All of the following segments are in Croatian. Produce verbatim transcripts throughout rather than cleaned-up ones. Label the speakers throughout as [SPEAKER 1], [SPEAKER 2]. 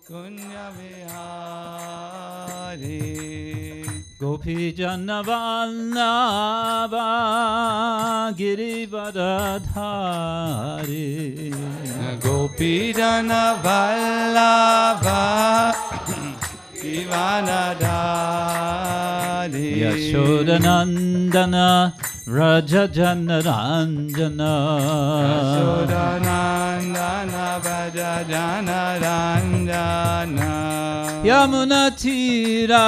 [SPEAKER 1] Kunya Vihari
[SPEAKER 2] Gopi Jana Vallabha Girivardhari
[SPEAKER 1] Gopi Jana Vallabha Girivardhari
[SPEAKER 2] Yashodanandana Raja Jana Ranjana
[SPEAKER 1] Yashodanandana Raja Jana Ranjana
[SPEAKER 2] Yamuna Tira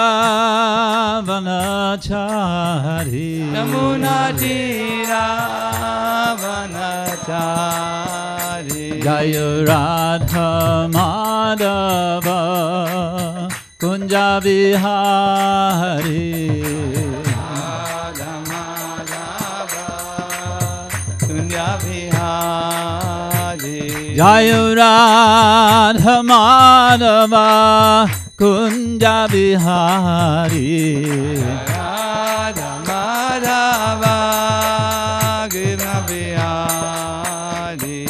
[SPEAKER 2] Vanachari
[SPEAKER 1] Yamuna Tira Vanachari
[SPEAKER 2] Jaya Radha Madhava Kunja Vihari
[SPEAKER 1] Radha Madhava Kunja Vihari
[SPEAKER 2] Jaya Radha Madhava Kunja Vihari
[SPEAKER 1] Radha Madhava Kunja Vihari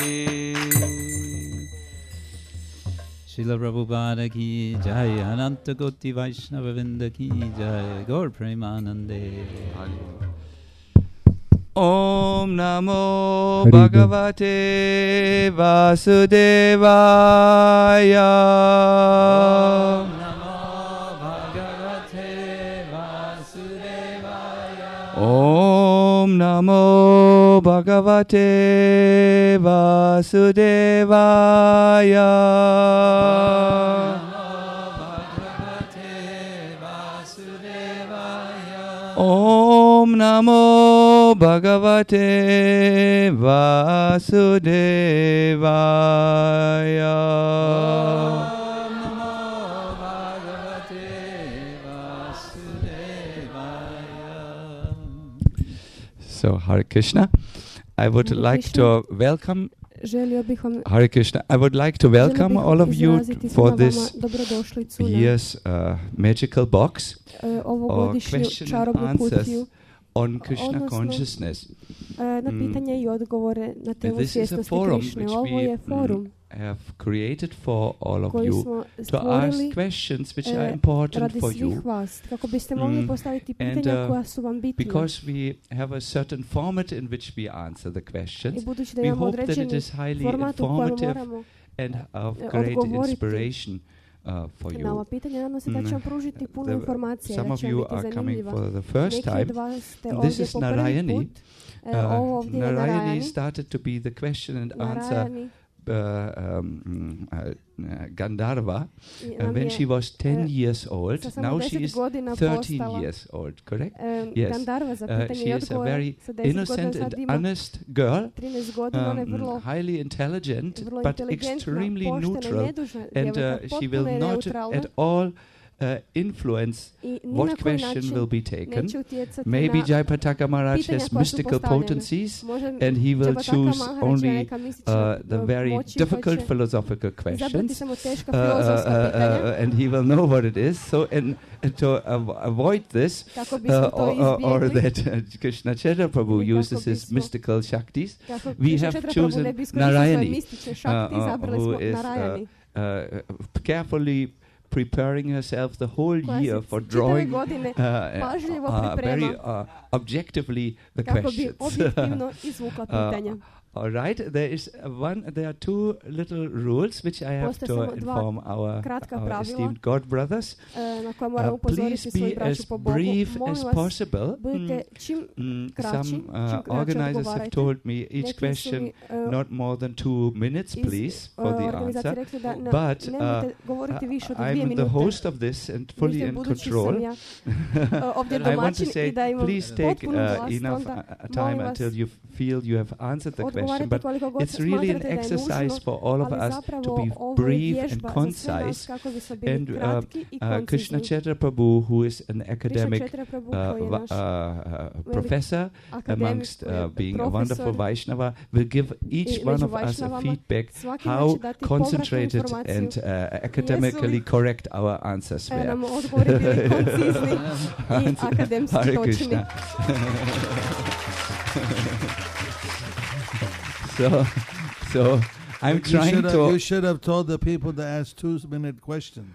[SPEAKER 2] Srila Prabhupada ki jai, Ananta Koti Vaishnava Vrinda ki jai, Gaur Premanande.
[SPEAKER 1] Om Namo Bhagavate Vasudevaya.
[SPEAKER 2] Om Namo Bhagavate Vasudevaya.
[SPEAKER 1] Om Namo Bhagavate Vasudevaya. Om Namo Bhagavate Vasudevaya. So, Hare Krishna. I would
[SPEAKER 3] Hare
[SPEAKER 1] like
[SPEAKER 3] Krishna.
[SPEAKER 1] to welcome
[SPEAKER 3] Želio bih vam
[SPEAKER 1] Hare Krishna. I would like to welcome
[SPEAKER 3] želio bih
[SPEAKER 1] all of you
[SPEAKER 3] izraziti
[SPEAKER 1] for
[SPEAKER 3] svima
[SPEAKER 1] this
[SPEAKER 3] vama dobrodošlicu na
[SPEAKER 1] year's uh, magical box
[SPEAKER 3] e,
[SPEAKER 1] or
[SPEAKER 3] ovogodišnju
[SPEAKER 1] question and
[SPEAKER 3] čarobnu
[SPEAKER 1] answers
[SPEAKER 3] kutiju
[SPEAKER 1] on Krishna
[SPEAKER 3] odnosno,
[SPEAKER 1] consciousness.
[SPEAKER 3] e, na
[SPEAKER 1] Mm.
[SPEAKER 3] pitanje i odgovore na
[SPEAKER 1] And
[SPEAKER 3] temu
[SPEAKER 1] this is a
[SPEAKER 3] svjesnosti
[SPEAKER 1] forum
[SPEAKER 3] Krišne.
[SPEAKER 1] which
[SPEAKER 3] Ovo
[SPEAKER 1] we
[SPEAKER 3] je
[SPEAKER 1] mm,
[SPEAKER 3] forum
[SPEAKER 1] have created for all of
[SPEAKER 3] koji
[SPEAKER 1] you
[SPEAKER 3] smo
[SPEAKER 1] to ask
[SPEAKER 3] stvorili
[SPEAKER 1] questions which
[SPEAKER 3] e,
[SPEAKER 1] are important
[SPEAKER 3] radi
[SPEAKER 1] for
[SPEAKER 3] svih
[SPEAKER 1] you.
[SPEAKER 3] vas, kako biste mogli
[SPEAKER 1] Mm,
[SPEAKER 3] postaviti
[SPEAKER 1] and,
[SPEAKER 3] pitanja
[SPEAKER 1] uh,
[SPEAKER 3] koja su vam bitna.
[SPEAKER 1] Because we have a certain format in which we answer the
[SPEAKER 3] I
[SPEAKER 1] questions,
[SPEAKER 3] budući da
[SPEAKER 1] we
[SPEAKER 3] imamo
[SPEAKER 1] hope that it
[SPEAKER 3] određeni
[SPEAKER 1] is highly
[SPEAKER 3] format u kojem
[SPEAKER 1] informative
[SPEAKER 3] moramo
[SPEAKER 1] and of
[SPEAKER 3] e,
[SPEAKER 1] great
[SPEAKER 3] odgovoriti
[SPEAKER 1] inspiration uh, for
[SPEAKER 3] na ova
[SPEAKER 1] you.
[SPEAKER 3] pitanja. Nadam se da će vam pružiti puno
[SPEAKER 1] The-
[SPEAKER 3] informacija,
[SPEAKER 1] Some
[SPEAKER 3] da
[SPEAKER 1] of
[SPEAKER 3] će vam
[SPEAKER 1] you
[SPEAKER 3] biti
[SPEAKER 1] are coming
[SPEAKER 3] zanimljiva.
[SPEAKER 1] for the first
[SPEAKER 3] Neki od
[SPEAKER 1] time.
[SPEAKER 3] vas ste
[SPEAKER 1] This
[SPEAKER 3] ovdje
[SPEAKER 1] is
[SPEAKER 3] po prvi
[SPEAKER 1] Narayani.
[SPEAKER 3] put. E,
[SPEAKER 1] Uh,
[SPEAKER 3] ovo ovdje je
[SPEAKER 1] Narayani
[SPEAKER 3] Narayani.
[SPEAKER 1] started to be the question and answer
[SPEAKER 3] Narayani
[SPEAKER 1] uh, um, mm, uh, uh, Gandharva
[SPEAKER 3] i
[SPEAKER 1] uh,
[SPEAKER 3] nam
[SPEAKER 1] when
[SPEAKER 3] je
[SPEAKER 1] she was ten
[SPEAKER 3] e,
[SPEAKER 1] years old.
[SPEAKER 3] sa samo
[SPEAKER 1] Now she
[SPEAKER 3] deset
[SPEAKER 1] is
[SPEAKER 3] godina
[SPEAKER 1] thirteen
[SPEAKER 3] postala
[SPEAKER 1] years old, correct?
[SPEAKER 3] e,
[SPEAKER 1] Yes.
[SPEAKER 3] Gandharva za
[SPEAKER 1] Uh,
[SPEAKER 3] pitanje
[SPEAKER 1] she
[SPEAKER 3] i
[SPEAKER 1] is a
[SPEAKER 3] odgovore.
[SPEAKER 1] very
[SPEAKER 3] Sa deset godina
[SPEAKER 1] innocent
[SPEAKER 3] sad
[SPEAKER 1] and
[SPEAKER 3] ima
[SPEAKER 1] honest girl,
[SPEAKER 3] trinaest godina, ona je
[SPEAKER 1] um,
[SPEAKER 3] vrlo,
[SPEAKER 1] highly intelligent,
[SPEAKER 3] vrlo
[SPEAKER 1] but
[SPEAKER 3] inteligentna,
[SPEAKER 1] extremely
[SPEAKER 3] poštena i
[SPEAKER 1] neutral,
[SPEAKER 3] nedužna
[SPEAKER 1] and
[SPEAKER 3] djevojka,
[SPEAKER 1] uh, she
[SPEAKER 3] potpuno
[SPEAKER 1] will
[SPEAKER 3] je
[SPEAKER 1] not
[SPEAKER 3] neutralna
[SPEAKER 1] at all uh, influence
[SPEAKER 3] i ni na
[SPEAKER 1] what
[SPEAKER 3] koji
[SPEAKER 1] question
[SPEAKER 3] način
[SPEAKER 1] will be taken.
[SPEAKER 3] neće utjecati
[SPEAKER 1] Maybe
[SPEAKER 3] na
[SPEAKER 1] Jayapataka Maharaj
[SPEAKER 3] pitanja
[SPEAKER 1] has
[SPEAKER 3] koja su
[SPEAKER 1] mystical
[SPEAKER 3] postavljena.
[SPEAKER 1] potencies,
[SPEAKER 3] Možda
[SPEAKER 1] and he will
[SPEAKER 3] Jayapataka
[SPEAKER 1] choose
[SPEAKER 3] Maharaj ima
[SPEAKER 1] only
[SPEAKER 3] neka mistična
[SPEAKER 1] uh, the
[SPEAKER 3] uh,
[SPEAKER 1] very
[SPEAKER 3] moći pa
[SPEAKER 1] difficult
[SPEAKER 3] će
[SPEAKER 1] philosophical
[SPEAKER 3] izabrati
[SPEAKER 1] questions,
[SPEAKER 3] samo teška
[SPEAKER 1] uh, uh,
[SPEAKER 3] filozofska
[SPEAKER 1] uh,
[SPEAKER 3] pitanja,
[SPEAKER 1] uh, and he will know what it is. So, and, and to av- avoid this,
[SPEAKER 3] kako
[SPEAKER 1] uh,
[SPEAKER 3] bismo to
[SPEAKER 1] or, or, or
[SPEAKER 3] izbjegli,
[SPEAKER 1] that uh, Krishna Chaitanya Prabhu
[SPEAKER 3] Ili kako
[SPEAKER 1] uses his
[SPEAKER 3] bismo-
[SPEAKER 1] mystical shaktis,
[SPEAKER 3] kako
[SPEAKER 1] we
[SPEAKER 3] Krishna
[SPEAKER 1] have
[SPEAKER 3] Chaitanya Prabhu
[SPEAKER 1] chosen
[SPEAKER 3] ne bi iskoristio svoje
[SPEAKER 1] Narayani,
[SPEAKER 3] mistične
[SPEAKER 1] uh,
[SPEAKER 3] šakti,
[SPEAKER 1] uh,
[SPEAKER 3] izabrali
[SPEAKER 1] who
[SPEAKER 3] smo
[SPEAKER 1] is
[SPEAKER 3] Narayani,
[SPEAKER 1] uh, uh, carefully preparing herself the whole
[SPEAKER 3] koja
[SPEAKER 1] year
[SPEAKER 3] se
[SPEAKER 1] for
[SPEAKER 3] čitave
[SPEAKER 1] drawing
[SPEAKER 3] godine
[SPEAKER 1] uh,
[SPEAKER 3] pažljivo
[SPEAKER 1] uh, very
[SPEAKER 3] priprema
[SPEAKER 1] uh, objectively the
[SPEAKER 3] kako bi
[SPEAKER 1] questions.
[SPEAKER 3] objektivno izvukla pitanja.
[SPEAKER 1] All right, there is uh, one. There are two little rules which I have
[SPEAKER 3] Postoje
[SPEAKER 1] to
[SPEAKER 3] samo dva
[SPEAKER 1] inform our,
[SPEAKER 3] kratka
[SPEAKER 1] our
[SPEAKER 3] pravila.
[SPEAKER 1] esteemed God brothers.
[SPEAKER 3] E, na koje moramo
[SPEAKER 1] Uh, please
[SPEAKER 3] upozoriti svoju
[SPEAKER 1] be
[SPEAKER 3] braću
[SPEAKER 1] as
[SPEAKER 3] po Bogu.
[SPEAKER 1] brief
[SPEAKER 3] Molim
[SPEAKER 1] as
[SPEAKER 3] vas,
[SPEAKER 1] possible.
[SPEAKER 3] budite čim
[SPEAKER 1] Mm,
[SPEAKER 3] kraći,
[SPEAKER 1] some
[SPEAKER 3] čim
[SPEAKER 1] uh,
[SPEAKER 3] kraće
[SPEAKER 1] organizers have
[SPEAKER 3] odgovarajte.
[SPEAKER 1] told me each
[SPEAKER 3] Neki su
[SPEAKER 1] question
[SPEAKER 3] mi, e,
[SPEAKER 1] not more than two minutes,
[SPEAKER 3] iz,
[SPEAKER 1] please,
[SPEAKER 3] e,
[SPEAKER 1] for the
[SPEAKER 3] organizacije
[SPEAKER 1] answer.
[SPEAKER 3] rekli da ne,
[SPEAKER 1] But uh,
[SPEAKER 3] nemojte govoriti više od dvije
[SPEAKER 1] I'm
[SPEAKER 3] minute.
[SPEAKER 1] the host of this and fully
[SPEAKER 3] Vidite,
[SPEAKER 1] in
[SPEAKER 3] budući
[SPEAKER 1] control.
[SPEAKER 3] sam ja e, ovdje
[SPEAKER 1] I want to
[SPEAKER 3] domaćin
[SPEAKER 1] say,
[SPEAKER 3] i da imam
[SPEAKER 1] please take
[SPEAKER 3] potpunu
[SPEAKER 1] uh,
[SPEAKER 3] vlast,
[SPEAKER 1] enough
[SPEAKER 3] onda
[SPEAKER 1] uh, time
[SPEAKER 3] molim vas,
[SPEAKER 1] until you feel you have answered the question.
[SPEAKER 3] odgovarajte
[SPEAKER 1] But
[SPEAKER 3] koliko god
[SPEAKER 1] it's really an
[SPEAKER 3] smatrate da je
[SPEAKER 1] exercise
[SPEAKER 3] nužno,
[SPEAKER 1] for all of
[SPEAKER 3] ali
[SPEAKER 1] us
[SPEAKER 3] zapravo
[SPEAKER 1] to be
[SPEAKER 3] ovo je
[SPEAKER 1] brief and
[SPEAKER 3] vježba za sve nas
[SPEAKER 1] concise.
[SPEAKER 3] kako bismo bili
[SPEAKER 1] And uh,
[SPEAKER 3] kratki i
[SPEAKER 1] uh, Krishna
[SPEAKER 3] koncizni.
[SPEAKER 1] Chaitanya Prabhu, who is an
[SPEAKER 3] Krishna
[SPEAKER 1] academic
[SPEAKER 3] Chaitanya Prabhu,
[SPEAKER 1] uh,
[SPEAKER 3] koji je
[SPEAKER 1] va-
[SPEAKER 3] naš
[SPEAKER 1] uh, uh, professor,
[SPEAKER 3] akademik,
[SPEAKER 1] amongst
[SPEAKER 3] koji je
[SPEAKER 1] uh, being a wonderful
[SPEAKER 3] profesor
[SPEAKER 1] Vaishnava, will give each
[SPEAKER 3] i
[SPEAKER 1] one
[SPEAKER 3] među
[SPEAKER 1] of us a
[SPEAKER 3] Vaishnavama,
[SPEAKER 1] feedback
[SPEAKER 3] svaki
[SPEAKER 1] how
[SPEAKER 3] će dati povratnu
[SPEAKER 1] concentrated
[SPEAKER 3] informaciju.
[SPEAKER 1] and uh, academically correct our answers
[SPEAKER 3] E,
[SPEAKER 1] were.
[SPEAKER 3] nam odgovori bili koncizni i akademski
[SPEAKER 1] Hare
[SPEAKER 3] točni.
[SPEAKER 1] Krishna. so, so I'm
[SPEAKER 4] You
[SPEAKER 1] trying
[SPEAKER 4] should, have,
[SPEAKER 1] to.
[SPEAKER 4] you should have told the people to ask two-minute questions.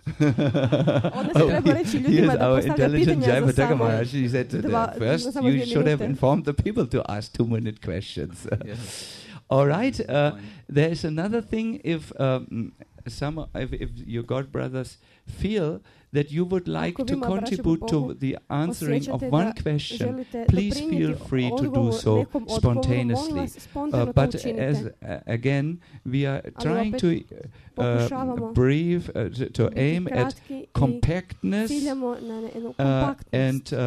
[SPEAKER 3] Onda se treba reći
[SPEAKER 1] Here's
[SPEAKER 3] ljudima da
[SPEAKER 1] our
[SPEAKER 3] postavlja
[SPEAKER 1] intelligent
[SPEAKER 3] pitanja za
[SPEAKER 1] Jayapataka
[SPEAKER 3] samo
[SPEAKER 1] Maharaj. He said that
[SPEAKER 3] dva-
[SPEAKER 1] uh, first
[SPEAKER 3] za samo
[SPEAKER 1] you
[SPEAKER 3] dvije
[SPEAKER 1] should have
[SPEAKER 3] minute.
[SPEAKER 1] informed the people to ask two-minute questions.
[SPEAKER 2] Yes.
[SPEAKER 1] All right. Uh,
[SPEAKER 2] Point.
[SPEAKER 1] there is another thing. If um, some, if, if your God brothers feel that you would like
[SPEAKER 3] Ako vi,
[SPEAKER 1] to
[SPEAKER 3] moja braćo,
[SPEAKER 1] contribute
[SPEAKER 3] po
[SPEAKER 1] to
[SPEAKER 3] Bogu
[SPEAKER 1] the answering of
[SPEAKER 3] osjećate
[SPEAKER 1] one
[SPEAKER 3] da
[SPEAKER 1] question,
[SPEAKER 3] želite
[SPEAKER 1] please feel
[SPEAKER 3] doprinijeti
[SPEAKER 1] free to do
[SPEAKER 3] odgovoru
[SPEAKER 1] so
[SPEAKER 3] nekom odgovoru, molim
[SPEAKER 1] spontaneously.
[SPEAKER 3] vas,
[SPEAKER 1] Uh,
[SPEAKER 3] spontano to
[SPEAKER 1] but
[SPEAKER 3] učinite.
[SPEAKER 1] as uh, again, we are
[SPEAKER 3] Ali
[SPEAKER 1] trying
[SPEAKER 3] opet
[SPEAKER 1] to uh,
[SPEAKER 3] pokušavamo
[SPEAKER 1] brief, uh, to, to
[SPEAKER 3] biti
[SPEAKER 1] aim at
[SPEAKER 3] kratki i
[SPEAKER 1] compactness
[SPEAKER 3] ciljamo na ne- jednu
[SPEAKER 1] uh,
[SPEAKER 3] kompaktnost
[SPEAKER 1] and uh, uh,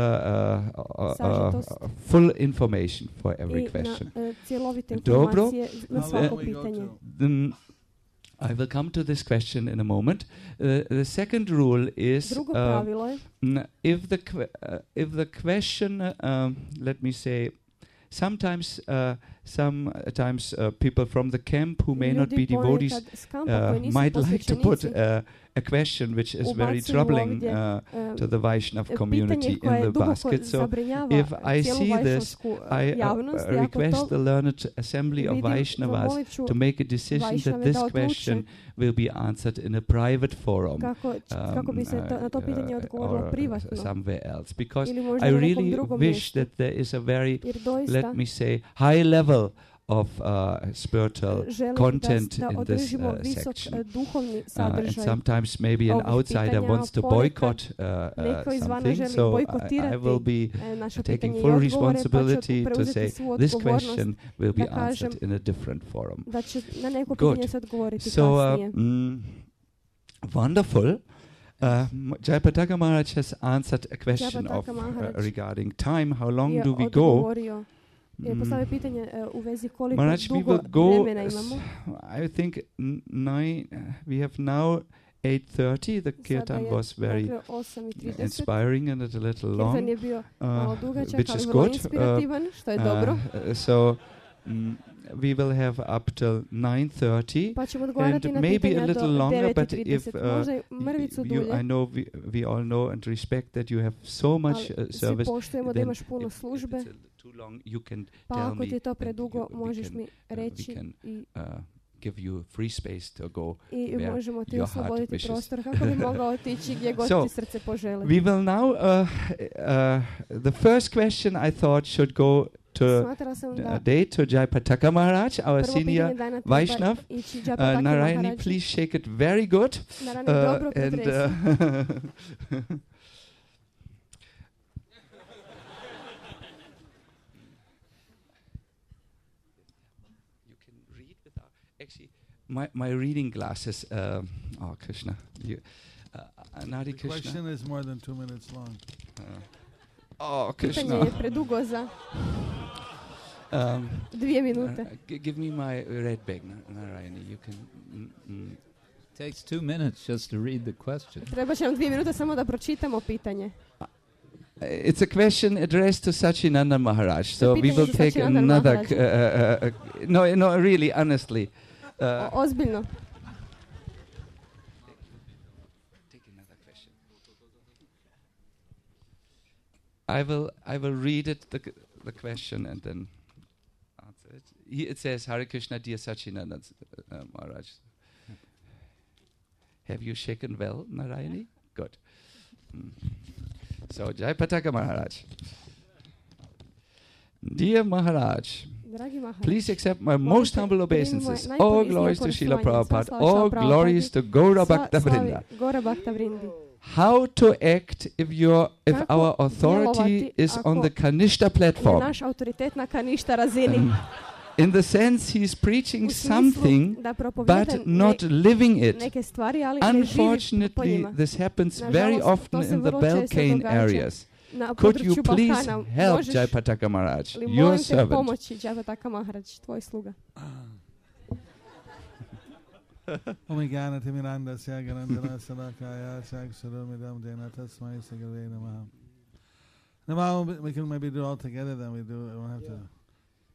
[SPEAKER 1] uh, uh,
[SPEAKER 3] Sažetost.
[SPEAKER 1] full information for every
[SPEAKER 3] i
[SPEAKER 1] question.
[SPEAKER 3] na uh, cjelovite
[SPEAKER 1] Dobro.
[SPEAKER 3] informacije na
[SPEAKER 4] How
[SPEAKER 3] svako
[SPEAKER 4] long we go
[SPEAKER 3] pitanje.
[SPEAKER 4] to?
[SPEAKER 1] Um, I will come to this question in a moment. Uh, the second rule is
[SPEAKER 3] Drugo
[SPEAKER 1] uh,
[SPEAKER 3] pravilo je
[SPEAKER 1] n- if the que- uh, if the question, uh, um, let me say, sometimes uh, sometimes uh, people from the camp who may not be
[SPEAKER 3] ljudi
[SPEAKER 1] devotees
[SPEAKER 3] ponekad s kampa koji
[SPEAKER 1] uh,
[SPEAKER 3] nisu
[SPEAKER 1] might like to put
[SPEAKER 3] posvećenici,
[SPEAKER 1] uh, a question which is very
[SPEAKER 3] ubacuju
[SPEAKER 1] troubling
[SPEAKER 3] ovdje,
[SPEAKER 1] uh,
[SPEAKER 3] um,
[SPEAKER 1] to the Vaishnav
[SPEAKER 3] pitanje
[SPEAKER 1] community
[SPEAKER 3] koje
[SPEAKER 1] in the
[SPEAKER 3] duboko
[SPEAKER 1] basket. So
[SPEAKER 3] zabrinjava
[SPEAKER 1] if I
[SPEAKER 3] cijelu
[SPEAKER 1] see this,
[SPEAKER 3] vajšnavsku uh,
[SPEAKER 1] I uh,
[SPEAKER 3] javnost i ako
[SPEAKER 1] request
[SPEAKER 3] to
[SPEAKER 1] the learned assembly of
[SPEAKER 3] vidim,
[SPEAKER 1] Vaishnavas
[SPEAKER 3] zamolit ću
[SPEAKER 1] to make a decision that
[SPEAKER 3] Vajšnave
[SPEAKER 1] this
[SPEAKER 3] da odluče
[SPEAKER 1] question will be answered in a private forum.
[SPEAKER 3] kako, ć- kako bi se to, na to pitanje
[SPEAKER 1] uh,
[SPEAKER 3] odgovorilo
[SPEAKER 1] or
[SPEAKER 3] privatno
[SPEAKER 1] somewhere else, because
[SPEAKER 3] ili možda
[SPEAKER 1] I
[SPEAKER 3] na nekom
[SPEAKER 1] really
[SPEAKER 3] drugom
[SPEAKER 1] wish
[SPEAKER 3] mjestu.
[SPEAKER 1] that there is a very,
[SPEAKER 3] Jer doista
[SPEAKER 1] let me say, high level of uh, spiritual
[SPEAKER 3] želim
[SPEAKER 1] content
[SPEAKER 3] da, da
[SPEAKER 1] in this
[SPEAKER 3] održimo
[SPEAKER 1] uh,
[SPEAKER 3] visok
[SPEAKER 1] section.
[SPEAKER 3] uh, duhovni
[SPEAKER 1] Uh, and
[SPEAKER 3] sadržaj.
[SPEAKER 1] sometimes maybe an
[SPEAKER 3] ovih
[SPEAKER 1] outsider
[SPEAKER 3] pitanja,
[SPEAKER 1] wants to
[SPEAKER 3] a ponekad
[SPEAKER 1] boycott uh, uh,
[SPEAKER 3] neko izvana
[SPEAKER 1] something,
[SPEAKER 3] želi
[SPEAKER 1] so I, I
[SPEAKER 3] bojkotirati
[SPEAKER 1] will be
[SPEAKER 3] e, naše
[SPEAKER 1] taking
[SPEAKER 3] pitanje i
[SPEAKER 1] full
[SPEAKER 3] odgovore, pa ću
[SPEAKER 1] responsibility to
[SPEAKER 3] preuzeti
[SPEAKER 1] say
[SPEAKER 3] svu
[SPEAKER 1] this
[SPEAKER 3] odgovornost
[SPEAKER 1] question will be
[SPEAKER 3] da kažem
[SPEAKER 1] answered in a different forum.
[SPEAKER 3] da će na neko
[SPEAKER 1] Good.
[SPEAKER 3] pitanje se odgovoriti
[SPEAKER 1] So, uh,
[SPEAKER 3] kasnije.
[SPEAKER 1] mm, wonderful. Uh, M- Jayapataka Maharaj has answered a question of
[SPEAKER 3] Jayapataka
[SPEAKER 1] uh,
[SPEAKER 3] Maharaj
[SPEAKER 1] regarding time. How long
[SPEAKER 3] je
[SPEAKER 1] do we go?
[SPEAKER 3] odgovorio, je
[SPEAKER 1] Mm.
[SPEAKER 3] postavio pitanje uh, u vezi koliko
[SPEAKER 1] Maharaj, we
[SPEAKER 3] dugo
[SPEAKER 1] will go.
[SPEAKER 3] vremena imamo.
[SPEAKER 1] s- I think n- nine. Uh, we have now eight thirty. The kirtan
[SPEAKER 3] je,
[SPEAKER 1] was very
[SPEAKER 3] dakle, osam i trideset.
[SPEAKER 1] inspiring and a little long,
[SPEAKER 3] Kirtan je bio malo
[SPEAKER 1] uh,
[SPEAKER 3] dugačak,
[SPEAKER 1] which
[SPEAKER 3] ali
[SPEAKER 1] is
[SPEAKER 3] vrlo
[SPEAKER 1] good. Uh,
[SPEAKER 3] inspirativan, što je
[SPEAKER 1] uh,
[SPEAKER 3] dobro.
[SPEAKER 1] uh, so mm, we will have up till nine thirty.
[SPEAKER 3] Pa ćemo odgovarati
[SPEAKER 1] and
[SPEAKER 3] na
[SPEAKER 1] maybe a
[SPEAKER 3] pitanja
[SPEAKER 1] little
[SPEAKER 3] do
[SPEAKER 1] longer,
[SPEAKER 3] devet i
[SPEAKER 1] but if,
[SPEAKER 3] trideset.
[SPEAKER 1] uh,
[SPEAKER 3] Možda i mrvicu
[SPEAKER 1] you,
[SPEAKER 3] dulje,
[SPEAKER 1] I know we, we all know and respect that you have so much
[SPEAKER 3] ali
[SPEAKER 1] uh,
[SPEAKER 3] svi
[SPEAKER 1] service.
[SPEAKER 3] poštujemo da
[SPEAKER 1] then
[SPEAKER 3] imaš puno
[SPEAKER 1] if
[SPEAKER 3] službe,
[SPEAKER 1] it's a too long, you can
[SPEAKER 3] pa
[SPEAKER 1] tell
[SPEAKER 3] ako ti je
[SPEAKER 1] me
[SPEAKER 3] to
[SPEAKER 1] and
[SPEAKER 3] predugo,
[SPEAKER 1] you- we
[SPEAKER 3] možeš
[SPEAKER 1] can,
[SPEAKER 3] mi
[SPEAKER 1] uh, we
[SPEAKER 3] reći
[SPEAKER 1] can,
[SPEAKER 3] i,
[SPEAKER 1] uh, give you free space to go.
[SPEAKER 3] i
[SPEAKER 1] where
[SPEAKER 3] možemo ti
[SPEAKER 1] your heart
[SPEAKER 3] osloboditi
[SPEAKER 1] wishes.
[SPEAKER 3] prostor kako bi mogao otići gdje god
[SPEAKER 1] So,
[SPEAKER 3] ti srce poželi.
[SPEAKER 1] We will now. Uh, uh, the first question I thought should go to
[SPEAKER 3] Smatrala sam
[SPEAKER 1] uh,
[SPEAKER 3] da
[SPEAKER 1] day to Jayapataka Maharaj, our
[SPEAKER 3] prvo
[SPEAKER 1] senior
[SPEAKER 3] pitanje dana treba
[SPEAKER 1] Vaishnav.
[SPEAKER 3] ići
[SPEAKER 1] Uh,
[SPEAKER 3] Jayapataka
[SPEAKER 1] Narayani,
[SPEAKER 3] Maharaj.
[SPEAKER 1] please shake it very good.
[SPEAKER 3] Narayani,
[SPEAKER 1] Uh,
[SPEAKER 3] dobro
[SPEAKER 1] and
[SPEAKER 3] pretresi.
[SPEAKER 1] uh, you can read without actually my my reading glasses. Um, oh Krishna, you, uh, Nadi
[SPEAKER 4] The
[SPEAKER 1] Krishna.
[SPEAKER 4] question is more than two minutes long.
[SPEAKER 1] Uh, oh
[SPEAKER 3] Pitanje
[SPEAKER 1] Krishna.
[SPEAKER 3] je predugo za
[SPEAKER 1] Um,
[SPEAKER 3] dvije minute.
[SPEAKER 1] uh, g- give me my red bag, Na- Narayani. You can. Mm, mm.
[SPEAKER 2] Takes two minutes just to read the question.
[SPEAKER 3] Treba će nam dvije minute samo da pročitamo pitanje.
[SPEAKER 1] Uh, It's a question addressed to Sachinanda Maharaj. So we
[SPEAKER 3] pitanje
[SPEAKER 1] will
[SPEAKER 3] za
[SPEAKER 1] take
[SPEAKER 3] Sachinanda
[SPEAKER 1] another.
[SPEAKER 3] Maharaja.
[SPEAKER 1] Uh, uh, uh, no, no, really, honestly. Uh,
[SPEAKER 3] O- ozbiljno.
[SPEAKER 1] take another question. I will. I will read it the the question and then answer it. He, it says, Hare Krishna, dear Sachinanda uh, Maharaj. Have you shaken well, Narayani? Good. Mm. So, Jayapataka Maharaj. Dear Maharaj,
[SPEAKER 3] Dragi Maharaj,
[SPEAKER 1] please accept my most
[SPEAKER 3] Molite,
[SPEAKER 1] humble
[SPEAKER 3] primi
[SPEAKER 1] obeisances.
[SPEAKER 3] moje
[SPEAKER 1] All
[SPEAKER 3] najponisnije
[SPEAKER 1] glories to Srila
[SPEAKER 3] poštovanje,
[SPEAKER 1] Prabhupada.
[SPEAKER 3] sva slava
[SPEAKER 1] All
[SPEAKER 3] Srila
[SPEAKER 1] glories to Gaura
[SPEAKER 3] sva
[SPEAKER 1] Bhakta
[SPEAKER 3] slavi
[SPEAKER 1] Vrinda.
[SPEAKER 3] Gora Bhakta Vrindi.
[SPEAKER 1] How to act if your if
[SPEAKER 3] Kako
[SPEAKER 1] our authority
[SPEAKER 3] djelovati
[SPEAKER 1] is on
[SPEAKER 3] ako
[SPEAKER 1] the Kanishta
[SPEAKER 3] Je
[SPEAKER 1] platform?
[SPEAKER 3] naš autoritet na kaništa razini.
[SPEAKER 1] Um, in the sense he's preaching
[SPEAKER 3] U smislu
[SPEAKER 1] something
[SPEAKER 3] da propovjeda
[SPEAKER 1] but
[SPEAKER 3] ne-
[SPEAKER 1] not living it.
[SPEAKER 3] neke stvari, ali ne živi po
[SPEAKER 1] Unfortunately,
[SPEAKER 3] njima.
[SPEAKER 1] this happens
[SPEAKER 3] Nažalost,
[SPEAKER 1] very
[SPEAKER 3] to
[SPEAKER 1] often
[SPEAKER 3] se
[SPEAKER 1] in the
[SPEAKER 3] vrlo često
[SPEAKER 1] Balkane
[SPEAKER 3] događa
[SPEAKER 1] areas.
[SPEAKER 3] Na
[SPEAKER 1] Could you
[SPEAKER 3] području
[SPEAKER 1] please
[SPEAKER 3] Balkana.
[SPEAKER 1] help
[SPEAKER 3] Možeš
[SPEAKER 1] Jayapataka Maharaj,
[SPEAKER 3] li
[SPEAKER 1] your
[SPEAKER 3] molim te
[SPEAKER 1] servant?
[SPEAKER 3] pomoći Jayapataka Maharaj, tvoj sluga.
[SPEAKER 4] Omigana Timiranda Syagarandana Sadakaya Saksurumidam Dena Tasmai Sagave Namaha. Namaha, we can maybe do it all together, then we do it. We won't have to.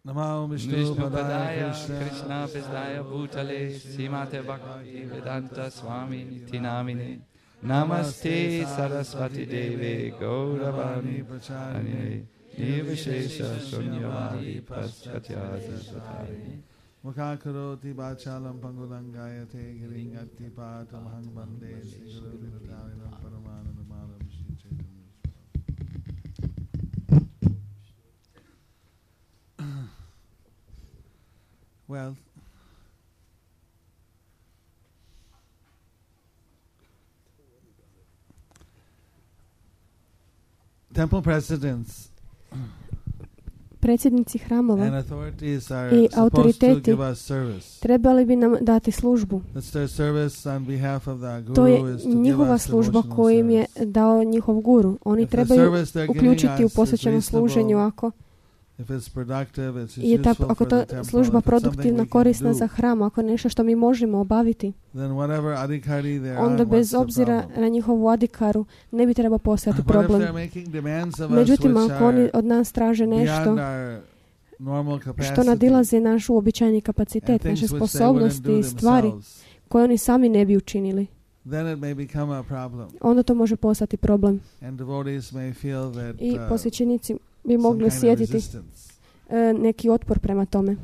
[SPEAKER 4] Namaha Vishnu
[SPEAKER 1] Vishnu
[SPEAKER 4] Padaya
[SPEAKER 1] Padaya Krishna Visdaya Bhutale Simate Bhakti Vedanta Swami Nitinamine Namaste Saraswati Deve Gauravani Pracharine Nirvishesha Shunyavadi Paschatya Satari
[SPEAKER 4] Mukhakaroti Bachalam Pangulangayate Giringati Patam Hangbande Siguru Vitarinam Paramanandamalam Shri Chaitanya. Well, temple presidents
[SPEAKER 3] predsjednici hramova
[SPEAKER 4] and authorities are
[SPEAKER 3] i
[SPEAKER 4] supposed to
[SPEAKER 3] autoriteti
[SPEAKER 4] give us service.
[SPEAKER 3] trebali bi nam dati službu.
[SPEAKER 4] That's their service on behalf of the
[SPEAKER 3] To je
[SPEAKER 4] guru is to give
[SPEAKER 3] njihova
[SPEAKER 4] us
[SPEAKER 3] služba
[SPEAKER 4] devotional
[SPEAKER 3] koju im je
[SPEAKER 4] service.
[SPEAKER 3] dao njihov guru. Oni
[SPEAKER 4] If the
[SPEAKER 3] trebaju
[SPEAKER 4] service they're giving
[SPEAKER 3] uključiti u
[SPEAKER 4] us is
[SPEAKER 3] posvećenom služenju
[SPEAKER 4] reasonable,
[SPEAKER 3] ako
[SPEAKER 4] if it's productive, it's
[SPEAKER 3] je ta,
[SPEAKER 4] useful
[SPEAKER 3] ako
[SPEAKER 4] for the
[SPEAKER 3] to
[SPEAKER 4] temple,
[SPEAKER 3] služba
[SPEAKER 4] if it's something
[SPEAKER 3] produktivna,
[SPEAKER 4] we can
[SPEAKER 3] korisna
[SPEAKER 4] do,
[SPEAKER 3] za hram, ako je nešto što mi možemo obaviti,
[SPEAKER 4] then whatever adhikari they're
[SPEAKER 3] onda
[SPEAKER 4] on,
[SPEAKER 3] bez
[SPEAKER 4] what's the
[SPEAKER 3] obzira
[SPEAKER 4] problem?
[SPEAKER 3] na njihovu adikaru ne bi trebao postojati
[SPEAKER 4] But if
[SPEAKER 3] problem.
[SPEAKER 4] they're making demands of us
[SPEAKER 3] Međutim,
[SPEAKER 4] which
[SPEAKER 3] ako oni
[SPEAKER 4] are
[SPEAKER 3] od nas traže
[SPEAKER 4] beyond
[SPEAKER 3] nešto
[SPEAKER 4] our normal
[SPEAKER 3] što
[SPEAKER 4] capacity
[SPEAKER 3] nadilazi naš uobičajeni
[SPEAKER 4] and
[SPEAKER 3] kapacitet,
[SPEAKER 4] things
[SPEAKER 3] naše
[SPEAKER 4] which they wouldn't
[SPEAKER 3] sposobnosti
[SPEAKER 4] do
[SPEAKER 3] i stvari
[SPEAKER 4] themselves,
[SPEAKER 3] koje oni sami ne bi učinili,
[SPEAKER 4] then it may become a problem.
[SPEAKER 3] onda to može postati problem.
[SPEAKER 4] And devotees may feel that
[SPEAKER 3] I
[SPEAKER 4] uh,
[SPEAKER 3] posvećenici bi
[SPEAKER 4] some
[SPEAKER 3] mogli
[SPEAKER 4] kind of
[SPEAKER 3] osjetiti
[SPEAKER 4] resistance.
[SPEAKER 3] e, neki otpor prema tome.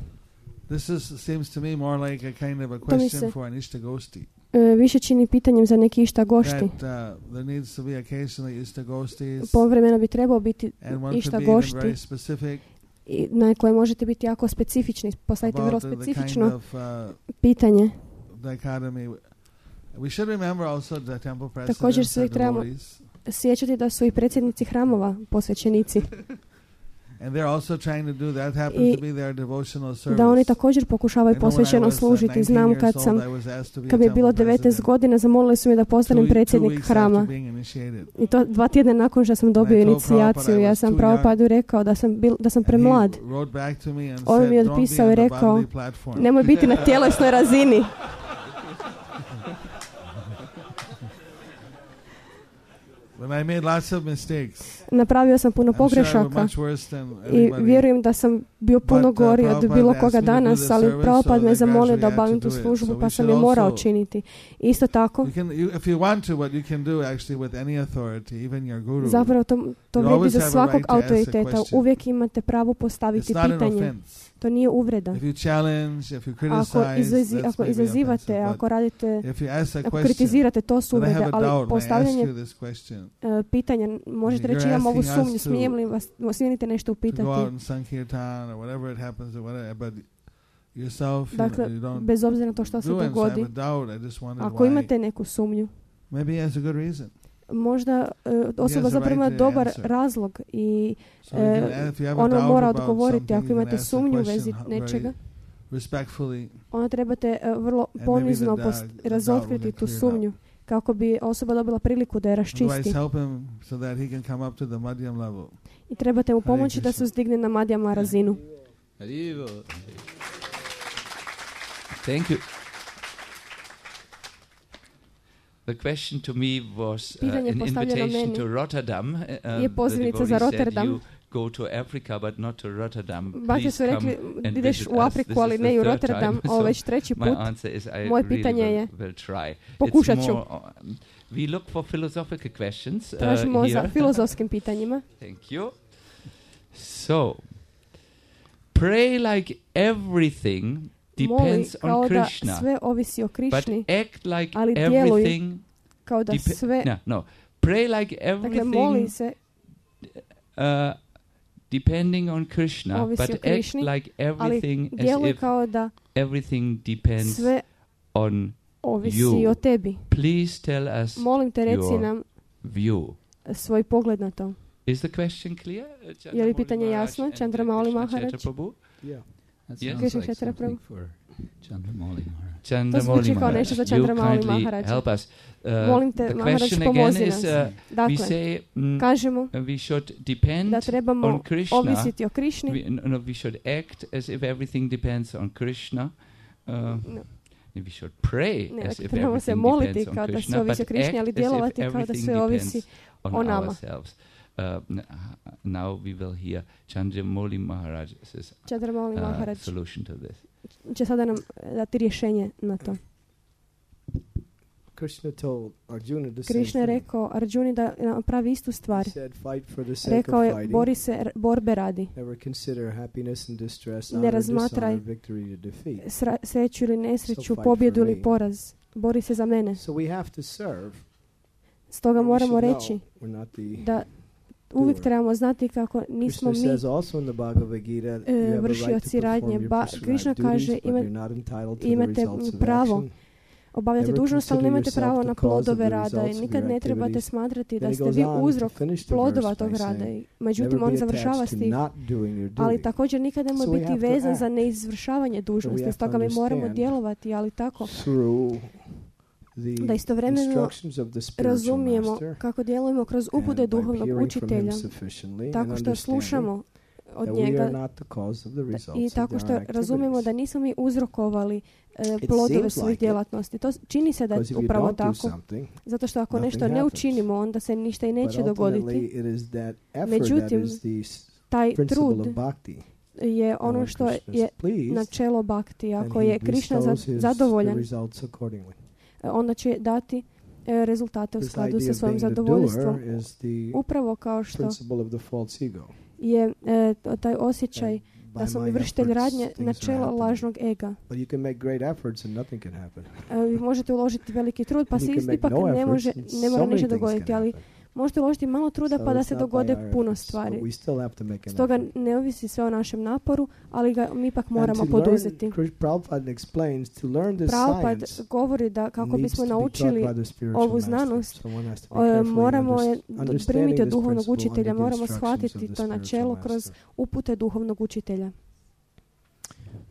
[SPEAKER 4] This is, seems to me more like a kind of a
[SPEAKER 3] To mi
[SPEAKER 4] question
[SPEAKER 3] se-
[SPEAKER 4] for an Ishtagosti.
[SPEAKER 3] E, više čini pitanjem za neki išta gošti.
[SPEAKER 4] That uh, there needs to be occasionally Ishtagostis,
[SPEAKER 3] Povremeno bi trebao biti
[SPEAKER 4] and one
[SPEAKER 3] išta
[SPEAKER 4] could be even
[SPEAKER 3] gošti
[SPEAKER 4] very specific
[SPEAKER 3] i na koje možete biti jako specifični, postaviti vrlo
[SPEAKER 4] about the, the kind
[SPEAKER 3] specifično
[SPEAKER 4] of uh,
[SPEAKER 3] pitanje.
[SPEAKER 4] dichotomy. We should remember also the temple
[SPEAKER 3] Također
[SPEAKER 4] presidents
[SPEAKER 3] se
[SPEAKER 4] are
[SPEAKER 3] trebamo
[SPEAKER 4] devotees,
[SPEAKER 3] sjećati da su i predsjednici hramova posvećenici,
[SPEAKER 4] and they're also trying to do that. Happens
[SPEAKER 3] I
[SPEAKER 4] to be their devotional service.
[SPEAKER 3] da oni također pokušavaju
[SPEAKER 4] I know when I
[SPEAKER 3] posvećeno
[SPEAKER 4] was, uh,
[SPEAKER 3] služiti.
[SPEAKER 4] nineteen
[SPEAKER 3] Znam
[SPEAKER 4] years
[SPEAKER 3] kad
[SPEAKER 4] old,
[SPEAKER 3] sam,
[SPEAKER 4] I was asked to be a
[SPEAKER 3] kad mi je bilo
[SPEAKER 4] temple
[SPEAKER 3] devetnaest
[SPEAKER 4] president
[SPEAKER 3] godina, zamolili su me da
[SPEAKER 4] two,
[SPEAKER 3] postanem
[SPEAKER 4] two
[SPEAKER 3] predsjednik
[SPEAKER 4] weeks
[SPEAKER 3] hrama.
[SPEAKER 4] after being initiated.
[SPEAKER 3] I to dva tjedna nakon što sam dobio
[SPEAKER 4] I told
[SPEAKER 3] inicijaciju.
[SPEAKER 4] Prabhupada I
[SPEAKER 3] Ja
[SPEAKER 4] was
[SPEAKER 3] sam
[SPEAKER 4] too
[SPEAKER 3] Prabhupadu rekao da sam, bil, da sam
[SPEAKER 4] And
[SPEAKER 3] premlad.
[SPEAKER 4] he wrote back to me and
[SPEAKER 3] On
[SPEAKER 4] said,
[SPEAKER 3] mi je
[SPEAKER 4] "Don't be
[SPEAKER 3] odpisao
[SPEAKER 4] on
[SPEAKER 3] i
[SPEAKER 4] the
[SPEAKER 3] rekao,
[SPEAKER 4] bodily platform."
[SPEAKER 3] nemoj biti na tjelesnoj razini.
[SPEAKER 4] But I made lots of mistakes.
[SPEAKER 3] Napravio sam puno
[SPEAKER 4] I'm sure I was
[SPEAKER 3] pogrešaka
[SPEAKER 4] much worse than
[SPEAKER 3] i
[SPEAKER 4] everybody.
[SPEAKER 3] vjerujem da sam bio puno
[SPEAKER 4] But, uh,
[SPEAKER 3] gori od
[SPEAKER 4] Prabhupada
[SPEAKER 3] bilo
[SPEAKER 4] asked
[SPEAKER 3] koga
[SPEAKER 4] me to do
[SPEAKER 3] danas,
[SPEAKER 4] the
[SPEAKER 3] ali
[SPEAKER 4] service,
[SPEAKER 3] Prabhupada
[SPEAKER 4] so
[SPEAKER 3] me
[SPEAKER 4] I
[SPEAKER 3] zamolio
[SPEAKER 4] gradually
[SPEAKER 3] da
[SPEAKER 4] had to
[SPEAKER 3] obavim tu
[SPEAKER 4] do it.
[SPEAKER 3] službu,
[SPEAKER 4] So we
[SPEAKER 3] pa sam
[SPEAKER 4] should
[SPEAKER 3] je morao
[SPEAKER 4] also-
[SPEAKER 3] činiti. Isto tako,
[SPEAKER 4] You can, you, if you want to, what you can do actually with any authority, even your guru,
[SPEAKER 3] zapravo to, to
[SPEAKER 4] You
[SPEAKER 3] vrijedi
[SPEAKER 4] always
[SPEAKER 3] za
[SPEAKER 4] have a
[SPEAKER 3] svakog
[SPEAKER 4] right to ask a
[SPEAKER 3] autoriteta.
[SPEAKER 4] question.
[SPEAKER 3] Uvijek imate pravo postaviti
[SPEAKER 4] it's not an
[SPEAKER 3] pitanje.
[SPEAKER 4] offense.
[SPEAKER 3] To nije uvreda.
[SPEAKER 4] If you challenge, if you
[SPEAKER 3] Ako,
[SPEAKER 4] criticize,
[SPEAKER 3] izazi,
[SPEAKER 4] that's
[SPEAKER 3] ako
[SPEAKER 4] maybe
[SPEAKER 3] izazivate,
[SPEAKER 4] offensive, but
[SPEAKER 3] ako radite,
[SPEAKER 4] if you ask a
[SPEAKER 3] ako
[SPEAKER 4] question,
[SPEAKER 3] kritizirate, to su
[SPEAKER 4] then I
[SPEAKER 3] uvrede,
[SPEAKER 4] have a
[SPEAKER 3] ali
[SPEAKER 4] doubt, and I ask
[SPEAKER 3] postavljanje
[SPEAKER 4] you this question,
[SPEAKER 3] uh, pitanja, možete
[SPEAKER 4] You're
[SPEAKER 3] reći imam ovu
[SPEAKER 4] asking us
[SPEAKER 3] sumnju,
[SPEAKER 4] to-
[SPEAKER 3] smijem li vas, smijenite nešto
[SPEAKER 4] to go out
[SPEAKER 3] upitati.
[SPEAKER 4] and sankirtan or whatever it happens or whatever, but yourself, you,
[SPEAKER 3] Dakle,
[SPEAKER 4] you don't
[SPEAKER 3] bez obzira na to što se
[SPEAKER 4] do it, so I have
[SPEAKER 3] dogodi,
[SPEAKER 4] a doubt. I just wondered
[SPEAKER 3] ako
[SPEAKER 4] why.
[SPEAKER 3] imate neku sumnju,
[SPEAKER 4] Maybe he has a good reason.
[SPEAKER 3] možda uh, osoba
[SPEAKER 4] has a
[SPEAKER 3] zapravo ima
[SPEAKER 4] right to
[SPEAKER 3] dobar
[SPEAKER 4] answer.
[SPEAKER 3] razlog i
[SPEAKER 4] So you can,
[SPEAKER 3] e,
[SPEAKER 4] if you have a
[SPEAKER 3] ono
[SPEAKER 4] doubt
[SPEAKER 3] mora
[SPEAKER 4] about
[SPEAKER 3] odgovoriti.
[SPEAKER 4] something,
[SPEAKER 3] Ako
[SPEAKER 4] you can
[SPEAKER 3] imate
[SPEAKER 4] ask the
[SPEAKER 3] sumnju u
[SPEAKER 4] question
[SPEAKER 3] vezi
[SPEAKER 4] very
[SPEAKER 3] nečega,
[SPEAKER 4] respectfully,
[SPEAKER 3] onda trebate uh, vrlo
[SPEAKER 4] maybe
[SPEAKER 3] ponizno
[SPEAKER 4] the
[SPEAKER 3] post-
[SPEAKER 4] doubt- the doubt will
[SPEAKER 3] razotkriti
[SPEAKER 4] get
[SPEAKER 3] tu
[SPEAKER 4] cleared
[SPEAKER 3] sumnju kako bi osoba dobila priliku da je
[SPEAKER 4] otherwise
[SPEAKER 3] raščisti.
[SPEAKER 4] help him so that he can come up to the madhyam level.
[SPEAKER 3] I trebate mu
[SPEAKER 4] Hare
[SPEAKER 3] pomoći da se
[SPEAKER 4] Krishna.
[SPEAKER 3] uzdigne na madjama razinu.
[SPEAKER 2] Haribo.
[SPEAKER 1] Thank you. The question to me was uh,
[SPEAKER 3] Pitanje
[SPEAKER 1] an
[SPEAKER 3] postavljeno
[SPEAKER 1] invitation
[SPEAKER 3] meni
[SPEAKER 1] to Rotterdam. Uh,
[SPEAKER 3] je
[SPEAKER 1] the
[SPEAKER 3] pozivnica za
[SPEAKER 1] devotee said,
[SPEAKER 3] Rotterdam.
[SPEAKER 1] "You go to Africa, but not to Rotterdam.
[SPEAKER 3] Bake
[SPEAKER 1] Please
[SPEAKER 3] su rekli,
[SPEAKER 1] come and
[SPEAKER 3] ideš
[SPEAKER 1] visit
[SPEAKER 3] u
[SPEAKER 1] us."
[SPEAKER 3] Afriku,
[SPEAKER 1] This
[SPEAKER 3] ali
[SPEAKER 1] is
[SPEAKER 3] ne
[SPEAKER 1] the
[SPEAKER 3] i u
[SPEAKER 1] third
[SPEAKER 3] Rotterdam,
[SPEAKER 1] time,
[SPEAKER 3] ovo
[SPEAKER 1] so
[SPEAKER 3] već treći
[SPEAKER 1] my
[SPEAKER 3] put.
[SPEAKER 1] answer is I
[SPEAKER 3] Moje
[SPEAKER 1] really
[SPEAKER 3] pitanje
[SPEAKER 1] will,
[SPEAKER 3] je,
[SPEAKER 1] will try.
[SPEAKER 3] pokušat
[SPEAKER 1] It's
[SPEAKER 3] ću.
[SPEAKER 1] more, um, we look for philosophical questions uh,
[SPEAKER 3] Tražimo za
[SPEAKER 1] here.
[SPEAKER 3] filozofskim pitanjima.
[SPEAKER 1] Thank you. So, pray like everything
[SPEAKER 3] Moli
[SPEAKER 1] depends
[SPEAKER 3] kao
[SPEAKER 1] on
[SPEAKER 3] da
[SPEAKER 1] Krishna,
[SPEAKER 3] sve ovisi o
[SPEAKER 1] but
[SPEAKER 3] Krišni,
[SPEAKER 1] act like
[SPEAKER 3] ali djeluj
[SPEAKER 1] everything.
[SPEAKER 3] kao da
[SPEAKER 1] depe-
[SPEAKER 3] sve,
[SPEAKER 1] no, no. Pray like
[SPEAKER 3] dakle moli
[SPEAKER 1] everything
[SPEAKER 3] se,
[SPEAKER 1] uh, depending on Krishna,
[SPEAKER 3] Ovisi
[SPEAKER 1] but
[SPEAKER 3] o
[SPEAKER 1] act
[SPEAKER 3] Krišni,
[SPEAKER 1] like
[SPEAKER 3] ali
[SPEAKER 1] everything as
[SPEAKER 3] djeluj
[SPEAKER 1] if
[SPEAKER 3] kao da
[SPEAKER 1] everything depends
[SPEAKER 3] sve
[SPEAKER 1] on
[SPEAKER 3] ovisi
[SPEAKER 1] you.
[SPEAKER 3] o tebi.
[SPEAKER 1] Please tell us
[SPEAKER 3] Molim te, reci
[SPEAKER 1] your
[SPEAKER 3] nam
[SPEAKER 1] view.
[SPEAKER 3] svoj pogled na to.
[SPEAKER 1] Is the question clear? Uh,
[SPEAKER 3] Je li
[SPEAKER 1] Chandramauli
[SPEAKER 3] pitanje
[SPEAKER 1] Maharaj
[SPEAKER 3] jasno?
[SPEAKER 1] and, uh,
[SPEAKER 3] Chandramauli
[SPEAKER 1] Krishna
[SPEAKER 3] Maharaj?
[SPEAKER 1] Chaitra Prabhu?
[SPEAKER 2] Yeah. That
[SPEAKER 1] Yes.
[SPEAKER 2] sounds
[SPEAKER 3] Krishna
[SPEAKER 2] like
[SPEAKER 3] Chaitra
[SPEAKER 2] something
[SPEAKER 3] Prabhu.
[SPEAKER 2] for Chandramauli Maharaj.
[SPEAKER 1] Chandramauli
[SPEAKER 3] zvuči kao
[SPEAKER 1] Maharaj,
[SPEAKER 3] nešto za
[SPEAKER 1] you
[SPEAKER 3] Chandramauli
[SPEAKER 1] kindly
[SPEAKER 3] Maharaj.
[SPEAKER 1] help us. Uh,
[SPEAKER 3] Molim te,
[SPEAKER 1] the
[SPEAKER 3] Maharaj,
[SPEAKER 1] question again
[SPEAKER 3] pomozi
[SPEAKER 1] is,
[SPEAKER 3] nas.
[SPEAKER 1] uh, we
[SPEAKER 3] Dakle,
[SPEAKER 1] say mm,
[SPEAKER 3] kažemo
[SPEAKER 1] uh, we should depend
[SPEAKER 3] da trebamo
[SPEAKER 1] on Krishna.
[SPEAKER 3] ovisiti o Krišni.
[SPEAKER 1] We, no, no, we should act as if everything depends on Krishna. Uh,
[SPEAKER 3] No.
[SPEAKER 1] We should pray
[SPEAKER 3] Ne,
[SPEAKER 1] as
[SPEAKER 3] dakle,
[SPEAKER 1] if
[SPEAKER 3] trebamo se
[SPEAKER 1] everything
[SPEAKER 3] moliti
[SPEAKER 1] depends on
[SPEAKER 3] kao da
[SPEAKER 1] Krishna,
[SPEAKER 3] sve ovisi o
[SPEAKER 1] but
[SPEAKER 3] Krišni, ali
[SPEAKER 1] act as if
[SPEAKER 3] djelovati kao da
[SPEAKER 1] everything
[SPEAKER 3] sve ovisi
[SPEAKER 1] depends on
[SPEAKER 3] o nama.
[SPEAKER 1] ourselves. Uh, n- now we will hear Chandramauli Maharaj's
[SPEAKER 3] Chandramauli
[SPEAKER 1] uh,
[SPEAKER 3] Maharaj
[SPEAKER 1] solution to this.
[SPEAKER 3] će sada nam dati rješenje na to.
[SPEAKER 5] Krishna told Arjuna the same
[SPEAKER 3] Krishna je
[SPEAKER 5] thing.
[SPEAKER 3] rekao Arjuni da pravi istu stvar.
[SPEAKER 5] He said, fight for the sake
[SPEAKER 3] Rekao
[SPEAKER 5] of
[SPEAKER 3] je,
[SPEAKER 5] fighting.
[SPEAKER 3] bori se r- borbe radi.
[SPEAKER 5] Never consider happiness and distress,
[SPEAKER 3] Ne
[SPEAKER 5] honor,
[SPEAKER 3] razmatraj
[SPEAKER 5] dishonor, victory to defeat.
[SPEAKER 3] Sra- sreću ili nesreću,
[SPEAKER 5] So fight
[SPEAKER 3] pobjedu
[SPEAKER 5] for
[SPEAKER 3] ili
[SPEAKER 5] me.
[SPEAKER 3] poraz. Bori se za mene.
[SPEAKER 5] So we have to serve.
[SPEAKER 3] Stoga
[SPEAKER 5] We
[SPEAKER 3] moramo
[SPEAKER 5] should
[SPEAKER 3] reći
[SPEAKER 5] know we're not the
[SPEAKER 3] da uvijek
[SPEAKER 5] doer.
[SPEAKER 3] trebamo znati kako nismo
[SPEAKER 5] Krishna
[SPEAKER 3] mi
[SPEAKER 5] says also in the Bhagavad Gita, you have a right to
[SPEAKER 3] vršioci radnje.
[SPEAKER 5] perform your
[SPEAKER 3] Ba-
[SPEAKER 5] prescribed
[SPEAKER 3] Krishna
[SPEAKER 5] duties,
[SPEAKER 3] kaže,
[SPEAKER 5] but
[SPEAKER 3] ima-
[SPEAKER 5] you're not entitled to the
[SPEAKER 3] imate
[SPEAKER 5] results of
[SPEAKER 3] pravo
[SPEAKER 5] action.
[SPEAKER 3] obavljati
[SPEAKER 5] Never
[SPEAKER 3] dužnost, ali
[SPEAKER 5] consider
[SPEAKER 3] nemate
[SPEAKER 5] yourself
[SPEAKER 3] pravo
[SPEAKER 5] the
[SPEAKER 3] na
[SPEAKER 5] cause of
[SPEAKER 3] plodove
[SPEAKER 5] the
[SPEAKER 3] rada i
[SPEAKER 5] results of
[SPEAKER 3] nikad
[SPEAKER 5] your
[SPEAKER 3] ne trebate
[SPEAKER 5] activities.
[SPEAKER 3] smatrati
[SPEAKER 5] Then
[SPEAKER 3] da
[SPEAKER 5] he
[SPEAKER 3] ste
[SPEAKER 5] goes
[SPEAKER 3] vi
[SPEAKER 5] on to
[SPEAKER 3] uzrok
[SPEAKER 5] finish the
[SPEAKER 3] plodova
[SPEAKER 5] verse
[SPEAKER 3] tog
[SPEAKER 5] by
[SPEAKER 3] rada.
[SPEAKER 5] saying,
[SPEAKER 3] I- Međutim,
[SPEAKER 5] never
[SPEAKER 3] on
[SPEAKER 5] be
[SPEAKER 3] završava
[SPEAKER 5] attached to
[SPEAKER 3] stih,
[SPEAKER 5] not doing your
[SPEAKER 3] ali
[SPEAKER 5] duty.
[SPEAKER 3] također nikad nemoj
[SPEAKER 5] So we
[SPEAKER 3] biti
[SPEAKER 5] have to
[SPEAKER 3] vezan za
[SPEAKER 5] act.
[SPEAKER 3] neizvršavanje dužnosti.
[SPEAKER 5] have to
[SPEAKER 3] Stoga mi moramo
[SPEAKER 5] understand
[SPEAKER 3] djelovati, ali tako
[SPEAKER 5] Through
[SPEAKER 3] da
[SPEAKER 5] the
[SPEAKER 3] istovremeno
[SPEAKER 5] instructions of the spiritual
[SPEAKER 3] razumijemo
[SPEAKER 5] master,
[SPEAKER 3] kako djelujemo kroz upute
[SPEAKER 5] and by
[SPEAKER 3] duhovnog
[SPEAKER 5] hearing from
[SPEAKER 3] učitelja,
[SPEAKER 5] him sufficiently and
[SPEAKER 3] tako što
[SPEAKER 5] understanding
[SPEAKER 3] slušamo od
[SPEAKER 5] that we are
[SPEAKER 3] njega
[SPEAKER 5] not the cause of the results
[SPEAKER 3] i
[SPEAKER 5] of
[SPEAKER 3] tako
[SPEAKER 5] our
[SPEAKER 3] što razumijemo
[SPEAKER 5] activities.
[SPEAKER 3] da nismo mi uzrokovali e,
[SPEAKER 5] It
[SPEAKER 3] plodove
[SPEAKER 5] seems
[SPEAKER 3] svojih
[SPEAKER 5] like it,
[SPEAKER 3] djelatnosti. To s- čini se da je
[SPEAKER 5] Because if you
[SPEAKER 3] upravo
[SPEAKER 5] don't do
[SPEAKER 3] tako.
[SPEAKER 5] something,
[SPEAKER 3] Zato što ako
[SPEAKER 5] nothing
[SPEAKER 3] nešto ne
[SPEAKER 5] happens.
[SPEAKER 3] učinimo, onda se ništa i
[SPEAKER 5] but
[SPEAKER 3] neće
[SPEAKER 5] ultimately
[SPEAKER 3] dogoditi.
[SPEAKER 5] it is that effort
[SPEAKER 3] Međutim,
[SPEAKER 5] that is the s-
[SPEAKER 3] Taj
[SPEAKER 5] principle
[SPEAKER 3] trud
[SPEAKER 5] of bhakti.
[SPEAKER 3] je
[SPEAKER 5] And
[SPEAKER 3] ono
[SPEAKER 5] when
[SPEAKER 3] što
[SPEAKER 5] Krishna
[SPEAKER 3] je
[SPEAKER 5] is pleased,
[SPEAKER 3] načelo bhakti.
[SPEAKER 5] then
[SPEAKER 3] Ako
[SPEAKER 5] he
[SPEAKER 3] je Krishna za-
[SPEAKER 5] bestows his- the
[SPEAKER 3] zadovoljan,
[SPEAKER 5] results accordingly.
[SPEAKER 3] e, onda će dati e, rezultate u
[SPEAKER 5] This
[SPEAKER 3] skladu
[SPEAKER 5] idea
[SPEAKER 3] sa
[SPEAKER 5] of
[SPEAKER 3] svojim
[SPEAKER 5] being the
[SPEAKER 3] zadovoljstvom.
[SPEAKER 5] doer is the
[SPEAKER 3] Upravo kao što
[SPEAKER 5] principle of the false ego.
[SPEAKER 3] je e, to- taj osjećaj
[SPEAKER 5] And
[SPEAKER 3] da
[SPEAKER 5] by
[SPEAKER 3] sam
[SPEAKER 5] my
[SPEAKER 3] vršitelj
[SPEAKER 5] efforts,
[SPEAKER 3] radnje,
[SPEAKER 5] things are
[SPEAKER 3] načelo
[SPEAKER 5] happening.
[SPEAKER 3] lažnog ega.
[SPEAKER 5] But you can make great efforts and nothing can happen.
[SPEAKER 3] E, vi možete uložiti veliki trud, pa
[SPEAKER 5] And
[SPEAKER 3] se
[SPEAKER 5] you can make
[SPEAKER 3] ipak
[SPEAKER 5] no
[SPEAKER 3] ne,
[SPEAKER 5] efforts
[SPEAKER 3] može,
[SPEAKER 5] and
[SPEAKER 3] ne
[SPEAKER 5] so
[SPEAKER 3] mora
[SPEAKER 5] many
[SPEAKER 3] ništa
[SPEAKER 5] things
[SPEAKER 3] dogoditi,
[SPEAKER 5] can
[SPEAKER 3] ali
[SPEAKER 5] happen.
[SPEAKER 3] možete uložiti malo truda
[SPEAKER 5] So
[SPEAKER 3] pa da
[SPEAKER 5] it's
[SPEAKER 3] se
[SPEAKER 5] not by
[SPEAKER 3] dogode
[SPEAKER 5] our
[SPEAKER 3] puno
[SPEAKER 5] efforts, but
[SPEAKER 3] stvari.
[SPEAKER 5] we still have to make an
[SPEAKER 3] Stoga
[SPEAKER 5] effort.
[SPEAKER 3] ne ovisi sve o našem naporu, ali ga mi ipak
[SPEAKER 5] And
[SPEAKER 3] moramo
[SPEAKER 5] to learn,
[SPEAKER 3] poduzeti.
[SPEAKER 5] Krish- Prabhupada explains, to learn this
[SPEAKER 3] Prabhupada
[SPEAKER 5] science
[SPEAKER 3] govori da kako
[SPEAKER 5] needs
[SPEAKER 3] bismo
[SPEAKER 5] to be taught
[SPEAKER 3] naučili
[SPEAKER 5] by the spiritual
[SPEAKER 3] ovu
[SPEAKER 5] master.
[SPEAKER 3] znanost,
[SPEAKER 5] So one has to be
[SPEAKER 3] e,
[SPEAKER 5] careful in
[SPEAKER 3] moramo je
[SPEAKER 5] underst-
[SPEAKER 3] d-
[SPEAKER 5] understanding
[SPEAKER 3] primiti od
[SPEAKER 5] this
[SPEAKER 3] duhovnog
[SPEAKER 5] principle
[SPEAKER 3] učitelja,
[SPEAKER 5] under the
[SPEAKER 3] moramo
[SPEAKER 5] instructions of
[SPEAKER 3] shvatiti
[SPEAKER 5] the
[SPEAKER 3] to
[SPEAKER 5] spiritual
[SPEAKER 3] načelo kroz
[SPEAKER 5] master.
[SPEAKER 3] upute duhovnog učitelja.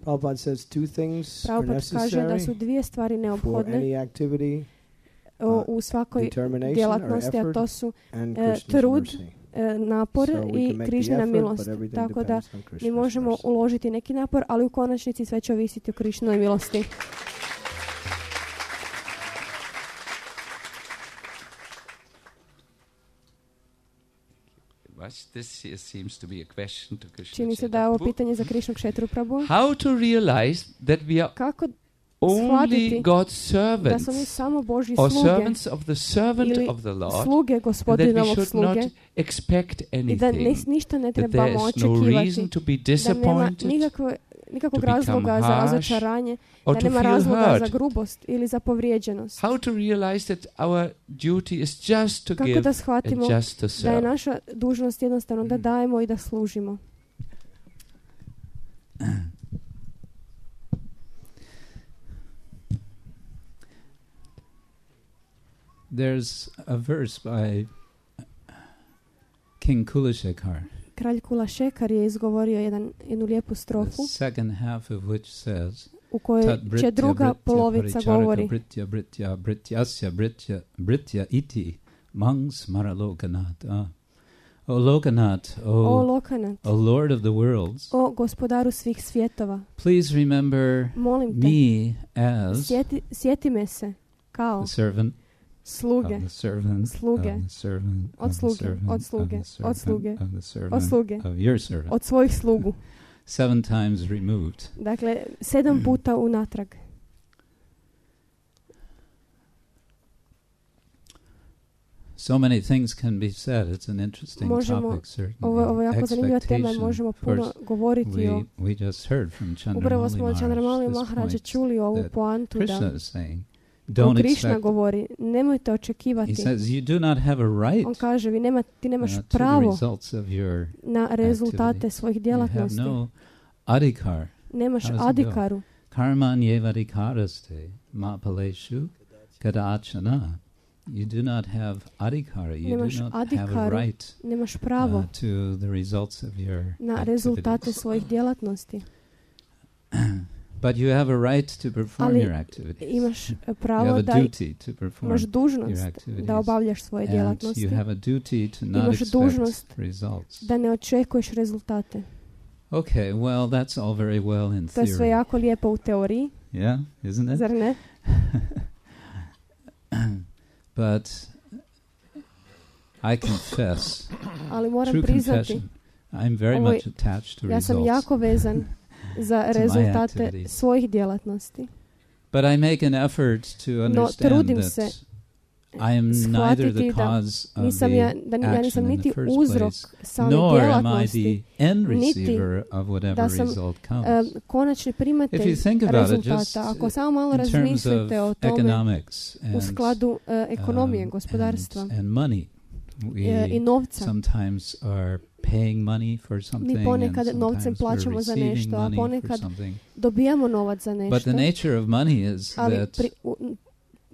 [SPEAKER 5] Prabhupada says two things are
[SPEAKER 3] Prabhupada kaže da su
[SPEAKER 5] necessary
[SPEAKER 3] dvije stvari
[SPEAKER 5] for
[SPEAKER 3] neophodne
[SPEAKER 5] any activity,
[SPEAKER 3] o, u svakoj
[SPEAKER 5] determination or
[SPEAKER 3] djelatnosti, a
[SPEAKER 5] effort,
[SPEAKER 3] to su
[SPEAKER 5] and
[SPEAKER 3] e,
[SPEAKER 5] Krishna's
[SPEAKER 3] trud,
[SPEAKER 5] mercy.
[SPEAKER 3] e, napor
[SPEAKER 5] So we
[SPEAKER 3] i
[SPEAKER 5] can make the
[SPEAKER 3] Krišnina
[SPEAKER 5] effort,
[SPEAKER 3] milost.
[SPEAKER 5] but everything
[SPEAKER 3] Tako da
[SPEAKER 5] depends on
[SPEAKER 3] mi
[SPEAKER 5] Krishna's
[SPEAKER 3] možemo
[SPEAKER 5] mercy.
[SPEAKER 3] uložiti neki napor, ali u konačnici sve će ovisiti o Krišninoj milosti.
[SPEAKER 1] What's this here seems to be a question to Krishna
[SPEAKER 3] Čini se da je ovo
[SPEAKER 1] Chaitanya.
[SPEAKER 3] pitanje za Krišnu Kšetru Prabhu.
[SPEAKER 1] How to realize that we are
[SPEAKER 3] Kako
[SPEAKER 1] only
[SPEAKER 3] shvatiti
[SPEAKER 1] God's
[SPEAKER 3] da smo mi
[SPEAKER 1] servants
[SPEAKER 3] samo Božji
[SPEAKER 1] or
[SPEAKER 3] sluge
[SPEAKER 1] servants of the servant
[SPEAKER 3] ili
[SPEAKER 1] of the Lord,
[SPEAKER 3] sluge
[SPEAKER 1] and that we
[SPEAKER 3] gospodinovog
[SPEAKER 1] should
[SPEAKER 3] sluge
[SPEAKER 1] not expect
[SPEAKER 3] i da ni-
[SPEAKER 1] anything,
[SPEAKER 3] ništa ne
[SPEAKER 1] that there
[SPEAKER 3] trebamo
[SPEAKER 1] is no
[SPEAKER 3] očekivati,
[SPEAKER 1] reason to be
[SPEAKER 3] da nema
[SPEAKER 1] disappointed
[SPEAKER 3] nikakve, nikakvog
[SPEAKER 1] to become
[SPEAKER 3] razloga za
[SPEAKER 1] harsh
[SPEAKER 3] razočaranje,
[SPEAKER 1] or
[SPEAKER 3] da
[SPEAKER 1] to
[SPEAKER 3] nema
[SPEAKER 1] feel
[SPEAKER 3] razloga za
[SPEAKER 1] hurt.
[SPEAKER 3] grubost ili za povrijeđenost.
[SPEAKER 1] How to realize that our duty is just to
[SPEAKER 3] Kako
[SPEAKER 1] give
[SPEAKER 3] da
[SPEAKER 1] and
[SPEAKER 3] shvatimo
[SPEAKER 1] just to
[SPEAKER 3] da je
[SPEAKER 1] serve.
[SPEAKER 3] naša dužnost jednostavno da dajemo i da služimo.
[SPEAKER 2] There's a verse by King Kulashekar,
[SPEAKER 3] Kralj Kulašekar je izgovorio jedan, jednu lijepu
[SPEAKER 2] the
[SPEAKER 3] strofu
[SPEAKER 2] second half of which says,
[SPEAKER 3] u kojoj
[SPEAKER 2] Tat
[SPEAKER 3] će
[SPEAKER 2] britya
[SPEAKER 3] druga
[SPEAKER 2] britya
[SPEAKER 3] polovica
[SPEAKER 2] paricharaka
[SPEAKER 3] govori
[SPEAKER 2] britya britya brityasya britya britya iti mang smara lokanat. Ah. O Lokanath,
[SPEAKER 3] o
[SPEAKER 2] O,
[SPEAKER 3] Lokanat,
[SPEAKER 2] o Lord of the worlds,
[SPEAKER 3] o gospodaru svih svjetova,
[SPEAKER 2] please remember
[SPEAKER 3] molim te,
[SPEAKER 2] me as
[SPEAKER 3] sjeti, sjeti me se kao
[SPEAKER 2] the servant
[SPEAKER 3] sluge,
[SPEAKER 2] of the servant
[SPEAKER 3] Sluge.
[SPEAKER 2] of the servant
[SPEAKER 3] Od
[SPEAKER 2] of the
[SPEAKER 3] sluge,
[SPEAKER 2] servant
[SPEAKER 3] od sluge,
[SPEAKER 2] of the
[SPEAKER 3] od
[SPEAKER 2] servant
[SPEAKER 3] sluge,
[SPEAKER 2] of the
[SPEAKER 3] od
[SPEAKER 2] servant
[SPEAKER 3] sluge,
[SPEAKER 2] of your servant.
[SPEAKER 3] od svojih slugu.
[SPEAKER 2] Seven times removed.
[SPEAKER 3] Dakle, sedam puta unatrag.
[SPEAKER 2] So many things can be said. It's an interesting
[SPEAKER 3] Možemo-
[SPEAKER 2] topic, certainly.
[SPEAKER 3] Ovo, ovo je jako zanimljiva tema i
[SPEAKER 2] Expectation.
[SPEAKER 3] možemo
[SPEAKER 2] Of
[SPEAKER 3] puno
[SPEAKER 2] course,
[SPEAKER 3] govoriti o...
[SPEAKER 2] we, we just heard from
[SPEAKER 3] Upravo
[SPEAKER 2] Chandramali
[SPEAKER 3] smo od Chandramali
[SPEAKER 2] Maharaj this
[SPEAKER 3] Maharađa
[SPEAKER 2] point
[SPEAKER 3] čuli ovu
[SPEAKER 2] that
[SPEAKER 3] poantu
[SPEAKER 2] Krishna
[SPEAKER 3] da
[SPEAKER 2] is saying,
[SPEAKER 3] koju
[SPEAKER 2] don't
[SPEAKER 3] Krišna
[SPEAKER 2] expect.
[SPEAKER 3] govori, nemojte
[SPEAKER 2] He
[SPEAKER 3] očekivati.
[SPEAKER 2] says you do not have a right
[SPEAKER 3] On kaže, vi nema, ti nemaš
[SPEAKER 2] uh, to the
[SPEAKER 3] pravo
[SPEAKER 2] results of your.
[SPEAKER 3] na rezultate
[SPEAKER 2] activity.
[SPEAKER 3] svojih
[SPEAKER 2] You have
[SPEAKER 3] djelatnosti.
[SPEAKER 2] no adhikar.
[SPEAKER 3] Nemaš
[SPEAKER 2] How does it go?
[SPEAKER 3] adikaru.
[SPEAKER 2] Karman yevadikaraste mapaleshu kadachana. You do not have adhikara. You
[SPEAKER 3] Nemaš
[SPEAKER 2] do not have a
[SPEAKER 3] adhikaru.
[SPEAKER 2] right
[SPEAKER 3] Nemaš pravo
[SPEAKER 2] uh, to the results of your
[SPEAKER 3] na rezultate
[SPEAKER 2] activities.
[SPEAKER 3] svojih djelatnosti.
[SPEAKER 2] But you have a right to perform
[SPEAKER 3] Ali
[SPEAKER 2] your activities.
[SPEAKER 3] imaš
[SPEAKER 2] You have
[SPEAKER 3] pravo
[SPEAKER 2] a
[SPEAKER 3] da
[SPEAKER 2] duty to perform
[SPEAKER 3] imaš
[SPEAKER 2] your
[SPEAKER 3] dužnost
[SPEAKER 2] activities.
[SPEAKER 3] da obavljaš svoje
[SPEAKER 2] And
[SPEAKER 3] djelatnosti,
[SPEAKER 2] you have a duty to not
[SPEAKER 3] Imaš
[SPEAKER 2] expect
[SPEAKER 3] dužnost
[SPEAKER 2] results.
[SPEAKER 3] da ne očekuješ rezultate.
[SPEAKER 2] Okay, well, that's all very well in
[SPEAKER 3] To je sve
[SPEAKER 2] theory.
[SPEAKER 3] jako lijepo u teoriji,
[SPEAKER 2] Yeah, isn't it?
[SPEAKER 3] zar ne?
[SPEAKER 2] But I confess,
[SPEAKER 3] Ali moram
[SPEAKER 2] true
[SPEAKER 3] priznati,
[SPEAKER 2] confession, I'm very
[SPEAKER 3] Ovo je-
[SPEAKER 2] much attached to
[SPEAKER 3] ja sam
[SPEAKER 2] results.
[SPEAKER 3] jako vezan za
[SPEAKER 2] my
[SPEAKER 3] rezultate
[SPEAKER 2] activities.
[SPEAKER 3] svojih djelatnosti.
[SPEAKER 2] But I make an effort to
[SPEAKER 3] No,
[SPEAKER 2] understand
[SPEAKER 3] trudim
[SPEAKER 2] that
[SPEAKER 3] se
[SPEAKER 2] I am neither the
[SPEAKER 3] shvatiti da
[SPEAKER 2] cause of
[SPEAKER 3] nisam
[SPEAKER 2] the
[SPEAKER 3] ja, da ni- ja nisam
[SPEAKER 2] action in
[SPEAKER 3] niti
[SPEAKER 2] the first
[SPEAKER 3] uzrok
[SPEAKER 2] place,
[SPEAKER 3] same
[SPEAKER 2] nor am I
[SPEAKER 3] djelatnosti,
[SPEAKER 2] the end
[SPEAKER 3] niti
[SPEAKER 2] receiver of whatever
[SPEAKER 3] da sam
[SPEAKER 2] result
[SPEAKER 3] e,
[SPEAKER 2] comes.
[SPEAKER 3] konačni
[SPEAKER 2] If
[SPEAKER 3] primatelj
[SPEAKER 2] you think about it, just
[SPEAKER 3] rezultata. Ako samo malo
[SPEAKER 2] in terms of
[SPEAKER 3] razmislite o tome
[SPEAKER 2] economics
[SPEAKER 3] u
[SPEAKER 2] and,
[SPEAKER 3] skladu e, ekonomije,
[SPEAKER 2] um,
[SPEAKER 3] gospodarstva
[SPEAKER 2] and, and money,
[SPEAKER 3] e, i
[SPEAKER 2] we
[SPEAKER 3] novca.
[SPEAKER 2] sometimes are paying money for something,
[SPEAKER 3] Mi ponekad
[SPEAKER 2] and
[SPEAKER 3] novcem
[SPEAKER 2] sometimes
[SPEAKER 3] plaćamo
[SPEAKER 2] we're
[SPEAKER 3] za
[SPEAKER 2] receiving
[SPEAKER 3] nešto, a
[SPEAKER 2] money for
[SPEAKER 3] ponekad
[SPEAKER 2] something.
[SPEAKER 3] dobijamo novac za
[SPEAKER 2] But the
[SPEAKER 3] nešto,
[SPEAKER 2] nature of money is
[SPEAKER 3] ali
[SPEAKER 2] that
[SPEAKER 3] pri, u, m,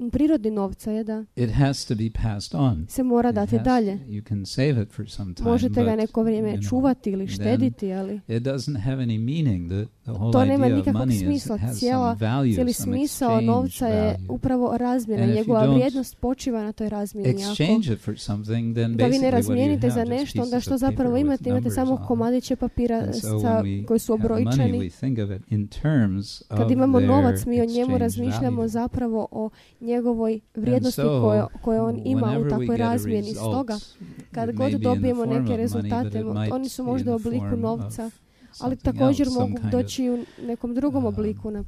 [SPEAKER 3] prirodi novca je da
[SPEAKER 2] it has to be passed on.
[SPEAKER 3] se mora
[SPEAKER 2] It
[SPEAKER 3] dati
[SPEAKER 2] has-
[SPEAKER 3] dalje.
[SPEAKER 2] You can save it for some time,
[SPEAKER 3] Možete ga
[SPEAKER 2] but,
[SPEAKER 3] neko vrijeme
[SPEAKER 2] you know,
[SPEAKER 3] čuvati ili
[SPEAKER 2] then
[SPEAKER 3] štediti, ali
[SPEAKER 2] it doesn't have any meaning. The, the whole
[SPEAKER 3] to nema
[SPEAKER 2] idea of
[SPEAKER 3] nikakvog
[SPEAKER 2] money is
[SPEAKER 3] smisla.
[SPEAKER 2] it has
[SPEAKER 3] Cijela,
[SPEAKER 2] some value,
[SPEAKER 3] cijeli
[SPEAKER 2] some
[SPEAKER 3] smisao
[SPEAKER 2] exchange
[SPEAKER 3] novca je
[SPEAKER 2] value.
[SPEAKER 3] upravo razmjena.
[SPEAKER 2] And if you
[SPEAKER 3] Njegova
[SPEAKER 2] don't
[SPEAKER 3] vrijednost počiva na toj razmjeni. Ako
[SPEAKER 2] Exchange it for something, then
[SPEAKER 3] ga vi ne
[SPEAKER 2] basically what do you
[SPEAKER 3] razmijenite za
[SPEAKER 2] have? Just
[SPEAKER 3] nešto, onda
[SPEAKER 2] pieces
[SPEAKER 3] što
[SPEAKER 2] of
[SPEAKER 3] zapravo
[SPEAKER 2] paper with
[SPEAKER 3] imate? Imate
[SPEAKER 2] numbers
[SPEAKER 3] samo
[SPEAKER 2] on them.
[SPEAKER 3] komadiće papira
[SPEAKER 2] And so
[SPEAKER 3] sa,
[SPEAKER 2] when we
[SPEAKER 3] koji su
[SPEAKER 2] have money,
[SPEAKER 3] obrojčani.
[SPEAKER 2] we think of it in terms of
[SPEAKER 3] Kad imamo
[SPEAKER 2] their
[SPEAKER 3] novac, mi o njemu
[SPEAKER 2] exchange
[SPEAKER 3] razmišljamo
[SPEAKER 2] value.
[SPEAKER 3] zapravo o njegovoj vrijednosti
[SPEAKER 2] And so,
[SPEAKER 3] koje, koje on ima u
[SPEAKER 2] whenever we
[SPEAKER 3] takvoj
[SPEAKER 2] get a
[SPEAKER 3] razmjeni.
[SPEAKER 2] result,
[SPEAKER 3] Stoga, kad
[SPEAKER 2] it
[SPEAKER 3] god
[SPEAKER 2] may be in the
[SPEAKER 3] dobijemo
[SPEAKER 2] form of
[SPEAKER 3] neke
[SPEAKER 2] money,
[SPEAKER 3] rezultate,
[SPEAKER 2] but it might
[SPEAKER 3] oni su
[SPEAKER 2] be in
[SPEAKER 3] možda u
[SPEAKER 2] the
[SPEAKER 3] obliku
[SPEAKER 2] form
[SPEAKER 3] novca,
[SPEAKER 2] of
[SPEAKER 3] ali
[SPEAKER 2] something
[SPEAKER 3] također
[SPEAKER 2] else, some
[SPEAKER 3] mogu
[SPEAKER 2] kind
[SPEAKER 3] doći u nekom drugom
[SPEAKER 2] um,
[SPEAKER 3] obliku. Na,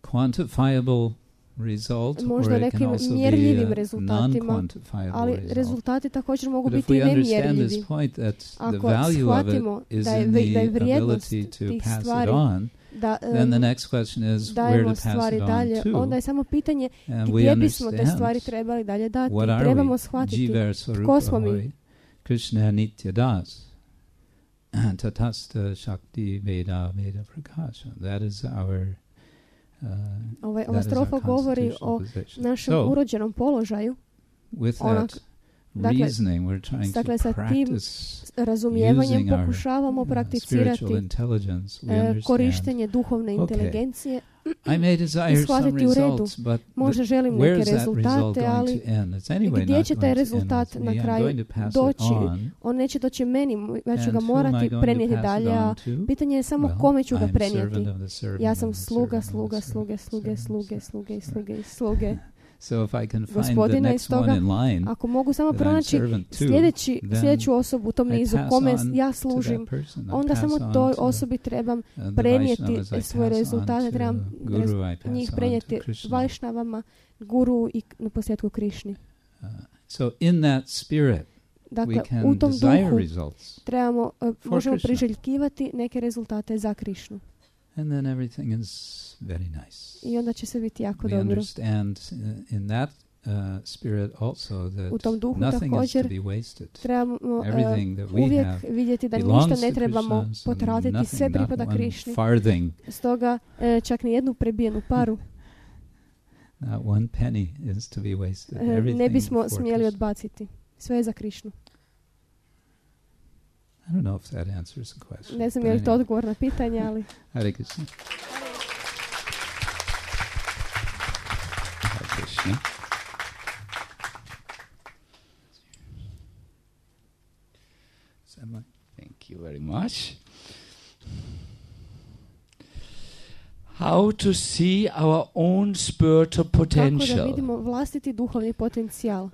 [SPEAKER 2] quantifiable result,
[SPEAKER 3] možda
[SPEAKER 2] or it can
[SPEAKER 3] nekim
[SPEAKER 2] also be
[SPEAKER 3] mjerljivim
[SPEAKER 2] a
[SPEAKER 3] rezultatima,
[SPEAKER 2] non-quantifiable
[SPEAKER 3] ali
[SPEAKER 2] result.
[SPEAKER 3] rezultati također mogu
[SPEAKER 2] But if
[SPEAKER 3] biti
[SPEAKER 2] we understand
[SPEAKER 3] nemjerljivi.
[SPEAKER 2] this point that the
[SPEAKER 3] Ako
[SPEAKER 2] value of
[SPEAKER 3] shvatimo
[SPEAKER 2] it is
[SPEAKER 3] da je,
[SPEAKER 2] in
[SPEAKER 3] vri- da je
[SPEAKER 2] the
[SPEAKER 3] vrijednost
[SPEAKER 2] ability to
[SPEAKER 3] tih
[SPEAKER 2] pass it
[SPEAKER 3] stvari,
[SPEAKER 2] on,
[SPEAKER 3] da
[SPEAKER 2] then the
[SPEAKER 3] um,
[SPEAKER 2] next question is where
[SPEAKER 3] dajemo
[SPEAKER 2] to pass
[SPEAKER 3] stvari
[SPEAKER 2] it on
[SPEAKER 3] dalje,
[SPEAKER 2] to.
[SPEAKER 3] onda je samo pitanje
[SPEAKER 2] And we
[SPEAKER 3] gdje bismo te
[SPEAKER 2] understand
[SPEAKER 3] stvari trebali dalje dati.
[SPEAKER 2] what are
[SPEAKER 3] Trebamo
[SPEAKER 2] we?
[SPEAKER 3] shvatiti
[SPEAKER 2] Jiva
[SPEAKER 3] tko smo mi.
[SPEAKER 2] Swarupa Krishna Nitya Das. Tatasta Shakti Veda Veda Prakasha. That is our uh,
[SPEAKER 3] Ovaj,
[SPEAKER 2] that
[SPEAKER 3] ova
[SPEAKER 2] is our
[SPEAKER 3] strofa govori
[SPEAKER 2] constitutional
[SPEAKER 3] o
[SPEAKER 2] position.
[SPEAKER 3] našem
[SPEAKER 2] So,
[SPEAKER 3] urođenom položaju.
[SPEAKER 2] with
[SPEAKER 3] onak-
[SPEAKER 2] that
[SPEAKER 3] dakle,
[SPEAKER 2] reasoning, we're trying
[SPEAKER 3] dakle,
[SPEAKER 2] to
[SPEAKER 3] sa tim
[SPEAKER 2] practice
[SPEAKER 3] razumijevanjem
[SPEAKER 2] using our,
[SPEAKER 3] pokušavamo
[SPEAKER 2] uh,
[SPEAKER 3] prakticirati
[SPEAKER 2] spiritual intelligence. We
[SPEAKER 3] e,
[SPEAKER 2] understand.
[SPEAKER 3] korištenje duhovne
[SPEAKER 2] Okay.
[SPEAKER 3] inteligencije.
[SPEAKER 2] I may desire
[SPEAKER 3] i
[SPEAKER 2] some
[SPEAKER 3] shvatiti u redu.
[SPEAKER 2] results, but
[SPEAKER 3] Možda
[SPEAKER 2] the,
[SPEAKER 3] želim
[SPEAKER 2] where
[SPEAKER 3] neke
[SPEAKER 2] is that result
[SPEAKER 3] rezultate,
[SPEAKER 2] going
[SPEAKER 3] ali
[SPEAKER 2] to end? It's anyway
[SPEAKER 3] gdje
[SPEAKER 2] not
[SPEAKER 3] će
[SPEAKER 2] going
[SPEAKER 3] taj
[SPEAKER 2] to end
[SPEAKER 3] rezultat
[SPEAKER 2] with
[SPEAKER 3] na
[SPEAKER 2] me. I'm
[SPEAKER 3] kraju
[SPEAKER 2] going to pass
[SPEAKER 3] doći?
[SPEAKER 2] it on.
[SPEAKER 3] on neće doći meni, ja ću
[SPEAKER 2] And
[SPEAKER 3] ga
[SPEAKER 2] who am I
[SPEAKER 3] morati
[SPEAKER 2] going
[SPEAKER 3] prenijeti
[SPEAKER 2] to pass it
[SPEAKER 3] dalje, a
[SPEAKER 2] on to?
[SPEAKER 3] pitanje je samo
[SPEAKER 2] Well,
[SPEAKER 3] kome ću ga
[SPEAKER 2] I'm
[SPEAKER 3] prenijeti.
[SPEAKER 2] servant of the servant
[SPEAKER 3] Ja
[SPEAKER 2] of
[SPEAKER 3] sam
[SPEAKER 2] the
[SPEAKER 3] sluga,
[SPEAKER 2] servant of
[SPEAKER 3] sluga,
[SPEAKER 2] the
[SPEAKER 3] sluge,
[SPEAKER 2] servant,
[SPEAKER 3] sluge,
[SPEAKER 2] servant,
[SPEAKER 3] sluge,
[SPEAKER 2] servant.
[SPEAKER 3] sluge, sluge, sluge.
[SPEAKER 2] So if I can find the
[SPEAKER 3] Gospodine, i
[SPEAKER 2] next
[SPEAKER 3] stoga,
[SPEAKER 2] one in line
[SPEAKER 3] ako mogu samo
[SPEAKER 2] that I'm
[SPEAKER 3] pronaći
[SPEAKER 2] servant to,
[SPEAKER 3] sljedeći,
[SPEAKER 2] then
[SPEAKER 3] sljedeću osobu u tom
[SPEAKER 2] I
[SPEAKER 3] nizu
[SPEAKER 2] pass
[SPEAKER 3] kome
[SPEAKER 2] on
[SPEAKER 3] ja
[SPEAKER 2] to
[SPEAKER 3] služim,
[SPEAKER 2] that person. I
[SPEAKER 3] onda
[SPEAKER 2] pass
[SPEAKER 3] samo
[SPEAKER 2] on
[SPEAKER 3] toj
[SPEAKER 2] to
[SPEAKER 3] osobi trebam
[SPEAKER 2] the, uh, the
[SPEAKER 3] prenijeti
[SPEAKER 2] Vaishnavas, I
[SPEAKER 3] svoje
[SPEAKER 2] pass on
[SPEAKER 3] rezultate,
[SPEAKER 2] to
[SPEAKER 3] trebam
[SPEAKER 2] Guru, I pass
[SPEAKER 3] njih
[SPEAKER 2] on
[SPEAKER 3] prenijeti
[SPEAKER 2] to Krishna.
[SPEAKER 3] Vajšnavama, Guru i na posljedku Krišni.
[SPEAKER 2] Uh, so in that spirit,
[SPEAKER 3] Dakle,
[SPEAKER 2] we
[SPEAKER 3] u
[SPEAKER 2] can
[SPEAKER 3] tom
[SPEAKER 2] desire
[SPEAKER 3] duhu
[SPEAKER 2] results,
[SPEAKER 3] trebamo, uh, možemo
[SPEAKER 2] Krishna.
[SPEAKER 3] priželjkivati neke rezultate za Krišnu.
[SPEAKER 2] and then everything is very nice.
[SPEAKER 3] I onda će sve biti jako
[SPEAKER 2] We
[SPEAKER 3] dobro.
[SPEAKER 2] understand uh, in that uh, spirit also that
[SPEAKER 3] U tom duhu
[SPEAKER 2] nothing is to
[SPEAKER 3] također
[SPEAKER 2] be wasted.
[SPEAKER 3] trebamo uh,
[SPEAKER 2] Everything that we
[SPEAKER 3] uvijek
[SPEAKER 2] have
[SPEAKER 3] vidjeti da
[SPEAKER 2] belongs
[SPEAKER 3] ništa ne
[SPEAKER 2] to
[SPEAKER 3] trebamo
[SPEAKER 2] Krishna, so
[SPEAKER 3] potratiti,
[SPEAKER 2] nothing,
[SPEAKER 3] sve
[SPEAKER 2] not
[SPEAKER 3] pripada
[SPEAKER 2] one
[SPEAKER 3] Krišni.
[SPEAKER 2] farthing,
[SPEAKER 3] Stoga uh, čak ni jednu prebijenu paru
[SPEAKER 2] not one penny is to be wasted.
[SPEAKER 3] uh, ne
[SPEAKER 2] Everything
[SPEAKER 3] bismo
[SPEAKER 2] for
[SPEAKER 3] smjeli
[SPEAKER 2] Krishna.
[SPEAKER 3] odbaciti. Sve je za Krišnu.
[SPEAKER 2] I don't know if that answers the question.
[SPEAKER 3] Ne znam
[SPEAKER 2] but
[SPEAKER 3] je li to
[SPEAKER 2] anyway.
[SPEAKER 3] odgovor na pitanje, ali
[SPEAKER 2] Hare Krishna. Hare Krishna.
[SPEAKER 1] Thank you very much. How to see our own spiritual
[SPEAKER 3] kako da
[SPEAKER 1] potential.
[SPEAKER 3] vidimo vlastiti duhovni potencijal.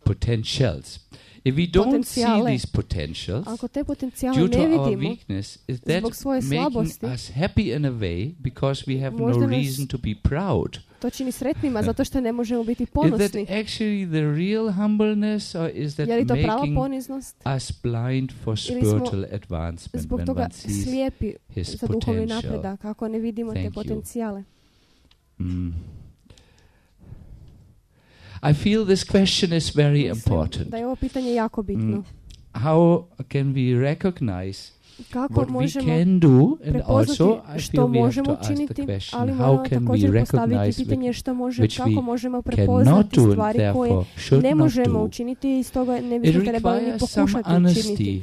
[SPEAKER 1] Potentials. If we don't see
[SPEAKER 3] Potencijale.
[SPEAKER 1] these potentials,
[SPEAKER 3] Ako te potencijale
[SPEAKER 1] due to
[SPEAKER 3] ne
[SPEAKER 1] our
[SPEAKER 3] vidimo,
[SPEAKER 1] weakness, is that
[SPEAKER 3] zbog svoje
[SPEAKER 1] making
[SPEAKER 3] slabosti,
[SPEAKER 1] us happy in a way because we have no
[SPEAKER 3] Možda nas-
[SPEAKER 1] reason to be proud?
[SPEAKER 3] to čini sretnima zato što ne možemo biti
[SPEAKER 1] Is that
[SPEAKER 3] ponosni.
[SPEAKER 1] actually the real humbleness, or is that
[SPEAKER 3] Je li to prava
[SPEAKER 1] making
[SPEAKER 3] poniznost?
[SPEAKER 1] us blind for
[SPEAKER 3] Ili smo
[SPEAKER 1] spiritual advancement
[SPEAKER 3] Zbog
[SPEAKER 1] when
[SPEAKER 3] toga
[SPEAKER 1] one sees
[SPEAKER 3] slijepi
[SPEAKER 1] his
[SPEAKER 3] za duhovni
[SPEAKER 1] potential?
[SPEAKER 3] napredak, ako ne vidimo te
[SPEAKER 1] Thank you.
[SPEAKER 3] potencijale.
[SPEAKER 1] Mm. I feel this question is very
[SPEAKER 3] Mislim
[SPEAKER 1] important.
[SPEAKER 3] da je ovo pitanje jako bitno.
[SPEAKER 1] Mm. How can we recognize
[SPEAKER 3] Kako
[SPEAKER 1] what we
[SPEAKER 3] možemo
[SPEAKER 1] can do, and
[SPEAKER 3] prepoznati
[SPEAKER 1] also I feel
[SPEAKER 3] što
[SPEAKER 1] we have
[SPEAKER 3] možemo
[SPEAKER 1] to ask the
[SPEAKER 3] učiniti,
[SPEAKER 1] question,
[SPEAKER 3] ali
[SPEAKER 1] how
[SPEAKER 3] moramo
[SPEAKER 1] can we
[SPEAKER 3] također postaviti
[SPEAKER 1] recognize
[SPEAKER 3] pitanje što može,
[SPEAKER 1] which
[SPEAKER 3] kako
[SPEAKER 1] we
[SPEAKER 3] možemo
[SPEAKER 1] cannot
[SPEAKER 3] prepoznati
[SPEAKER 1] do and
[SPEAKER 3] stvari koje
[SPEAKER 1] therefore should
[SPEAKER 3] ne
[SPEAKER 1] not
[SPEAKER 3] možemo
[SPEAKER 1] do.
[SPEAKER 3] učiniti i stoga ne
[SPEAKER 1] It
[SPEAKER 3] bismo trebali ni
[SPEAKER 1] requires some
[SPEAKER 3] pokušati učiniti.
[SPEAKER 1] honesty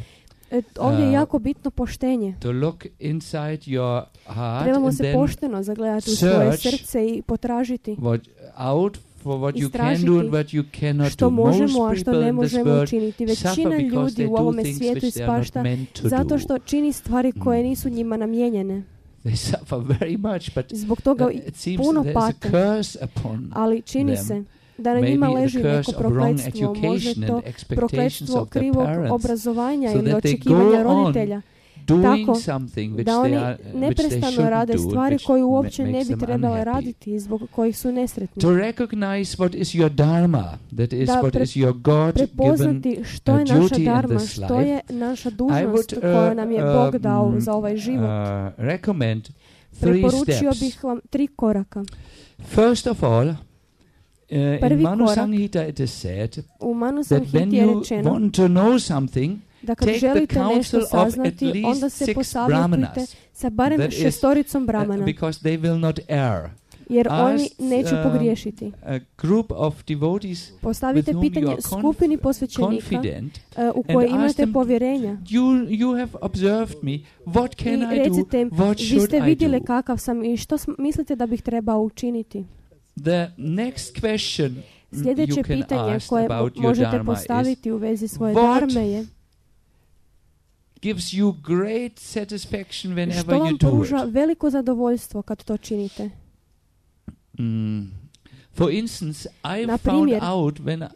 [SPEAKER 3] E, ovdje je
[SPEAKER 1] uh,
[SPEAKER 3] jako bitno poštenje.
[SPEAKER 1] to look inside your heart
[SPEAKER 3] Trebamo
[SPEAKER 1] and
[SPEAKER 3] se
[SPEAKER 1] then
[SPEAKER 3] pošteno zagledati u svoje
[SPEAKER 1] search
[SPEAKER 3] srce i potražiti
[SPEAKER 1] what out for what you can
[SPEAKER 3] Istražiti
[SPEAKER 1] do and what you cannot
[SPEAKER 3] što
[SPEAKER 1] do. Most
[SPEAKER 3] možemo, a što
[SPEAKER 1] people
[SPEAKER 3] ne
[SPEAKER 1] in this
[SPEAKER 3] možemo
[SPEAKER 1] world
[SPEAKER 3] učiniti.
[SPEAKER 1] suffer
[SPEAKER 3] Većina
[SPEAKER 1] because
[SPEAKER 3] ljudi
[SPEAKER 1] they
[SPEAKER 3] u
[SPEAKER 1] do
[SPEAKER 3] ovome
[SPEAKER 1] things
[SPEAKER 3] svijetu
[SPEAKER 1] which they are not
[SPEAKER 3] ispašta
[SPEAKER 1] meant to
[SPEAKER 3] zato
[SPEAKER 1] do.
[SPEAKER 3] što čini stvari koje
[SPEAKER 1] Mm.
[SPEAKER 3] nisu njima namijenjene.
[SPEAKER 1] They suffer very much, but
[SPEAKER 3] Zbog toga
[SPEAKER 1] uh, it seems
[SPEAKER 3] puno
[SPEAKER 1] there's a
[SPEAKER 3] pate,
[SPEAKER 1] curse upon
[SPEAKER 3] ali čini
[SPEAKER 1] them.
[SPEAKER 3] se da na njima
[SPEAKER 1] maybe
[SPEAKER 3] leži
[SPEAKER 1] the
[SPEAKER 3] neko
[SPEAKER 1] curse of wrong
[SPEAKER 3] prokletstvo, možda
[SPEAKER 1] education
[SPEAKER 3] to
[SPEAKER 1] and expectations
[SPEAKER 3] prokletstvo
[SPEAKER 1] of their
[SPEAKER 3] krivog
[SPEAKER 1] parents,
[SPEAKER 3] obrazovanja
[SPEAKER 1] so
[SPEAKER 3] ili
[SPEAKER 1] that they
[SPEAKER 3] očekivanja
[SPEAKER 1] go on
[SPEAKER 3] roditelja,
[SPEAKER 1] doing
[SPEAKER 3] tako
[SPEAKER 1] something which
[SPEAKER 3] da
[SPEAKER 1] they
[SPEAKER 3] oni
[SPEAKER 1] are which they
[SPEAKER 3] neprestano
[SPEAKER 1] shouldn't
[SPEAKER 3] rade
[SPEAKER 1] do,
[SPEAKER 3] stvari
[SPEAKER 1] which
[SPEAKER 3] koje
[SPEAKER 1] ma-
[SPEAKER 3] uopće ne
[SPEAKER 1] makes
[SPEAKER 3] bi
[SPEAKER 1] them
[SPEAKER 3] trebale
[SPEAKER 1] unhappy.
[SPEAKER 3] raditi i zbog kojih su nesretni.
[SPEAKER 1] To recognize what is your dharma, that is
[SPEAKER 3] Da
[SPEAKER 1] what
[SPEAKER 3] pre-
[SPEAKER 1] is your God-given
[SPEAKER 3] Prepoznati što
[SPEAKER 1] uh,
[SPEAKER 3] je naša
[SPEAKER 1] duty in
[SPEAKER 3] dharma,
[SPEAKER 1] this
[SPEAKER 3] što
[SPEAKER 1] life.
[SPEAKER 3] je naša
[SPEAKER 1] I
[SPEAKER 3] dužnost
[SPEAKER 1] would
[SPEAKER 3] koju nam je Bog
[SPEAKER 1] uh,
[SPEAKER 3] dao
[SPEAKER 1] mm,
[SPEAKER 3] za ovaj život.
[SPEAKER 1] uh, recommend three
[SPEAKER 3] Preporučio
[SPEAKER 1] steps.
[SPEAKER 3] bih vam tri koraka.
[SPEAKER 1] First of all, uh, in
[SPEAKER 3] Prvi
[SPEAKER 1] Manu
[SPEAKER 3] korak.
[SPEAKER 1] Samhita it is said
[SPEAKER 3] U Manu
[SPEAKER 1] that when
[SPEAKER 3] Samhiti je
[SPEAKER 1] you
[SPEAKER 3] rečeno
[SPEAKER 1] want to know something,
[SPEAKER 3] da kad
[SPEAKER 1] take the
[SPEAKER 3] želite
[SPEAKER 1] counsel
[SPEAKER 3] nešto
[SPEAKER 1] of at
[SPEAKER 3] saznati,
[SPEAKER 1] least
[SPEAKER 3] onda se
[SPEAKER 1] six
[SPEAKER 3] posavjetujte
[SPEAKER 1] brahmanas,
[SPEAKER 3] sa barem
[SPEAKER 1] that is,
[SPEAKER 3] šestoricom
[SPEAKER 1] uh,
[SPEAKER 3] brahmana,
[SPEAKER 1] because they will not err.
[SPEAKER 3] jer oni
[SPEAKER 1] Ask,
[SPEAKER 3] neće
[SPEAKER 1] um,
[SPEAKER 3] pogriješiti.
[SPEAKER 1] A group of devotees
[SPEAKER 3] Postavite
[SPEAKER 1] with whom
[SPEAKER 3] pitanje
[SPEAKER 1] you are conf-
[SPEAKER 3] skupini posvećenika
[SPEAKER 1] confident,
[SPEAKER 3] uh, u
[SPEAKER 1] and
[SPEAKER 3] koje
[SPEAKER 1] ask
[SPEAKER 3] imate
[SPEAKER 1] them,
[SPEAKER 3] povjerenja.
[SPEAKER 1] You you have observed me. What can
[SPEAKER 3] I
[SPEAKER 1] I do?
[SPEAKER 3] recite im,
[SPEAKER 1] What
[SPEAKER 3] vi
[SPEAKER 1] should
[SPEAKER 3] ste
[SPEAKER 1] I
[SPEAKER 3] vidjeli
[SPEAKER 1] do?
[SPEAKER 3] kakav sam i što sm- mislite da bih trebao učiniti.
[SPEAKER 1] The next question mm,
[SPEAKER 3] Sljedeće
[SPEAKER 1] you can
[SPEAKER 3] pitanje
[SPEAKER 1] ask
[SPEAKER 3] koje mo-
[SPEAKER 1] about your
[SPEAKER 3] možete
[SPEAKER 1] dharma is,
[SPEAKER 3] postaviti u vezi svoje
[SPEAKER 1] what
[SPEAKER 3] dharme je
[SPEAKER 1] gives you great satisfaction whenever
[SPEAKER 3] što
[SPEAKER 1] you
[SPEAKER 3] vam
[SPEAKER 1] do
[SPEAKER 3] pruža
[SPEAKER 1] it.
[SPEAKER 3] veliko zadovoljstvo kad to činite.
[SPEAKER 1] Mm. For instance, I
[SPEAKER 3] Na
[SPEAKER 1] found
[SPEAKER 3] primjer,
[SPEAKER 1] out when uh,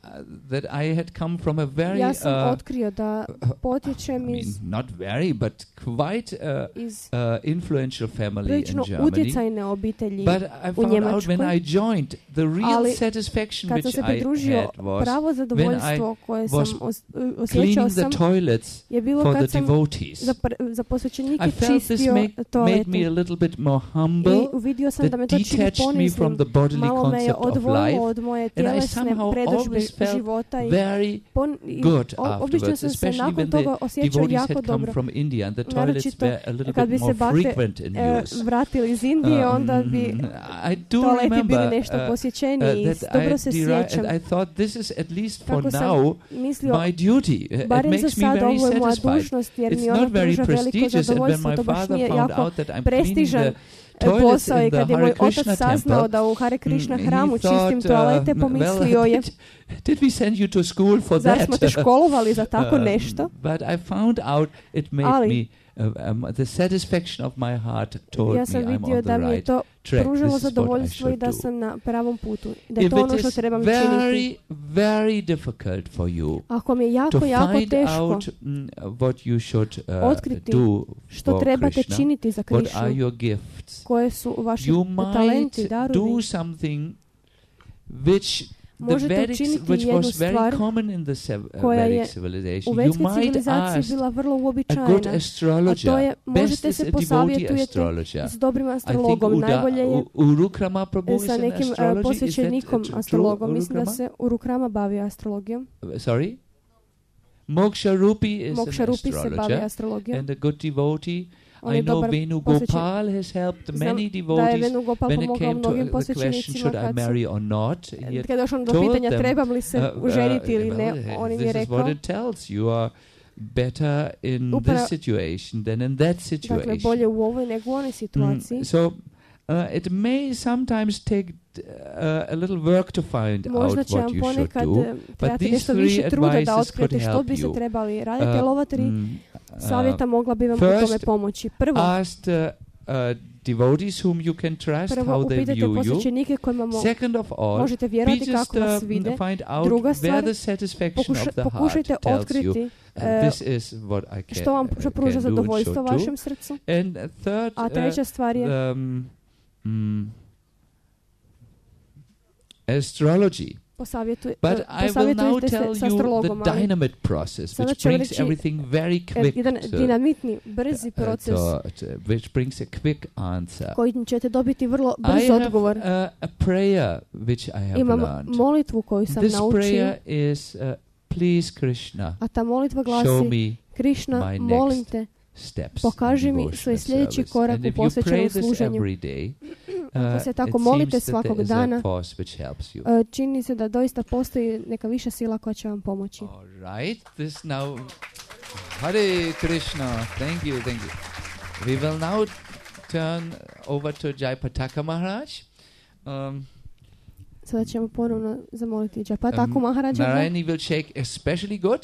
[SPEAKER 1] that I had come from a very
[SPEAKER 3] Ja sam
[SPEAKER 1] uh,
[SPEAKER 3] otkrio da
[SPEAKER 1] I
[SPEAKER 3] potječem
[SPEAKER 1] mean,
[SPEAKER 3] iz,
[SPEAKER 1] not very, but quite uh,
[SPEAKER 3] iz
[SPEAKER 1] uh, influential family in
[SPEAKER 3] prilično
[SPEAKER 1] Germany.
[SPEAKER 3] utjecajne obitelji.
[SPEAKER 1] But I found out when
[SPEAKER 3] Njemačkoj.
[SPEAKER 1] I joined, the real
[SPEAKER 3] Ali
[SPEAKER 1] satisfaction
[SPEAKER 3] Kad sam
[SPEAKER 1] which
[SPEAKER 3] se
[SPEAKER 1] I
[SPEAKER 3] pridružio,
[SPEAKER 1] had was
[SPEAKER 3] pravo zadovoljstvo koje sam
[SPEAKER 1] was
[SPEAKER 3] os- osjećao
[SPEAKER 1] cleaning
[SPEAKER 3] sam
[SPEAKER 1] the toilets
[SPEAKER 3] je bilo
[SPEAKER 1] for
[SPEAKER 3] kad
[SPEAKER 1] the
[SPEAKER 3] sam
[SPEAKER 1] devotees.
[SPEAKER 3] za, pr- za posvećenike
[SPEAKER 1] I felt this
[SPEAKER 3] čistio
[SPEAKER 1] make, made
[SPEAKER 3] toalete.
[SPEAKER 1] me a little bit more humble,
[SPEAKER 3] I uvidio sam
[SPEAKER 1] that
[SPEAKER 3] da me to čini
[SPEAKER 1] detached me from
[SPEAKER 3] poniznim.
[SPEAKER 1] the bodily
[SPEAKER 3] Malo me je
[SPEAKER 1] concept of
[SPEAKER 3] odvojilo
[SPEAKER 1] life,
[SPEAKER 3] od moje
[SPEAKER 1] and I
[SPEAKER 3] tjelesne
[SPEAKER 1] somehow
[SPEAKER 3] predodžbe
[SPEAKER 1] always felt
[SPEAKER 3] života i,
[SPEAKER 1] very
[SPEAKER 3] pon- i
[SPEAKER 1] good
[SPEAKER 3] o- obično
[SPEAKER 1] afterwards,
[SPEAKER 3] sam se
[SPEAKER 1] especially
[SPEAKER 3] nakon
[SPEAKER 1] when the
[SPEAKER 3] toga osjećao
[SPEAKER 1] devotees
[SPEAKER 3] jako
[SPEAKER 1] had come
[SPEAKER 3] dobro.
[SPEAKER 1] from India and the toilets
[SPEAKER 3] Naročito
[SPEAKER 1] were a little
[SPEAKER 3] kad
[SPEAKER 1] bit
[SPEAKER 3] bi se
[SPEAKER 1] more
[SPEAKER 3] bakte
[SPEAKER 1] frequent in
[SPEAKER 3] e,
[SPEAKER 1] use.
[SPEAKER 3] vratili iz Indije, onda bi
[SPEAKER 1] Um, I do
[SPEAKER 3] toaleti bili
[SPEAKER 1] remember
[SPEAKER 3] nešto
[SPEAKER 1] uh,
[SPEAKER 3] posjećeniji i
[SPEAKER 1] uh, that
[SPEAKER 3] dobro
[SPEAKER 1] I,
[SPEAKER 3] se
[SPEAKER 1] deri-
[SPEAKER 3] sjećam.
[SPEAKER 1] and I thought this is at least for
[SPEAKER 3] Kako sam
[SPEAKER 1] now
[SPEAKER 3] mislio,
[SPEAKER 1] my duty. Uh, It
[SPEAKER 3] barem za
[SPEAKER 1] makes me
[SPEAKER 3] sad
[SPEAKER 1] very
[SPEAKER 3] ovo je moja
[SPEAKER 1] satisfied.
[SPEAKER 3] dužnost jer
[SPEAKER 1] It's
[SPEAKER 3] mi ona
[SPEAKER 1] not very
[SPEAKER 3] pruža veliko
[SPEAKER 1] prestigious, and when
[SPEAKER 3] zadovoljstvo.
[SPEAKER 1] my
[SPEAKER 3] To baš
[SPEAKER 1] father
[SPEAKER 3] nije
[SPEAKER 1] found
[SPEAKER 3] jako
[SPEAKER 1] out that I'm cleaning
[SPEAKER 3] prestižan
[SPEAKER 1] the toilets
[SPEAKER 3] posao i
[SPEAKER 1] in the
[SPEAKER 3] kad je
[SPEAKER 1] Hare
[SPEAKER 3] moj
[SPEAKER 1] Krishna
[SPEAKER 3] otac saznao
[SPEAKER 1] temple,
[SPEAKER 3] da u Hare Krishna
[SPEAKER 1] mm, he
[SPEAKER 3] hramu čistim
[SPEAKER 1] thought,
[SPEAKER 3] toalete,
[SPEAKER 1] uh,
[SPEAKER 3] pomislio
[SPEAKER 1] well,
[SPEAKER 3] je,
[SPEAKER 1] did, did we send you to school for
[SPEAKER 3] zar
[SPEAKER 1] that?
[SPEAKER 3] smo te školovali za tako
[SPEAKER 1] Um,
[SPEAKER 3] nešto?
[SPEAKER 1] But I found out it made
[SPEAKER 3] Ali-
[SPEAKER 1] me uh, um, the satisfaction of my heart told
[SPEAKER 3] Ja
[SPEAKER 1] me
[SPEAKER 3] sam
[SPEAKER 1] I'm
[SPEAKER 3] vidio
[SPEAKER 1] on
[SPEAKER 3] da
[SPEAKER 1] the
[SPEAKER 3] mi je
[SPEAKER 1] right
[SPEAKER 3] to
[SPEAKER 1] track.
[SPEAKER 3] pružalo
[SPEAKER 1] This is what I
[SPEAKER 3] zadovoljstvo i
[SPEAKER 1] should
[SPEAKER 3] da
[SPEAKER 1] do.
[SPEAKER 3] sam na pravom putu. Da je
[SPEAKER 1] If
[SPEAKER 3] to ono
[SPEAKER 1] it
[SPEAKER 3] što
[SPEAKER 1] is
[SPEAKER 3] trebam činiti.
[SPEAKER 1] very, very difficult for you
[SPEAKER 3] Ako mi je
[SPEAKER 1] to
[SPEAKER 3] jako, jako
[SPEAKER 1] find
[SPEAKER 3] teško
[SPEAKER 1] out mm, what you should uh,
[SPEAKER 3] otkriti
[SPEAKER 1] do
[SPEAKER 3] što
[SPEAKER 1] for
[SPEAKER 3] trebate
[SPEAKER 1] Krishna,
[SPEAKER 3] činiti za
[SPEAKER 1] what are
[SPEAKER 3] Krišnu,
[SPEAKER 1] your gifts,
[SPEAKER 3] koje su vaši
[SPEAKER 1] you might
[SPEAKER 3] talenti,
[SPEAKER 1] do
[SPEAKER 3] darovi,
[SPEAKER 1] something which the
[SPEAKER 3] možete
[SPEAKER 1] Vedic,
[SPEAKER 3] učiniti
[SPEAKER 1] which
[SPEAKER 3] jednu
[SPEAKER 1] was very
[SPEAKER 3] stvar
[SPEAKER 1] common in the sev- uh,
[SPEAKER 3] koja je
[SPEAKER 1] Vedic
[SPEAKER 3] u
[SPEAKER 1] civilization. You
[SPEAKER 3] vedskoj
[SPEAKER 1] might
[SPEAKER 3] civilizaciji
[SPEAKER 1] ask
[SPEAKER 3] bila vrlo
[SPEAKER 1] a good
[SPEAKER 3] uobičajena. A
[SPEAKER 1] astrologer.
[SPEAKER 3] to je,
[SPEAKER 1] Best
[SPEAKER 3] možete
[SPEAKER 1] is
[SPEAKER 3] se
[SPEAKER 1] a devotee
[SPEAKER 3] posavjetujete
[SPEAKER 1] astrologer.
[SPEAKER 3] s dobrim
[SPEAKER 1] I think
[SPEAKER 3] astrologom.
[SPEAKER 1] Uda,
[SPEAKER 3] Najbolje je
[SPEAKER 1] U- Urukrama Prabhu is
[SPEAKER 3] sa
[SPEAKER 1] an
[SPEAKER 3] nekim uh,
[SPEAKER 1] astrology. Is that,
[SPEAKER 3] posvećenikom
[SPEAKER 1] uh, true,
[SPEAKER 3] astrologom. Mislim da
[SPEAKER 1] Urukrama?
[SPEAKER 3] se Urukrama bavi astrologijom.
[SPEAKER 1] Uh, Sorry? Moksha Rupi is
[SPEAKER 3] Moksha
[SPEAKER 1] an
[SPEAKER 3] Rupi se bavi
[SPEAKER 1] astrologer.
[SPEAKER 3] astrologijom.
[SPEAKER 1] And a good devotee.
[SPEAKER 3] On
[SPEAKER 1] I
[SPEAKER 3] je
[SPEAKER 1] know
[SPEAKER 3] dobar
[SPEAKER 1] Venu
[SPEAKER 3] posvećen-
[SPEAKER 1] Gopal has helped
[SPEAKER 3] Znam
[SPEAKER 1] many
[SPEAKER 3] da je
[SPEAKER 1] devotees
[SPEAKER 3] Venu Gopal
[SPEAKER 1] when it
[SPEAKER 3] pomogao
[SPEAKER 1] came to
[SPEAKER 3] mnogim
[SPEAKER 1] uh, the question,
[SPEAKER 3] posvećenicima
[SPEAKER 1] should I
[SPEAKER 3] kad su
[SPEAKER 1] marry or not? He had
[SPEAKER 3] kad je došlo do
[SPEAKER 1] told
[SPEAKER 3] pitanja
[SPEAKER 1] them,
[SPEAKER 3] trebam li se
[SPEAKER 1] uh, uh,
[SPEAKER 3] ženiti ili ne,
[SPEAKER 1] well,
[SPEAKER 3] on im
[SPEAKER 1] this
[SPEAKER 3] je
[SPEAKER 1] is what
[SPEAKER 3] rekao,
[SPEAKER 1] it tells. You are better in
[SPEAKER 3] Upra-
[SPEAKER 1] this situation than in that
[SPEAKER 3] dakle,
[SPEAKER 1] situation.
[SPEAKER 3] bolje u ovoj nego u onoj situaciji.
[SPEAKER 1] Mm, so uh, it may sometimes take uh, a little work to find
[SPEAKER 3] Možda
[SPEAKER 1] out
[SPEAKER 3] će
[SPEAKER 1] what
[SPEAKER 3] vam
[SPEAKER 1] you should
[SPEAKER 3] ponekad
[SPEAKER 1] do.
[SPEAKER 3] eh, trebati
[SPEAKER 1] these
[SPEAKER 3] nešto
[SPEAKER 1] three
[SPEAKER 3] više truda da
[SPEAKER 1] advices
[SPEAKER 3] otkrijete
[SPEAKER 1] could
[SPEAKER 3] što
[SPEAKER 1] help
[SPEAKER 3] biste
[SPEAKER 1] you.
[SPEAKER 3] trebali raditi, ali
[SPEAKER 1] Uh,
[SPEAKER 3] ova tri
[SPEAKER 1] mm, uh,
[SPEAKER 3] savjeta mogla bi vam u tome
[SPEAKER 1] first,
[SPEAKER 3] pomoći. Prvo,
[SPEAKER 1] asked uh, uh, devotees whom you can trust
[SPEAKER 3] prvo
[SPEAKER 1] how they
[SPEAKER 3] upitajte
[SPEAKER 1] view you.
[SPEAKER 3] posvećenike kojima mo-
[SPEAKER 1] Second of all,
[SPEAKER 3] možete
[SPEAKER 1] be
[SPEAKER 3] vjerovati
[SPEAKER 1] just
[SPEAKER 3] kako vas
[SPEAKER 1] uh,
[SPEAKER 3] vide.
[SPEAKER 1] find out
[SPEAKER 3] Druga
[SPEAKER 1] where
[SPEAKER 3] stvar,
[SPEAKER 1] the satisfaction
[SPEAKER 3] Pokuša-
[SPEAKER 1] of the
[SPEAKER 3] pokušajte
[SPEAKER 1] heart tells you
[SPEAKER 3] otkriti
[SPEAKER 1] uh,
[SPEAKER 3] eh,
[SPEAKER 1] this is what I can,
[SPEAKER 3] što vam
[SPEAKER 1] uh,
[SPEAKER 3] što pruža
[SPEAKER 1] can do and
[SPEAKER 3] zadovoljstvo
[SPEAKER 1] should do.
[SPEAKER 3] vašem srcu.
[SPEAKER 1] And uh, third,
[SPEAKER 3] A treća stvar
[SPEAKER 1] uh,
[SPEAKER 3] je
[SPEAKER 1] um, mm, astrology.
[SPEAKER 3] posavjetuj,
[SPEAKER 1] But
[SPEAKER 3] eh,
[SPEAKER 1] I will now
[SPEAKER 3] posavjetujte
[SPEAKER 1] tell
[SPEAKER 3] se sa
[SPEAKER 1] you
[SPEAKER 3] astrologom,
[SPEAKER 1] the
[SPEAKER 3] ali
[SPEAKER 1] dynamite process,
[SPEAKER 3] Sada
[SPEAKER 1] which
[SPEAKER 3] ću vam
[SPEAKER 1] brings
[SPEAKER 3] reći,
[SPEAKER 1] everything very
[SPEAKER 3] eh,
[SPEAKER 1] quick,
[SPEAKER 3] jedan
[SPEAKER 1] to,
[SPEAKER 3] dinamitni, brzi
[SPEAKER 1] uh,
[SPEAKER 3] proces
[SPEAKER 1] to- to- which brings a quick answer.
[SPEAKER 3] koji ćete dobiti vrlo
[SPEAKER 1] I
[SPEAKER 3] brz
[SPEAKER 1] have
[SPEAKER 3] odgovor.
[SPEAKER 1] uh, a prayer which I have
[SPEAKER 3] Imam
[SPEAKER 1] learned.
[SPEAKER 3] molitvu koju sam
[SPEAKER 1] This
[SPEAKER 3] naučio,
[SPEAKER 1] prayer is, uh, please Krishna,
[SPEAKER 3] a ta molitva
[SPEAKER 1] show
[SPEAKER 3] glasi:
[SPEAKER 1] me
[SPEAKER 3] Krišna,
[SPEAKER 1] my
[SPEAKER 3] molim
[SPEAKER 1] next
[SPEAKER 3] te,
[SPEAKER 1] steps.
[SPEAKER 3] pokaži
[SPEAKER 1] in
[SPEAKER 3] mi
[SPEAKER 1] devotional
[SPEAKER 3] svoj sljedeći
[SPEAKER 1] service.
[SPEAKER 3] korak
[SPEAKER 1] And
[SPEAKER 3] u
[SPEAKER 1] if you pray
[SPEAKER 3] posvećenom
[SPEAKER 1] this
[SPEAKER 3] služenju.
[SPEAKER 1] every day,
[SPEAKER 3] Ako
[SPEAKER 1] uh,
[SPEAKER 3] se tako
[SPEAKER 1] it
[SPEAKER 3] molite
[SPEAKER 1] seems that there
[SPEAKER 3] svakog
[SPEAKER 1] is a
[SPEAKER 3] dana,
[SPEAKER 1] force which helps you.
[SPEAKER 3] Uh, čini se da doista postoji neka viša sila koja će vam pomoći.
[SPEAKER 1] All right, this now, Hare Krishna, thank you, thank you. We will now turn over to Jayapataka Maharaj. Um,
[SPEAKER 3] Sada ćemo ponovno zamoliti Jayapataku
[SPEAKER 1] um,
[SPEAKER 3] Maharaja.
[SPEAKER 1] Narayani will shake especially good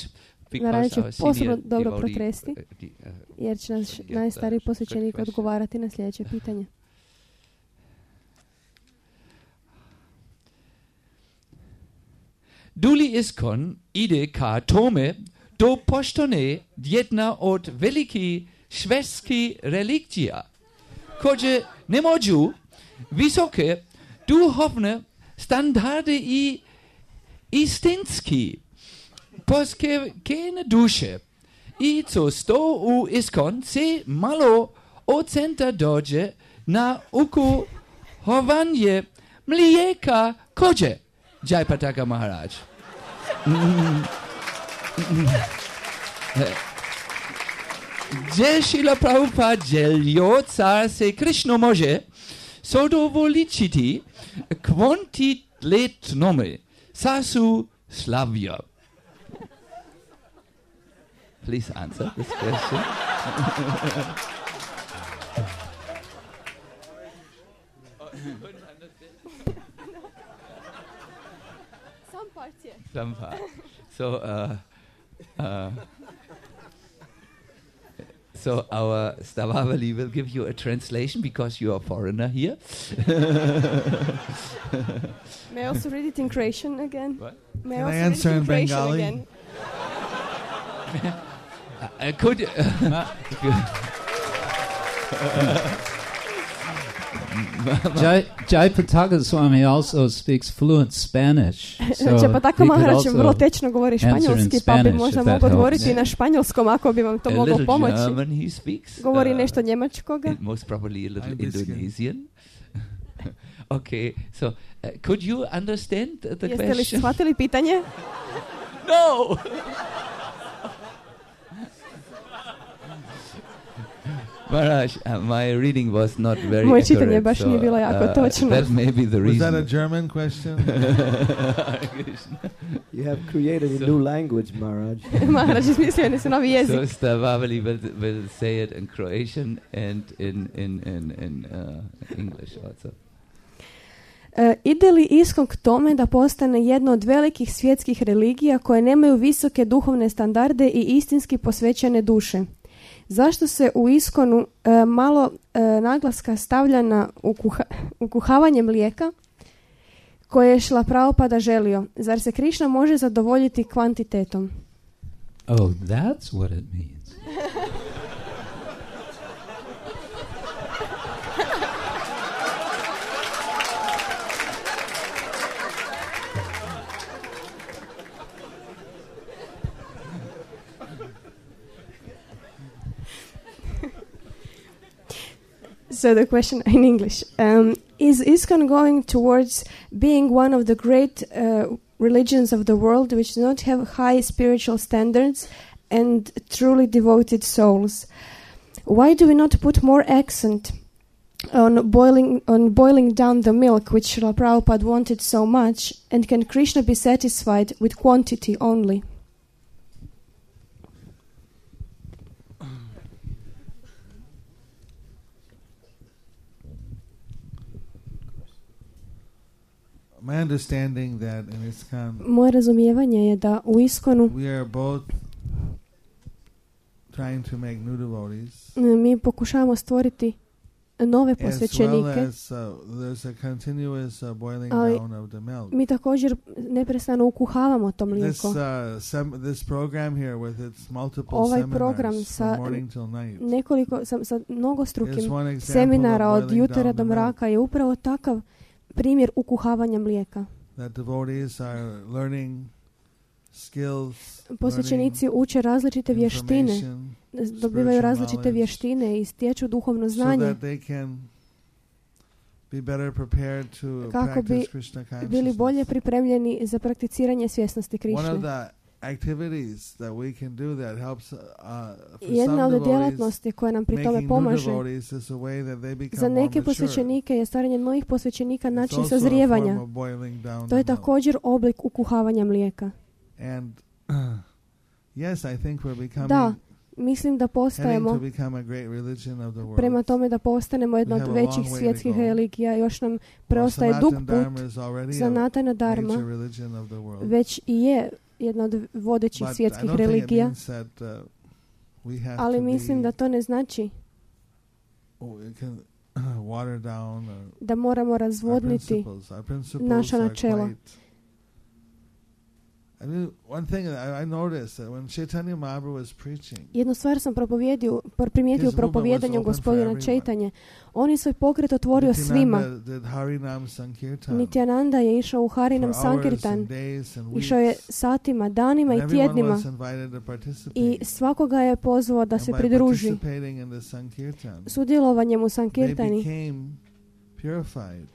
[SPEAKER 3] Narayani
[SPEAKER 1] because
[SPEAKER 3] će
[SPEAKER 1] our senior
[SPEAKER 3] posebno dobro
[SPEAKER 1] devotee,
[SPEAKER 3] protresti,
[SPEAKER 1] uh, the, uh,
[SPEAKER 3] jer će naš
[SPEAKER 1] Yes,
[SPEAKER 3] najstariji
[SPEAKER 1] uh,
[SPEAKER 3] posvećenik
[SPEAKER 1] good question.
[SPEAKER 3] odgovarati na sljedeće pitanje.
[SPEAKER 1] Duli iskon ide ka tome do poštone jedna od veliki švedski religija, koje ne mogu visoke duhovne standarde i istinski postkevkene duše. I co sto u iskon se malo ocenta dođe na ukuhovanje mlijeka kođe. Jayapataka Maharaj. Gdje Šrila Prabhupada želio car se Krishna može zadovoljiti kvantitletnome sasu slavja. Please answer this question.
[SPEAKER 3] Some parts, yeah.
[SPEAKER 1] Some part. So, uh, uh, so our Stavavali will give you a translation because you are a foreigner here.
[SPEAKER 3] May I also read it in Croatian again?
[SPEAKER 1] What?
[SPEAKER 3] May
[SPEAKER 4] Can
[SPEAKER 3] I
[SPEAKER 4] I
[SPEAKER 3] also
[SPEAKER 4] answer
[SPEAKER 3] read it
[SPEAKER 4] in
[SPEAKER 3] in Croatian
[SPEAKER 4] Bengali?
[SPEAKER 3] again?
[SPEAKER 1] Uh, could uh,
[SPEAKER 2] Jai, Jayapataka Swami also speaks fluent Spanish. So
[SPEAKER 3] Jayapataka
[SPEAKER 2] he could
[SPEAKER 3] Maharaj
[SPEAKER 2] also
[SPEAKER 3] vrlo tečno govori
[SPEAKER 2] answer in
[SPEAKER 3] španjolski, pa bi
[SPEAKER 2] Spanish,
[SPEAKER 3] možda
[SPEAKER 2] if that
[SPEAKER 3] mogao
[SPEAKER 2] helps.
[SPEAKER 3] odgovoriti na španjolskom ako bi vam to
[SPEAKER 1] a
[SPEAKER 3] moglo
[SPEAKER 1] little
[SPEAKER 3] pomoći.
[SPEAKER 1] German he speaks.
[SPEAKER 3] Govori
[SPEAKER 1] uh,
[SPEAKER 3] nešto njemačkoga.
[SPEAKER 1] and most probably a little
[SPEAKER 4] I'm Biscuit.
[SPEAKER 1] Indonesian. Okay, so uh, could you understand the, the
[SPEAKER 3] Jeste li
[SPEAKER 1] question?
[SPEAKER 3] shvatili pitanje?
[SPEAKER 1] No! Maharaj, uh, my reading was not very
[SPEAKER 3] Moje čitanje
[SPEAKER 1] accurate,
[SPEAKER 3] baš
[SPEAKER 1] so,
[SPEAKER 3] nije bilo jako
[SPEAKER 1] uh,
[SPEAKER 3] točno.
[SPEAKER 1] that may be the
[SPEAKER 4] Was that a
[SPEAKER 1] reason.
[SPEAKER 4] German question?
[SPEAKER 5] You have created a
[SPEAKER 1] So-
[SPEAKER 5] new language, Maharaj.
[SPEAKER 3] Maharaj izmislio su novi jezik.
[SPEAKER 1] So Stavavali will, will say it in Croatian and in, in, in, in uh, English also.
[SPEAKER 3] E, ide li Iskon k tome da postane jedna od velikih svjetskih religija koje nemaju visoke duhovne standarde i istinski posvećene duše? Zašto se u Iskonu e, malo e, naglaska stavlja na ukuha, ukuhavanje mlijeka koje je Šrila Prabhupada želio? Zar se Krišna može zadovoljiti kvantitetom?
[SPEAKER 2] Oh, that's what it means.
[SPEAKER 3] So the question in English. Um, is ISKCON going towards being one of the great uh, religions of the world which do not have high spiritual standards and truly devoted souls? Why do we not put more accent on boiling on boiling down the milk which Srila Prabhupada wanted so much, and can Krishna be satisfied with quantity only?
[SPEAKER 4] My understanding that in ISKCON
[SPEAKER 3] Moje razumijevanje je da u Iskonu
[SPEAKER 4] we are both trying to make new devotees,
[SPEAKER 3] mi pokušavamo stvoriti nove
[SPEAKER 4] as well
[SPEAKER 3] posvećenike.
[SPEAKER 4] as uh, there's a continuous uh, boiling
[SPEAKER 3] Ali
[SPEAKER 4] down of the milk.
[SPEAKER 3] mi također neprestano ukuhavamo to
[SPEAKER 4] This
[SPEAKER 3] mlijeko.
[SPEAKER 4] uh, sem- this program here with its multiple
[SPEAKER 3] Ovaj
[SPEAKER 4] seminars
[SPEAKER 3] program
[SPEAKER 4] from
[SPEAKER 3] sa
[SPEAKER 4] morning till night
[SPEAKER 3] Nekoliko, sa, sa
[SPEAKER 4] is
[SPEAKER 3] mnogostrukim
[SPEAKER 4] one example
[SPEAKER 3] seminara
[SPEAKER 4] of
[SPEAKER 3] od
[SPEAKER 4] boiling
[SPEAKER 3] jutra
[SPEAKER 4] down
[SPEAKER 3] do
[SPEAKER 4] the milk.
[SPEAKER 3] mraka je upravo takav primjer ukuhavanja mlijeka.
[SPEAKER 4] That devotees are learning skills,
[SPEAKER 3] Posvećenici uče različite
[SPEAKER 4] learning
[SPEAKER 3] vještine,
[SPEAKER 4] information,
[SPEAKER 3] dobivaju
[SPEAKER 4] spiritual
[SPEAKER 3] različite
[SPEAKER 4] knowledge,
[SPEAKER 3] vještine i stječu duhovno
[SPEAKER 4] so
[SPEAKER 3] znanje
[SPEAKER 4] that they can be better prepared to
[SPEAKER 3] kako bi
[SPEAKER 4] practice Krishna
[SPEAKER 3] bili
[SPEAKER 4] consciousness.
[SPEAKER 3] bolje pripremljeni za prakticiranje svjesnosti
[SPEAKER 4] One of
[SPEAKER 3] Krišne.
[SPEAKER 4] the activities that we can do that helps uh, for
[SPEAKER 3] Jedna
[SPEAKER 4] some
[SPEAKER 3] od
[SPEAKER 4] devotees
[SPEAKER 3] djelatnosti koja nam pri tome
[SPEAKER 4] making new
[SPEAKER 3] pomaže
[SPEAKER 4] devotees is a way that they become
[SPEAKER 3] za
[SPEAKER 4] more
[SPEAKER 3] neke
[SPEAKER 4] mature.
[SPEAKER 3] posvećenike je stvaranje novih posvećenika
[SPEAKER 4] It's
[SPEAKER 3] način
[SPEAKER 4] also a
[SPEAKER 3] sazrijevanja.
[SPEAKER 4] form of boiling down
[SPEAKER 3] To je
[SPEAKER 4] the milk.
[SPEAKER 3] također oblik ukuhavanja mlijeka.
[SPEAKER 4] And yes, I think we're becoming
[SPEAKER 3] Da, mislim da
[SPEAKER 4] heading to
[SPEAKER 3] postajemo
[SPEAKER 4] become a great religion of the world.
[SPEAKER 3] prema tome da postanemo jedna
[SPEAKER 4] We
[SPEAKER 3] od
[SPEAKER 4] have a long
[SPEAKER 3] većih
[SPEAKER 4] way to
[SPEAKER 3] svjetskih
[SPEAKER 4] go.
[SPEAKER 3] religija. Još nam
[SPEAKER 4] While
[SPEAKER 3] preostaje dug
[SPEAKER 4] Sanatan
[SPEAKER 3] put.
[SPEAKER 4] Dharma is already a
[SPEAKER 3] Sanatana Dharma
[SPEAKER 4] major religion of the world.
[SPEAKER 3] već i je jedna od vodećih
[SPEAKER 4] But I
[SPEAKER 3] svjetskih
[SPEAKER 4] don't think it
[SPEAKER 3] religija,
[SPEAKER 4] means that, uh, we have
[SPEAKER 3] ali
[SPEAKER 4] to
[SPEAKER 3] mislim
[SPEAKER 4] be,
[SPEAKER 3] da to ne znači
[SPEAKER 4] oh, it can water down or
[SPEAKER 3] da moramo
[SPEAKER 4] our
[SPEAKER 3] razvodniti
[SPEAKER 4] principles. Our principles
[SPEAKER 3] naša
[SPEAKER 4] are
[SPEAKER 3] načela.
[SPEAKER 4] quite I mean, one thing that I, I noticed that when Chaitanya Mahaprabhu was preaching,
[SPEAKER 3] Jednu stvar sam propovijedio, primijetio u
[SPEAKER 4] His movement
[SPEAKER 3] propovijedanju
[SPEAKER 4] was open for
[SPEAKER 3] gospodina
[SPEAKER 4] everyone.
[SPEAKER 3] Chaitanje. On je svoj pokret otvorio svima.
[SPEAKER 4] Nityananda did Harinam Sankirtan
[SPEAKER 3] Nityananda je išao u Harinam
[SPEAKER 4] for hours
[SPEAKER 3] Sankirtan.
[SPEAKER 4] and days and
[SPEAKER 3] Išao je
[SPEAKER 4] weeks,
[SPEAKER 3] satima, danima
[SPEAKER 4] and
[SPEAKER 3] i
[SPEAKER 4] everyone
[SPEAKER 3] tjednima.
[SPEAKER 4] was invited to participate.
[SPEAKER 3] I svakoga je pozvao da
[SPEAKER 4] And
[SPEAKER 3] se
[SPEAKER 4] by
[SPEAKER 3] pridruži.
[SPEAKER 4] participating in the Sankirtan,
[SPEAKER 3] Sudjelovanjem u
[SPEAKER 4] they
[SPEAKER 3] Sankirtani
[SPEAKER 4] became purified.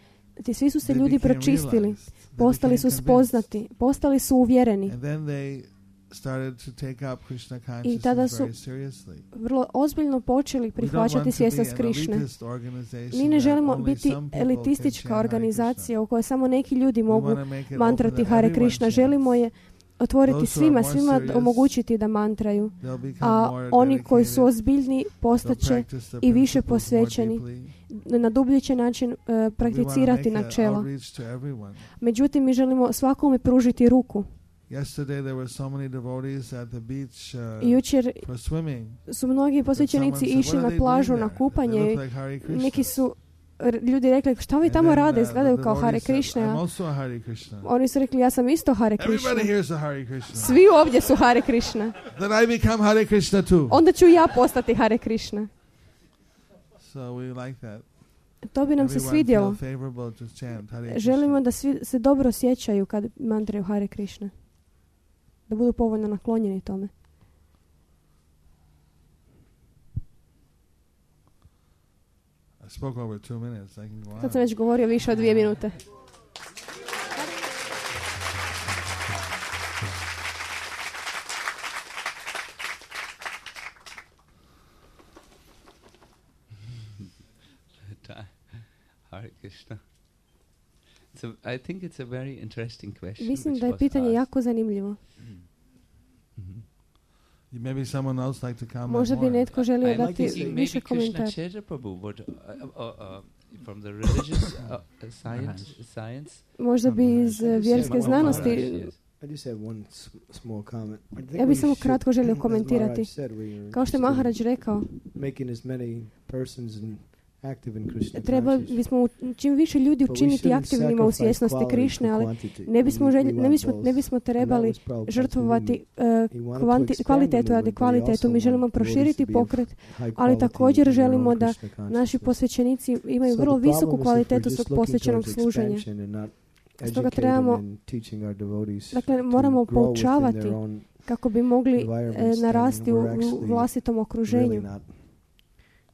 [SPEAKER 3] ti svi su se
[SPEAKER 4] They
[SPEAKER 3] ljudi
[SPEAKER 4] became
[SPEAKER 3] pročistili,
[SPEAKER 4] realized. They
[SPEAKER 3] postali
[SPEAKER 4] became
[SPEAKER 3] su
[SPEAKER 4] convinced.
[SPEAKER 3] spoznati, postali su uvjereni.
[SPEAKER 4] And then they started to take up Krishna
[SPEAKER 3] I tada
[SPEAKER 4] consciousness
[SPEAKER 3] su
[SPEAKER 4] very seriously.
[SPEAKER 3] vrlo ozbiljno počeli
[SPEAKER 4] We don't
[SPEAKER 3] prihvaćati
[SPEAKER 4] want to
[SPEAKER 3] svjesnost
[SPEAKER 4] be an
[SPEAKER 3] Krišne.
[SPEAKER 4] elitist organization
[SPEAKER 3] Mi ne
[SPEAKER 4] that
[SPEAKER 3] želimo
[SPEAKER 4] only
[SPEAKER 3] biti
[SPEAKER 4] some people
[SPEAKER 3] elitistička
[SPEAKER 4] can chant Hare
[SPEAKER 3] organizacija u kojoj samo neki ljudi
[SPEAKER 4] Krishna. We
[SPEAKER 3] mogu
[SPEAKER 4] wanna make it open
[SPEAKER 3] mantrati
[SPEAKER 4] that
[SPEAKER 3] Hare
[SPEAKER 4] everyone
[SPEAKER 3] Krishna.
[SPEAKER 4] chants.
[SPEAKER 3] Želimo je otvoriti
[SPEAKER 4] Those who are
[SPEAKER 3] svima,
[SPEAKER 4] more
[SPEAKER 3] svima
[SPEAKER 4] serious,
[SPEAKER 3] omogućiti da mantraju.
[SPEAKER 4] They'll become
[SPEAKER 3] A
[SPEAKER 4] more
[SPEAKER 3] oni koji su
[SPEAKER 4] dedicated.
[SPEAKER 3] ozbiljni
[SPEAKER 4] They'll
[SPEAKER 3] postaće
[SPEAKER 4] practice the
[SPEAKER 3] i više
[SPEAKER 4] principles more
[SPEAKER 3] posvećeni,
[SPEAKER 4] deeply.
[SPEAKER 3] na dubljići način uh,
[SPEAKER 4] We wanna
[SPEAKER 3] prakticirati
[SPEAKER 4] make a
[SPEAKER 3] načela.
[SPEAKER 4] outreach to everyone.
[SPEAKER 3] Međutim, mi želimo svakome pružiti ruku.
[SPEAKER 4] Yesterday there were so many devotees at the beach uh,
[SPEAKER 3] I jučer
[SPEAKER 4] for swimming.
[SPEAKER 3] su mnogi posvećenici
[SPEAKER 4] Someone said,
[SPEAKER 3] išli
[SPEAKER 4] "What
[SPEAKER 3] na
[SPEAKER 4] are they
[SPEAKER 3] plažu
[SPEAKER 4] doing
[SPEAKER 3] na
[SPEAKER 4] there?
[SPEAKER 3] kupanje
[SPEAKER 4] They
[SPEAKER 3] i
[SPEAKER 4] look like Hare Krishna."
[SPEAKER 3] neki su r- ljudi rekli šta vi
[SPEAKER 4] And
[SPEAKER 3] tamo
[SPEAKER 4] then,
[SPEAKER 3] rade,
[SPEAKER 4] uh,
[SPEAKER 3] izgledaju
[SPEAKER 4] the
[SPEAKER 3] kao Hare
[SPEAKER 4] devotee said,
[SPEAKER 3] Krishna.
[SPEAKER 4] "I'm
[SPEAKER 3] a
[SPEAKER 4] also a Hare Krishna."
[SPEAKER 3] Oni su rekli ja sam isto Hare Krishna.
[SPEAKER 4] Everybody here is a Hare Krishna.
[SPEAKER 3] Svi ovdje su Hare Krishna.
[SPEAKER 4] Then I become Hare Krishna too.
[SPEAKER 3] Onda ću ja postati Hare Krishna.
[SPEAKER 4] So we like that.
[SPEAKER 3] To bi nam se
[SPEAKER 4] Everyone
[SPEAKER 3] svidjelo.
[SPEAKER 4] feel favorable to chant Hare Krishna.
[SPEAKER 3] Želimo da svi se dobro osjećaju kad mantraju Hare Krishna. Da budu povoljno naklonjeni tome.
[SPEAKER 4] I spoke over two minutes. I can go on.
[SPEAKER 3] Sad sam već govorio više od dvije minute.
[SPEAKER 1] Hare Krishna. It's a, I think it's a very interesting question.
[SPEAKER 3] Mislim
[SPEAKER 1] which
[SPEAKER 3] da je
[SPEAKER 1] was
[SPEAKER 3] pitanje
[SPEAKER 1] asked.
[SPEAKER 3] jako zanimljivo.
[SPEAKER 1] Mhm.
[SPEAKER 4] Maybe someone else like to comment
[SPEAKER 3] Možda bi
[SPEAKER 4] more.
[SPEAKER 3] netko želio
[SPEAKER 1] I'm
[SPEAKER 3] dati
[SPEAKER 1] thinking
[SPEAKER 3] više
[SPEAKER 1] maybe Krishna
[SPEAKER 3] komentara.
[SPEAKER 1] Chaitanya Prabhu would, uh, uh, uh, from the religious uh, science, science.
[SPEAKER 3] Možda bi iz eh, vjerske
[SPEAKER 2] Maharaj,
[SPEAKER 3] znanosti.
[SPEAKER 1] Yes.
[SPEAKER 5] I just have one s- small comment. I think
[SPEAKER 3] Ja bih
[SPEAKER 5] we
[SPEAKER 3] samo
[SPEAKER 5] should,
[SPEAKER 3] kratko želio
[SPEAKER 5] as
[SPEAKER 3] komentirati.
[SPEAKER 5] Maharaj said, we are
[SPEAKER 3] Kao što je
[SPEAKER 5] interested in
[SPEAKER 3] Maharaj rekao,
[SPEAKER 5] making as many persons in- active in Krishna
[SPEAKER 3] treba
[SPEAKER 5] consciousness.
[SPEAKER 3] bismo u- čim više ljudi
[SPEAKER 5] But we
[SPEAKER 3] učiniti
[SPEAKER 5] shouldn't
[SPEAKER 3] aktivnima u
[SPEAKER 5] sacrifice
[SPEAKER 3] svjesnosti
[SPEAKER 5] quality
[SPEAKER 3] Krišne,
[SPEAKER 5] for
[SPEAKER 3] ali
[SPEAKER 5] quantity.
[SPEAKER 3] ne bismo,
[SPEAKER 5] We-
[SPEAKER 3] želj,
[SPEAKER 5] we
[SPEAKER 3] ne
[SPEAKER 5] want
[SPEAKER 3] bismo,
[SPEAKER 5] both.
[SPEAKER 3] ne bismo
[SPEAKER 5] And that
[SPEAKER 3] trebali
[SPEAKER 5] was Prabhupada's
[SPEAKER 3] žrtvovati
[SPEAKER 5] movement.
[SPEAKER 3] eh,
[SPEAKER 5] We wanted to
[SPEAKER 3] kvanti,
[SPEAKER 5] expand
[SPEAKER 3] kvalitetu
[SPEAKER 5] the
[SPEAKER 3] radi
[SPEAKER 5] movement, but we
[SPEAKER 3] kvalitetu.
[SPEAKER 5] also
[SPEAKER 3] Mi želimo
[SPEAKER 5] want devotees
[SPEAKER 3] proširiti
[SPEAKER 5] to be of
[SPEAKER 3] pokret,
[SPEAKER 5] high
[SPEAKER 3] ali
[SPEAKER 5] quality
[SPEAKER 3] također
[SPEAKER 5] in their own
[SPEAKER 3] želimo da
[SPEAKER 5] Krishna
[SPEAKER 3] naši
[SPEAKER 5] consciousness.
[SPEAKER 3] posvećenici imaju
[SPEAKER 5] So
[SPEAKER 3] vrlo
[SPEAKER 5] the problem
[SPEAKER 3] visoku
[SPEAKER 5] is if
[SPEAKER 3] kvalitetu
[SPEAKER 5] we're
[SPEAKER 3] svog
[SPEAKER 5] just looking
[SPEAKER 3] posvećenog
[SPEAKER 5] towards
[SPEAKER 3] služenja.
[SPEAKER 5] expansion and not
[SPEAKER 3] Stoga
[SPEAKER 5] educating
[SPEAKER 3] trebamo-
[SPEAKER 5] and teaching our devotees
[SPEAKER 3] Dakle,
[SPEAKER 5] to
[SPEAKER 3] moramo
[SPEAKER 5] grow within
[SPEAKER 3] poučavati
[SPEAKER 5] their own
[SPEAKER 3] kako bi mogli eh,
[SPEAKER 5] environments, then
[SPEAKER 3] narasti u,
[SPEAKER 5] we're
[SPEAKER 3] u
[SPEAKER 5] actually
[SPEAKER 3] vlastitom okruženju.
[SPEAKER 5] really not,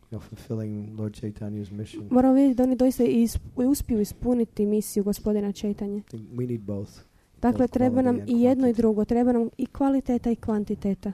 [SPEAKER 5] you know, fulfilling Lord Chaitanya's mission.
[SPEAKER 3] Moramo vidjeti da oni doista i isp- i uspiju ispuniti misiju gospodina Chaitanje.
[SPEAKER 5] I think we need both.
[SPEAKER 3] Dakle,
[SPEAKER 5] Both
[SPEAKER 3] treba nam
[SPEAKER 5] quality and
[SPEAKER 3] i jedno i
[SPEAKER 5] quantity.
[SPEAKER 3] drugo. Treba nam i kvaliteta i kvantiteta.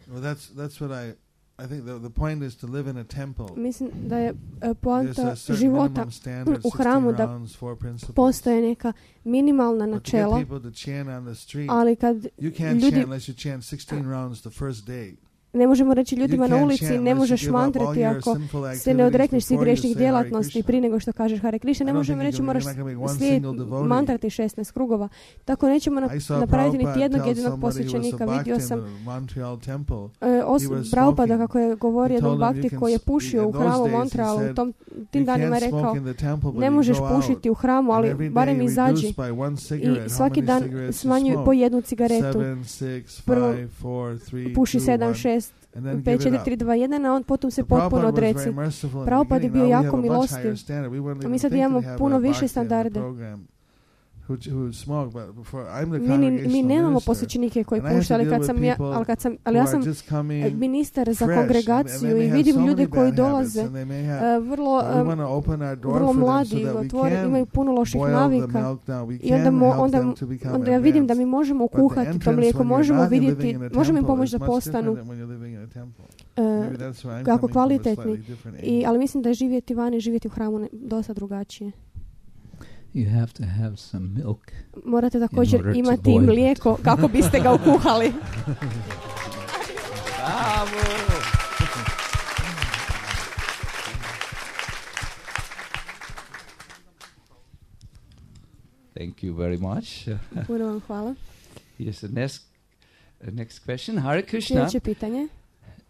[SPEAKER 4] Well, that's that's what I I think the the point is to live in a temple.
[SPEAKER 3] Mislim da je eh,
[SPEAKER 4] There's
[SPEAKER 3] poanta
[SPEAKER 4] a certain
[SPEAKER 3] života
[SPEAKER 4] minimum standard,
[SPEAKER 3] u hramu
[SPEAKER 4] sixteen
[SPEAKER 3] da
[SPEAKER 4] rounds, four principles.
[SPEAKER 3] postoje neka minimalna
[SPEAKER 4] But to get
[SPEAKER 3] načela,
[SPEAKER 4] people to chant on the street,
[SPEAKER 3] ali kad
[SPEAKER 4] you can't
[SPEAKER 3] ljudi-
[SPEAKER 4] chant unless you chant sixteen rounds the first day.
[SPEAKER 3] ne možemo reći ljudima
[SPEAKER 4] You
[SPEAKER 3] na
[SPEAKER 4] can't
[SPEAKER 3] ulici
[SPEAKER 4] chant
[SPEAKER 3] ne
[SPEAKER 4] unless you
[SPEAKER 3] možeš
[SPEAKER 4] give up all
[SPEAKER 3] mantrati
[SPEAKER 4] your
[SPEAKER 3] ako
[SPEAKER 4] sinful
[SPEAKER 3] se ne
[SPEAKER 4] activities
[SPEAKER 3] odrekneš svih
[SPEAKER 4] before you
[SPEAKER 3] grešnih
[SPEAKER 4] say Hare
[SPEAKER 3] djelatnosti
[SPEAKER 4] Krishna.
[SPEAKER 3] prije nego što kažeš Hare Krishna. Ne
[SPEAKER 4] I don't
[SPEAKER 3] možemo
[SPEAKER 4] think
[SPEAKER 3] reći
[SPEAKER 4] you're
[SPEAKER 3] moraš
[SPEAKER 4] not gonna make one
[SPEAKER 3] slijediti
[SPEAKER 4] single devotee.
[SPEAKER 3] mantrati šesnaest krugova. Tako nećemo
[SPEAKER 4] I
[SPEAKER 3] nap-
[SPEAKER 4] saw
[SPEAKER 3] napraviti niti
[SPEAKER 4] Prabhupada
[SPEAKER 3] jednog
[SPEAKER 4] tell
[SPEAKER 3] jedinog
[SPEAKER 4] somebody who was a
[SPEAKER 3] posvećenika. Vidio
[SPEAKER 4] bhakti
[SPEAKER 3] sam
[SPEAKER 4] in the Montreal temple.
[SPEAKER 3] e, os-
[SPEAKER 4] He was
[SPEAKER 3] Prabhupada
[SPEAKER 4] smoking.
[SPEAKER 3] kako je govorio
[SPEAKER 4] He
[SPEAKER 3] jednom
[SPEAKER 4] told him you
[SPEAKER 3] bhakti
[SPEAKER 4] can
[SPEAKER 3] koji je
[SPEAKER 4] s-
[SPEAKER 3] pušio
[SPEAKER 4] in
[SPEAKER 3] u
[SPEAKER 4] those
[SPEAKER 3] hramu
[SPEAKER 4] days he
[SPEAKER 3] Montrealu.
[SPEAKER 4] said,
[SPEAKER 3] U tom, tim
[SPEAKER 4] You
[SPEAKER 3] danima je
[SPEAKER 4] can't
[SPEAKER 3] rekao
[SPEAKER 4] smoke in the temple, but
[SPEAKER 3] ne
[SPEAKER 4] you
[SPEAKER 3] možeš
[SPEAKER 4] go out.
[SPEAKER 3] pušiti u hramu,
[SPEAKER 4] And
[SPEAKER 3] ali
[SPEAKER 4] every day
[SPEAKER 3] barem
[SPEAKER 4] you
[SPEAKER 3] izađi.
[SPEAKER 4] reduce by one cigarette.
[SPEAKER 3] I
[SPEAKER 4] How
[SPEAKER 3] svaki
[SPEAKER 4] many
[SPEAKER 3] dan
[SPEAKER 4] cigarettes you
[SPEAKER 3] smanjuj
[SPEAKER 4] smoke?
[SPEAKER 3] po jednu cigaretu.
[SPEAKER 4] Seven, six,
[SPEAKER 3] Prvo
[SPEAKER 4] five, four, three,
[SPEAKER 3] Puši
[SPEAKER 4] two,
[SPEAKER 3] sedam,
[SPEAKER 4] one,
[SPEAKER 3] šest,
[SPEAKER 4] and then
[SPEAKER 3] pet,
[SPEAKER 4] give it
[SPEAKER 3] četiri,
[SPEAKER 4] up.
[SPEAKER 3] tri, dva, jedan, a on potom se
[SPEAKER 4] So
[SPEAKER 3] potpuno
[SPEAKER 4] Prabhupada was
[SPEAKER 3] odreci.
[SPEAKER 4] very merciful in the
[SPEAKER 3] Prabhupada je
[SPEAKER 4] beginning.
[SPEAKER 3] bio
[SPEAKER 4] Now we
[SPEAKER 3] jako
[SPEAKER 4] have a much
[SPEAKER 3] milostiv.
[SPEAKER 4] higher standard. We wouldn't
[SPEAKER 3] A mi
[SPEAKER 4] even
[SPEAKER 3] sad
[SPEAKER 4] think
[SPEAKER 3] imamo
[SPEAKER 4] to have
[SPEAKER 3] puno
[SPEAKER 4] a
[SPEAKER 3] više
[SPEAKER 4] bhakti in the
[SPEAKER 3] standarde.
[SPEAKER 4] program who, who smoke, but before I'm the
[SPEAKER 3] Mi, ni- mi
[SPEAKER 4] congregational
[SPEAKER 3] nemamo
[SPEAKER 4] minister,
[SPEAKER 3] posvećenike koji
[SPEAKER 4] and I have to
[SPEAKER 3] puštaju, ali
[SPEAKER 4] deal
[SPEAKER 3] kad
[SPEAKER 4] with
[SPEAKER 3] sam ja,
[SPEAKER 4] people
[SPEAKER 3] ali kad sam,
[SPEAKER 4] who
[SPEAKER 3] ali ja
[SPEAKER 4] are
[SPEAKER 3] sam
[SPEAKER 4] just
[SPEAKER 3] e,
[SPEAKER 4] coming
[SPEAKER 3] ministar za
[SPEAKER 4] fresh, and- and
[SPEAKER 3] kongregaciju
[SPEAKER 4] they
[SPEAKER 3] i
[SPEAKER 4] may have
[SPEAKER 3] vidim
[SPEAKER 4] so
[SPEAKER 3] ljude
[SPEAKER 4] many
[SPEAKER 3] koji
[SPEAKER 4] bad habits,
[SPEAKER 3] dolaze
[SPEAKER 4] and they may have-
[SPEAKER 3] e, vrlo,
[SPEAKER 4] but we
[SPEAKER 3] e,
[SPEAKER 4] want to open our door
[SPEAKER 3] vrlo
[SPEAKER 4] for them
[SPEAKER 3] mladi,
[SPEAKER 4] so that we
[SPEAKER 3] otvore,
[SPEAKER 4] can
[SPEAKER 3] imaju puno loših
[SPEAKER 4] boil the
[SPEAKER 3] navika.
[SPEAKER 4] milk down. We
[SPEAKER 3] I onda,
[SPEAKER 4] can
[SPEAKER 3] mo,
[SPEAKER 4] help
[SPEAKER 3] onda,
[SPEAKER 4] them to become
[SPEAKER 3] onda ja vidim da mi
[SPEAKER 4] advanced.
[SPEAKER 3] možemo
[SPEAKER 4] But the
[SPEAKER 3] kuhati to
[SPEAKER 4] entrance
[SPEAKER 3] mlijeko,
[SPEAKER 4] when you're
[SPEAKER 3] možemo
[SPEAKER 4] not living
[SPEAKER 3] vidjeti,
[SPEAKER 4] in a
[SPEAKER 3] možemo im
[SPEAKER 4] temple
[SPEAKER 3] pomoći
[SPEAKER 4] is
[SPEAKER 3] da
[SPEAKER 4] much
[SPEAKER 3] postanu
[SPEAKER 4] different than when you're living in a temple.
[SPEAKER 3] e,
[SPEAKER 4] Maybe that's where I'm
[SPEAKER 3] kako
[SPEAKER 4] coming from a
[SPEAKER 3] kvalitetni.
[SPEAKER 4] slightly different
[SPEAKER 3] I,
[SPEAKER 4] angle.
[SPEAKER 3] ali mislim da je živjeti vani i živjeti u hramu ne- dosta drugačije.
[SPEAKER 2] You have to have some milk.
[SPEAKER 3] Morate također
[SPEAKER 2] order to
[SPEAKER 3] imati i
[SPEAKER 2] boil it.
[SPEAKER 3] mlijeko kako biste ga ukuhali.
[SPEAKER 1] Bravo! Thank you very much.
[SPEAKER 3] Puno vam hvala.
[SPEAKER 1] Yes, the next, uh, next question. Hare Krishna.
[SPEAKER 3] Sljedeće pitanje.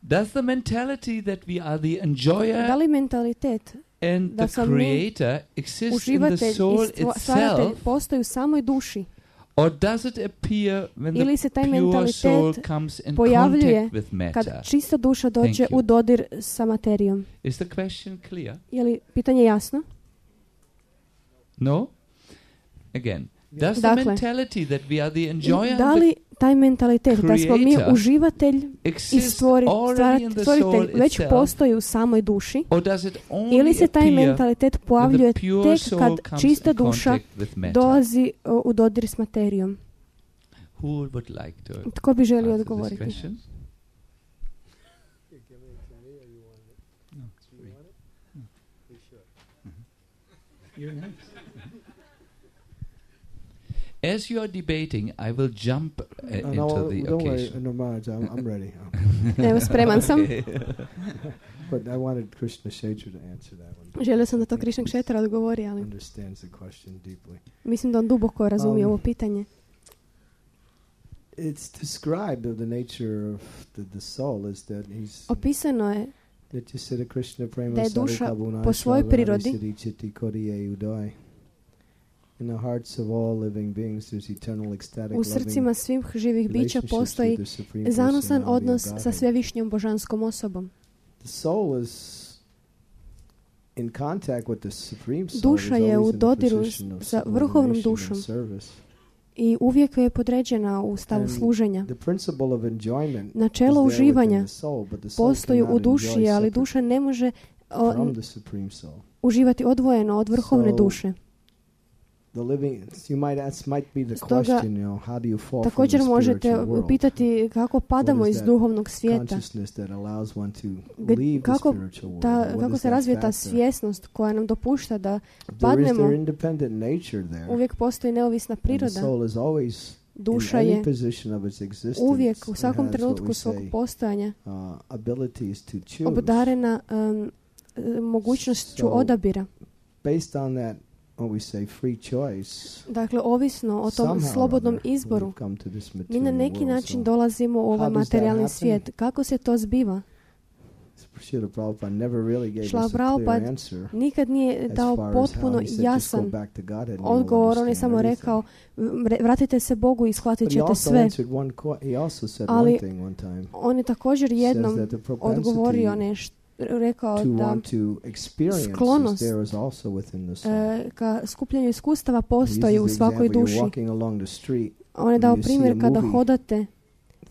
[SPEAKER 1] Does the mentality that we are the
[SPEAKER 3] Da
[SPEAKER 1] enjoyer
[SPEAKER 3] li mentalitet,
[SPEAKER 1] and
[SPEAKER 3] da
[SPEAKER 1] the
[SPEAKER 3] sam mi
[SPEAKER 1] creator exist in the
[SPEAKER 3] uživatelj
[SPEAKER 1] soul
[SPEAKER 3] i stva- stvaratelj
[SPEAKER 1] itself,
[SPEAKER 3] postoji u samoj duši?
[SPEAKER 1] Or does it appear when
[SPEAKER 3] Ili se taj
[SPEAKER 1] the pure soul
[SPEAKER 3] mentalitet
[SPEAKER 1] comes in
[SPEAKER 3] pojavljuje
[SPEAKER 1] contact with matter?
[SPEAKER 3] kad čista duša dođe
[SPEAKER 1] Thank you.
[SPEAKER 3] u dodir sa materijom?
[SPEAKER 1] Is the question clear?
[SPEAKER 3] Je li pitanje jasno?
[SPEAKER 1] No? Again, does the
[SPEAKER 3] Dakle,
[SPEAKER 1] mentality that we are the enjoyer
[SPEAKER 3] da
[SPEAKER 1] and
[SPEAKER 3] li taj mentalitet da smo mi
[SPEAKER 1] creator
[SPEAKER 3] uživatelj i
[SPEAKER 1] exists
[SPEAKER 3] stvori,
[SPEAKER 1] already in
[SPEAKER 3] stvarat-
[SPEAKER 1] the soul
[SPEAKER 3] stvoritelj već
[SPEAKER 1] itself?
[SPEAKER 3] postoji u samoj duši,
[SPEAKER 1] Or does it only
[SPEAKER 3] ili se taj
[SPEAKER 1] appear
[SPEAKER 3] mentalitet
[SPEAKER 1] when
[SPEAKER 3] pojavljuje
[SPEAKER 1] the pure
[SPEAKER 3] tek
[SPEAKER 1] soul
[SPEAKER 3] kad
[SPEAKER 1] comes
[SPEAKER 3] čista
[SPEAKER 1] in
[SPEAKER 3] duša
[SPEAKER 1] contact with matter?
[SPEAKER 3] dolazi uh, u dodir s materijom?
[SPEAKER 1] Who would like to
[SPEAKER 3] Tko bi želio
[SPEAKER 1] answer this
[SPEAKER 3] odgovoriti?
[SPEAKER 1] question? As you are debating, I will jump uh,
[SPEAKER 5] Uh,
[SPEAKER 1] into
[SPEAKER 5] no,
[SPEAKER 1] the
[SPEAKER 5] don't worry,
[SPEAKER 1] occasion.
[SPEAKER 5] no, Maharaj, I'm, I'm ready.
[SPEAKER 3] Evo, spreman sam.
[SPEAKER 1] Okay.
[SPEAKER 5] But I wanted Krishna Kshetra to answer that one.
[SPEAKER 3] Želio sam da to Krishna Kshetra odgovori, ali
[SPEAKER 5] Understands the question deeply.
[SPEAKER 3] mislim da on duboko razumije
[SPEAKER 5] Um,
[SPEAKER 3] ovo pitanje.
[SPEAKER 5] It's described of the nature of the, the soul is that he's
[SPEAKER 3] Opisano je
[SPEAKER 5] Nityasiddha Krishna prema
[SPEAKER 3] da je duša
[SPEAKER 5] sarukabuna
[SPEAKER 3] po svojoj
[SPEAKER 5] shalvari
[SPEAKER 3] prirodi
[SPEAKER 5] siddhi chitti kodiye udai. In the hearts of all living beings there's eternal ecstatic
[SPEAKER 3] u
[SPEAKER 5] loving
[SPEAKER 3] srcima svih živih bića
[SPEAKER 5] relationships
[SPEAKER 3] postoji
[SPEAKER 5] with the supreme
[SPEAKER 3] zanosan
[SPEAKER 5] personality of
[SPEAKER 3] odnos sa
[SPEAKER 5] Godhead.
[SPEAKER 3] svevišnjom božanskom osobom.
[SPEAKER 5] The soul is in contact with the supreme soul.
[SPEAKER 3] Duša
[SPEAKER 5] is
[SPEAKER 3] je
[SPEAKER 5] always
[SPEAKER 3] u
[SPEAKER 5] in a
[SPEAKER 3] dodiru
[SPEAKER 5] position of
[SPEAKER 3] sa vrhovnom
[SPEAKER 5] subordination
[SPEAKER 3] dušom
[SPEAKER 5] and service.
[SPEAKER 3] i uvijek je podređena u stavu
[SPEAKER 5] And
[SPEAKER 3] služenja.
[SPEAKER 5] The principle of enjoyment
[SPEAKER 3] Načelo
[SPEAKER 5] is there within
[SPEAKER 3] uživanja
[SPEAKER 5] the soul, but the soul
[SPEAKER 3] postoji
[SPEAKER 5] cannot
[SPEAKER 3] u duši,
[SPEAKER 5] enjoy
[SPEAKER 3] ali
[SPEAKER 5] separate
[SPEAKER 3] duša ne može o,
[SPEAKER 5] from the supreme soul.
[SPEAKER 3] uživati odvojeno od vrhovne
[SPEAKER 5] So,
[SPEAKER 3] duše.
[SPEAKER 5] The living, you might ask, might be the
[SPEAKER 3] Stoga,
[SPEAKER 5] question, you know, how do you fall from
[SPEAKER 3] također
[SPEAKER 5] the
[SPEAKER 3] možete
[SPEAKER 5] spiritual world?
[SPEAKER 3] pitati kako padamo
[SPEAKER 5] What is
[SPEAKER 3] iz
[SPEAKER 5] that
[SPEAKER 3] duhovnog svijeta.
[SPEAKER 5] Consciousness that allows one to
[SPEAKER 3] Gd-
[SPEAKER 5] leave the
[SPEAKER 3] kako
[SPEAKER 5] spiritual world.
[SPEAKER 3] Ta,
[SPEAKER 5] What
[SPEAKER 3] kako
[SPEAKER 5] is
[SPEAKER 3] se
[SPEAKER 5] that
[SPEAKER 3] razvija ta
[SPEAKER 5] factor?
[SPEAKER 3] svjesnost koja nam dopušta da
[SPEAKER 5] There is
[SPEAKER 3] padnemo.
[SPEAKER 5] their independent nature there.
[SPEAKER 3] Uvijek postoji neovisna
[SPEAKER 5] And the
[SPEAKER 3] priroda.
[SPEAKER 5] soul is always
[SPEAKER 3] Duša
[SPEAKER 5] in any
[SPEAKER 3] je
[SPEAKER 5] position of its existence.
[SPEAKER 3] uvijek u
[SPEAKER 5] it
[SPEAKER 3] svakom
[SPEAKER 5] has what
[SPEAKER 3] trenutku
[SPEAKER 5] we
[SPEAKER 3] svog
[SPEAKER 5] say,
[SPEAKER 3] postojanja
[SPEAKER 5] uh, abilities to choose.
[SPEAKER 3] obdarena um, e, mogućnošću
[SPEAKER 5] So,
[SPEAKER 3] odabira.
[SPEAKER 5] Based on that, what we say, free choice.
[SPEAKER 3] Dakle, ovisno o tom
[SPEAKER 5] somehow or
[SPEAKER 3] slobodnom
[SPEAKER 5] other,
[SPEAKER 3] izboru,
[SPEAKER 5] we've come to this
[SPEAKER 3] mi
[SPEAKER 5] material
[SPEAKER 3] na neki
[SPEAKER 5] world.
[SPEAKER 3] način
[SPEAKER 5] So,
[SPEAKER 3] dolazimo u
[SPEAKER 5] how
[SPEAKER 3] ovaj
[SPEAKER 5] does that
[SPEAKER 3] materijalni
[SPEAKER 5] happen?
[SPEAKER 3] svijet. Kako se to zbiva?
[SPEAKER 5] Srila Prabhupada never really gave
[SPEAKER 3] Šrila
[SPEAKER 5] us a clear
[SPEAKER 3] Prabhupada
[SPEAKER 5] answer.
[SPEAKER 3] nikad nije
[SPEAKER 5] as
[SPEAKER 3] dao
[SPEAKER 5] far as how
[SPEAKER 3] potpuno
[SPEAKER 5] he said, just go
[SPEAKER 3] jasan
[SPEAKER 5] back to God and you'll
[SPEAKER 3] odgovor. On je
[SPEAKER 5] understand
[SPEAKER 3] samo
[SPEAKER 5] everything.
[SPEAKER 3] rekao, "Vre- vratite se Bogu i shvatit
[SPEAKER 5] But he
[SPEAKER 3] ćete
[SPEAKER 5] also
[SPEAKER 3] sve."
[SPEAKER 5] answered one que- he also said
[SPEAKER 3] Ali
[SPEAKER 5] one thing one time.
[SPEAKER 3] On je također
[SPEAKER 5] Says
[SPEAKER 3] jednom
[SPEAKER 5] that the
[SPEAKER 3] odgovorio
[SPEAKER 5] propensity
[SPEAKER 3] nešto, rekao
[SPEAKER 5] to
[SPEAKER 3] da
[SPEAKER 5] want to experience is
[SPEAKER 3] sklonost,
[SPEAKER 5] there is also within the soul.
[SPEAKER 3] e, ka skupljanju iskustava
[SPEAKER 5] He
[SPEAKER 3] postoji u
[SPEAKER 5] uses the
[SPEAKER 3] svakoj
[SPEAKER 5] example, you're
[SPEAKER 3] duši.
[SPEAKER 5] walking along the street,
[SPEAKER 3] On je
[SPEAKER 5] and
[SPEAKER 3] dao
[SPEAKER 5] you see
[SPEAKER 3] primjer
[SPEAKER 5] a
[SPEAKER 3] kada
[SPEAKER 5] movie
[SPEAKER 3] hodate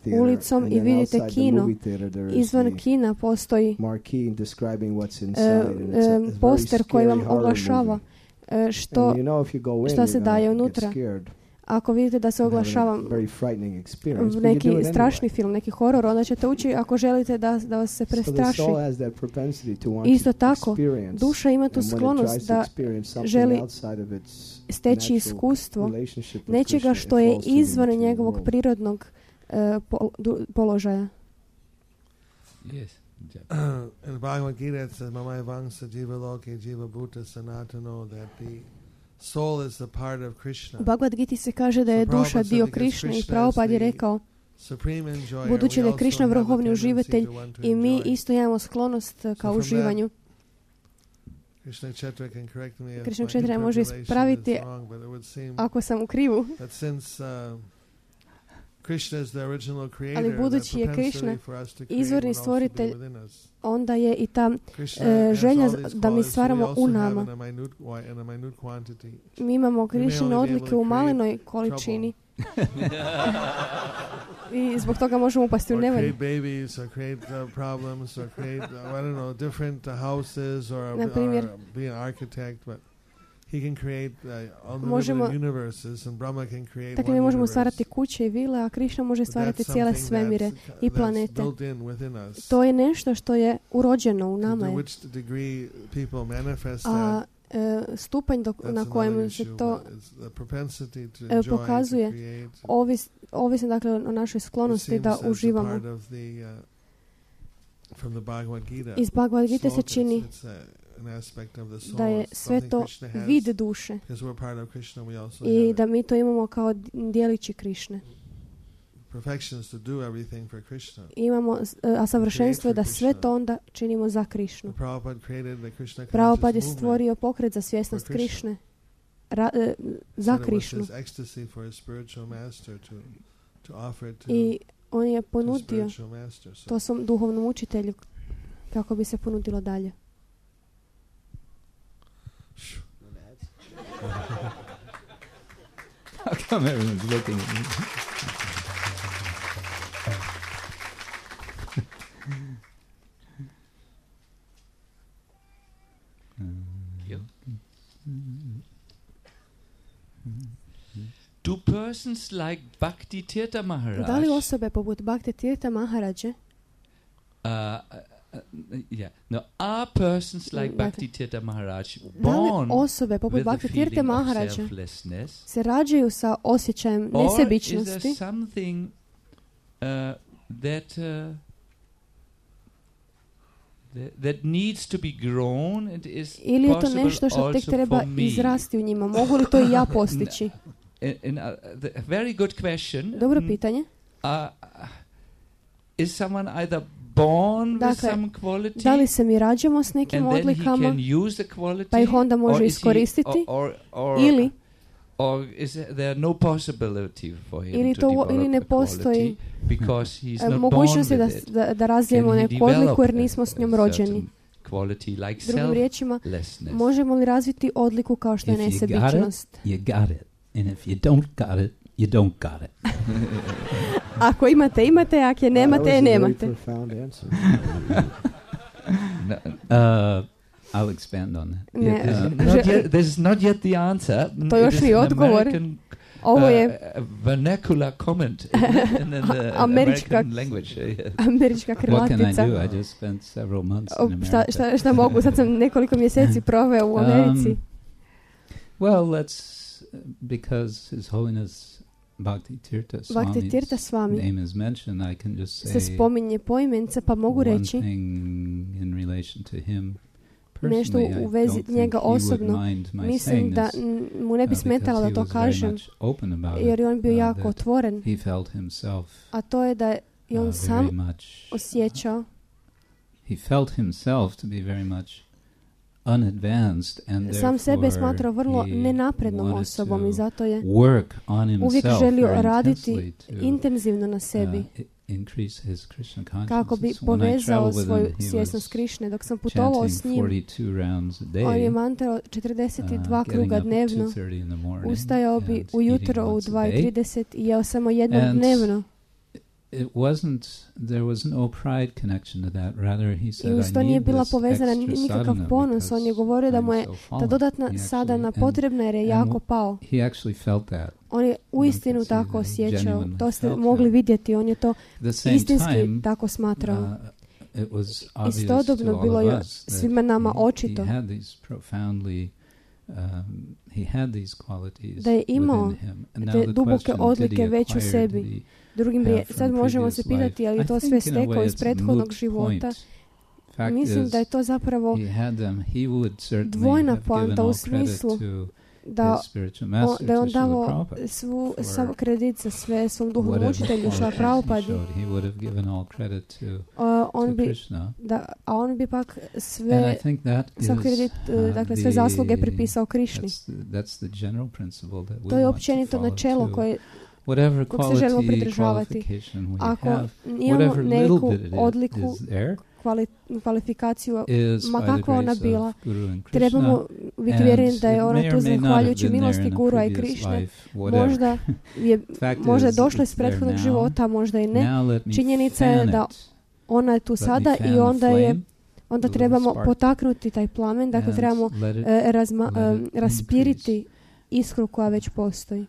[SPEAKER 5] theater,
[SPEAKER 3] ulicom
[SPEAKER 5] and
[SPEAKER 3] i
[SPEAKER 5] then
[SPEAKER 3] vidite
[SPEAKER 5] outside the
[SPEAKER 3] kino.
[SPEAKER 5] movie theater there is
[SPEAKER 3] Izvan
[SPEAKER 5] the
[SPEAKER 3] kina postoji
[SPEAKER 5] marquee describing what's
[SPEAKER 3] e,
[SPEAKER 5] inside, and it's a,
[SPEAKER 3] e,
[SPEAKER 5] it's a very
[SPEAKER 3] poster koji
[SPEAKER 5] scary
[SPEAKER 3] vam
[SPEAKER 5] horror
[SPEAKER 3] oglašava
[SPEAKER 5] movie.
[SPEAKER 3] e, što,
[SPEAKER 5] And you know if you go in,
[SPEAKER 3] šta se
[SPEAKER 5] you're
[SPEAKER 3] daje
[SPEAKER 5] gonna
[SPEAKER 3] unutra.
[SPEAKER 5] get scared
[SPEAKER 3] ako vidite da se
[SPEAKER 5] and have
[SPEAKER 3] oglašava
[SPEAKER 5] a very frightening experience, but you
[SPEAKER 3] neki
[SPEAKER 5] do it
[SPEAKER 3] strašni
[SPEAKER 5] anyway.
[SPEAKER 3] film, neki horor, onda ćete ući ako želite da, da vas se
[SPEAKER 5] So the
[SPEAKER 3] prestraši.
[SPEAKER 5] soul has that propensity to want
[SPEAKER 3] Isto
[SPEAKER 5] to
[SPEAKER 3] tako,
[SPEAKER 5] experience,
[SPEAKER 3] duša ima tu
[SPEAKER 5] and when it
[SPEAKER 3] sklonost
[SPEAKER 5] tries to
[SPEAKER 3] da
[SPEAKER 5] experience something
[SPEAKER 3] želi
[SPEAKER 5] outside of its
[SPEAKER 3] steći
[SPEAKER 5] natural
[SPEAKER 3] iskustvo
[SPEAKER 5] relationship with
[SPEAKER 3] nečega
[SPEAKER 5] Krishna,
[SPEAKER 3] što
[SPEAKER 5] it
[SPEAKER 3] je
[SPEAKER 5] falls to the
[SPEAKER 3] izvan
[SPEAKER 5] material
[SPEAKER 3] njegovog
[SPEAKER 5] world.
[SPEAKER 3] prirodnog e, pol- du- položaja.
[SPEAKER 1] Yes.
[SPEAKER 4] In the Bhagavad Gita it says, Mamai Vangsa Jiva Loke Jiva Bhuta Sanatano, that the soul is the part of Krishna.
[SPEAKER 3] U Bhagavad Giti se kaže da je
[SPEAKER 4] So
[SPEAKER 3] duša
[SPEAKER 4] Prabhupada said
[SPEAKER 3] dio
[SPEAKER 4] because
[SPEAKER 3] Krišne i
[SPEAKER 4] Krishna is
[SPEAKER 3] Prabhupada je
[SPEAKER 4] the
[SPEAKER 3] rekao,
[SPEAKER 4] Supreme enjoyer,
[SPEAKER 3] budući
[SPEAKER 4] we
[SPEAKER 3] da je
[SPEAKER 4] also
[SPEAKER 3] Krišna
[SPEAKER 4] have a
[SPEAKER 3] vrhovni
[SPEAKER 4] tendency
[SPEAKER 3] uživatelj
[SPEAKER 4] to want to
[SPEAKER 3] i mi
[SPEAKER 4] enjoy.
[SPEAKER 3] isto imamo sklonost ka
[SPEAKER 4] from
[SPEAKER 3] uživanju.
[SPEAKER 4] Krishna Kshetra can correct me if
[SPEAKER 3] Krishna
[SPEAKER 4] my
[SPEAKER 3] Kshetra može
[SPEAKER 4] interpolation
[SPEAKER 3] ispraviti
[SPEAKER 4] is wrong, but it would seem
[SPEAKER 3] ako sam u krivu.
[SPEAKER 4] that since uh, Krishna is the original creator,
[SPEAKER 3] Ali
[SPEAKER 4] that
[SPEAKER 3] budući je
[SPEAKER 4] propensity
[SPEAKER 3] Krishna
[SPEAKER 4] for us to create
[SPEAKER 3] izvorni
[SPEAKER 4] would also be
[SPEAKER 3] stvoritelj,
[SPEAKER 4] within us.
[SPEAKER 3] onda je i ta
[SPEAKER 4] Krishna
[SPEAKER 3] e,
[SPEAKER 4] has
[SPEAKER 3] želja
[SPEAKER 4] all
[SPEAKER 3] za-
[SPEAKER 4] these
[SPEAKER 3] da mi
[SPEAKER 4] qualities, so we
[SPEAKER 3] stvaramo
[SPEAKER 4] also
[SPEAKER 3] u
[SPEAKER 4] have
[SPEAKER 3] nama.
[SPEAKER 4] in a minute wi- in a minute quantity.
[SPEAKER 3] Mi imamo
[SPEAKER 4] may
[SPEAKER 3] Krišine
[SPEAKER 4] only be able
[SPEAKER 3] odlike
[SPEAKER 4] to
[SPEAKER 3] u
[SPEAKER 4] create
[SPEAKER 3] malenoj količini i zbog toga možemo upasti u
[SPEAKER 4] Or
[SPEAKER 3] nevolju.
[SPEAKER 4] create babies, or create uh, problems, or create uh, I don't know different uh, houses, or,
[SPEAKER 3] Na primjer.
[SPEAKER 4] or be an architect, but he can create uh,
[SPEAKER 3] Možemo-
[SPEAKER 4] unlimited universes, and Brahma can create
[SPEAKER 3] Dakle,
[SPEAKER 4] one
[SPEAKER 3] mi možemo
[SPEAKER 4] universe.
[SPEAKER 3] stvarati kuće i vile, a Krišna može
[SPEAKER 4] But
[SPEAKER 3] stvarati
[SPEAKER 4] that's
[SPEAKER 3] cijele
[SPEAKER 4] something
[SPEAKER 3] svemire
[SPEAKER 4] that's,
[SPEAKER 3] i
[SPEAKER 4] that's
[SPEAKER 3] planete.
[SPEAKER 4] built in within us.
[SPEAKER 3] To je nešto što je urođeno u
[SPEAKER 4] To
[SPEAKER 3] nama. je.
[SPEAKER 4] which degree people manifest
[SPEAKER 3] A
[SPEAKER 4] that,
[SPEAKER 3] e, stupanj dok,
[SPEAKER 4] that's
[SPEAKER 3] na
[SPEAKER 4] another
[SPEAKER 3] kojem
[SPEAKER 4] issue,
[SPEAKER 3] se to
[SPEAKER 4] but it's the propensity to
[SPEAKER 3] e,
[SPEAKER 4] enjoy, to
[SPEAKER 3] pokazuje,
[SPEAKER 4] create,
[SPEAKER 3] ovis, ovisno dakle o našoj
[SPEAKER 4] it
[SPEAKER 3] sklonosti
[SPEAKER 4] seems
[SPEAKER 3] da
[SPEAKER 4] as a
[SPEAKER 3] uživamo.
[SPEAKER 4] part of the, uh, from the Bhagavad Gita.
[SPEAKER 3] Iz Bhagavad Gita se
[SPEAKER 4] slokas,
[SPEAKER 3] čini
[SPEAKER 4] it's a- an aspect of the soul,
[SPEAKER 3] da je
[SPEAKER 4] it's
[SPEAKER 3] sve
[SPEAKER 4] something
[SPEAKER 3] to
[SPEAKER 4] Krishna has,
[SPEAKER 3] vid duše
[SPEAKER 4] because we're part of Krishna, we also
[SPEAKER 3] i
[SPEAKER 4] have
[SPEAKER 3] da
[SPEAKER 4] it.
[SPEAKER 3] mi to imamo kao d- dijelići Krišne.
[SPEAKER 4] Perfection is to do everything for Krishna.
[SPEAKER 3] Imamo, e, a savršenstvo je da sve
[SPEAKER 4] Krishna.
[SPEAKER 3] to onda činimo za Krišnu.
[SPEAKER 4] The Prabhupada created the Krishna
[SPEAKER 3] Prabhupada je
[SPEAKER 4] conscious
[SPEAKER 3] stvorio
[SPEAKER 4] movement.
[SPEAKER 3] pokret za svjesnost
[SPEAKER 4] For Krishna.
[SPEAKER 3] Krišne ra, e, za
[SPEAKER 4] Said it was
[SPEAKER 3] Krišnu.
[SPEAKER 4] his ecstasy for his spiritual master to to offer it to,
[SPEAKER 3] I on je
[SPEAKER 4] to
[SPEAKER 3] ponudio
[SPEAKER 4] spiritual master. So
[SPEAKER 3] to svom duhovnom učitelju kako bi se ponudilo dalje.
[SPEAKER 2] How come everyone's looking at me?
[SPEAKER 1] Do persons like Bhakti Tirtha Maharaj,
[SPEAKER 3] Da li osobe poput Bhakti Tirtha Maharađe,
[SPEAKER 1] uh, uh, yeah, no, are persons like
[SPEAKER 3] Dakle,
[SPEAKER 1] Bhakti Tirtha Maharaj
[SPEAKER 3] da li
[SPEAKER 1] born
[SPEAKER 3] osobe poput
[SPEAKER 1] with the
[SPEAKER 3] Bhakti Tirtha
[SPEAKER 1] feeling of
[SPEAKER 3] Maharađe
[SPEAKER 1] selflessness,
[SPEAKER 3] se rađaju sa osjećajem
[SPEAKER 1] or is there
[SPEAKER 3] nesebičnosti,
[SPEAKER 1] something uh, that uh, that, that needs to be grown and is
[SPEAKER 3] ili je to
[SPEAKER 1] possible
[SPEAKER 3] nešto što tek
[SPEAKER 1] also
[SPEAKER 3] treba
[SPEAKER 1] for me?
[SPEAKER 3] izrasti u njima? Mogu li to i ja postići?
[SPEAKER 1] In, in, uh, the, a very good question.
[SPEAKER 3] Dobro
[SPEAKER 1] Mm,
[SPEAKER 3] pitanje.
[SPEAKER 1] Uh, is someone either born with
[SPEAKER 3] Dakle,
[SPEAKER 1] some quality
[SPEAKER 3] Da li se mi rađamo s nekim
[SPEAKER 1] and then he
[SPEAKER 3] odlikama,
[SPEAKER 1] can use the quality,
[SPEAKER 3] pa ih onda može
[SPEAKER 1] or is he-
[SPEAKER 3] iskoristiti,
[SPEAKER 1] or, or,
[SPEAKER 3] ili
[SPEAKER 1] or is there no possibility for him
[SPEAKER 3] Ili
[SPEAKER 1] to
[SPEAKER 3] to-
[SPEAKER 1] develop
[SPEAKER 3] ili ne
[SPEAKER 1] the
[SPEAKER 3] postoji,
[SPEAKER 1] quality because he's
[SPEAKER 3] e,
[SPEAKER 1] not
[SPEAKER 3] mogućnost je
[SPEAKER 1] born
[SPEAKER 3] da,
[SPEAKER 1] with it?
[SPEAKER 3] da, da razvijemo
[SPEAKER 1] Can he
[SPEAKER 3] neku odliku
[SPEAKER 1] develop
[SPEAKER 3] jer
[SPEAKER 1] a-
[SPEAKER 3] nismo s njom
[SPEAKER 1] a
[SPEAKER 3] rođeni.
[SPEAKER 1] certain quality like
[SPEAKER 3] Drugim riječima,
[SPEAKER 1] selflessness?
[SPEAKER 3] možemo li razviti odliku kao što je
[SPEAKER 2] If you got it,
[SPEAKER 3] nesebičnost?
[SPEAKER 2] you got it. And if you don't got it, you don't got it.
[SPEAKER 3] Ako imate, imate, ako je nemate,
[SPEAKER 5] that
[SPEAKER 3] je
[SPEAKER 5] was a very
[SPEAKER 3] nemate.
[SPEAKER 5] profound answer.
[SPEAKER 1] No,
[SPEAKER 2] Uh, I'll expand on that.
[SPEAKER 3] Ne,
[SPEAKER 1] this, is
[SPEAKER 3] uh,
[SPEAKER 1] not
[SPEAKER 3] že-
[SPEAKER 1] yet, this is not yet the answer. Mm,
[SPEAKER 3] To
[SPEAKER 1] it
[SPEAKER 3] još
[SPEAKER 1] is
[SPEAKER 3] nije
[SPEAKER 1] an
[SPEAKER 3] odgovor.
[SPEAKER 1] American,
[SPEAKER 3] Ovo je
[SPEAKER 1] uh, vernacular comment in, in, in the
[SPEAKER 3] Američka-
[SPEAKER 1] American language. Yeah.
[SPEAKER 3] američka
[SPEAKER 2] What can I
[SPEAKER 3] krilatica.
[SPEAKER 2] do? I just spent several months
[SPEAKER 3] O,
[SPEAKER 2] in
[SPEAKER 3] Šta,
[SPEAKER 2] America.
[SPEAKER 3] šta, šta mogu? Sad sam nekoliko mjeseci proveo u Americi.
[SPEAKER 2] Um, well, let's because His Holiness Bhakti Tirtha
[SPEAKER 3] Bhakti Tirtha
[SPEAKER 2] Swami's
[SPEAKER 3] Swami
[SPEAKER 2] name is mentioned. I can just
[SPEAKER 3] se
[SPEAKER 2] say
[SPEAKER 3] spominje poimence, pa mogu
[SPEAKER 2] one
[SPEAKER 3] reći
[SPEAKER 2] thing in relation to him.
[SPEAKER 3] nešto
[SPEAKER 2] Personally, I
[SPEAKER 3] u vezi
[SPEAKER 2] don't think
[SPEAKER 3] njega
[SPEAKER 2] he would
[SPEAKER 3] osobno.
[SPEAKER 2] mind my
[SPEAKER 3] Mislim
[SPEAKER 2] saying
[SPEAKER 3] da
[SPEAKER 2] this,
[SPEAKER 3] mm, mu ne bi
[SPEAKER 2] uh,
[SPEAKER 3] smetalo da
[SPEAKER 2] because
[SPEAKER 3] to
[SPEAKER 2] he was very
[SPEAKER 3] kažem,
[SPEAKER 2] much open about
[SPEAKER 3] jer
[SPEAKER 2] it,
[SPEAKER 3] je on bio
[SPEAKER 2] uh,
[SPEAKER 3] jako
[SPEAKER 2] that
[SPEAKER 3] otvoren.
[SPEAKER 2] he felt himself
[SPEAKER 3] A to je da je i on
[SPEAKER 2] uh,
[SPEAKER 3] sam
[SPEAKER 2] very much
[SPEAKER 3] osjećao,
[SPEAKER 2] he felt himself to be very much unadvanced, and
[SPEAKER 3] sam sebe je
[SPEAKER 2] therefore
[SPEAKER 3] smatrao vrlo
[SPEAKER 2] he
[SPEAKER 3] nenaprednom
[SPEAKER 2] wanted
[SPEAKER 3] osobom
[SPEAKER 2] to
[SPEAKER 3] i zato je
[SPEAKER 2] work on
[SPEAKER 3] uvijek
[SPEAKER 2] himself
[SPEAKER 3] želio
[SPEAKER 2] very
[SPEAKER 3] raditi
[SPEAKER 2] intensely to
[SPEAKER 3] intenzivno na sebi
[SPEAKER 2] uh, i- increase his Krishna
[SPEAKER 3] kako bi
[SPEAKER 2] consciousness. When I
[SPEAKER 3] povezao
[SPEAKER 2] traveled with
[SPEAKER 3] svoju
[SPEAKER 2] him, he
[SPEAKER 3] svjesnost
[SPEAKER 2] was
[SPEAKER 3] Krišne. Dok sam putovao
[SPEAKER 2] chanting
[SPEAKER 3] s njim,
[SPEAKER 2] forty-two rounds a
[SPEAKER 3] on
[SPEAKER 2] day,
[SPEAKER 3] je mantrao četrdeset dva
[SPEAKER 2] uh, getting
[SPEAKER 3] kruga
[SPEAKER 2] up at
[SPEAKER 3] dnevno,
[SPEAKER 2] two thirty in the morning
[SPEAKER 3] ustajao bi
[SPEAKER 2] and
[SPEAKER 3] ujutro
[SPEAKER 2] eating
[SPEAKER 3] u
[SPEAKER 2] once a
[SPEAKER 3] dva i
[SPEAKER 2] day.
[SPEAKER 3] trideset i jeo samo jednom
[SPEAKER 2] And
[SPEAKER 3] dnevno.
[SPEAKER 2] It wasn't, there was no pride connection to that. Rather, he
[SPEAKER 3] I
[SPEAKER 2] said,
[SPEAKER 3] uz
[SPEAKER 2] I
[SPEAKER 3] to nije
[SPEAKER 2] need
[SPEAKER 3] bila
[SPEAKER 2] this
[SPEAKER 3] povezana
[SPEAKER 2] extra
[SPEAKER 3] nikakav
[SPEAKER 2] sadhana
[SPEAKER 3] ponos. On je
[SPEAKER 2] because
[SPEAKER 3] govorio da mu je
[SPEAKER 2] I'm so
[SPEAKER 3] ta
[SPEAKER 2] fallen.
[SPEAKER 3] dodatna
[SPEAKER 2] He
[SPEAKER 3] sadana
[SPEAKER 2] actually- and
[SPEAKER 3] potrebna jer je
[SPEAKER 2] and
[SPEAKER 3] jako
[SPEAKER 2] w-
[SPEAKER 3] pao.
[SPEAKER 2] He actually felt that.
[SPEAKER 3] On je uistinu
[SPEAKER 2] One can see
[SPEAKER 3] tako
[SPEAKER 2] that he
[SPEAKER 3] osjećao.
[SPEAKER 2] genuinely
[SPEAKER 3] To ste
[SPEAKER 2] felt
[SPEAKER 3] mogli
[SPEAKER 2] that.
[SPEAKER 3] vidjeti. On je to
[SPEAKER 2] At the same
[SPEAKER 3] istinski
[SPEAKER 2] time,
[SPEAKER 3] tako smatrao.
[SPEAKER 2] uh, it was obvious to
[SPEAKER 3] Istodobno
[SPEAKER 2] all
[SPEAKER 3] bilo
[SPEAKER 2] of
[SPEAKER 3] je
[SPEAKER 2] us that
[SPEAKER 3] svima nama
[SPEAKER 2] he-
[SPEAKER 3] očito
[SPEAKER 2] he had these profoundly, um, he had these qualities
[SPEAKER 3] da je imao
[SPEAKER 2] within him. And
[SPEAKER 3] te
[SPEAKER 2] now the
[SPEAKER 3] duboke
[SPEAKER 2] question,
[SPEAKER 3] odlike
[SPEAKER 2] did he
[SPEAKER 3] već u
[SPEAKER 2] acquire,
[SPEAKER 3] sebi.
[SPEAKER 2] did he
[SPEAKER 3] Drugim
[SPEAKER 2] have
[SPEAKER 3] rije,
[SPEAKER 2] from
[SPEAKER 3] sad možemo se
[SPEAKER 2] previous
[SPEAKER 3] pitati je li
[SPEAKER 2] life?
[SPEAKER 3] to
[SPEAKER 2] I
[SPEAKER 3] sve
[SPEAKER 2] think in a way
[SPEAKER 3] stekao iz
[SPEAKER 2] it's a
[SPEAKER 3] prethodnog
[SPEAKER 2] moot
[SPEAKER 3] života.
[SPEAKER 2] point. Fact
[SPEAKER 3] Mislim
[SPEAKER 2] is,
[SPEAKER 3] da je to zapravo
[SPEAKER 2] he had them. He would certainly
[SPEAKER 3] dvojna
[SPEAKER 2] have given
[SPEAKER 3] poanta u
[SPEAKER 2] all credit
[SPEAKER 3] smislu
[SPEAKER 2] to
[SPEAKER 3] da,
[SPEAKER 2] his spiritual
[SPEAKER 3] on,
[SPEAKER 2] master,
[SPEAKER 3] da je
[SPEAKER 2] to
[SPEAKER 3] on
[SPEAKER 2] Srila
[SPEAKER 3] davao
[SPEAKER 2] Prabhupada.
[SPEAKER 3] svu,
[SPEAKER 2] for
[SPEAKER 3] sav kredit za sve svom duhovnom
[SPEAKER 2] Whatever
[SPEAKER 3] učitelju Šla
[SPEAKER 2] qualities he
[SPEAKER 3] Prabhupadi.
[SPEAKER 2] showed, he would have given all credit to,
[SPEAKER 3] Uh, on
[SPEAKER 2] to
[SPEAKER 3] bi,
[SPEAKER 2] Krishna.
[SPEAKER 3] da, a on bi pak
[SPEAKER 2] And
[SPEAKER 3] sve,
[SPEAKER 2] I think that is,
[SPEAKER 3] sav kredit, uh,
[SPEAKER 2] uh,
[SPEAKER 3] dakle sve
[SPEAKER 2] the-
[SPEAKER 3] zasluge pripisao Krišni.
[SPEAKER 2] That's the, that's the general principle that we
[SPEAKER 3] To je
[SPEAKER 2] want to
[SPEAKER 3] općenito
[SPEAKER 2] follow
[SPEAKER 3] načelo
[SPEAKER 2] too.
[SPEAKER 3] koje,
[SPEAKER 2] Whatever
[SPEAKER 3] kog se želimo
[SPEAKER 2] quality,
[SPEAKER 3] pridržavati.
[SPEAKER 2] qualification we
[SPEAKER 3] ako
[SPEAKER 2] have,
[SPEAKER 3] imamo
[SPEAKER 2] whatever little
[SPEAKER 3] neku
[SPEAKER 2] bit it is,
[SPEAKER 3] odliku,
[SPEAKER 2] is there,
[SPEAKER 3] kvali, kvalifikaciju,
[SPEAKER 2] is
[SPEAKER 3] ma
[SPEAKER 2] by the
[SPEAKER 3] kakva ona
[SPEAKER 2] grace
[SPEAKER 3] bila,
[SPEAKER 2] of Guru and Krishna.
[SPEAKER 3] trebamo biti
[SPEAKER 2] And
[SPEAKER 3] vjereni da je
[SPEAKER 2] it
[SPEAKER 3] ona
[SPEAKER 2] may
[SPEAKER 3] tu
[SPEAKER 2] or may not have
[SPEAKER 3] zahvaljujući
[SPEAKER 2] been there
[SPEAKER 3] milosti
[SPEAKER 2] in a
[SPEAKER 3] Gurua i
[SPEAKER 2] previous
[SPEAKER 3] Krišne.
[SPEAKER 2] life, whatever.
[SPEAKER 3] Možda je
[SPEAKER 2] Fact
[SPEAKER 3] možda
[SPEAKER 2] is,
[SPEAKER 3] došla iz
[SPEAKER 2] it's there
[SPEAKER 3] prethodnog
[SPEAKER 2] now.
[SPEAKER 3] života, možda i ne.
[SPEAKER 2] Now let me
[SPEAKER 3] Činjenica je
[SPEAKER 2] fan
[SPEAKER 3] da
[SPEAKER 2] it.
[SPEAKER 3] ona je tu
[SPEAKER 2] Let me
[SPEAKER 3] sada
[SPEAKER 2] fan
[SPEAKER 3] i
[SPEAKER 2] the
[SPEAKER 3] onda je
[SPEAKER 2] flame,
[SPEAKER 3] onda
[SPEAKER 2] the
[SPEAKER 3] trebamo
[SPEAKER 2] little spark,
[SPEAKER 3] potaknuti taj plamen, dakle
[SPEAKER 2] and
[SPEAKER 3] trebamo
[SPEAKER 2] let it
[SPEAKER 3] e, razma,
[SPEAKER 2] let
[SPEAKER 3] e,
[SPEAKER 2] it
[SPEAKER 3] raspiriti iskru koja već postoji.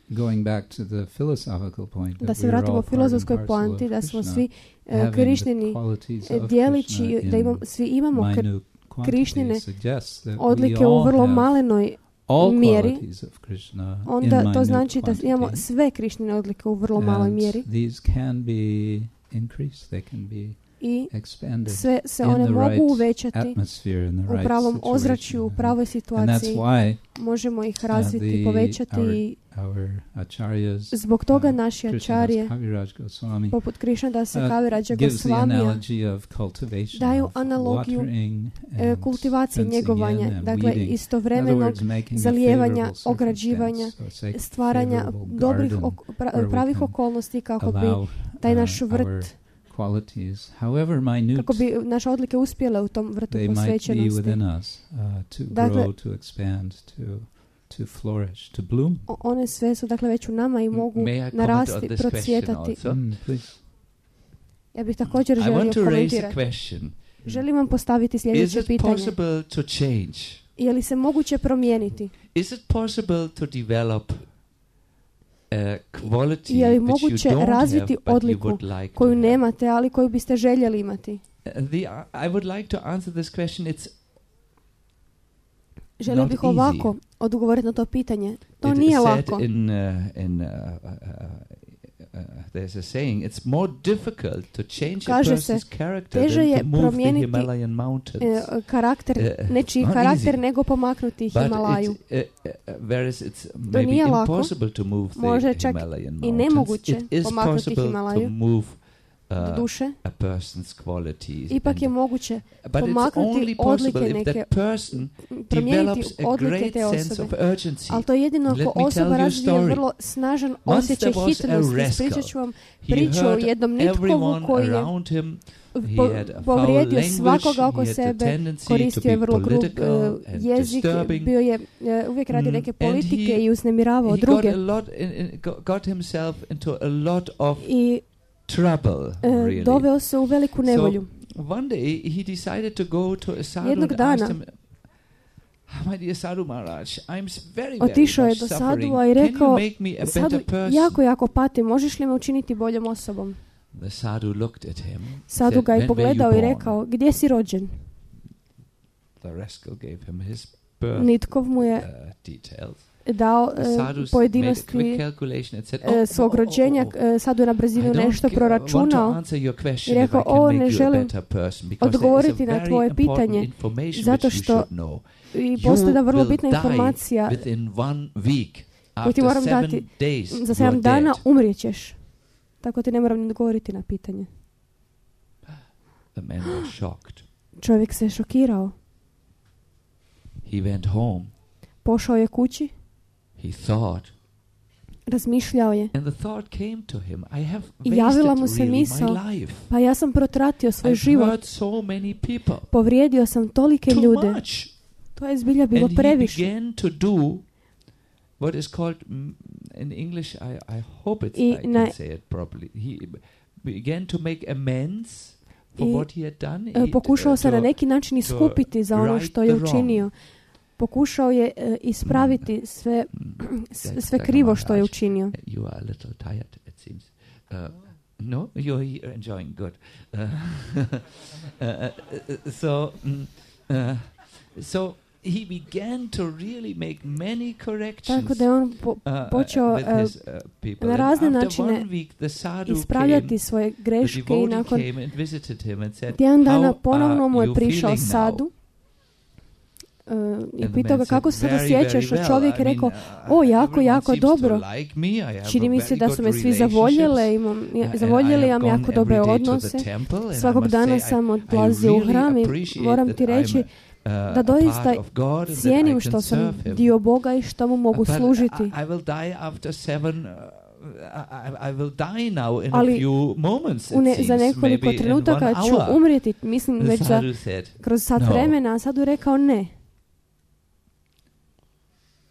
[SPEAKER 2] Going back to the philosophical point,
[SPEAKER 3] Da
[SPEAKER 2] that
[SPEAKER 3] se
[SPEAKER 2] we are
[SPEAKER 3] vratimo
[SPEAKER 2] all
[SPEAKER 3] u
[SPEAKER 2] part and
[SPEAKER 3] filozofskoj
[SPEAKER 2] parcel
[SPEAKER 3] poanti,
[SPEAKER 2] of
[SPEAKER 3] da smo
[SPEAKER 2] Krishna,
[SPEAKER 3] svi e,
[SPEAKER 2] having the
[SPEAKER 3] Krišnini
[SPEAKER 2] qualities
[SPEAKER 3] e,
[SPEAKER 2] of
[SPEAKER 3] dijelići,
[SPEAKER 2] Krishna
[SPEAKER 3] da
[SPEAKER 2] in
[SPEAKER 3] imamo, svi imamo kr-
[SPEAKER 2] minute
[SPEAKER 3] Krišnine
[SPEAKER 2] quantities suggests that we
[SPEAKER 3] odlike u
[SPEAKER 2] all
[SPEAKER 3] vrlo
[SPEAKER 2] have
[SPEAKER 3] malenoj
[SPEAKER 2] all
[SPEAKER 3] mjeri,
[SPEAKER 2] qualities of Krishna in
[SPEAKER 3] onda to
[SPEAKER 2] minute
[SPEAKER 3] znači da imamo
[SPEAKER 2] quantity.
[SPEAKER 3] sve Krišnine odlike u vrlo maloj
[SPEAKER 2] And
[SPEAKER 3] mjeri.
[SPEAKER 2] these can be increased, they can be
[SPEAKER 3] i
[SPEAKER 2] expanded
[SPEAKER 3] sve se
[SPEAKER 2] in
[SPEAKER 3] one
[SPEAKER 2] the
[SPEAKER 3] mogu
[SPEAKER 2] right
[SPEAKER 3] uvećati
[SPEAKER 2] atmosphere, in the
[SPEAKER 3] u
[SPEAKER 2] right
[SPEAKER 3] pravom ozračju, u
[SPEAKER 2] situation.
[SPEAKER 3] pravoj
[SPEAKER 2] And that's
[SPEAKER 3] situaciji.
[SPEAKER 2] why
[SPEAKER 3] Možemo ih
[SPEAKER 2] uh,
[SPEAKER 3] razviti,
[SPEAKER 2] the,
[SPEAKER 3] povećati
[SPEAKER 2] our,
[SPEAKER 3] i
[SPEAKER 2] our acharyas,
[SPEAKER 3] zbog toga
[SPEAKER 2] uh,
[SPEAKER 3] naši
[SPEAKER 2] Krishnadas
[SPEAKER 3] acharje,
[SPEAKER 2] Kaviraj Goswami,
[SPEAKER 3] poput Krishnadasa
[SPEAKER 2] uh,
[SPEAKER 3] Kaviraja
[SPEAKER 2] gives the
[SPEAKER 3] Gosvamija,
[SPEAKER 2] analogy of cultivation,
[SPEAKER 3] daju
[SPEAKER 2] of
[SPEAKER 3] analogiju
[SPEAKER 2] watering
[SPEAKER 3] e,
[SPEAKER 2] and
[SPEAKER 3] kultivacije,
[SPEAKER 2] fencing
[SPEAKER 3] njegovanja,
[SPEAKER 2] in and
[SPEAKER 3] dakle
[SPEAKER 2] weeding. In other
[SPEAKER 3] istovremenog
[SPEAKER 2] words, making a
[SPEAKER 3] zalijevanja,
[SPEAKER 2] favorable
[SPEAKER 3] ograđivanja,
[SPEAKER 2] circumstance, so it's a
[SPEAKER 3] stvaranja
[SPEAKER 2] favorable
[SPEAKER 3] dobrih,
[SPEAKER 2] garden
[SPEAKER 3] ok- pra-
[SPEAKER 2] where we
[SPEAKER 3] pravih
[SPEAKER 2] can
[SPEAKER 3] okolnosti kako bi
[SPEAKER 2] allow,
[SPEAKER 3] taj
[SPEAKER 2] uh,
[SPEAKER 3] naš
[SPEAKER 2] our
[SPEAKER 3] vrt,
[SPEAKER 2] qualities, however minute
[SPEAKER 3] kako bi naše odlike uspjele u tom vrtu
[SPEAKER 2] they might be
[SPEAKER 3] posvećenosti.
[SPEAKER 2] within us, uh, to
[SPEAKER 3] Dakle,
[SPEAKER 2] grow, to expand, to to flourish, to bloom.
[SPEAKER 3] O- One sve su dakle već u nama i mogu
[SPEAKER 1] May I comment on
[SPEAKER 3] narasti,
[SPEAKER 1] this question
[SPEAKER 3] procvjetati.
[SPEAKER 1] also?
[SPEAKER 2] Mm, please.
[SPEAKER 3] Ja bih također
[SPEAKER 1] I
[SPEAKER 3] želio
[SPEAKER 1] want to raise a
[SPEAKER 3] komentirati.
[SPEAKER 1] question.
[SPEAKER 3] Želim vam postaviti
[SPEAKER 1] Is
[SPEAKER 3] sljedeće
[SPEAKER 1] it
[SPEAKER 3] pitanje.
[SPEAKER 1] possible to change?
[SPEAKER 3] Je li se moguće promijeniti?
[SPEAKER 1] Is it possible to develop a quality
[SPEAKER 3] Je li
[SPEAKER 1] which you
[SPEAKER 3] moguće
[SPEAKER 1] don't
[SPEAKER 3] razviti
[SPEAKER 1] have but you
[SPEAKER 3] odliku
[SPEAKER 1] would like
[SPEAKER 3] koju
[SPEAKER 1] to have?
[SPEAKER 3] nemate, ali koju biste željeli imati?
[SPEAKER 1] Uh, the, I would like to answer this question. It's
[SPEAKER 3] Želio
[SPEAKER 1] Not
[SPEAKER 3] bih
[SPEAKER 1] easy.
[SPEAKER 3] ovako odgovoriti na to pitanje. To
[SPEAKER 1] it
[SPEAKER 3] nije
[SPEAKER 1] is said
[SPEAKER 3] lako.
[SPEAKER 1] in, uh, in uh, uh, uh, there's a saying, it's more difficult to change a
[SPEAKER 3] Kaže se,
[SPEAKER 1] person's character
[SPEAKER 3] teže
[SPEAKER 1] than
[SPEAKER 3] je
[SPEAKER 1] to move the
[SPEAKER 3] promijeniti,
[SPEAKER 1] Himalayan mountains.
[SPEAKER 3] E, karakter,
[SPEAKER 1] Uh,
[SPEAKER 3] nečiji
[SPEAKER 1] not
[SPEAKER 3] karakter
[SPEAKER 1] easy.
[SPEAKER 3] nego pomaknuti
[SPEAKER 1] But
[SPEAKER 3] Himalaju.
[SPEAKER 1] it's, uh, uh, whereas it's maybe
[SPEAKER 3] nije lako,
[SPEAKER 1] impossible to move the
[SPEAKER 3] može čak
[SPEAKER 1] Himalayan
[SPEAKER 3] i
[SPEAKER 1] mountains,
[SPEAKER 3] nemoguće
[SPEAKER 1] it is
[SPEAKER 3] pomaknuti
[SPEAKER 1] possible to
[SPEAKER 3] Himalaju.
[SPEAKER 1] move uh,
[SPEAKER 3] Duše,
[SPEAKER 1] a person's qualities.
[SPEAKER 3] ipak
[SPEAKER 1] and-
[SPEAKER 3] je moguće
[SPEAKER 1] but it's
[SPEAKER 3] pomaknuti
[SPEAKER 1] only possible
[SPEAKER 3] odlike
[SPEAKER 1] if
[SPEAKER 3] neke,
[SPEAKER 1] that person
[SPEAKER 3] promijeniti
[SPEAKER 1] develops a
[SPEAKER 3] odlike
[SPEAKER 1] great
[SPEAKER 3] te
[SPEAKER 1] sense of
[SPEAKER 3] osobe.
[SPEAKER 1] urgency.
[SPEAKER 3] Ali to je jedino
[SPEAKER 1] Let
[SPEAKER 3] ako
[SPEAKER 1] me tell
[SPEAKER 3] osoba
[SPEAKER 1] you a
[SPEAKER 3] razvije
[SPEAKER 1] story.
[SPEAKER 3] vrlo snažan
[SPEAKER 1] Once
[SPEAKER 3] osjećaj
[SPEAKER 1] there was a
[SPEAKER 3] hitnosti.
[SPEAKER 1] rascal.
[SPEAKER 3] Ispričat ću vam
[SPEAKER 1] He
[SPEAKER 3] priču o
[SPEAKER 1] hurt
[SPEAKER 3] jednom nitkovu
[SPEAKER 1] everyone
[SPEAKER 3] koji je
[SPEAKER 1] around him. He
[SPEAKER 3] po-
[SPEAKER 1] had a foul
[SPEAKER 3] povrijedio
[SPEAKER 1] language.
[SPEAKER 3] svakoga oko
[SPEAKER 1] He had the
[SPEAKER 3] sebe,
[SPEAKER 1] tendency to
[SPEAKER 3] koristio je
[SPEAKER 1] be
[SPEAKER 3] vrlo grub
[SPEAKER 1] political
[SPEAKER 3] e,
[SPEAKER 1] and
[SPEAKER 3] jezik,
[SPEAKER 1] disturbing.
[SPEAKER 3] bio je e, uvijek radi
[SPEAKER 1] Mm,
[SPEAKER 3] neke
[SPEAKER 1] and
[SPEAKER 3] politike
[SPEAKER 1] he-
[SPEAKER 3] i uznemiravao
[SPEAKER 1] He got
[SPEAKER 3] druge.
[SPEAKER 1] a lot in, in, go- got himself into a lot of
[SPEAKER 3] I
[SPEAKER 1] trouble,
[SPEAKER 3] e,
[SPEAKER 1] really.
[SPEAKER 3] doveo se u veliku nevolju.
[SPEAKER 1] So one day he decided to go to a sadhu
[SPEAKER 3] Jednog
[SPEAKER 1] and asked
[SPEAKER 3] dana
[SPEAKER 1] him, "Ah, my dear Sadhu Maharaj, I'm s- very, very
[SPEAKER 3] Otišao je
[SPEAKER 1] much
[SPEAKER 3] do
[SPEAKER 1] suffering.
[SPEAKER 3] sadua i
[SPEAKER 1] Can you
[SPEAKER 3] rekao,
[SPEAKER 1] make me a
[SPEAKER 3] Sadu,
[SPEAKER 1] better person?"
[SPEAKER 3] jako, jako pati, možeš li me učiniti boljom osobom?
[SPEAKER 1] The sadhu looked at him.
[SPEAKER 3] Sadu
[SPEAKER 1] said,
[SPEAKER 3] ga
[SPEAKER 1] "When
[SPEAKER 3] je
[SPEAKER 1] were
[SPEAKER 3] pogledao
[SPEAKER 1] you
[SPEAKER 3] i
[SPEAKER 1] born?"
[SPEAKER 3] rekao, gdje si rođen?
[SPEAKER 1] The rascal gave him his birth
[SPEAKER 3] Nitkov mu je
[SPEAKER 1] uh, details.
[SPEAKER 3] dao
[SPEAKER 1] The
[SPEAKER 3] e,
[SPEAKER 1] sadhu s- made a quick
[SPEAKER 3] pojedinosti
[SPEAKER 1] calculation and said,
[SPEAKER 3] e,
[SPEAKER 1] "Oh,
[SPEAKER 3] svog
[SPEAKER 1] oh, oh,
[SPEAKER 3] rođenja.
[SPEAKER 1] oh, oh.
[SPEAKER 3] E, Sadu je na
[SPEAKER 1] I
[SPEAKER 3] brzinu
[SPEAKER 1] don't
[SPEAKER 3] nešto
[SPEAKER 1] ca- want to
[SPEAKER 3] proračunao
[SPEAKER 1] answer your question
[SPEAKER 3] i rekao,
[SPEAKER 1] if I can
[SPEAKER 3] "O,
[SPEAKER 1] make
[SPEAKER 3] ne
[SPEAKER 1] you a
[SPEAKER 3] želim
[SPEAKER 1] better person, because there is a
[SPEAKER 3] odgovoriti na
[SPEAKER 1] very
[SPEAKER 3] tvoje
[SPEAKER 1] important
[SPEAKER 3] pitanje,
[SPEAKER 1] information
[SPEAKER 3] zato
[SPEAKER 1] which you
[SPEAKER 3] što
[SPEAKER 1] should know.
[SPEAKER 3] i postoji da vrlo
[SPEAKER 1] will
[SPEAKER 3] bitna
[SPEAKER 1] die
[SPEAKER 3] informacija
[SPEAKER 1] Within one week,
[SPEAKER 3] koju ti
[SPEAKER 1] after
[SPEAKER 3] moram
[SPEAKER 1] seven
[SPEAKER 3] dati.
[SPEAKER 1] days,
[SPEAKER 3] Za
[SPEAKER 1] you
[SPEAKER 3] sedam
[SPEAKER 1] are
[SPEAKER 3] dana
[SPEAKER 1] dead."
[SPEAKER 3] umrijećeš. Tako ti ne moram ni odgovoriti na pitanje.
[SPEAKER 1] The man was shocked.
[SPEAKER 3] Čovjek se šokirao.
[SPEAKER 1] He went home.
[SPEAKER 3] Pošao je kući,
[SPEAKER 1] He thought,
[SPEAKER 3] razmišljao je.
[SPEAKER 1] and the thought came to him, I have
[SPEAKER 3] I javila
[SPEAKER 1] wasted
[SPEAKER 3] mu se
[SPEAKER 1] really
[SPEAKER 3] misao,
[SPEAKER 1] my life.
[SPEAKER 3] Pa ja sam protratio svoj
[SPEAKER 1] I've
[SPEAKER 3] život.
[SPEAKER 1] hurt so many people.
[SPEAKER 3] Povrijedio sam tolike
[SPEAKER 1] Too
[SPEAKER 3] ljude.
[SPEAKER 1] much.
[SPEAKER 3] To je zbilja bilo
[SPEAKER 1] And he
[SPEAKER 3] previše.
[SPEAKER 1] began to do what is called, mm, in English, I, I hope it's,
[SPEAKER 3] I
[SPEAKER 1] I can
[SPEAKER 3] na-
[SPEAKER 1] say it properly. He began to make amends for
[SPEAKER 3] I,
[SPEAKER 1] what he had done.
[SPEAKER 3] E,
[SPEAKER 1] He,
[SPEAKER 3] Pokušao
[SPEAKER 1] uh,
[SPEAKER 3] se na
[SPEAKER 1] to-
[SPEAKER 3] neki način iskupiti za ono
[SPEAKER 1] right
[SPEAKER 3] što je
[SPEAKER 1] the wrong.
[SPEAKER 3] učinio. Pokušao je e, ispraviti sve,
[SPEAKER 1] Mm,
[SPEAKER 3] s-
[SPEAKER 1] that's
[SPEAKER 3] sve
[SPEAKER 1] like
[SPEAKER 3] krivo
[SPEAKER 1] a
[SPEAKER 3] što je
[SPEAKER 1] Maharaj.
[SPEAKER 3] učinio.
[SPEAKER 1] You are a little tired, it seems. Uh, no, you're here enjoying. Good. Uh, uh, uh, so, mm, uh, so he began to really make many corrections.
[SPEAKER 3] Tako da je on po,
[SPEAKER 1] uh, uh,
[SPEAKER 3] počeo,
[SPEAKER 1] with
[SPEAKER 3] uh,
[SPEAKER 1] his, uh, people.
[SPEAKER 3] na
[SPEAKER 1] And
[SPEAKER 3] razne
[SPEAKER 1] after
[SPEAKER 3] načine
[SPEAKER 1] one week, the sadhu
[SPEAKER 3] ispravljati
[SPEAKER 1] came,
[SPEAKER 3] svoje
[SPEAKER 1] the
[SPEAKER 3] greške i
[SPEAKER 1] devotee
[SPEAKER 3] nakon
[SPEAKER 1] came and visited him and said,
[SPEAKER 3] tjedan dana
[SPEAKER 1] "How
[SPEAKER 3] ponovno mu
[SPEAKER 1] are
[SPEAKER 3] je
[SPEAKER 1] you
[SPEAKER 3] prišao
[SPEAKER 1] feeling now?"
[SPEAKER 3] Sadu uh, i
[SPEAKER 1] And the
[SPEAKER 3] pitao
[SPEAKER 1] man
[SPEAKER 3] ga
[SPEAKER 1] said,
[SPEAKER 3] kako se sada
[SPEAKER 1] "Very,
[SPEAKER 3] osjećaš,
[SPEAKER 1] very
[SPEAKER 3] a
[SPEAKER 1] well.
[SPEAKER 3] čovjek
[SPEAKER 1] I
[SPEAKER 3] je
[SPEAKER 1] mean,
[SPEAKER 3] rekao,
[SPEAKER 1] uh,
[SPEAKER 3] o, jako,
[SPEAKER 1] everyone
[SPEAKER 3] jako
[SPEAKER 1] seems to
[SPEAKER 3] dobro.
[SPEAKER 1] like me. I have
[SPEAKER 3] Čini
[SPEAKER 1] a
[SPEAKER 3] mi se
[SPEAKER 1] very
[SPEAKER 3] da
[SPEAKER 1] good
[SPEAKER 3] su me svi
[SPEAKER 1] relationships.
[SPEAKER 3] zavoljele, imam,
[SPEAKER 1] Uh,
[SPEAKER 3] ja,
[SPEAKER 1] and I
[SPEAKER 3] zavoljeli,
[SPEAKER 1] have
[SPEAKER 3] imam
[SPEAKER 1] gone
[SPEAKER 3] jako dobre
[SPEAKER 1] every day to the
[SPEAKER 3] odnose.
[SPEAKER 1] temple, and I
[SPEAKER 3] Svakog
[SPEAKER 1] must
[SPEAKER 3] dana
[SPEAKER 1] say, I-
[SPEAKER 3] sam
[SPEAKER 1] I
[SPEAKER 3] odlazio u
[SPEAKER 1] really
[SPEAKER 3] hram i
[SPEAKER 1] appreciate
[SPEAKER 3] moram
[SPEAKER 1] that
[SPEAKER 3] ti reći
[SPEAKER 1] I'm a, uh,
[SPEAKER 3] da
[SPEAKER 1] a
[SPEAKER 3] doista
[SPEAKER 1] part of God and that I
[SPEAKER 3] cijenim
[SPEAKER 1] can
[SPEAKER 3] što sam
[SPEAKER 1] serve him.
[SPEAKER 3] dio Boga i što mu mogu
[SPEAKER 1] But
[SPEAKER 3] služiti.
[SPEAKER 1] I, I will die after seven. Uh, I, I will die now in
[SPEAKER 3] Ali
[SPEAKER 1] a few moments. It
[SPEAKER 3] U ne,
[SPEAKER 1] seems,
[SPEAKER 3] za nekoliko
[SPEAKER 1] maybe in
[SPEAKER 3] trenutaka
[SPEAKER 1] one
[SPEAKER 3] ću
[SPEAKER 1] hour.
[SPEAKER 3] umrijeti, mislim
[SPEAKER 1] The
[SPEAKER 3] već za,
[SPEAKER 1] sadhu said,
[SPEAKER 3] kroz sat
[SPEAKER 1] "No.
[SPEAKER 3] vremena, a sad je rekao ne.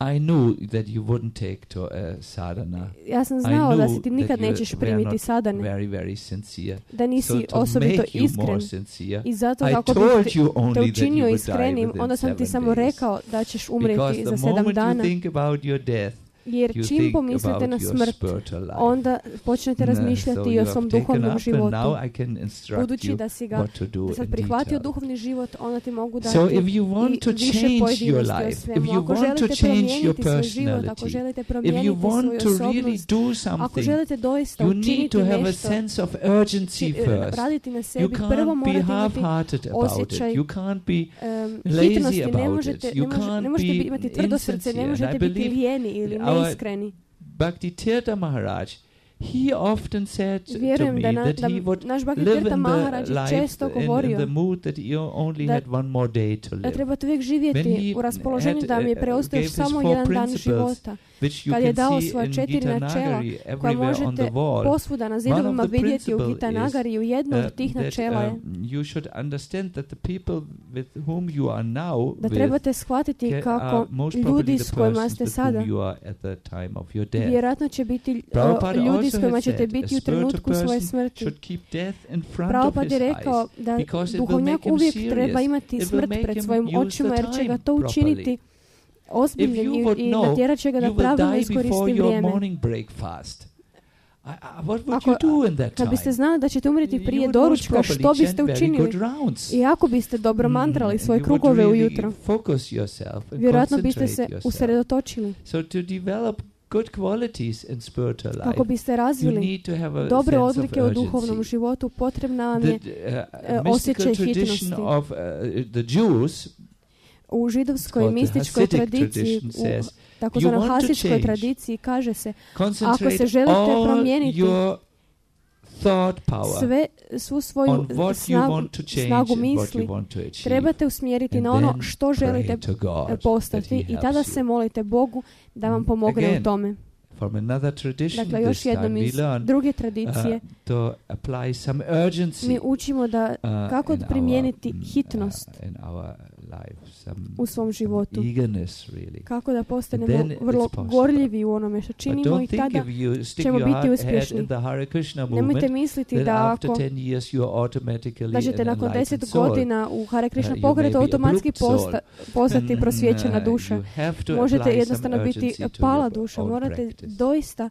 [SPEAKER 1] I knew that you wouldn't take to a sadhana.
[SPEAKER 3] Ja sam
[SPEAKER 1] I
[SPEAKER 3] znao da
[SPEAKER 1] knew
[SPEAKER 3] se ti
[SPEAKER 1] that
[SPEAKER 3] nikad
[SPEAKER 1] you
[SPEAKER 3] nećeš
[SPEAKER 1] were
[SPEAKER 3] primiti
[SPEAKER 1] not
[SPEAKER 3] sadane,
[SPEAKER 1] Very, very sincere.
[SPEAKER 3] da
[SPEAKER 1] So
[SPEAKER 3] nisi
[SPEAKER 1] to
[SPEAKER 3] osobito
[SPEAKER 1] make you
[SPEAKER 3] iskren.
[SPEAKER 1] more sincere,
[SPEAKER 3] I zato
[SPEAKER 1] I
[SPEAKER 3] kako bi
[SPEAKER 1] told
[SPEAKER 3] te,
[SPEAKER 1] you
[SPEAKER 3] te
[SPEAKER 1] only that you
[SPEAKER 3] učinio
[SPEAKER 1] would die
[SPEAKER 3] iskrenim,
[SPEAKER 1] within
[SPEAKER 3] onda sam ti
[SPEAKER 1] seven
[SPEAKER 3] samo
[SPEAKER 1] days.
[SPEAKER 3] rekao da ćeš umrijeti
[SPEAKER 1] Because
[SPEAKER 3] za
[SPEAKER 1] the
[SPEAKER 3] sedam
[SPEAKER 1] moment you
[SPEAKER 3] dana.
[SPEAKER 1] think about your death,
[SPEAKER 3] Jer
[SPEAKER 1] you
[SPEAKER 3] čim
[SPEAKER 1] think
[SPEAKER 3] pomislite
[SPEAKER 1] about
[SPEAKER 3] na
[SPEAKER 1] your
[SPEAKER 3] smrt,
[SPEAKER 1] spiritual life.
[SPEAKER 3] onda počnete
[SPEAKER 1] Mm,
[SPEAKER 3] razmišljati
[SPEAKER 1] so
[SPEAKER 3] i o
[SPEAKER 1] you
[SPEAKER 3] svom
[SPEAKER 1] have taken
[SPEAKER 3] duhovnom
[SPEAKER 1] up, and
[SPEAKER 3] životu.
[SPEAKER 1] now I can instruct
[SPEAKER 3] Budući
[SPEAKER 1] you
[SPEAKER 3] da si ga
[SPEAKER 1] what to do
[SPEAKER 3] da sad
[SPEAKER 1] in
[SPEAKER 3] prihvatio
[SPEAKER 1] detail.
[SPEAKER 3] duhovni život, onda ti mogu dati
[SPEAKER 1] So if you want
[SPEAKER 3] i
[SPEAKER 1] to
[SPEAKER 3] više
[SPEAKER 1] change your
[SPEAKER 3] pojedinosti o
[SPEAKER 1] life,
[SPEAKER 3] svemu.
[SPEAKER 1] if you
[SPEAKER 3] Ako
[SPEAKER 1] want to
[SPEAKER 3] želite
[SPEAKER 1] change your
[SPEAKER 3] promijeniti svoj život, ako
[SPEAKER 1] personality,
[SPEAKER 3] želite
[SPEAKER 1] if
[SPEAKER 3] promijeniti
[SPEAKER 1] you
[SPEAKER 3] svoju
[SPEAKER 1] want to really
[SPEAKER 3] osobnost,
[SPEAKER 1] do
[SPEAKER 3] ako
[SPEAKER 1] something,
[SPEAKER 3] želite doista
[SPEAKER 1] you need
[SPEAKER 3] učiniti
[SPEAKER 1] to have a
[SPEAKER 3] nešto,
[SPEAKER 1] sense of urgency
[SPEAKER 3] či-
[SPEAKER 1] first.
[SPEAKER 3] raditi na
[SPEAKER 1] You
[SPEAKER 3] sebi, prvo
[SPEAKER 1] can't be
[SPEAKER 3] morate imati
[SPEAKER 1] half-hearted about it.
[SPEAKER 3] osjećaj
[SPEAKER 1] You can't be
[SPEAKER 3] um,
[SPEAKER 1] lazy
[SPEAKER 3] hitnosti, ne
[SPEAKER 1] about
[SPEAKER 3] možete,
[SPEAKER 1] it.
[SPEAKER 3] ne,
[SPEAKER 1] You
[SPEAKER 3] može,
[SPEAKER 1] can't
[SPEAKER 3] ne možete
[SPEAKER 1] be
[SPEAKER 3] imati tvrdo srce,
[SPEAKER 1] insincere.
[SPEAKER 3] ne
[SPEAKER 1] And
[SPEAKER 3] možete
[SPEAKER 1] I
[SPEAKER 3] biti
[SPEAKER 1] believe
[SPEAKER 3] lijeni ili
[SPEAKER 1] our
[SPEAKER 3] neiskreni.
[SPEAKER 1] Bhakti Tirtha Maharaj, he often said to
[SPEAKER 3] Vjerujem
[SPEAKER 1] me
[SPEAKER 3] da, na,
[SPEAKER 1] that
[SPEAKER 3] da
[SPEAKER 1] he would
[SPEAKER 3] naš Bhakti
[SPEAKER 1] live
[SPEAKER 3] Tirtha
[SPEAKER 1] in
[SPEAKER 3] Maharaj
[SPEAKER 1] the
[SPEAKER 3] je
[SPEAKER 1] life
[SPEAKER 3] često
[SPEAKER 1] in, in
[SPEAKER 3] govorio
[SPEAKER 1] the mood that you only
[SPEAKER 3] da-
[SPEAKER 1] had one more day to
[SPEAKER 3] da
[SPEAKER 1] live,
[SPEAKER 3] trebate uvijek
[SPEAKER 1] When
[SPEAKER 3] živjeti
[SPEAKER 1] he
[SPEAKER 3] u raspoloženju
[SPEAKER 1] had,
[SPEAKER 3] da mi je
[SPEAKER 1] uh,
[SPEAKER 3] preostao
[SPEAKER 1] gave his
[SPEAKER 3] samo
[SPEAKER 1] four
[SPEAKER 3] jedan dan
[SPEAKER 1] principles,
[SPEAKER 3] života.
[SPEAKER 1] which you
[SPEAKER 3] Kad je
[SPEAKER 1] can
[SPEAKER 3] dao
[SPEAKER 1] see
[SPEAKER 3] svoja
[SPEAKER 1] in
[SPEAKER 3] četiri
[SPEAKER 1] Gita
[SPEAKER 3] načela
[SPEAKER 1] Nagari
[SPEAKER 3] koja
[SPEAKER 1] everywhere on the
[SPEAKER 3] možete
[SPEAKER 1] wall.
[SPEAKER 3] posvuda na
[SPEAKER 1] One
[SPEAKER 3] zidovima
[SPEAKER 1] of the
[SPEAKER 3] vidjeti u
[SPEAKER 1] principle
[SPEAKER 3] Gita
[SPEAKER 1] is,
[SPEAKER 3] Nagariju. Jedno
[SPEAKER 1] uh,
[SPEAKER 3] od tih
[SPEAKER 1] that,
[SPEAKER 3] načela je
[SPEAKER 1] um, you should understand that the people with whom you are now
[SPEAKER 3] da
[SPEAKER 1] with
[SPEAKER 3] trebate shvatiti
[SPEAKER 1] ca-
[SPEAKER 3] kako
[SPEAKER 1] are most
[SPEAKER 3] ljudi
[SPEAKER 1] probably
[SPEAKER 3] s
[SPEAKER 1] the
[SPEAKER 3] kojima
[SPEAKER 1] persons
[SPEAKER 3] ste
[SPEAKER 1] with
[SPEAKER 3] sada,
[SPEAKER 1] whom you are at the time of your death.
[SPEAKER 3] vjerojatno će biti uh,
[SPEAKER 1] Prabhupada
[SPEAKER 3] ljudi s
[SPEAKER 1] also
[SPEAKER 3] kojima
[SPEAKER 1] had
[SPEAKER 3] ćete
[SPEAKER 1] said,
[SPEAKER 3] biti
[SPEAKER 1] a
[SPEAKER 3] u trenutku
[SPEAKER 1] spiritual
[SPEAKER 3] svoje
[SPEAKER 1] person
[SPEAKER 3] smrti.
[SPEAKER 1] should keep death in front of
[SPEAKER 3] Prabhupada
[SPEAKER 1] his
[SPEAKER 3] je rekao
[SPEAKER 1] eyes,
[SPEAKER 3] da
[SPEAKER 1] because it will
[SPEAKER 3] duhovnjak
[SPEAKER 1] make him
[SPEAKER 3] uvijek
[SPEAKER 1] serious.
[SPEAKER 3] treba imati
[SPEAKER 1] It will
[SPEAKER 3] smrt
[SPEAKER 1] make
[SPEAKER 3] pred
[SPEAKER 1] him
[SPEAKER 3] svojim
[SPEAKER 1] use
[SPEAKER 3] očima
[SPEAKER 1] the
[SPEAKER 3] jer će ga
[SPEAKER 1] time
[SPEAKER 3] to učiniti
[SPEAKER 1] If
[SPEAKER 3] ozbiljnim
[SPEAKER 1] you
[SPEAKER 3] i,
[SPEAKER 1] would
[SPEAKER 3] i
[SPEAKER 1] know,
[SPEAKER 3] natjerat će ga
[SPEAKER 1] you
[SPEAKER 3] da
[SPEAKER 1] will
[SPEAKER 3] pravilno
[SPEAKER 1] die
[SPEAKER 3] iskoristi
[SPEAKER 1] before your
[SPEAKER 3] vrijeme.
[SPEAKER 1] morning breakfast. I, I, what would
[SPEAKER 3] Ako-
[SPEAKER 1] you do in that
[SPEAKER 3] Kad
[SPEAKER 1] time?
[SPEAKER 3] biste znali da ćete umreti
[SPEAKER 1] You
[SPEAKER 3] prije
[SPEAKER 1] would most
[SPEAKER 3] doručka,
[SPEAKER 1] probably
[SPEAKER 3] što biste
[SPEAKER 1] chant very
[SPEAKER 3] učinili?
[SPEAKER 1] good rounds.
[SPEAKER 3] I ako biste dobro
[SPEAKER 1] Mm,
[SPEAKER 3] mantrali
[SPEAKER 1] and
[SPEAKER 3] svoje
[SPEAKER 1] you would
[SPEAKER 3] krugove
[SPEAKER 1] really
[SPEAKER 3] ujutro,
[SPEAKER 1] focus yourself and
[SPEAKER 3] vjerojatno biste se
[SPEAKER 1] concentrate yourself.
[SPEAKER 3] usredotočili.
[SPEAKER 1] So to develop good qualities in spiritual life,
[SPEAKER 3] Kako biste
[SPEAKER 1] you
[SPEAKER 3] razvili
[SPEAKER 1] need to have a
[SPEAKER 3] dobre
[SPEAKER 1] sense of
[SPEAKER 3] odlike u duhovnom
[SPEAKER 1] urgency.
[SPEAKER 3] životu, potrebna vam
[SPEAKER 1] The
[SPEAKER 3] je
[SPEAKER 1] uh,
[SPEAKER 3] uh, osjećaj
[SPEAKER 1] mystical tradition
[SPEAKER 3] hitnosti.
[SPEAKER 1] of uh, the Jews,
[SPEAKER 3] u židovskoj
[SPEAKER 1] called the
[SPEAKER 3] mističkoj
[SPEAKER 1] Hasidic
[SPEAKER 3] tradiciji,
[SPEAKER 1] tradition,
[SPEAKER 3] u
[SPEAKER 1] says,
[SPEAKER 3] takozvanoj
[SPEAKER 1] you want to
[SPEAKER 3] hasičkoj
[SPEAKER 1] change.
[SPEAKER 3] tradiciji kaže se
[SPEAKER 1] concentrate
[SPEAKER 3] želite
[SPEAKER 1] all
[SPEAKER 3] promijeniti
[SPEAKER 1] your thought power
[SPEAKER 3] sve, svu svoju
[SPEAKER 1] on what you
[SPEAKER 3] snagu,
[SPEAKER 1] want to change
[SPEAKER 3] snagu
[SPEAKER 1] and what you
[SPEAKER 3] misli
[SPEAKER 1] want to achieve.
[SPEAKER 3] trebate usmjeriti
[SPEAKER 1] And
[SPEAKER 3] na ono
[SPEAKER 1] then
[SPEAKER 3] što
[SPEAKER 1] pray
[SPEAKER 3] želite
[SPEAKER 1] to God that
[SPEAKER 3] postati
[SPEAKER 1] he
[SPEAKER 3] i tada
[SPEAKER 1] helps
[SPEAKER 3] se
[SPEAKER 1] you.
[SPEAKER 3] molite Bogu da vam pomogne
[SPEAKER 1] Again,
[SPEAKER 3] u tome.
[SPEAKER 1] From another tradition,
[SPEAKER 3] Dakle,
[SPEAKER 1] this
[SPEAKER 3] još
[SPEAKER 1] time
[SPEAKER 3] jednom
[SPEAKER 1] we
[SPEAKER 3] iz
[SPEAKER 1] learn
[SPEAKER 3] druge
[SPEAKER 1] uh,
[SPEAKER 3] tradicije
[SPEAKER 1] to apply some urgency
[SPEAKER 3] mi učimo da
[SPEAKER 1] uh,
[SPEAKER 3] kako
[SPEAKER 1] in our,
[SPEAKER 3] primijeniti
[SPEAKER 1] mm,
[SPEAKER 3] hitnost
[SPEAKER 1] uh, in our life, some,
[SPEAKER 3] u svom životu.
[SPEAKER 1] some eagerness really.
[SPEAKER 3] Kako da postanemo
[SPEAKER 1] Then it's
[SPEAKER 3] vrlo
[SPEAKER 1] possible.
[SPEAKER 3] gorljivi u onome što
[SPEAKER 1] But
[SPEAKER 3] činimo i
[SPEAKER 1] don't think
[SPEAKER 3] tada
[SPEAKER 1] if you stick
[SPEAKER 3] ćemo
[SPEAKER 1] your
[SPEAKER 3] biti
[SPEAKER 1] heart, head
[SPEAKER 3] uspješni.
[SPEAKER 1] in the Hare Krishna
[SPEAKER 3] nemojte
[SPEAKER 1] movement,
[SPEAKER 3] misliti
[SPEAKER 1] then
[SPEAKER 3] da
[SPEAKER 1] after
[SPEAKER 3] ako
[SPEAKER 1] ten years you are automatically
[SPEAKER 3] da ćete
[SPEAKER 1] an
[SPEAKER 3] nakon
[SPEAKER 1] enlightened
[SPEAKER 3] deset
[SPEAKER 1] soul.
[SPEAKER 3] godina u Hare Krishna
[SPEAKER 1] Uh, you
[SPEAKER 3] pokretu
[SPEAKER 1] may be a
[SPEAKER 3] automatski
[SPEAKER 1] brute soul.
[SPEAKER 3] posta, postati
[SPEAKER 1] And,
[SPEAKER 3] prosvjećena
[SPEAKER 1] uh,
[SPEAKER 3] duša.
[SPEAKER 1] you have to
[SPEAKER 3] Možete
[SPEAKER 1] apply
[SPEAKER 3] jednostavno
[SPEAKER 1] some
[SPEAKER 3] biti
[SPEAKER 1] urgency to
[SPEAKER 3] pala
[SPEAKER 1] your
[SPEAKER 3] duša.
[SPEAKER 1] own
[SPEAKER 3] Morate
[SPEAKER 1] practice.
[SPEAKER 3] doista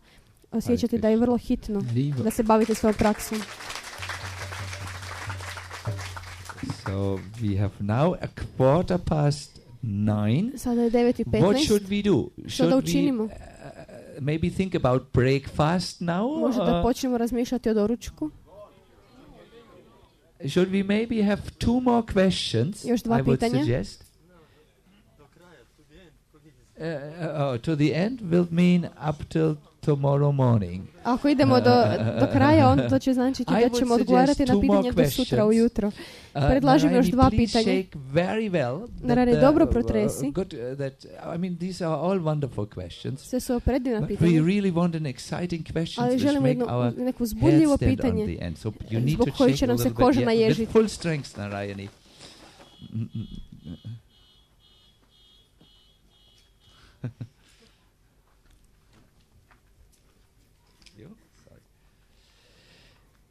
[SPEAKER 3] osjećati da je vrlo hitno da se bavite svojom praksom.
[SPEAKER 1] So we have now a quarter past nine.
[SPEAKER 3] Sada je devet i
[SPEAKER 1] What
[SPEAKER 3] petnaest.
[SPEAKER 1] should we do?
[SPEAKER 3] Što da
[SPEAKER 1] Should we
[SPEAKER 3] učinimo?
[SPEAKER 1] uh, maybe think about breakfast now?
[SPEAKER 3] Možda da
[SPEAKER 1] or
[SPEAKER 3] počnemo razmišljati o doručku.
[SPEAKER 1] should we maybe have two more questions?
[SPEAKER 3] Još dva
[SPEAKER 1] I would
[SPEAKER 3] pitanja.
[SPEAKER 1] suggest. Uh, uh, oh, to the end will mean up till tomorrow morning.
[SPEAKER 3] Ako idemo do, do kraja, onda to će značiti
[SPEAKER 1] I
[SPEAKER 3] da
[SPEAKER 1] would
[SPEAKER 3] ćemo
[SPEAKER 1] suggest
[SPEAKER 3] odgovarati na
[SPEAKER 1] two more
[SPEAKER 3] pitanje do sutra
[SPEAKER 1] questions.
[SPEAKER 3] ujutro.
[SPEAKER 1] Uh,
[SPEAKER 3] Predlažem još
[SPEAKER 1] Narayani,
[SPEAKER 3] dva
[SPEAKER 1] please
[SPEAKER 3] pitanja.
[SPEAKER 1] shake very well.
[SPEAKER 3] Narayani,
[SPEAKER 1] that,
[SPEAKER 3] dobro
[SPEAKER 1] uh,
[SPEAKER 3] protresi.
[SPEAKER 1] good, uh, that, I mean, these are all wonderful questions.
[SPEAKER 3] Sve su predivna
[SPEAKER 1] But we
[SPEAKER 3] pitanja.
[SPEAKER 1] really want an exciting question
[SPEAKER 3] Ali
[SPEAKER 1] which
[SPEAKER 3] želimo
[SPEAKER 1] make
[SPEAKER 3] jedno,
[SPEAKER 1] our
[SPEAKER 3] neko
[SPEAKER 1] head
[SPEAKER 3] uzbudljivo
[SPEAKER 1] stand on
[SPEAKER 3] pitanje.
[SPEAKER 1] the end. So you need
[SPEAKER 3] Zbog
[SPEAKER 1] to
[SPEAKER 3] kojeg
[SPEAKER 1] shake
[SPEAKER 3] će
[SPEAKER 1] a
[SPEAKER 3] nam se
[SPEAKER 1] little bit,
[SPEAKER 3] koža
[SPEAKER 1] yeah, with
[SPEAKER 3] naježiti.
[SPEAKER 1] full strength, Narayani. Mm, mm, mm. You? Sorry.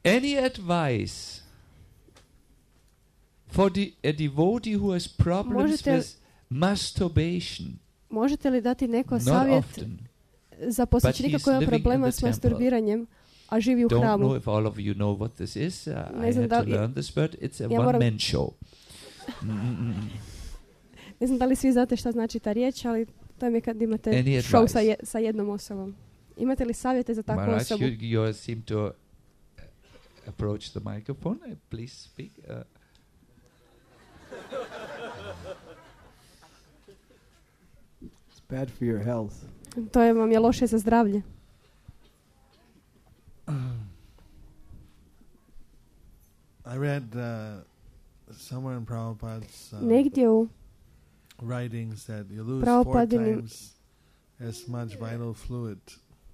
[SPEAKER 1] Any advice for the, a devotee who has problems
[SPEAKER 3] Možete-
[SPEAKER 1] with masturbation?
[SPEAKER 3] Možete li dati neko
[SPEAKER 1] Not
[SPEAKER 3] savjet
[SPEAKER 1] often.
[SPEAKER 3] za posjećenika
[SPEAKER 1] he's
[SPEAKER 3] koji ima
[SPEAKER 1] living in
[SPEAKER 3] problema
[SPEAKER 1] the
[SPEAKER 3] s
[SPEAKER 1] temple.
[SPEAKER 3] masturbiranjem, a živi u
[SPEAKER 1] Don't know
[SPEAKER 3] hramu?
[SPEAKER 1] if all of you know what this is. Uh,
[SPEAKER 3] Ne
[SPEAKER 1] I
[SPEAKER 3] znam
[SPEAKER 1] had
[SPEAKER 3] da
[SPEAKER 1] to
[SPEAKER 3] li-
[SPEAKER 1] learn this, but it's a
[SPEAKER 3] Ja moram-
[SPEAKER 1] one-man show. Mm, mm, mm.
[SPEAKER 3] Ne znam da li svi znate šta znači ta riječ, ali to je kad imate
[SPEAKER 1] Any
[SPEAKER 3] show sa,
[SPEAKER 1] advice?
[SPEAKER 3] je, sa jednom osobom. Imate li savjete za takvu
[SPEAKER 1] Maharaj,
[SPEAKER 3] osobu?
[SPEAKER 1] you, you seem to uh, approach the microphone. Uh, please speak. Uh,
[SPEAKER 5] It's bad for your health.
[SPEAKER 3] To je vam je loše za zdravlje.
[SPEAKER 4] I read uh, somewhere in Prabhupada's uh,
[SPEAKER 3] Negdje u
[SPEAKER 4] writings that you lose four
[SPEAKER 3] Prabhupadinim-
[SPEAKER 4] times as much vital fluid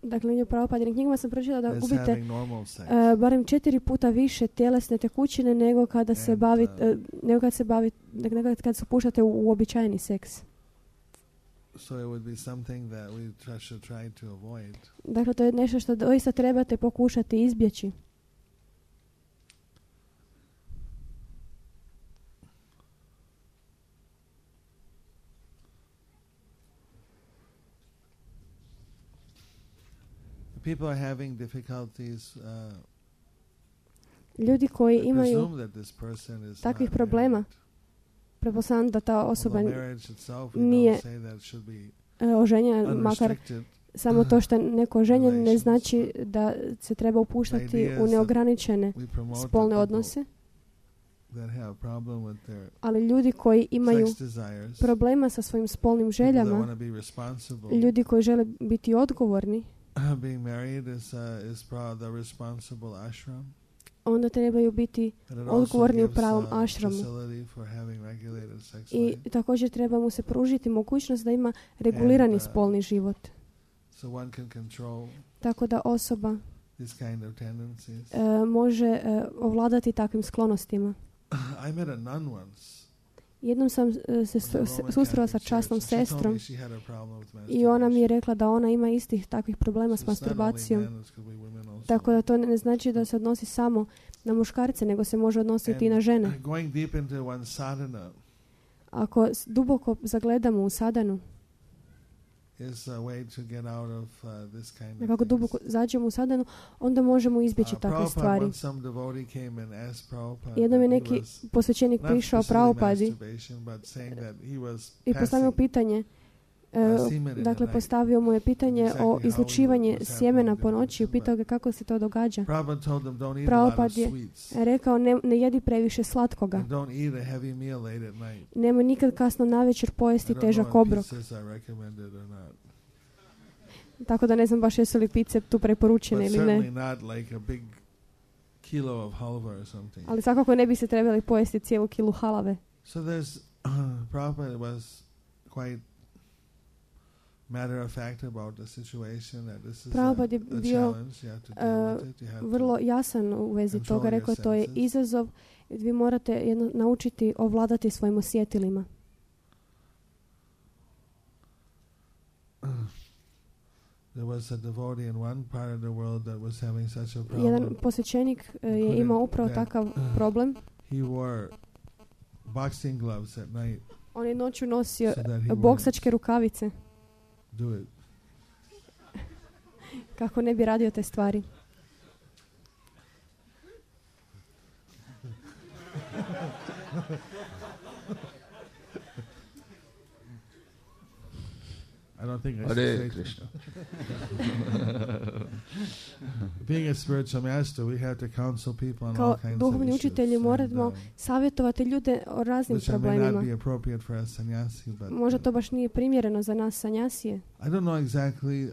[SPEAKER 3] dakle, u Prabhupadinim knjigama sam pročitala da
[SPEAKER 4] as
[SPEAKER 3] gubite
[SPEAKER 4] having normal sex.
[SPEAKER 3] uh, barem četiri puta više tjelesne tekućine nego kada se
[SPEAKER 4] And,
[SPEAKER 3] bavi,
[SPEAKER 4] uh,
[SPEAKER 3] uh, nego kad se bavi, nego kad se upuštate u uobičajeni seks.
[SPEAKER 4] So it would be something that we try, should try to avoid.
[SPEAKER 3] Dakle, to je nešto što doista trebate pokušati izbjeći.
[SPEAKER 4] people are having difficulties, uh,
[SPEAKER 3] Ljudi koji
[SPEAKER 4] I
[SPEAKER 3] imaju
[SPEAKER 4] presume that this person is
[SPEAKER 3] takvih
[SPEAKER 4] not
[SPEAKER 3] problema,
[SPEAKER 4] married.
[SPEAKER 3] pretpostavljam da ta osoba
[SPEAKER 4] Although marriage itself, we
[SPEAKER 3] nije
[SPEAKER 4] don't say that should be
[SPEAKER 3] e, oženjena, makar
[SPEAKER 4] unrestricted.
[SPEAKER 3] samo to što je neko oženjen ne
[SPEAKER 4] relations.
[SPEAKER 3] znači da se treba upuštati
[SPEAKER 4] idea
[SPEAKER 3] u
[SPEAKER 4] is
[SPEAKER 3] neograničene
[SPEAKER 4] We promote
[SPEAKER 3] spolne
[SPEAKER 4] the
[SPEAKER 3] odnose,
[SPEAKER 4] people that have problem with their
[SPEAKER 3] ali ljudi koji imaju
[SPEAKER 4] sex desires,
[SPEAKER 3] problema sa svojim spolnim
[SPEAKER 4] people that
[SPEAKER 3] željama,
[SPEAKER 4] want to be responsible.
[SPEAKER 3] ljudi koji žele biti odgovorni,
[SPEAKER 4] Being married is uh, is pro- the responsible ashram.
[SPEAKER 3] onda trebaju biti
[SPEAKER 4] And it also
[SPEAKER 3] odgovorni u
[SPEAKER 4] gives,
[SPEAKER 3] pravom
[SPEAKER 4] uh,
[SPEAKER 3] ašramu.
[SPEAKER 4] facility for having regulated sex
[SPEAKER 3] I
[SPEAKER 4] life.
[SPEAKER 3] također treba mu se pružiti mogućnost da ima regulirani
[SPEAKER 4] And, uh,
[SPEAKER 3] spolni život.
[SPEAKER 4] So one can control
[SPEAKER 3] Tako da osoba
[SPEAKER 4] these kind of tendencies.
[SPEAKER 3] e, može e, ovladati takvim sklonostima.
[SPEAKER 4] I met a nun once.
[SPEAKER 3] Jednom sam e, se
[SPEAKER 4] in the
[SPEAKER 3] su-
[SPEAKER 4] Roman
[SPEAKER 3] susrela sa
[SPEAKER 4] Catholic
[SPEAKER 3] časnom
[SPEAKER 4] Church, and she told
[SPEAKER 3] sestrom
[SPEAKER 4] me she had a problem with
[SPEAKER 3] i ona mi je
[SPEAKER 4] masturbation.
[SPEAKER 3] rekla da ona ima istih takvih problema s
[SPEAKER 4] So it's not only
[SPEAKER 3] masturbacijom.
[SPEAKER 4] men, it could be women also.
[SPEAKER 3] Tako da to ne znači da se odnosi samo na muškarce, nego se može odnositi i na
[SPEAKER 4] And
[SPEAKER 3] žene.
[SPEAKER 4] Going deep into one sadhana
[SPEAKER 3] Ako s- duboko zagledamo u sadanu,
[SPEAKER 4] is a way to get out of uh, this kind of
[SPEAKER 3] nekako
[SPEAKER 4] things.
[SPEAKER 3] duboko zađemo u sadanu, onda možemo izbjeći
[SPEAKER 4] Uh,
[SPEAKER 3] takve
[SPEAKER 4] Prabhupada,
[SPEAKER 3] stvari.
[SPEAKER 4] once some devotee came and asked Prabhupada
[SPEAKER 3] Jednom je
[SPEAKER 4] that he
[SPEAKER 3] neki
[SPEAKER 4] was
[SPEAKER 3] posvećenik
[SPEAKER 4] not
[SPEAKER 3] prišao
[SPEAKER 4] specifically
[SPEAKER 3] Prabhupadi
[SPEAKER 4] masturbation, but saying that he was
[SPEAKER 3] i postavio
[SPEAKER 4] passing
[SPEAKER 3] pitanje, e,
[SPEAKER 4] uh, semen in the
[SPEAKER 3] dakle
[SPEAKER 4] night.
[SPEAKER 3] postavio mu je pitanje
[SPEAKER 4] Exactly
[SPEAKER 3] o
[SPEAKER 4] how
[SPEAKER 3] izlučivanje
[SPEAKER 4] it was
[SPEAKER 3] sjemena
[SPEAKER 4] happening
[SPEAKER 3] po
[SPEAKER 4] in
[SPEAKER 3] noći i
[SPEAKER 4] different
[SPEAKER 3] pitao ga kako se to događa.
[SPEAKER 4] Prabhupada told them, don't eat a lot of
[SPEAKER 3] Prabhupada je
[SPEAKER 4] sweets.
[SPEAKER 3] rekao ne, ne jedi previše slatkoga.
[SPEAKER 4] And don't eat a heavy meal late at night.
[SPEAKER 3] Nemoj nikad kasno navečer
[SPEAKER 4] I
[SPEAKER 3] pojesti
[SPEAKER 4] don't know
[SPEAKER 3] težak
[SPEAKER 4] if
[SPEAKER 3] obrok.
[SPEAKER 4] pizzas are recommended or not.
[SPEAKER 3] Tako da ne znam baš jesu li pice tu preporučene
[SPEAKER 4] But
[SPEAKER 3] ili
[SPEAKER 4] certainly
[SPEAKER 3] ne.
[SPEAKER 4] not like a big kilo of halva or something.
[SPEAKER 3] Ali svakako ne bi se trebali pojesti cijelu kilu halave.
[SPEAKER 4] So there's Prabhupada was quite matter of fact about the situation that this is a,
[SPEAKER 3] Prabhupada je
[SPEAKER 4] a
[SPEAKER 3] bio
[SPEAKER 4] challenge. You have to deal
[SPEAKER 3] uh,
[SPEAKER 4] with it. You have
[SPEAKER 3] vrlo
[SPEAKER 4] to
[SPEAKER 3] jasan u vezi
[SPEAKER 4] control
[SPEAKER 3] toga.
[SPEAKER 4] your
[SPEAKER 3] Rekao to je
[SPEAKER 4] senses.
[SPEAKER 3] izazov. Vi morate jedno, naučiti ovladati svojim osjetilima.
[SPEAKER 4] There was a devotee in one part of the world that was having such a problem.
[SPEAKER 3] Jedan posvećenik uh, je imao upravo takav problem.
[SPEAKER 4] He wore boxing gloves at night
[SPEAKER 3] On je noću nosio
[SPEAKER 4] so that he
[SPEAKER 3] boksačke rukavice
[SPEAKER 4] wouldn't do it.
[SPEAKER 3] kako ne bi radio te stvari.
[SPEAKER 4] I don't think I should
[SPEAKER 1] Hare
[SPEAKER 4] say
[SPEAKER 1] Krishna.
[SPEAKER 4] Being a spiritual master, we have to counsel people on all
[SPEAKER 3] Kao
[SPEAKER 4] kinds of
[SPEAKER 3] duhovni
[SPEAKER 4] issues.
[SPEAKER 3] učitelji
[SPEAKER 4] and,
[SPEAKER 3] moramo
[SPEAKER 4] um,
[SPEAKER 3] savjetovati ljude o raznim
[SPEAKER 4] which may not
[SPEAKER 3] problemima.
[SPEAKER 4] be appropriate for a sannyasi, but
[SPEAKER 3] Možda to baš nije primjereno za nas sanjasije,
[SPEAKER 4] I don't know exactly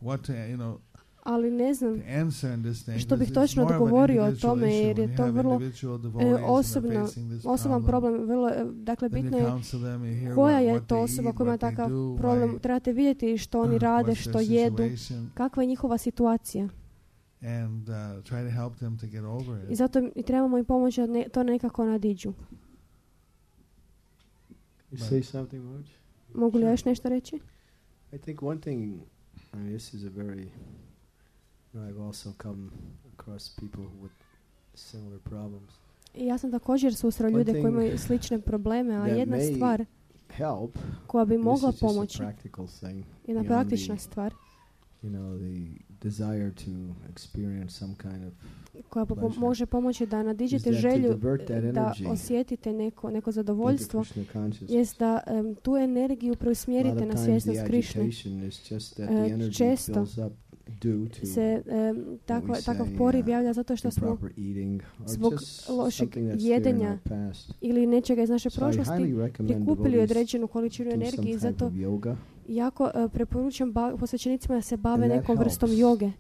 [SPEAKER 4] what to, you know,
[SPEAKER 3] ali ne znam
[SPEAKER 4] to answer in this thing.
[SPEAKER 3] što bih
[SPEAKER 4] because it's
[SPEAKER 3] točno
[SPEAKER 4] more of an
[SPEAKER 3] odgovorio o
[SPEAKER 4] individual
[SPEAKER 3] tome,
[SPEAKER 4] issue
[SPEAKER 3] jer je
[SPEAKER 4] when you
[SPEAKER 3] to
[SPEAKER 4] have
[SPEAKER 3] vrlo
[SPEAKER 4] individual devotees and they're
[SPEAKER 3] osobno-
[SPEAKER 4] facing this
[SPEAKER 3] osoban problem. Vrlo, e, dakle,
[SPEAKER 4] Then
[SPEAKER 3] bitno
[SPEAKER 4] you
[SPEAKER 3] je
[SPEAKER 4] counsel them, you hear
[SPEAKER 3] koja
[SPEAKER 4] what,
[SPEAKER 3] je
[SPEAKER 4] what
[SPEAKER 3] to
[SPEAKER 4] they
[SPEAKER 3] osoba
[SPEAKER 4] eat,
[SPEAKER 3] koja ima
[SPEAKER 4] what they
[SPEAKER 3] takav
[SPEAKER 4] do,
[SPEAKER 3] problem.
[SPEAKER 4] why,
[SPEAKER 3] Trebate vidjeti što oni rade,
[SPEAKER 4] what's
[SPEAKER 3] što
[SPEAKER 4] their
[SPEAKER 3] jedu,
[SPEAKER 4] situation,
[SPEAKER 3] kakva je njihova situacija.
[SPEAKER 4] and uh, try to help them to get over
[SPEAKER 3] I
[SPEAKER 4] it.
[SPEAKER 3] zato i trebamo im pomoći da ne, to nekako nadiđu.
[SPEAKER 5] You say something, Moj?
[SPEAKER 3] Mogu li ja još nešto reći?
[SPEAKER 5] I think one thing, I mean, this is a very, you know, I've also come across people with similar problems.
[SPEAKER 3] I ja sam također susreo
[SPEAKER 5] One
[SPEAKER 3] ljude koji
[SPEAKER 5] thing
[SPEAKER 3] imaju slične probleme, a
[SPEAKER 5] that
[SPEAKER 3] jedna
[SPEAKER 5] may
[SPEAKER 3] stvar
[SPEAKER 5] Help.
[SPEAKER 3] koja bi
[SPEAKER 5] This
[SPEAKER 3] mogla
[SPEAKER 5] is just a
[SPEAKER 3] pomoći,
[SPEAKER 5] practical thing.
[SPEAKER 3] jedna
[SPEAKER 5] beyond
[SPEAKER 3] praktična
[SPEAKER 5] the,
[SPEAKER 3] stvar,
[SPEAKER 5] you know, the desire to experience some kind of
[SPEAKER 3] koja po-
[SPEAKER 5] pleasure.
[SPEAKER 3] može pomoći da nadiđete
[SPEAKER 5] Is that to
[SPEAKER 3] želju
[SPEAKER 5] divert that
[SPEAKER 3] e, da
[SPEAKER 5] energy
[SPEAKER 3] osjetite neko, neko
[SPEAKER 5] into
[SPEAKER 3] zadovoljstvo,
[SPEAKER 5] Krishna consciousness.
[SPEAKER 3] jest da em, tu energiju
[SPEAKER 5] A lot
[SPEAKER 3] preusmjerite
[SPEAKER 5] of
[SPEAKER 3] na
[SPEAKER 5] times
[SPEAKER 3] svjesnost
[SPEAKER 5] the
[SPEAKER 3] Krišne.
[SPEAKER 5] agitation is just that
[SPEAKER 3] E,
[SPEAKER 5] the energy
[SPEAKER 3] često
[SPEAKER 5] fills up due to
[SPEAKER 3] Se em, takva,
[SPEAKER 5] we
[SPEAKER 3] takav
[SPEAKER 5] say,
[SPEAKER 3] poriv
[SPEAKER 5] uh,
[SPEAKER 3] javlja zato što smo
[SPEAKER 5] improper eating or
[SPEAKER 3] zbog
[SPEAKER 5] just
[SPEAKER 3] lošeg
[SPEAKER 5] something that's there in
[SPEAKER 3] jedenja
[SPEAKER 5] our past.
[SPEAKER 3] ili nečega iz naše
[SPEAKER 5] So I
[SPEAKER 3] prošlosti
[SPEAKER 5] highly recommend
[SPEAKER 3] prikupili
[SPEAKER 5] devotees
[SPEAKER 3] određenu količinu
[SPEAKER 5] do some
[SPEAKER 3] energije i
[SPEAKER 5] type
[SPEAKER 3] zato
[SPEAKER 5] of yoga.
[SPEAKER 3] jako e, preporučujem ba- posvećenicima da se bave
[SPEAKER 5] And that
[SPEAKER 3] nekom vrstom
[SPEAKER 5] helps.
[SPEAKER 3] joge.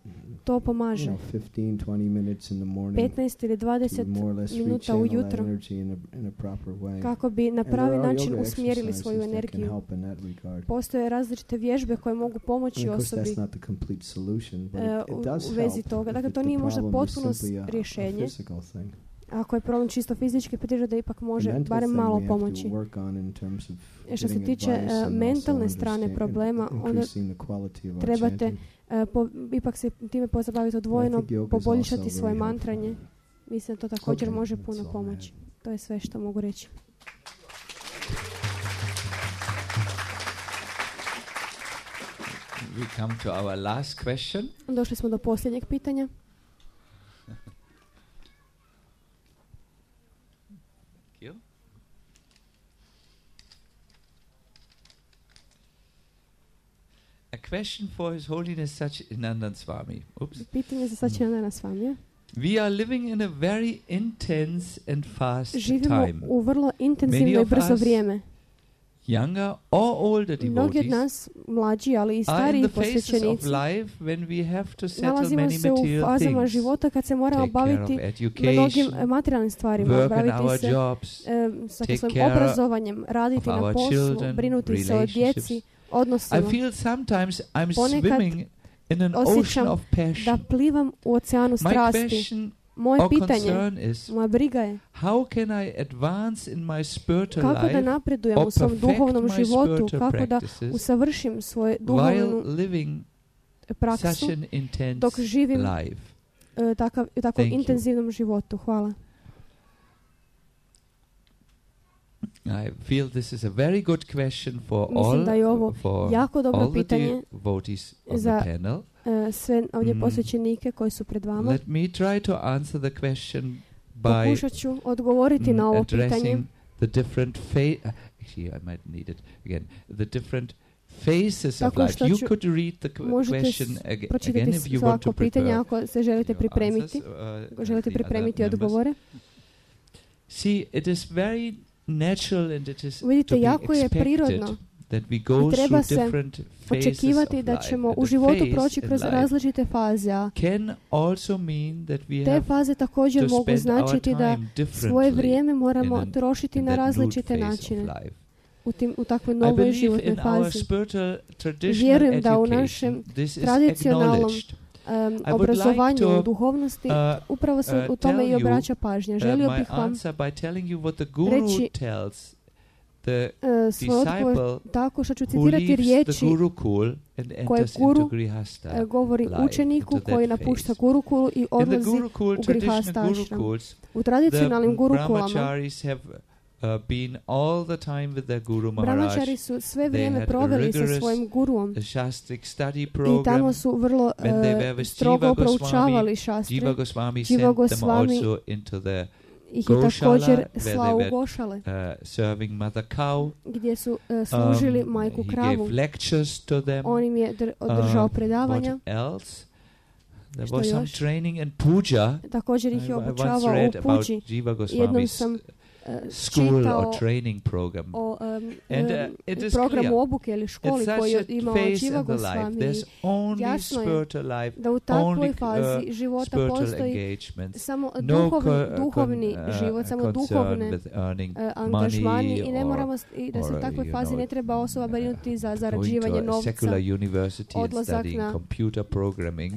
[SPEAKER 3] To
[SPEAKER 5] You
[SPEAKER 3] pomaže.
[SPEAKER 5] know, fifteen, twenty minutes in the morning
[SPEAKER 3] petnaest ili
[SPEAKER 5] to
[SPEAKER 3] dvadeset
[SPEAKER 5] more or less
[SPEAKER 3] minuta
[SPEAKER 5] rechannel that
[SPEAKER 3] ujutro
[SPEAKER 5] energy in a, in a proper way.
[SPEAKER 3] kako bi na
[SPEAKER 5] And
[SPEAKER 3] pravi
[SPEAKER 5] there are
[SPEAKER 3] način
[SPEAKER 5] yoga
[SPEAKER 3] usmjerili svoju
[SPEAKER 5] exercises that can
[SPEAKER 3] energiju.
[SPEAKER 5] help in that regard.
[SPEAKER 3] Postoje različite vježbe koje mogu
[SPEAKER 5] And
[SPEAKER 3] pomoći
[SPEAKER 5] of course,
[SPEAKER 3] osobi
[SPEAKER 5] that's not the complete solution, but
[SPEAKER 3] e,
[SPEAKER 5] it, it
[SPEAKER 3] u,
[SPEAKER 5] does
[SPEAKER 3] u vezi
[SPEAKER 5] help
[SPEAKER 3] toga.
[SPEAKER 5] if
[SPEAKER 3] Dakle,
[SPEAKER 5] it-
[SPEAKER 3] to
[SPEAKER 5] the
[SPEAKER 3] nije možda
[SPEAKER 5] problem is
[SPEAKER 3] potpuno
[SPEAKER 5] simply a- a
[SPEAKER 3] rješenje.
[SPEAKER 5] physical thing.
[SPEAKER 3] Ako je problem čisto fizički, prirode da ipak
[SPEAKER 5] The
[SPEAKER 3] može
[SPEAKER 5] mental
[SPEAKER 3] barem
[SPEAKER 5] thing
[SPEAKER 3] malo
[SPEAKER 5] we have
[SPEAKER 3] pomoći.
[SPEAKER 5] to work on in terms of
[SPEAKER 3] E, što se
[SPEAKER 5] getting
[SPEAKER 3] tiče
[SPEAKER 5] advice
[SPEAKER 3] e,
[SPEAKER 5] and
[SPEAKER 3] mentalne
[SPEAKER 5] also
[SPEAKER 3] strane
[SPEAKER 5] understand-
[SPEAKER 3] problema, onda
[SPEAKER 5] increasing the quality of our
[SPEAKER 3] trebate
[SPEAKER 5] chanting.
[SPEAKER 3] e, po, ipak se time pozabaviti odvojeno,
[SPEAKER 5] think yoga is
[SPEAKER 3] poboljšati
[SPEAKER 5] also
[SPEAKER 3] svoje
[SPEAKER 5] very
[SPEAKER 3] mantranje. Mislim da to također
[SPEAKER 5] Okay,
[SPEAKER 3] može
[SPEAKER 5] that's
[SPEAKER 3] puno
[SPEAKER 5] all I
[SPEAKER 3] pomoći. To je sve što mogu reći.
[SPEAKER 1] we come to our last question.
[SPEAKER 3] Došli smo do posljednjeg pitanja.
[SPEAKER 1] Thank you. A question for His Holiness Satchidananda Swami. Oops.
[SPEAKER 3] Pitanje za Satchidananda Swamija.
[SPEAKER 1] We are living in a very intense and fast
[SPEAKER 3] Živimo
[SPEAKER 1] time.
[SPEAKER 3] u vrlo
[SPEAKER 1] Many
[SPEAKER 3] intenzivno i
[SPEAKER 1] of
[SPEAKER 3] brzo
[SPEAKER 1] us,
[SPEAKER 3] vrijeme.
[SPEAKER 1] younger or older
[SPEAKER 3] Mnogi od
[SPEAKER 1] devotees,
[SPEAKER 3] nas, mlađi, ali i
[SPEAKER 1] are in
[SPEAKER 3] stariji
[SPEAKER 1] the phases of
[SPEAKER 3] posvećenici,
[SPEAKER 1] life when we have to settle
[SPEAKER 3] nalazimo
[SPEAKER 1] many
[SPEAKER 3] se u
[SPEAKER 1] material
[SPEAKER 3] fazama
[SPEAKER 1] things.
[SPEAKER 3] života kad se moramo
[SPEAKER 1] Take care of
[SPEAKER 3] baviti mnogim
[SPEAKER 1] education,
[SPEAKER 3] materijalnim stvarima,
[SPEAKER 1] work on
[SPEAKER 3] baviti
[SPEAKER 1] our
[SPEAKER 3] se
[SPEAKER 1] jobs,
[SPEAKER 3] e, sa
[SPEAKER 1] take
[SPEAKER 3] svojim
[SPEAKER 1] care
[SPEAKER 3] obrazovanjem, raditi
[SPEAKER 1] of
[SPEAKER 3] na
[SPEAKER 1] our
[SPEAKER 3] poslu,
[SPEAKER 1] children,
[SPEAKER 3] brinuti se o
[SPEAKER 1] relationships.
[SPEAKER 3] djeci,
[SPEAKER 1] I
[SPEAKER 3] odnosima.
[SPEAKER 1] feel sometimes I'm
[SPEAKER 3] Ponekad
[SPEAKER 1] swimming in an
[SPEAKER 3] osjećam
[SPEAKER 1] ocean of
[SPEAKER 3] Da
[SPEAKER 1] passion.
[SPEAKER 3] plivam u oceanu
[SPEAKER 1] My
[SPEAKER 3] strasti.
[SPEAKER 1] question
[SPEAKER 3] Moje
[SPEAKER 1] or
[SPEAKER 3] pitanje,
[SPEAKER 1] concern is,
[SPEAKER 3] moja briga je
[SPEAKER 1] how can I advance in my spiritual
[SPEAKER 3] kako da
[SPEAKER 1] life
[SPEAKER 3] napredujem
[SPEAKER 1] or
[SPEAKER 3] u svom
[SPEAKER 1] perfect
[SPEAKER 3] duhovnom
[SPEAKER 1] my
[SPEAKER 3] životu,
[SPEAKER 1] spiritual
[SPEAKER 3] kako da
[SPEAKER 1] practices
[SPEAKER 3] usavršim svoju
[SPEAKER 1] while
[SPEAKER 3] duhovnu
[SPEAKER 1] living
[SPEAKER 3] praksu
[SPEAKER 1] such an intense
[SPEAKER 3] dok živim
[SPEAKER 1] life?
[SPEAKER 3] e, takav, u takvom
[SPEAKER 1] Thank you.
[SPEAKER 3] intenzivnom životu. Hvala.
[SPEAKER 1] I feel this is a very good question for
[SPEAKER 3] Mislim
[SPEAKER 1] all
[SPEAKER 3] da je ovo
[SPEAKER 1] for
[SPEAKER 3] jako dobro
[SPEAKER 1] all the
[SPEAKER 3] pitanje
[SPEAKER 1] devotees on
[SPEAKER 3] za
[SPEAKER 1] the panel.
[SPEAKER 3] e, sve ovdje
[SPEAKER 1] Mm.
[SPEAKER 3] posvećenike koji su pred vama.
[SPEAKER 1] Let me try to answer the question by
[SPEAKER 3] Pokušat ću odgovoriti
[SPEAKER 1] mm,
[SPEAKER 3] na ovo pitanje
[SPEAKER 1] addressing the different fa- uh, actually I might need it again. The different phases of
[SPEAKER 3] Tako
[SPEAKER 1] life.
[SPEAKER 3] što
[SPEAKER 1] You
[SPEAKER 3] ću-
[SPEAKER 1] could read the qu-
[SPEAKER 3] možete
[SPEAKER 1] question
[SPEAKER 3] s-
[SPEAKER 1] ag- again
[SPEAKER 3] pročitati
[SPEAKER 1] if you want
[SPEAKER 3] svako
[SPEAKER 1] to
[SPEAKER 3] pitanje
[SPEAKER 1] prepare
[SPEAKER 3] ako se želite
[SPEAKER 1] your
[SPEAKER 3] pripremiti.
[SPEAKER 1] answers, uh,
[SPEAKER 3] Ako želite
[SPEAKER 1] the other
[SPEAKER 3] pripremiti
[SPEAKER 1] members.
[SPEAKER 3] odgovore.
[SPEAKER 1] See, it is very natural and it is
[SPEAKER 3] Vidite,
[SPEAKER 1] to be
[SPEAKER 3] jako je
[SPEAKER 1] expected
[SPEAKER 3] prirodno
[SPEAKER 1] that we go
[SPEAKER 3] i treba
[SPEAKER 1] through
[SPEAKER 3] se
[SPEAKER 1] different phases
[SPEAKER 3] očekivati
[SPEAKER 1] of
[SPEAKER 3] da
[SPEAKER 1] life.
[SPEAKER 3] ćemo
[SPEAKER 1] And
[SPEAKER 3] u
[SPEAKER 1] the
[SPEAKER 3] životu
[SPEAKER 1] phase
[SPEAKER 3] proći
[SPEAKER 1] in
[SPEAKER 3] kroz
[SPEAKER 1] life
[SPEAKER 3] različite faze, a
[SPEAKER 1] can also mean that we
[SPEAKER 3] te
[SPEAKER 1] have
[SPEAKER 3] faze također
[SPEAKER 1] to
[SPEAKER 3] mogu
[SPEAKER 1] spend our
[SPEAKER 3] značiti da
[SPEAKER 1] time
[SPEAKER 3] svoje
[SPEAKER 1] differently
[SPEAKER 3] vrijeme moramo
[SPEAKER 1] in an-
[SPEAKER 3] trošiti
[SPEAKER 1] in
[SPEAKER 3] na
[SPEAKER 1] that new
[SPEAKER 3] različite
[SPEAKER 1] phase of
[SPEAKER 3] načine
[SPEAKER 1] life.
[SPEAKER 3] u, tim, u takvoj
[SPEAKER 1] I
[SPEAKER 3] novoj
[SPEAKER 1] believe
[SPEAKER 3] životnoj
[SPEAKER 1] in our
[SPEAKER 3] fazi.
[SPEAKER 1] spiritual traditional
[SPEAKER 3] Vjerujem da u
[SPEAKER 1] education
[SPEAKER 3] našem
[SPEAKER 1] this is
[SPEAKER 3] tradicionalnom
[SPEAKER 1] acknowledged.
[SPEAKER 3] Um,
[SPEAKER 1] would
[SPEAKER 3] obrazovanju
[SPEAKER 1] like to,
[SPEAKER 3] u duhovnosti
[SPEAKER 1] uh,
[SPEAKER 3] upravo se
[SPEAKER 1] uh,
[SPEAKER 3] u tome
[SPEAKER 1] tell
[SPEAKER 3] i
[SPEAKER 1] you,
[SPEAKER 3] obraća pažnja.
[SPEAKER 1] Uh,
[SPEAKER 3] Želio
[SPEAKER 1] my
[SPEAKER 3] bih vam
[SPEAKER 1] answer by telling you what the guru
[SPEAKER 3] reći,
[SPEAKER 1] tells the
[SPEAKER 3] uh, svoj odgovor
[SPEAKER 1] disciple
[SPEAKER 3] tako što ću
[SPEAKER 1] who
[SPEAKER 3] citirati
[SPEAKER 1] leaves the
[SPEAKER 3] riječi
[SPEAKER 1] gurukul and
[SPEAKER 3] koje
[SPEAKER 1] enters
[SPEAKER 3] guru,
[SPEAKER 1] into grihasta
[SPEAKER 3] uh, govori
[SPEAKER 1] life,
[SPEAKER 3] učeniku
[SPEAKER 1] into that
[SPEAKER 3] koji napušta
[SPEAKER 1] phase.
[SPEAKER 3] gurukulu i
[SPEAKER 1] In the
[SPEAKER 3] odlazi
[SPEAKER 1] gurukul,
[SPEAKER 3] u
[SPEAKER 1] traditional
[SPEAKER 3] grihasta ashram.
[SPEAKER 1] gurukuls,
[SPEAKER 3] U
[SPEAKER 1] the
[SPEAKER 3] tradicionalnim gurukulama
[SPEAKER 1] brahmacharis have uh, been all the time with their guru Maharaj.
[SPEAKER 3] brahmačari su sve
[SPEAKER 1] They
[SPEAKER 3] vrijeme
[SPEAKER 1] had a
[SPEAKER 3] proveli sa
[SPEAKER 1] rigorous,
[SPEAKER 3] svojim guruom
[SPEAKER 1] The Shastric study
[SPEAKER 3] i
[SPEAKER 1] program.
[SPEAKER 3] tamo su vrlo
[SPEAKER 1] When they were
[SPEAKER 3] uh,
[SPEAKER 1] with
[SPEAKER 3] strogo
[SPEAKER 1] Jiva
[SPEAKER 3] proučavali
[SPEAKER 1] Goswami,
[SPEAKER 3] šastre.
[SPEAKER 1] Jiva Goswami
[SPEAKER 3] Jiva
[SPEAKER 1] sent them
[SPEAKER 3] Goswami
[SPEAKER 1] also into the
[SPEAKER 3] Ih je
[SPEAKER 1] Goshala,
[SPEAKER 3] također
[SPEAKER 1] where
[SPEAKER 3] slao
[SPEAKER 1] they
[SPEAKER 3] u Gošale,
[SPEAKER 1] uh, serving mother cow.
[SPEAKER 3] gdje su uh, služili
[SPEAKER 1] Um,
[SPEAKER 3] majku
[SPEAKER 1] he
[SPEAKER 3] kravu.
[SPEAKER 1] gave lectures to them.
[SPEAKER 3] On im je dr- održao
[SPEAKER 1] Um,
[SPEAKER 3] predavanja.
[SPEAKER 1] What else? There
[SPEAKER 3] Što
[SPEAKER 1] was some
[SPEAKER 3] još?
[SPEAKER 1] training and puja.
[SPEAKER 3] Također ih
[SPEAKER 1] I,
[SPEAKER 3] je
[SPEAKER 1] I once
[SPEAKER 3] obučavao
[SPEAKER 1] read
[SPEAKER 3] u
[SPEAKER 1] about
[SPEAKER 3] puđi.
[SPEAKER 1] Jiva
[SPEAKER 3] Jednom
[SPEAKER 1] Goswami's
[SPEAKER 3] sam uh,
[SPEAKER 1] school
[SPEAKER 3] čitao
[SPEAKER 1] or training program.
[SPEAKER 3] o um,
[SPEAKER 1] And,
[SPEAKER 3] um,
[SPEAKER 1] uh, it is
[SPEAKER 3] programu
[SPEAKER 1] clear.
[SPEAKER 3] obuke ili školi
[SPEAKER 1] It's
[SPEAKER 3] koju
[SPEAKER 1] such
[SPEAKER 3] je
[SPEAKER 1] a
[SPEAKER 3] imao
[SPEAKER 1] phase
[SPEAKER 3] Jiva
[SPEAKER 1] in the life.
[SPEAKER 3] Goswami.
[SPEAKER 1] There's only
[SPEAKER 3] Jasno je
[SPEAKER 1] spiritual life,
[SPEAKER 3] Da u takvoj
[SPEAKER 1] only, uh,
[SPEAKER 3] fazi života
[SPEAKER 1] spiritual
[SPEAKER 3] postoji
[SPEAKER 1] engagements.
[SPEAKER 3] samo
[SPEAKER 1] No
[SPEAKER 3] duhovni,
[SPEAKER 1] co-
[SPEAKER 3] duhovni
[SPEAKER 1] con- uh,
[SPEAKER 3] život, samo
[SPEAKER 1] concern
[SPEAKER 3] duhovne
[SPEAKER 1] with earning
[SPEAKER 3] uh, angažmani
[SPEAKER 1] money
[SPEAKER 3] i ne
[SPEAKER 1] or-
[SPEAKER 3] moramo s- i da se u
[SPEAKER 1] or,
[SPEAKER 3] takvoj
[SPEAKER 1] you
[SPEAKER 3] fazi
[SPEAKER 1] know,
[SPEAKER 3] ne treba osoba brinuti za
[SPEAKER 1] going
[SPEAKER 3] zarađivanje
[SPEAKER 1] to a
[SPEAKER 3] novca,
[SPEAKER 1] secular university and
[SPEAKER 3] odlazak
[SPEAKER 1] studying
[SPEAKER 3] na
[SPEAKER 1] computer programming.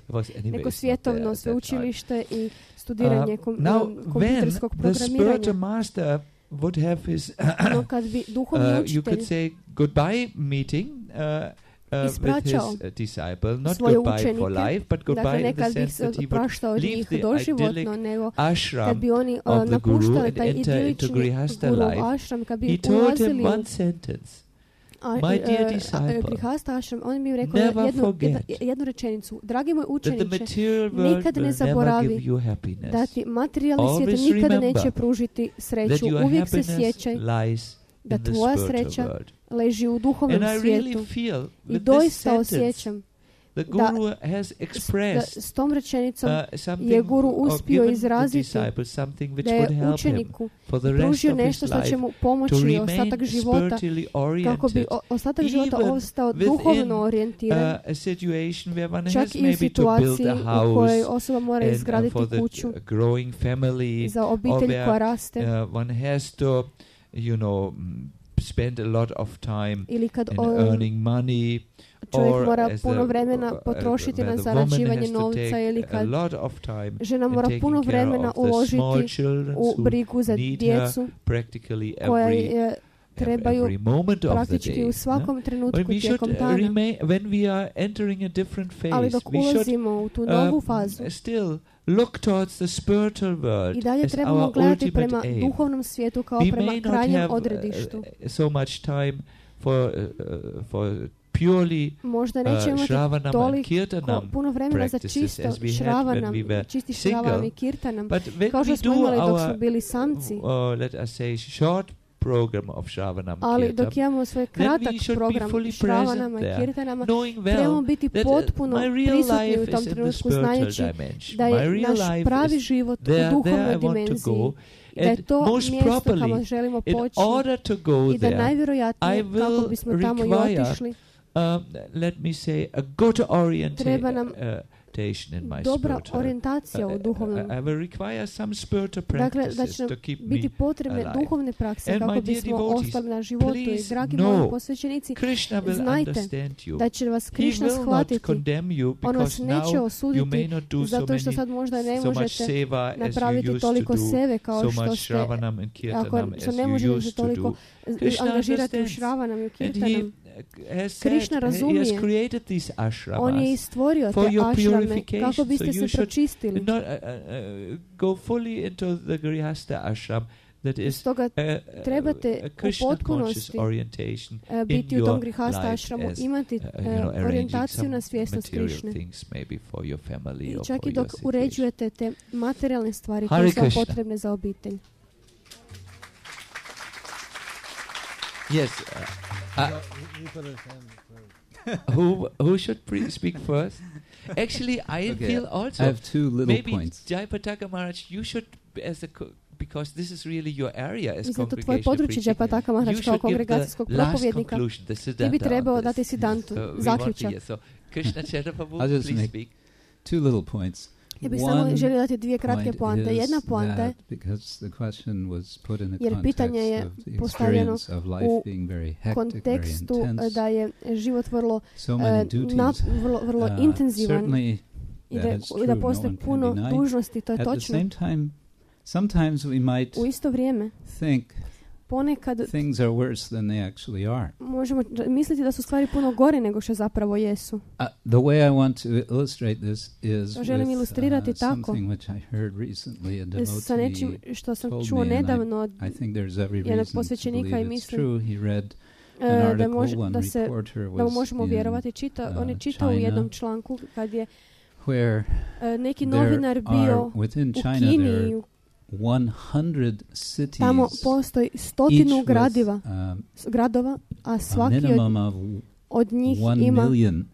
[SPEAKER 1] was anyway
[SPEAKER 3] neko
[SPEAKER 1] it's not there
[SPEAKER 3] svjetovno
[SPEAKER 1] at that time.
[SPEAKER 3] sveučilište i studiranje
[SPEAKER 1] Uh,
[SPEAKER 3] kom,
[SPEAKER 1] now,
[SPEAKER 3] um, kompjuterskog
[SPEAKER 1] when the spiritual
[SPEAKER 3] programiranja.
[SPEAKER 1] master would have his,
[SPEAKER 3] No, kad bi duhovni
[SPEAKER 1] uh, you
[SPEAKER 3] učitelj
[SPEAKER 1] could say goodbye meeting uh, uh, with his
[SPEAKER 3] Ispraćao
[SPEAKER 1] uh, disciple, not
[SPEAKER 3] svoje
[SPEAKER 1] goodbye for
[SPEAKER 3] učenike.
[SPEAKER 1] life, but
[SPEAKER 3] Dakle,
[SPEAKER 1] goodbye
[SPEAKER 3] ne
[SPEAKER 1] in the
[SPEAKER 3] kad bih
[SPEAKER 1] sense
[SPEAKER 3] se
[SPEAKER 1] that he would
[SPEAKER 3] praštao od
[SPEAKER 1] leave
[SPEAKER 3] njih
[SPEAKER 1] the
[SPEAKER 3] doživotno,
[SPEAKER 1] idyllic
[SPEAKER 3] nego kad
[SPEAKER 1] ashram
[SPEAKER 3] bi oni uh,
[SPEAKER 1] of the guru
[SPEAKER 3] napuštali
[SPEAKER 1] and
[SPEAKER 3] taj
[SPEAKER 1] enter into
[SPEAKER 3] idilični
[SPEAKER 1] grihasta
[SPEAKER 3] guru
[SPEAKER 1] life.
[SPEAKER 3] ashram, kad
[SPEAKER 1] He
[SPEAKER 3] bi
[SPEAKER 1] told him
[SPEAKER 3] ulazili u
[SPEAKER 1] one sentence.
[SPEAKER 3] a,
[SPEAKER 1] My dear
[SPEAKER 3] uh,
[SPEAKER 1] disciple,
[SPEAKER 3] uh, grihasta ashram, on bi im rekao
[SPEAKER 1] never
[SPEAKER 3] jednu,
[SPEAKER 1] forget
[SPEAKER 3] jedna, jednu rečenicu. Dragi moj
[SPEAKER 1] that the
[SPEAKER 3] učeniče,
[SPEAKER 1] material world
[SPEAKER 3] nikad ne
[SPEAKER 1] will never
[SPEAKER 3] zaboravi
[SPEAKER 1] give you happiness.
[SPEAKER 3] da ti materijalni svijet
[SPEAKER 1] Always
[SPEAKER 3] nikada
[SPEAKER 1] remember
[SPEAKER 3] neće pružiti
[SPEAKER 1] That
[SPEAKER 3] sreću.
[SPEAKER 1] your
[SPEAKER 3] Uvijek se
[SPEAKER 1] happiness
[SPEAKER 3] sjećaj
[SPEAKER 1] lies
[SPEAKER 3] da
[SPEAKER 1] in the
[SPEAKER 3] tvoja
[SPEAKER 1] spiritual
[SPEAKER 3] sreća
[SPEAKER 1] world.
[SPEAKER 3] leži u duhovnom
[SPEAKER 1] And I
[SPEAKER 3] svijetu.
[SPEAKER 1] really feel
[SPEAKER 3] I
[SPEAKER 1] with this
[SPEAKER 3] doista
[SPEAKER 1] sentence,
[SPEAKER 3] osjećam
[SPEAKER 1] the
[SPEAKER 3] da
[SPEAKER 1] guru has
[SPEAKER 3] s, da
[SPEAKER 1] expressed
[SPEAKER 3] s tom rečenicom
[SPEAKER 1] uh, something
[SPEAKER 3] je guru
[SPEAKER 1] or
[SPEAKER 3] uspio
[SPEAKER 1] given
[SPEAKER 3] izraziti
[SPEAKER 1] the disciple something which
[SPEAKER 3] da
[SPEAKER 1] would
[SPEAKER 3] je
[SPEAKER 1] help him
[SPEAKER 3] učeniku
[SPEAKER 1] for the rest
[SPEAKER 3] pružio
[SPEAKER 1] of his
[SPEAKER 3] nešto što će
[SPEAKER 1] life
[SPEAKER 3] mu
[SPEAKER 1] to
[SPEAKER 3] pomoći ostatak
[SPEAKER 1] remain
[SPEAKER 3] života
[SPEAKER 1] spiritually
[SPEAKER 3] kako bi
[SPEAKER 1] oriented.
[SPEAKER 3] o, ostatak života
[SPEAKER 1] even
[SPEAKER 3] ostao
[SPEAKER 1] within,
[SPEAKER 3] duhovno
[SPEAKER 1] Uh,
[SPEAKER 3] orijentiran,
[SPEAKER 1] a situation where one
[SPEAKER 3] čak
[SPEAKER 1] has
[SPEAKER 3] i u
[SPEAKER 1] maybe to build
[SPEAKER 3] situaciji
[SPEAKER 1] a
[SPEAKER 3] u kojoj
[SPEAKER 1] house
[SPEAKER 3] osoba mora
[SPEAKER 1] and, uh,
[SPEAKER 3] izgraditi
[SPEAKER 1] for the
[SPEAKER 3] kuću
[SPEAKER 1] uh, growing family,
[SPEAKER 3] za
[SPEAKER 1] or
[SPEAKER 3] obitelj
[SPEAKER 1] where
[SPEAKER 3] koja raste,
[SPEAKER 1] uh, one has to, you know, mm, spend a lot of time
[SPEAKER 3] ili kad
[SPEAKER 1] in
[SPEAKER 3] o,
[SPEAKER 1] earning money,
[SPEAKER 3] čovjek
[SPEAKER 1] or
[SPEAKER 3] mora
[SPEAKER 1] as
[SPEAKER 3] puno
[SPEAKER 1] the,
[SPEAKER 3] vremena
[SPEAKER 1] uh,
[SPEAKER 3] potrošiti
[SPEAKER 1] where
[SPEAKER 3] na
[SPEAKER 1] the woman
[SPEAKER 3] zarađivanje
[SPEAKER 1] has to
[SPEAKER 3] novca
[SPEAKER 1] take
[SPEAKER 3] ili
[SPEAKER 1] a
[SPEAKER 3] kad
[SPEAKER 1] lot of time
[SPEAKER 3] žena
[SPEAKER 1] in
[SPEAKER 3] mora
[SPEAKER 1] taking
[SPEAKER 3] puno
[SPEAKER 1] care
[SPEAKER 3] vremena
[SPEAKER 1] of the small
[SPEAKER 3] uložiti
[SPEAKER 1] children
[SPEAKER 3] u
[SPEAKER 1] who
[SPEAKER 3] brigu za
[SPEAKER 1] need her
[SPEAKER 3] djecu
[SPEAKER 1] practically
[SPEAKER 3] koja
[SPEAKER 1] every,
[SPEAKER 3] je trebaju
[SPEAKER 1] every moment of the
[SPEAKER 3] praktički
[SPEAKER 1] day.
[SPEAKER 3] u
[SPEAKER 1] no?
[SPEAKER 3] svakom trenutku
[SPEAKER 1] But we should
[SPEAKER 3] tijekom
[SPEAKER 1] uh,
[SPEAKER 3] dana.
[SPEAKER 1] remain, when we are entering a different
[SPEAKER 3] Ali
[SPEAKER 1] phase,
[SPEAKER 3] dok
[SPEAKER 1] we should
[SPEAKER 3] ulazimo u tu novu
[SPEAKER 1] uh,
[SPEAKER 3] fazu
[SPEAKER 1] still look towards the spiritual world
[SPEAKER 3] i dalje
[SPEAKER 1] as
[SPEAKER 3] trebamo
[SPEAKER 1] our
[SPEAKER 3] gledati
[SPEAKER 1] ultimate
[SPEAKER 3] prema
[SPEAKER 1] aim.
[SPEAKER 3] duhovnom svijetu kao
[SPEAKER 1] We
[SPEAKER 3] prema
[SPEAKER 1] may not
[SPEAKER 3] krajnjem
[SPEAKER 1] have
[SPEAKER 3] odredištu.
[SPEAKER 1] uh, so much time for uh, uh, for purely
[SPEAKER 3] možda
[SPEAKER 1] uh,
[SPEAKER 3] neće imati
[SPEAKER 1] Shravanam and
[SPEAKER 3] toliko
[SPEAKER 1] Kirtanam
[SPEAKER 3] puno vremena za
[SPEAKER 1] practices
[SPEAKER 3] čisto
[SPEAKER 1] as we had
[SPEAKER 3] Shravanam,
[SPEAKER 1] when we were
[SPEAKER 3] čisti
[SPEAKER 1] single.
[SPEAKER 3] Shravanam i Kirtanam,
[SPEAKER 1] But when
[SPEAKER 3] kao što
[SPEAKER 1] we
[SPEAKER 3] smo
[SPEAKER 1] do
[SPEAKER 3] imali dok
[SPEAKER 1] our,
[SPEAKER 3] smo bili samci.
[SPEAKER 1] uh, let us say, short program of Shravanam
[SPEAKER 3] Ali
[SPEAKER 1] Kirtan,
[SPEAKER 3] dok imamo svoj
[SPEAKER 1] then
[SPEAKER 3] kratak
[SPEAKER 1] we should be
[SPEAKER 3] program
[SPEAKER 1] fully
[SPEAKER 3] Shravanama
[SPEAKER 1] present
[SPEAKER 3] i
[SPEAKER 1] there,
[SPEAKER 3] Kirtanama,
[SPEAKER 1] knowing
[SPEAKER 3] trebamo
[SPEAKER 1] well
[SPEAKER 3] biti
[SPEAKER 1] that uh,
[SPEAKER 3] potpuno
[SPEAKER 1] my real
[SPEAKER 3] prisutni u
[SPEAKER 1] life
[SPEAKER 3] tom
[SPEAKER 1] is in the
[SPEAKER 3] trenutku,
[SPEAKER 1] spiritual
[SPEAKER 3] znajući
[SPEAKER 1] dimension.
[SPEAKER 3] da
[SPEAKER 1] My
[SPEAKER 3] je
[SPEAKER 1] real
[SPEAKER 3] naš
[SPEAKER 1] life
[SPEAKER 3] pravi
[SPEAKER 1] is
[SPEAKER 3] život
[SPEAKER 1] there,
[SPEAKER 3] u
[SPEAKER 1] there
[SPEAKER 3] duhovnoj
[SPEAKER 1] I want to
[SPEAKER 3] dimenziji,
[SPEAKER 1] go.
[SPEAKER 3] da je
[SPEAKER 1] And
[SPEAKER 3] to
[SPEAKER 1] most
[SPEAKER 3] mjesto kamo
[SPEAKER 1] properly,
[SPEAKER 3] želimo
[SPEAKER 1] in
[SPEAKER 3] poći
[SPEAKER 1] order to go
[SPEAKER 3] i da
[SPEAKER 1] there, I
[SPEAKER 3] najvjerojatnije kako
[SPEAKER 1] will
[SPEAKER 3] bismo tamo i
[SPEAKER 1] require,
[SPEAKER 3] otišli,
[SPEAKER 1] um, let me say, a good
[SPEAKER 3] treba nam
[SPEAKER 1] orientation in my
[SPEAKER 3] dobra
[SPEAKER 1] spiritual.
[SPEAKER 3] orijentacija u
[SPEAKER 1] Uh,
[SPEAKER 3] duhovnom.
[SPEAKER 1] I will require some spiritual
[SPEAKER 3] Dakle, da
[SPEAKER 1] practices
[SPEAKER 3] će nam
[SPEAKER 1] to keep me
[SPEAKER 3] biti potrebne
[SPEAKER 1] alive.
[SPEAKER 3] duhovne prakse
[SPEAKER 1] And my
[SPEAKER 3] kako
[SPEAKER 1] dear
[SPEAKER 3] bismo
[SPEAKER 1] devotees,
[SPEAKER 3] ostali na životu. I
[SPEAKER 1] please
[SPEAKER 3] dragi
[SPEAKER 1] know,
[SPEAKER 3] moji posvećenici,
[SPEAKER 1] Krishna will
[SPEAKER 3] znajte
[SPEAKER 1] understand you.
[SPEAKER 3] da će vas
[SPEAKER 1] He
[SPEAKER 3] Krišna
[SPEAKER 1] will not
[SPEAKER 3] shvatiti.
[SPEAKER 1] condemn you
[SPEAKER 3] On vas
[SPEAKER 1] because
[SPEAKER 3] neće
[SPEAKER 1] now you may
[SPEAKER 3] osuditi
[SPEAKER 1] not do so
[SPEAKER 3] zato što
[SPEAKER 1] many
[SPEAKER 3] sad možda ne
[SPEAKER 1] so much
[SPEAKER 3] možete
[SPEAKER 1] seva as you
[SPEAKER 3] napraviti
[SPEAKER 1] used
[SPEAKER 3] toliko
[SPEAKER 1] to do,
[SPEAKER 3] seve kao
[SPEAKER 1] so
[SPEAKER 3] što
[SPEAKER 1] much
[SPEAKER 3] ste,
[SPEAKER 1] Shravanam and Kirtanam
[SPEAKER 3] ako
[SPEAKER 1] as
[SPEAKER 3] što ne
[SPEAKER 1] you
[SPEAKER 3] možete se
[SPEAKER 1] used to
[SPEAKER 3] toliko
[SPEAKER 1] do. Krishna
[SPEAKER 3] angažirati u
[SPEAKER 1] understands.
[SPEAKER 3] Shravanam i u
[SPEAKER 1] And he
[SPEAKER 3] Kirtanam.
[SPEAKER 1] has said,
[SPEAKER 3] Krishna
[SPEAKER 1] he has
[SPEAKER 3] razumije.
[SPEAKER 1] created these
[SPEAKER 3] On je
[SPEAKER 1] ashramas
[SPEAKER 3] i stvorio
[SPEAKER 1] for
[SPEAKER 3] te
[SPEAKER 1] your
[SPEAKER 3] ašrame
[SPEAKER 1] purification.
[SPEAKER 3] kako biste
[SPEAKER 1] So
[SPEAKER 3] se
[SPEAKER 1] you should
[SPEAKER 3] pročistili.
[SPEAKER 1] not uh, uh, uh, go fully into the Grihastha ashram that is
[SPEAKER 3] Stoga
[SPEAKER 1] uh, uh,
[SPEAKER 3] trebate
[SPEAKER 1] a
[SPEAKER 3] u
[SPEAKER 1] Krishna conscious
[SPEAKER 3] potpunosti
[SPEAKER 1] orientation
[SPEAKER 3] e, biti
[SPEAKER 1] in
[SPEAKER 3] u tom
[SPEAKER 1] your
[SPEAKER 3] grihasta
[SPEAKER 1] life
[SPEAKER 3] ašramu,
[SPEAKER 1] as,
[SPEAKER 3] imati
[SPEAKER 1] uh, you
[SPEAKER 3] e,
[SPEAKER 1] know, arranging
[SPEAKER 3] orijentaciju
[SPEAKER 1] some
[SPEAKER 3] na svjesnost
[SPEAKER 1] material
[SPEAKER 3] Krišne.
[SPEAKER 1] things maybe for your family
[SPEAKER 3] I
[SPEAKER 1] or
[SPEAKER 3] čak
[SPEAKER 1] for
[SPEAKER 3] i dok
[SPEAKER 1] your situation.
[SPEAKER 3] uređujete te materijalne stvari
[SPEAKER 1] Hare
[SPEAKER 3] koje su vam
[SPEAKER 1] Krishna.
[SPEAKER 3] potrebne za obitelj.
[SPEAKER 1] Yes. Uh, uh,
[SPEAKER 4] You put his hand first.
[SPEAKER 1] who who should pre- speak first? Actually, I
[SPEAKER 2] Okay,
[SPEAKER 1] feel
[SPEAKER 2] I
[SPEAKER 1] also
[SPEAKER 2] have two little
[SPEAKER 1] maybe
[SPEAKER 2] points.
[SPEAKER 1] Jayapataka Maharaj, you should as a co- because this is really your area as
[SPEAKER 3] Mislim da to tvoje
[SPEAKER 1] congregation
[SPEAKER 3] područje
[SPEAKER 1] preaching.
[SPEAKER 3] Jayapataka
[SPEAKER 1] You
[SPEAKER 3] Maharaj kao
[SPEAKER 1] should give
[SPEAKER 3] kongregacijskog
[SPEAKER 1] the last
[SPEAKER 3] propovednika.
[SPEAKER 1] conclusion, the
[SPEAKER 3] Ti
[SPEAKER 1] Siddhanta
[SPEAKER 3] bi trebao
[SPEAKER 1] on
[SPEAKER 3] dati
[SPEAKER 1] this.
[SPEAKER 3] Siddhantu,
[SPEAKER 1] So we want to
[SPEAKER 3] zaključak.
[SPEAKER 1] hear. So Krishna Chaitanya,
[SPEAKER 2] I'll just
[SPEAKER 1] please
[SPEAKER 2] make
[SPEAKER 1] speak.
[SPEAKER 2] Two little points.
[SPEAKER 3] Ja bih samo
[SPEAKER 2] One
[SPEAKER 3] želio dati dvije kratke
[SPEAKER 2] point
[SPEAKER 3] poante.
[SPEAKER 2] is
[SPEAKER 3] Jedna poanta je,
[SPEAKER 2] that because the question was put in the
[SPEAKER 3] jer pitanje je
[SPEAKER 2] context of the
[SPEAKER 3] postavljeno
[SPEAKER 2] experience of life
[SPEAKER 3] u
[SPEAKER 2] being very hectic, very
[SPEAKER 3] kontekstu
[SPEAKER 2] intense,
[SPEAKER 3] da je život vrlo,
[SPEAKER 2] so
[SPEAKER 3] e,
[SPEAKER 2] many duties.
[SPEAKER 3] nap, vrlo, vrlo
[SPEAKER 2] Uh,
[SPEAKER 3] intenzivan
[SPEAKER 2] certainly
[SPEAKER 3] i
[SPEAKER 2] that
[SPEAKER 3] da,
[SPEAKER 2] is
[SPEAKER 3] i
[SPEAKER 2] true,
[SPEAKER 3] da
[SPEAKER 2] no
[SPEAKER 3] postoje
[SPEAKER 2] one can
[SPEAKER 3] puno
[SPEAKER 2] deny.
[SPEAKER 3] dužnosti, to je
[SPEAKER 2] At the
[SPEAKER 3] točno.
[SPEAKER 2] same time, sometimes we might
[SPEAKER 3] U isto vrijeme,
[SPEAKER 2] think
[SPEAKER 3] ponekad
[SPEAKER 2] things are worse than they actually are.
[SPEAKER 3] možemo r- misliti da su stvari puno gore nego što zapravo jesu.
[SPEAKER 2] Uh, the way I want to illustrate this is
[SPEAKER 3] To želim
[SPEAKER 2] with,
[SPEAKER 3] ilustrirati
[SPEAKER 2] uh,
[SPEAKER 3] tako.
[SPEAKER 2] something which I heard recently. A
[SPEAKER 3] Sa nečim
[SPEAKER 2] devotee
[SPEAKER 3] što sam
[SPEAKER 2] told
[SPEAKER 3] čuo
[SPEAKER 2] me, and I-
[SPEAKER 3] nedavno od
[SPEAKER 2] I think there's every
[SPEAKER 3] jednog
[SPEAKER 2] reason to
[SPEAKER 3] posvećenika
[SPEAKER 2] believe
[SPEAKER 3] i
[SPEAKER 2] it's
[SPEAKER 3] mislim
[SPEAKER 2] true. He read
[SPEAKER 3] e,
[SPEAKER 2] an
[SPEAKER 3] da,
[SPEAKER 2] article,
[SPEAKER 3] može,
[SPEAKER 2] one
[SPEAKER 3] da, se,
[SPEAKER 2] reporter
[SPEAKER 3] da mu
[SPEAKER 2] was
[SPEAKER 3] možemo
[SPEAKER 2] in
[SPEAKER 3] vjerovati. Čita, on je
[SPEAKER 2] uh,
[SPEAKER 3] čitao u
[SPEAKER 2] China,
[SPEAKER 3] jednom članku kad je
[SPEAKER 2] where
[SPEAKER 3] e, neki
[SPEAKER 2] there
[SPEAKER 3] novinar
[SPEAKER 2] are,
[SPEAKER 3] bio
[SPEAKER 2] within
[SPEAKER 3] u
[SPEAKER 2] China
[SPEAKER 3] Kini
[SPEAKER 2] there
[SPEAKER 3] i
[SPEAKER 2] are
[SPEAKER 3] u-
[SPEAKER 2] one hundred cities,
[SPEAKER 3] tamo postoji
[SPEAKER 2] each
[SPEAKER 3] stotinu
[SPEAKER 2] with
[SPEAKER 3] gradiva,
[SPEAKER 2] um,
[SPEAKER 3] s- gradova, a
[SPEAKER 2] a
[SPEAKER 3] svaki od,
[SPEAKER 2] minimum of
[SPEAKER 3] od njih
[SPEAKER 2] one
[SPEAKER 3] ima
[SPEAKER 2] million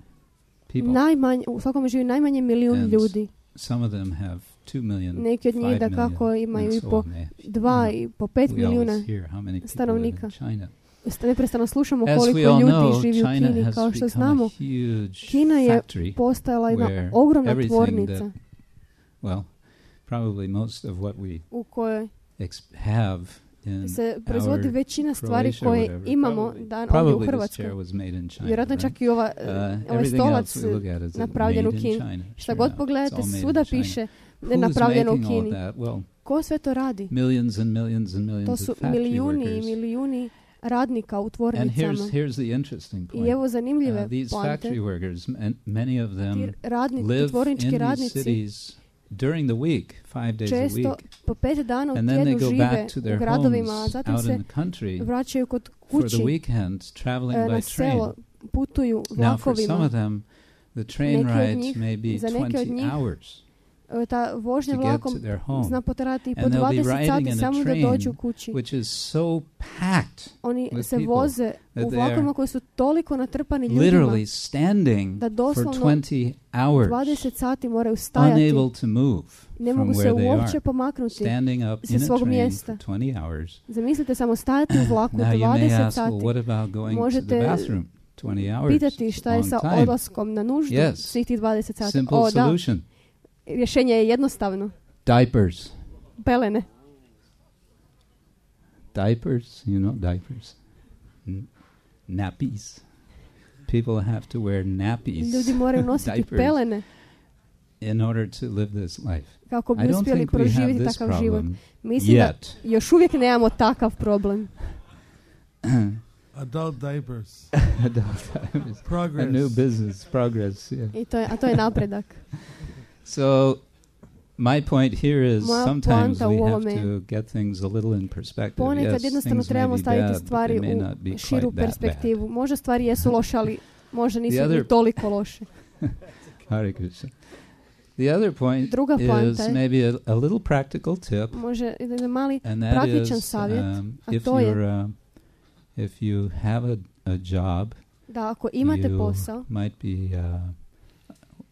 [SPEAKER 2] people.
[SPEAKER 3] najmanje, u svakom živi najmanje milijun
[SPEAKER 2] And
[SPEAKER 3] ljudi.
[SPEAKER 2] Some of them have two million,
[SPEAKER 3] Neki od njih
[SPEAKER 2] five
[SPEAKER 3] da kako
[SPEAKER 2] million,
[SPEAKER 3] imaju
[SPEAKER 2] and
[SPEAKER 3] i
[SPEAKER 2] so
[SPEAKER 3] po
[SPEAKER 2] on. They-
[SPEAKER 3] dva
[SPEAKER 2] Mm.
[SPEAKER 3] i po pet
[SPEAKER 2] we
[SPEAKER 3] milijuna.
[SPEAKER 2] always hear how many people live
[SPEAKER 3] stanovnika.
[SPEAKER 2] in China.
[SPEAKER 3] St- Neprestano slušamo
[SPEAKER 2] As
[SPEAKER 3] koliko
[SPEAKER 2] we all
[SPEAKER 3] ljudi
[SPEAKER 2] know,
[SPEAKER 3] živi u
[SPEAKER 2] China
[SPEAKER 3] Kini.
[SPEAKER 2] has
[SPEAKER 3] Kao što
[SPEAKER 2] become
[SPEAKER 3] znamo,
[SPEAKER 2] a huge
[SPEAKER 3] Kina je
[SPEAKER 2] factory
[SPEAKER 3] postajala jedna
[SPEAKER 2] where
[SPEAKER 3] ogromna
[SPEAKER 2] everything
[SPEAKER 3] tvornica
[SPEAKER 2] that- well, probably most of what we
[SPEAKER 3] u kojoj
[SPEAKER 2] ex- have in
[SPEAKER 3] se proizvodi
[SPEAKER 2] our
[SPEAKER 3] većina stvari
[SPEAKER 2] Croatia or
[SPEAKER 3] koje
[SPEAKER 2] whatever,
[SPEAKER 3] imamo
[SPEAKER 2] probably-
[SPEAKER 3] dan ovdje u
[SPEAKER 2] probably this
[SPEAKER 3] Hrvatskoj.
[SPEAKER 2] chair was made in China,
[SPEAKER 3] Vjerojatno
[SPEAKER 2] right?
[SPEAKER 3] čak i ova,
[SPEAKER 2] Uh,
[SPEAKER 3] ovaj
[SPEAKER 2] everything
[SPEAKER 3] stolac
[SPEAKER 2] else we look at is
[SPEAKER 3] napravljen u
[SPEAKER 2] made in
[SPEAKER 3] Kini.
[SPEAKER 2] China.
[SPEAKER 3] Šta
[SPEAKER 2] Sure
[SPEAKER 3] god
[SPEAKER 2] enough,
[SPEAKER 3] pogledate,
[SPEAKER 2] it's all made in
[SPEAKER 3] svuda
[SPEAKER 2] China.
[SPEAKER 3] piše
[SPEAKER 2] Who's
[SPEAKER 3] napravljeno u
[SPEAKER 2] making all
[SPEAKER 3] Kini.
[SPEAKER 2] that? Well,
[SPEAKER 3] Ko sve to radi?
[SPEAKER 2] millions and millions and millions
[SPEAKER 3] To
[SPEAKER 2] of
[SPEAKER 3] su
[SPEAKER 2] factory
[SPEAKER 3] milijuni i
[SPEAKER 2] workers.
[SPEAKER 3] milijuni radnika u
[SPEAKER 2] And
[SPEAKER 3] tvornicama.
[SPEAKER 2] here's here's the interesting
[SPEAKER 3] I
[SPEAKER 2] point.
[SPEAKER 3] evo zanimljive
[SPEAKER 2] Uh, these
[SPEAKER 3] poante.
[SPEAKER 2] factory workers, m- many of
[SPEAKER 3] Ti
[SPEAKER 2] them
[SPEAKER 3] radnici,
[SPEAKER 2] live
[SPEAKER 3] tvornički
[SPEAKER 2] in these
[SPEAKER 3] radnici
[SPEAKER 2] cities during the week, five days a
[SPEAKER 3] često
[SPEAKER 2] week,
[SPEAKER 3] po pet dana u
[SPEAKER 2] and then they
[SPEAKER 3] tjednu
[SPEAKER 2] go
[SPEAKER 3] žive
[SPEAKER 2] back to
[SPEAKER 3] u
[SPEAKER 2] their
[SPEAKER 3] gradovima, a
[SPEAKER 2] homes
[SPEAKER 3] zatim
[SPEAKER 2] out
[SPEAKER 3] se
[SPEAKER 2] in the country
[SPEAKER 3] vraćaju kod
[SPEAKER 2] for
[SPEAKER 3] kući
[SPEAKER 2] the weekend, traveling
[SPEAKER 3] e, na
[SPEAKER 2] by train.
[SPEAKER 3] selo, putuju
[SPEAKER 2] Now, for some
[SPEAKER 3] vlakovima.
[SPEAKER 2] of them, the train
[SPEAKER 3] Neki od
[SPEAKER 2] ride
[SPEAKER 3] njih-
[SPEAKER 2] may be
[SPEAKER 3] za neke od
[SPEAKER 2] twenty
[SPEAKER 3] njih
[SPEAKER 2] hours
[SPEAKER 3] E, Ta vožnja
[SPEAKER 2] to get
[SPEAKER 3] vlakom
[SPEAKER 2] to their home,
[SPEAKER 3] zna potrajati i po
[SPEAKER 2] And they'll be
[SPEAKER 3] dvadeset
[SPEAKER 2] riding
[SPEAKER 3] sati
[SPEAKER 2] in a
[SPEAKER 3] samo da
[SPEAKER 2] train
[SPEAKER 3] dođu kući.
[SPEAKER 2] which is so packed,
[SPEAKER 3] Oni
[SPEAKER 2] with
[SPEAKER 3] se
[SPEAKER 2] people
[SPEAKER 3] voze
[SPEAKER 2] that
[SPEAKER 3] u
[SPEAKER 2] they
[SPEAKER 3] vlakovima
[SPEAKER 2] are
[SPEAKER 3] koji su toliko natrpani ljudima
[SPEAKER 2] literally standing
[SPEAKER 3] da
[SPEAKER 2] for
[SPEAKER 3] doslovno
[SPEAKER 2] twenty hours,
[SPEAKER 3] dvadeset sati moraju stajati.
[SPEAKER 2] unable to move
[SPEAKER 3] Ne
[SPEAKER 2] from
[SPEAKER 3] mogu se
[SPEAKER 2] where they
[SPEAKER 3] uopće
[SPEAKER 2] are,
[SPEAKER 3] pomaknuti.
[SPEAKER 2] standing up
[SPEAKER 3] sa
[SPEAKER 2] in a
[SPEAKER 3] svog
[SPEAKER 2] train
[SPEAKER 3] mjesta.
[SPEAKER 2] for twenty hours.
[SPEAKER 3] Zamislite samo stajati u vlaku
[SPEAKER 2] Now you may
[SPEAKER 3] dvadeset
[SPEAKER 2] ask, well,
[SPEAKER 3] sati.
[SPEAKER 2] what about going to the
[SPEAKER 3] Možete
[SPEAKER 2] bathroom? twenty hours.
[SPEAKER 3] Pitati
[SPEAKER 2] It's
[SPEAKER 3] šta
[SPEAKER 2] a
[SPEAKER 3] je
[SPEAKER 2] long
[SPEAKER 3] sa
[SPEAKER 2] time.
[SPEAKER 3] odlaskom na nuždu
[SPEAKER 2] Yes.
[SPEAKER 3] svih tih dvadeset sati.
[SPEAKER 2] Simple
[SPEAKER 3] O, da.
[SPEAKER 2] solution.
[SPEAKER 3] Rješenje je jednostavno.
[SPEAKER 2] Diapers.
[SPEAKER 3] Pelene.
[SPEAKER 2] Diapers, you know, diapers. N- nappies. People have to wear nappies
[SPEAKER 3] Ljudi moraju nositi
[SPEAKER 2] Diapers.
[SPEAKER 3] pelene
[SPEAKER 2] in order to live this life.
[SPEAKER 3] kako
[SPEAKER 2] I
[SPEAKER 3] bi
[SPEAKER 2] don't
[SPEAKER 3] uspjeli
[SPEAKER 2] think we have
[SPEAKER 3] proživjeti
[SPEAKER 2] this
[SPEAKER 3] takav život.
[SPEAKER 2] problem
[SPEAKER 3] Mislim da
[SPEAKER 2] yet.
[SPEAKER 3] još uvijek nemamo takav problem.
[SPEAKER 4] Adult diapers.
[SPEAKER 2] Adult diapers. A
[SPEAKER 4] Progress.
[SPEAKER 2] new business, progress, yeah.
[SPEAKER 3] I to je, a to je napredak.
[SPEAKER 2] So, my point here is
[SPEAKER 3] Moja
[SPEAKER 2] sometimes
[SPEAKER 3] poanta u
[SPEAKER 2] we have
[SPEAKER 3] ovome je-
[SPEAKER 2] to get things a little in perspective.
[SPEAKER 3] Ponekad
[SPEAKER 2] Yes,
[SPEAKER 3] jednostavno
[SPEAKER 2] things may
[SPEAKER 3] trebamo
[SPEAKER 2] be
[SPEAKER 3] staviti
[SPEAKER 2] bad, but
[SPEAKER 3] stvari
[SPEAKER 2] they may
[SPEAKER 3] u
[SPEAKER 2] not be
[SPEAKER 3] širu
[SPEAKER 2] quite that bad.
[SPEAKER 3] perspektivu. Možda stvari jesu loše, ali možda nisu
[SPEAKER 2] The other-
[SPEAKER 3] ni toliko loše.
[SPEAKER 2] Hare Krishna. The other point
[SPEAKER 3] Druga poanta
[SPEAKER 2] is
[SPEAKER 3] je-
[SPEAKER 2] maybe a, a little practical tip,
[SPEAKER 3] Može jedan mali
[SPEAKER 2] and that
[SPEAKER 3] praktičan
[SPEAKER 2] is
[SPEAKER 3] savjet,
[SPEAKER 2] um,
[SPEAKER 3] a
[SPEAKER 2] if
[SPEAKER 3] to je-
[SPEAKER 2] you're uh, if you have a, a job,
[SPEAKER 3] da ako imate
[SPEAKER 2] you
[SPEAKER 3] posao,
[SPEAKER 2] might be uh,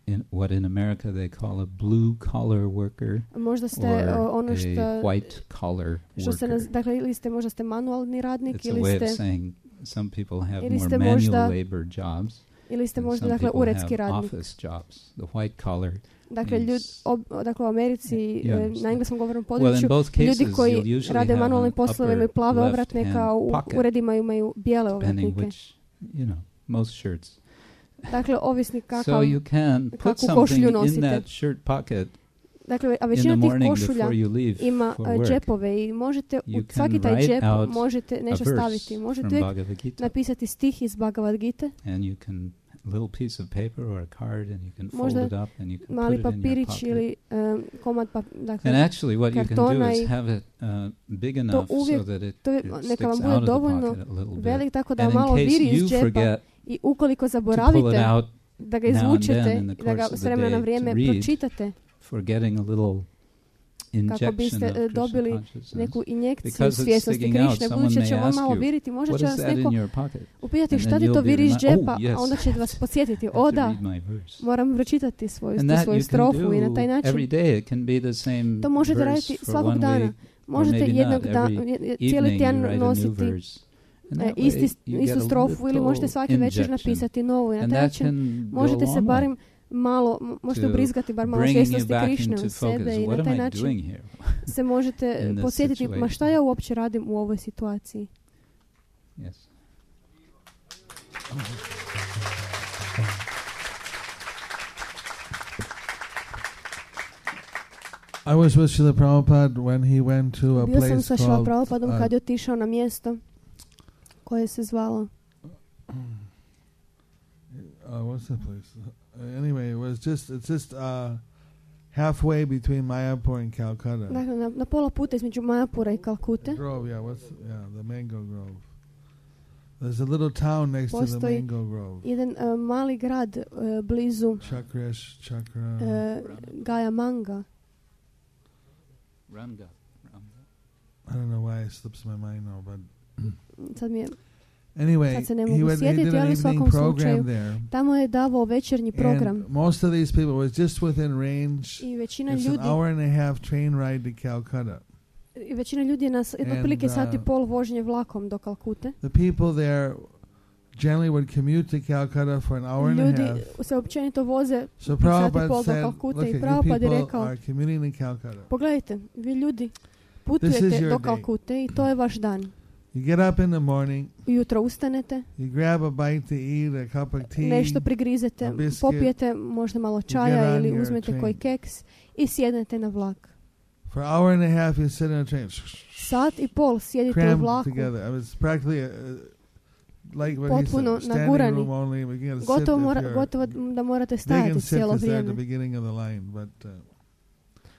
[SPEAKER 2] in what in America they call a blue collar worker
[SPEAKER 3] možda ste
[SPEAKER 2] or
[SPEAKER 3] o, ono
[SPEAKER 2] a
[SPEAKER 3] što,
[SPEAKER 2] white collar
[SPEAKER 3] što se, naz,
[SPEAKER 2] worker.
[SPEAKER 3] dakle, ili ste možda ste manualni radnik,
[SPEAKER 2] It's a
[SPEAKER 3] ili
[SPEAKER 2] way of
[SPEAKER 3] ste,
[SPEAKER 2] saying some people have
[SPEAKER 3] ili
[SPEAKER 2] more
[SPEAKER 3] ste
[SPEAKER 2] manual
[SPEAKER 3] možda-
[SPEAKER 2] labor jobs.
[SPEAKER 3] ili ste
[SPEAKER 2] and
[SPEAKER 3] možda,
[SPEAKER 2] some
[SPEAKER 3] dakle,
[SPEAKER 2] people
[SPEAKER 3] uredski
[SPEAKER 2] have
[SPEAKER 3] radnik.
[SPEAKER 2] office jobs. The white collar.
[SPEAKER 3] Dakle, ljud,
[SPEAKER 2] means-
[SPEAKER 3] ob, dakle, u Americi,
[SPEAKER 2] You
[SPEAKER 3] e,
[SPEAKER 2] understand.
[SPEAKER 3] na engleskom govornom
[SPEAKER 2] Well, in
[SPEAKER 3] području,
[SPEAKER 2] both cases,
[SPEAKER 3] ljudi koji
[SPEAKER 2] you'll usually
[SPEAKER 3] rade
[SPEAKER 2] have
[SPEAKER 3] manualne
[SPEAKER 2] an
[SPEAKER 3] poslove imaju
[SPEAKER 2] upper
[SPEAKER 3] plave
[SPEAKER 2] left
[SPEAKER 3] ovratnike,
[SPEAKER 2] hand
[SPEAKER 3] a u
[SPEAKER 2] pocket
[SPEAKER 3] uredima imaju bijele
[SPEAKER 2] depending
[SPEAKER 3] ovratnike.
[SPEAKER 2] which, you know, most shirts.
[SPEAKER 3] Dakle, ovisni
[SPEAKER 2] So
[SPEAKER 3] kakav,
[SPEAKER 2] you can put
[SPEAKER 3] kakvu
[SPEAKER 2] something
[SPEAKER 3] košulju
[SPEAKER 2] in
[SPEAKER 3] nosite.
[SPEAKER 2] that shirt pocket
[SPEAKER 3] dakle, a
[SPEAKER 2] in the
[SPEAKER 3] većina tih
[SPEAKER 2] morning
[SPEAKER 3] košulja
[SPEAKER 2] before you leave
[SPEAKER 3] ima
[SPEAKER 2] for
[SPEAKER 3] e,
[SPEAKER 2] work.
[SPEAKER 3] džepove i možete u
[SPEAKER 2] You
[SPEAKER 3] svaki
[SPEAKER 2] can
[SPEAKER 3] taj
[SPEAKER 2] write
[SPEAKER 3] džep
[SPEAKER 2] out
[SPEAKER 3] možete nešto
[SPEAKER 2] a verse
[SPEAKER 3] staviti. Možete
[SPEAKER 2] from
[SPEAKER 3] uvijek
[SPEAKER 2] Bhagavad Gita,
[SPEAKER 3] napisati stih iz Bhagavad Gita,
[SPEAKER 2] and you can a little piece of paper or a card, and you can fold
[SPEAKER 3] Možda
[SPEAKER 2] it up and you can
[SPEAKER 3] mali
[SPEAKER 2] put it in your
[SPEAKER 3] papirić
[SPEAKER 2] pocket.
[SPEAKER 3] ili um, komad pa, dakle,
[SPEAKER 2] And actually, what you can do
[SPEAKER 3] kartona
[SPEAKER 2] is
[SPEAKER 3] i
[SPEAKER 2] have it uh, big enough so
[SPEAKER 3] uvijek-
[SPEAKER 2] that it,
[SPEAKER 3] to je-
[SPEAKER 2] it
[SPEAKER 3] neka
[SPEAKER 2] sticks
[SPEAKER 3] vam
[SPEAKER 2] out
[SPEAKER 3] bude
[SPEAKER 2] of the
[SPEAKER 3] dovoljno
[SPEAKER 2] pocket a little bit.
[SPEAKER 3] velik tako da
[SPEAKER 2] And in
[SPEAKER 3] malo
[SPEAKER 2] case
[SPEAKER 3] viri iz
[SPEAKER 2] you
[SPEAKER 3] džepa
[SPEAKER 2] forget
[SPEAKER 3] i ukoliko
[SPEAKER 2] to pull
[SPEAKER 3] zaboravite
[SPEAKER 2] it out
[SPEAKER 3] da ga
[SPEAKER 2] now and
[SPEAKER 3] izvučete
[SPEAKER 2] then in the
[SPEAKER 3] i da ga
[SPEAKER 2] course of
[SPEAKER 3] s
[SPEAKER 2] the
[SPEAKER 3] vremena na
[SPEAKER 2] day
[SPEAKER 3] vrijeme
[SPEAKER 2] to read,
[SPEAKER 3] pročitate
[SPEAKER 2] for getting a little injection
[SPEAKER 3] biste,
[SPEAKER 2] of
[SPEAKER 3] e,
[SPEAKER 2] Krishna
[SPEAKER 3] dobili
[SPEAKER 2] consciousness.
[SPEAKER 3] neku injekciju
[SPEAKER 2] Because it's
[SPEAKER 3] svjesnosti
[SPEAKER 2] sticking out,
[SPEAKER 3] Krišne,
[SPEAKER 2] someone
[SPEAKER 3] budući da
[SPEAKER 2] may
[SPEAKER 3] će on
[SPEAKER 2] ask
[SPEAKER 3] malo
[SPEAKER 2] you,
[SPEAKER 3] viriti, možda
[SPEAKER 2] what
[SPEAKER 3] će
[SPEAKER 2] is
[SPEAKER 3] vas
[SPEAKER 2] that in
[SPEAKER 3] neko
[SPEAKER 2] your pocket?
[SPEAKER 3] upitati
[SPEAKER 2] And
[SPEAKER 3] šta
[SPEAKER 2] then
[SPEAKER 3] ti to
[SPEAKER 2] you'll be
[SPEAKER 3] viri iz
[SPEAKER 2] remi-
[SPEAKER 3] džepa,
[SPEAKER 2] oh, yes.
[SPEAKER 3] a onda će vas podsjetiti,
[SPEAKER 2] I
[SPEAKER 3] o
[SPEAKER 2] have to
[SPEAKER 3] da,
[SPEAKER 2] read my verse.
[SPEAKER 3] moram pročitati svoju,
[SPEAKER 2] And
[SPEAKER 3] tu
[SPEAKER 2] that
[SPEAKER 3] svoju
[SPEAKER 2] you can
[SPEAKER 3] strofu i na taj
[SPEAKER 2] do
[SPEAKER 3] način
[SPEAKER 2] every day. It can be the same
[SPEAKER 3] to možete
[SPEAKER 2] verse
[SPEAKER 3] raditi
[SPEAKER 2] for
[SPEAKER 3] svakog
[SPEAKER 2] one
[SPEAKER 3] dana.
[SPEAKER 2] week,
[SPEAKER 3] Možete
[SPEAKER 2] maybe
[SPEAKER 3] jednog
[SPEAKER 2] not.
[SPEAKER 3] dana,
[SPEAKER 2] Every
[SPEAKER 3] cijeli
[SPEAKER 2] evening you
[SPEAKER 3] tjedan
[SPEAKER 2] write a new
[SPEAKER 3] nositi
[SPEAKER 2] verse. And
[SPEAKER 3] e,
[SPEAKER 2] that way
[SPEAKER 3] isti,
[SPEAKER 2] you
[SPEAKER 3] istu
[SPEAKER 2] get a
[SPEAKER 3] strofu ili
[SPEAKER 2] little
[SPEAKER 3] možete svaki večer
[SPEAKER 2] injection.
[SPEAKER 3] napisati novu i na
[SPEAKER 2] And
[SPEAKER 3] taj
[SPEAKER 2] that
[SPEAKER 3] način
[SPEAKER 2] can go
[SPEAKER 3] možete
[SPEAKER 2] a
[SPEAKER 3] se
[SPEAKER 2] long way
[SPEAKER 3] barem malo, m- možete
[SPEAKER 2] to
[SPEAKER 3] ubrizgati bar malo
[SPEAKER 2] bringing you
[SPEAKER 3] svjesnosti
[SPEAKER 2] back
[SPEAKER 3] Krišne
[SPEAKER 2] into
[SPEAKER 3] u sebe
[SPEAKER 2] focus.
[SPEAKER 3] i
[SPEAKER 2] What
[SPEAKER 3] na
[SPEAKER 2] am
[SPEAKER 3] taj
[SPEAKER 2] I
[SPEAKER 3] način
[SPEAKER 2] doing here?
[SPEAKER 3] se možete
[SPEAKER 2] in this
[SPEAKER 3] podsjetiti, ma
[SPEAKER 2] situation?
[SPEAKER 3] šta ja uopće radim u ovoj situaciji.
[SPEAKER 2] Yes.
[SPEAKER 4] I was with Srila Prabhupada when he went to a
[SPEAKER 3] Bio sam
[SPEAKER 4] place
[SPEAKER 3] sa Šrila
[SPEAKER 4] called
[SPEAKER 3] Prabhupadom
[SPEAKER 4] uh,
[SPEAKER 3] kad je otišao na mjesto koje se zvalo
[SPEAKER 4] uh, what's that place? Uh, anyway, it was just it's just uh, halfway between Mayapur and Calcutta.
[SPEAKER 3] dakle, na, na pola puta između Majapura i Kalkute.
[SPEAKER 4] Grove, yeah, what's yeah, the mango grove. There's a little town next to the
[SPEAKER 3] Postoji
[SPEAKER 4] mango grove.
[SPEAKER 3] jedan uh, mali grad uh, blizu
[SPEAKER 4] Chakrash, Chakra.
[SPEAKER 3] uh, Gaja Manga.
[SPEAKER 2] Ranga. Ranga.
[SPEAKER 4] I don't know why it slips my mind now, but
[SPEAKER 3] Sad mi je,
[SPEAKER 4] anyway,
[SPEAKER 3] Sad se ne
[SPEAKER 4] he
[SPEAKER 3] mogu
[SPEAKER 4] went. He
[SPEAKER 3] sjetiti,
[SPEAKER 4] did an
[SPEAKER 3] ali u
[SPEAKER 4] evening
[SPEAKER 3] svakom
[SPEAKER 4] program
[SPEAKER 3] slučaju
[SPEAKER 4] there,
[SPEAKER 3] tamo je davao večernji program
[SPEAKER 4] and most of these people was just within range.
[SPEAKER 3] i većina
[SPEAKER 4] It's an
[SPEAKER 3] ljudi
[SPEAKER 4] hour and a half train ride to Calcutta.
[SPEAKER 3] i većina ljudi je na s-
[SPEAKER 4] And,
[SPEAKER 3] otprilike sat i
[SPEAKER 4] uh,
[SPEAKER 3] pol vožnje vlakom do Kalkute.
[SPEAKER 4] The people there generally would commute to Calcutta for an hour and a
[SPEAKER 3] Ljudi
[SPEAKER 4] half.
[SPEAKER 3] se općenito voze
[SPEAKER 4] So
[SPEAKER 3] sat i
[SPEAKER 4] Prabhupada
[SPEAKER 3] pol do
[SPEAKER 4] said,
[SPEAKER 3] Kalkute
[SPEAKER 4] look,
[SPEAKER 3] i
[SPEAKER 4] you
[SPEAKER 3] Prabhupada je
[SPEAKER 4] people
[SPEAKER 3] rekao,
[SPEAKER 4] are commuting to Calcutta.
[SPEAKER 3] pogledajte, vi ljudi
[SPEAKER 4] This is
[SPEAKER 3] putujete
[SPEAKER 4] your
[SPEAKER 3] do
[SPEAKER 4] day.
[SPEAKER 3] Kalkute i to je vaš dan.
[SPEAKER 4] You get up in the morning,
[SPEAKER 3] Ujutro ustanete,
[SPEAKER 4] you grab a bite to eat, a cup of tea,
[SPEAKER 3] nešto prigrizete,
[SPEAKER 4] a biscuit,
[SPEAKER 3] popijete možda malo
[SPEAKER 4] get
[SPEAKER 3] čaja
[SPEAKER 4] on
[SPEAKER 3] ili
[SPEAKER 4] your
[SPEAKER 3] uzmete
[SPEAKER 4] train.
[SPEAKER 3] koji keks i sjednete na vlak.
[SPEAKER 4] for an hour and a half you sit in a train,
[SPEAKER 3] Sat i pol sjedite u
[SPEAKER 4] crammed
[SPEAKER 3] vlaku,
[SPEAKER 4] together. I was practically uh, like what he
[SPEAKER 3] Potpuno
[SPEAKER 4] said, standing
[SPEAKER 3] nagurani.
[SPEAKER 4] room only. We gotta sit
[SPEAKER 3] gotovo,
[SPEAKER 4] if
[SPEAKER 3] mora,
[SPEAKER 4] you're-
[SPEAKER 3] gotovo da morate
[SPEAKER 4] They can
[SPEAKER 3] stajati
[SPEAKER 4] sit
[SPEAKER 3] cijelo
[SPEAKER 4] because they're at the
[SPEAKER 3] vrijeme.
[SPEAKER 4] beginning of the line, but uh,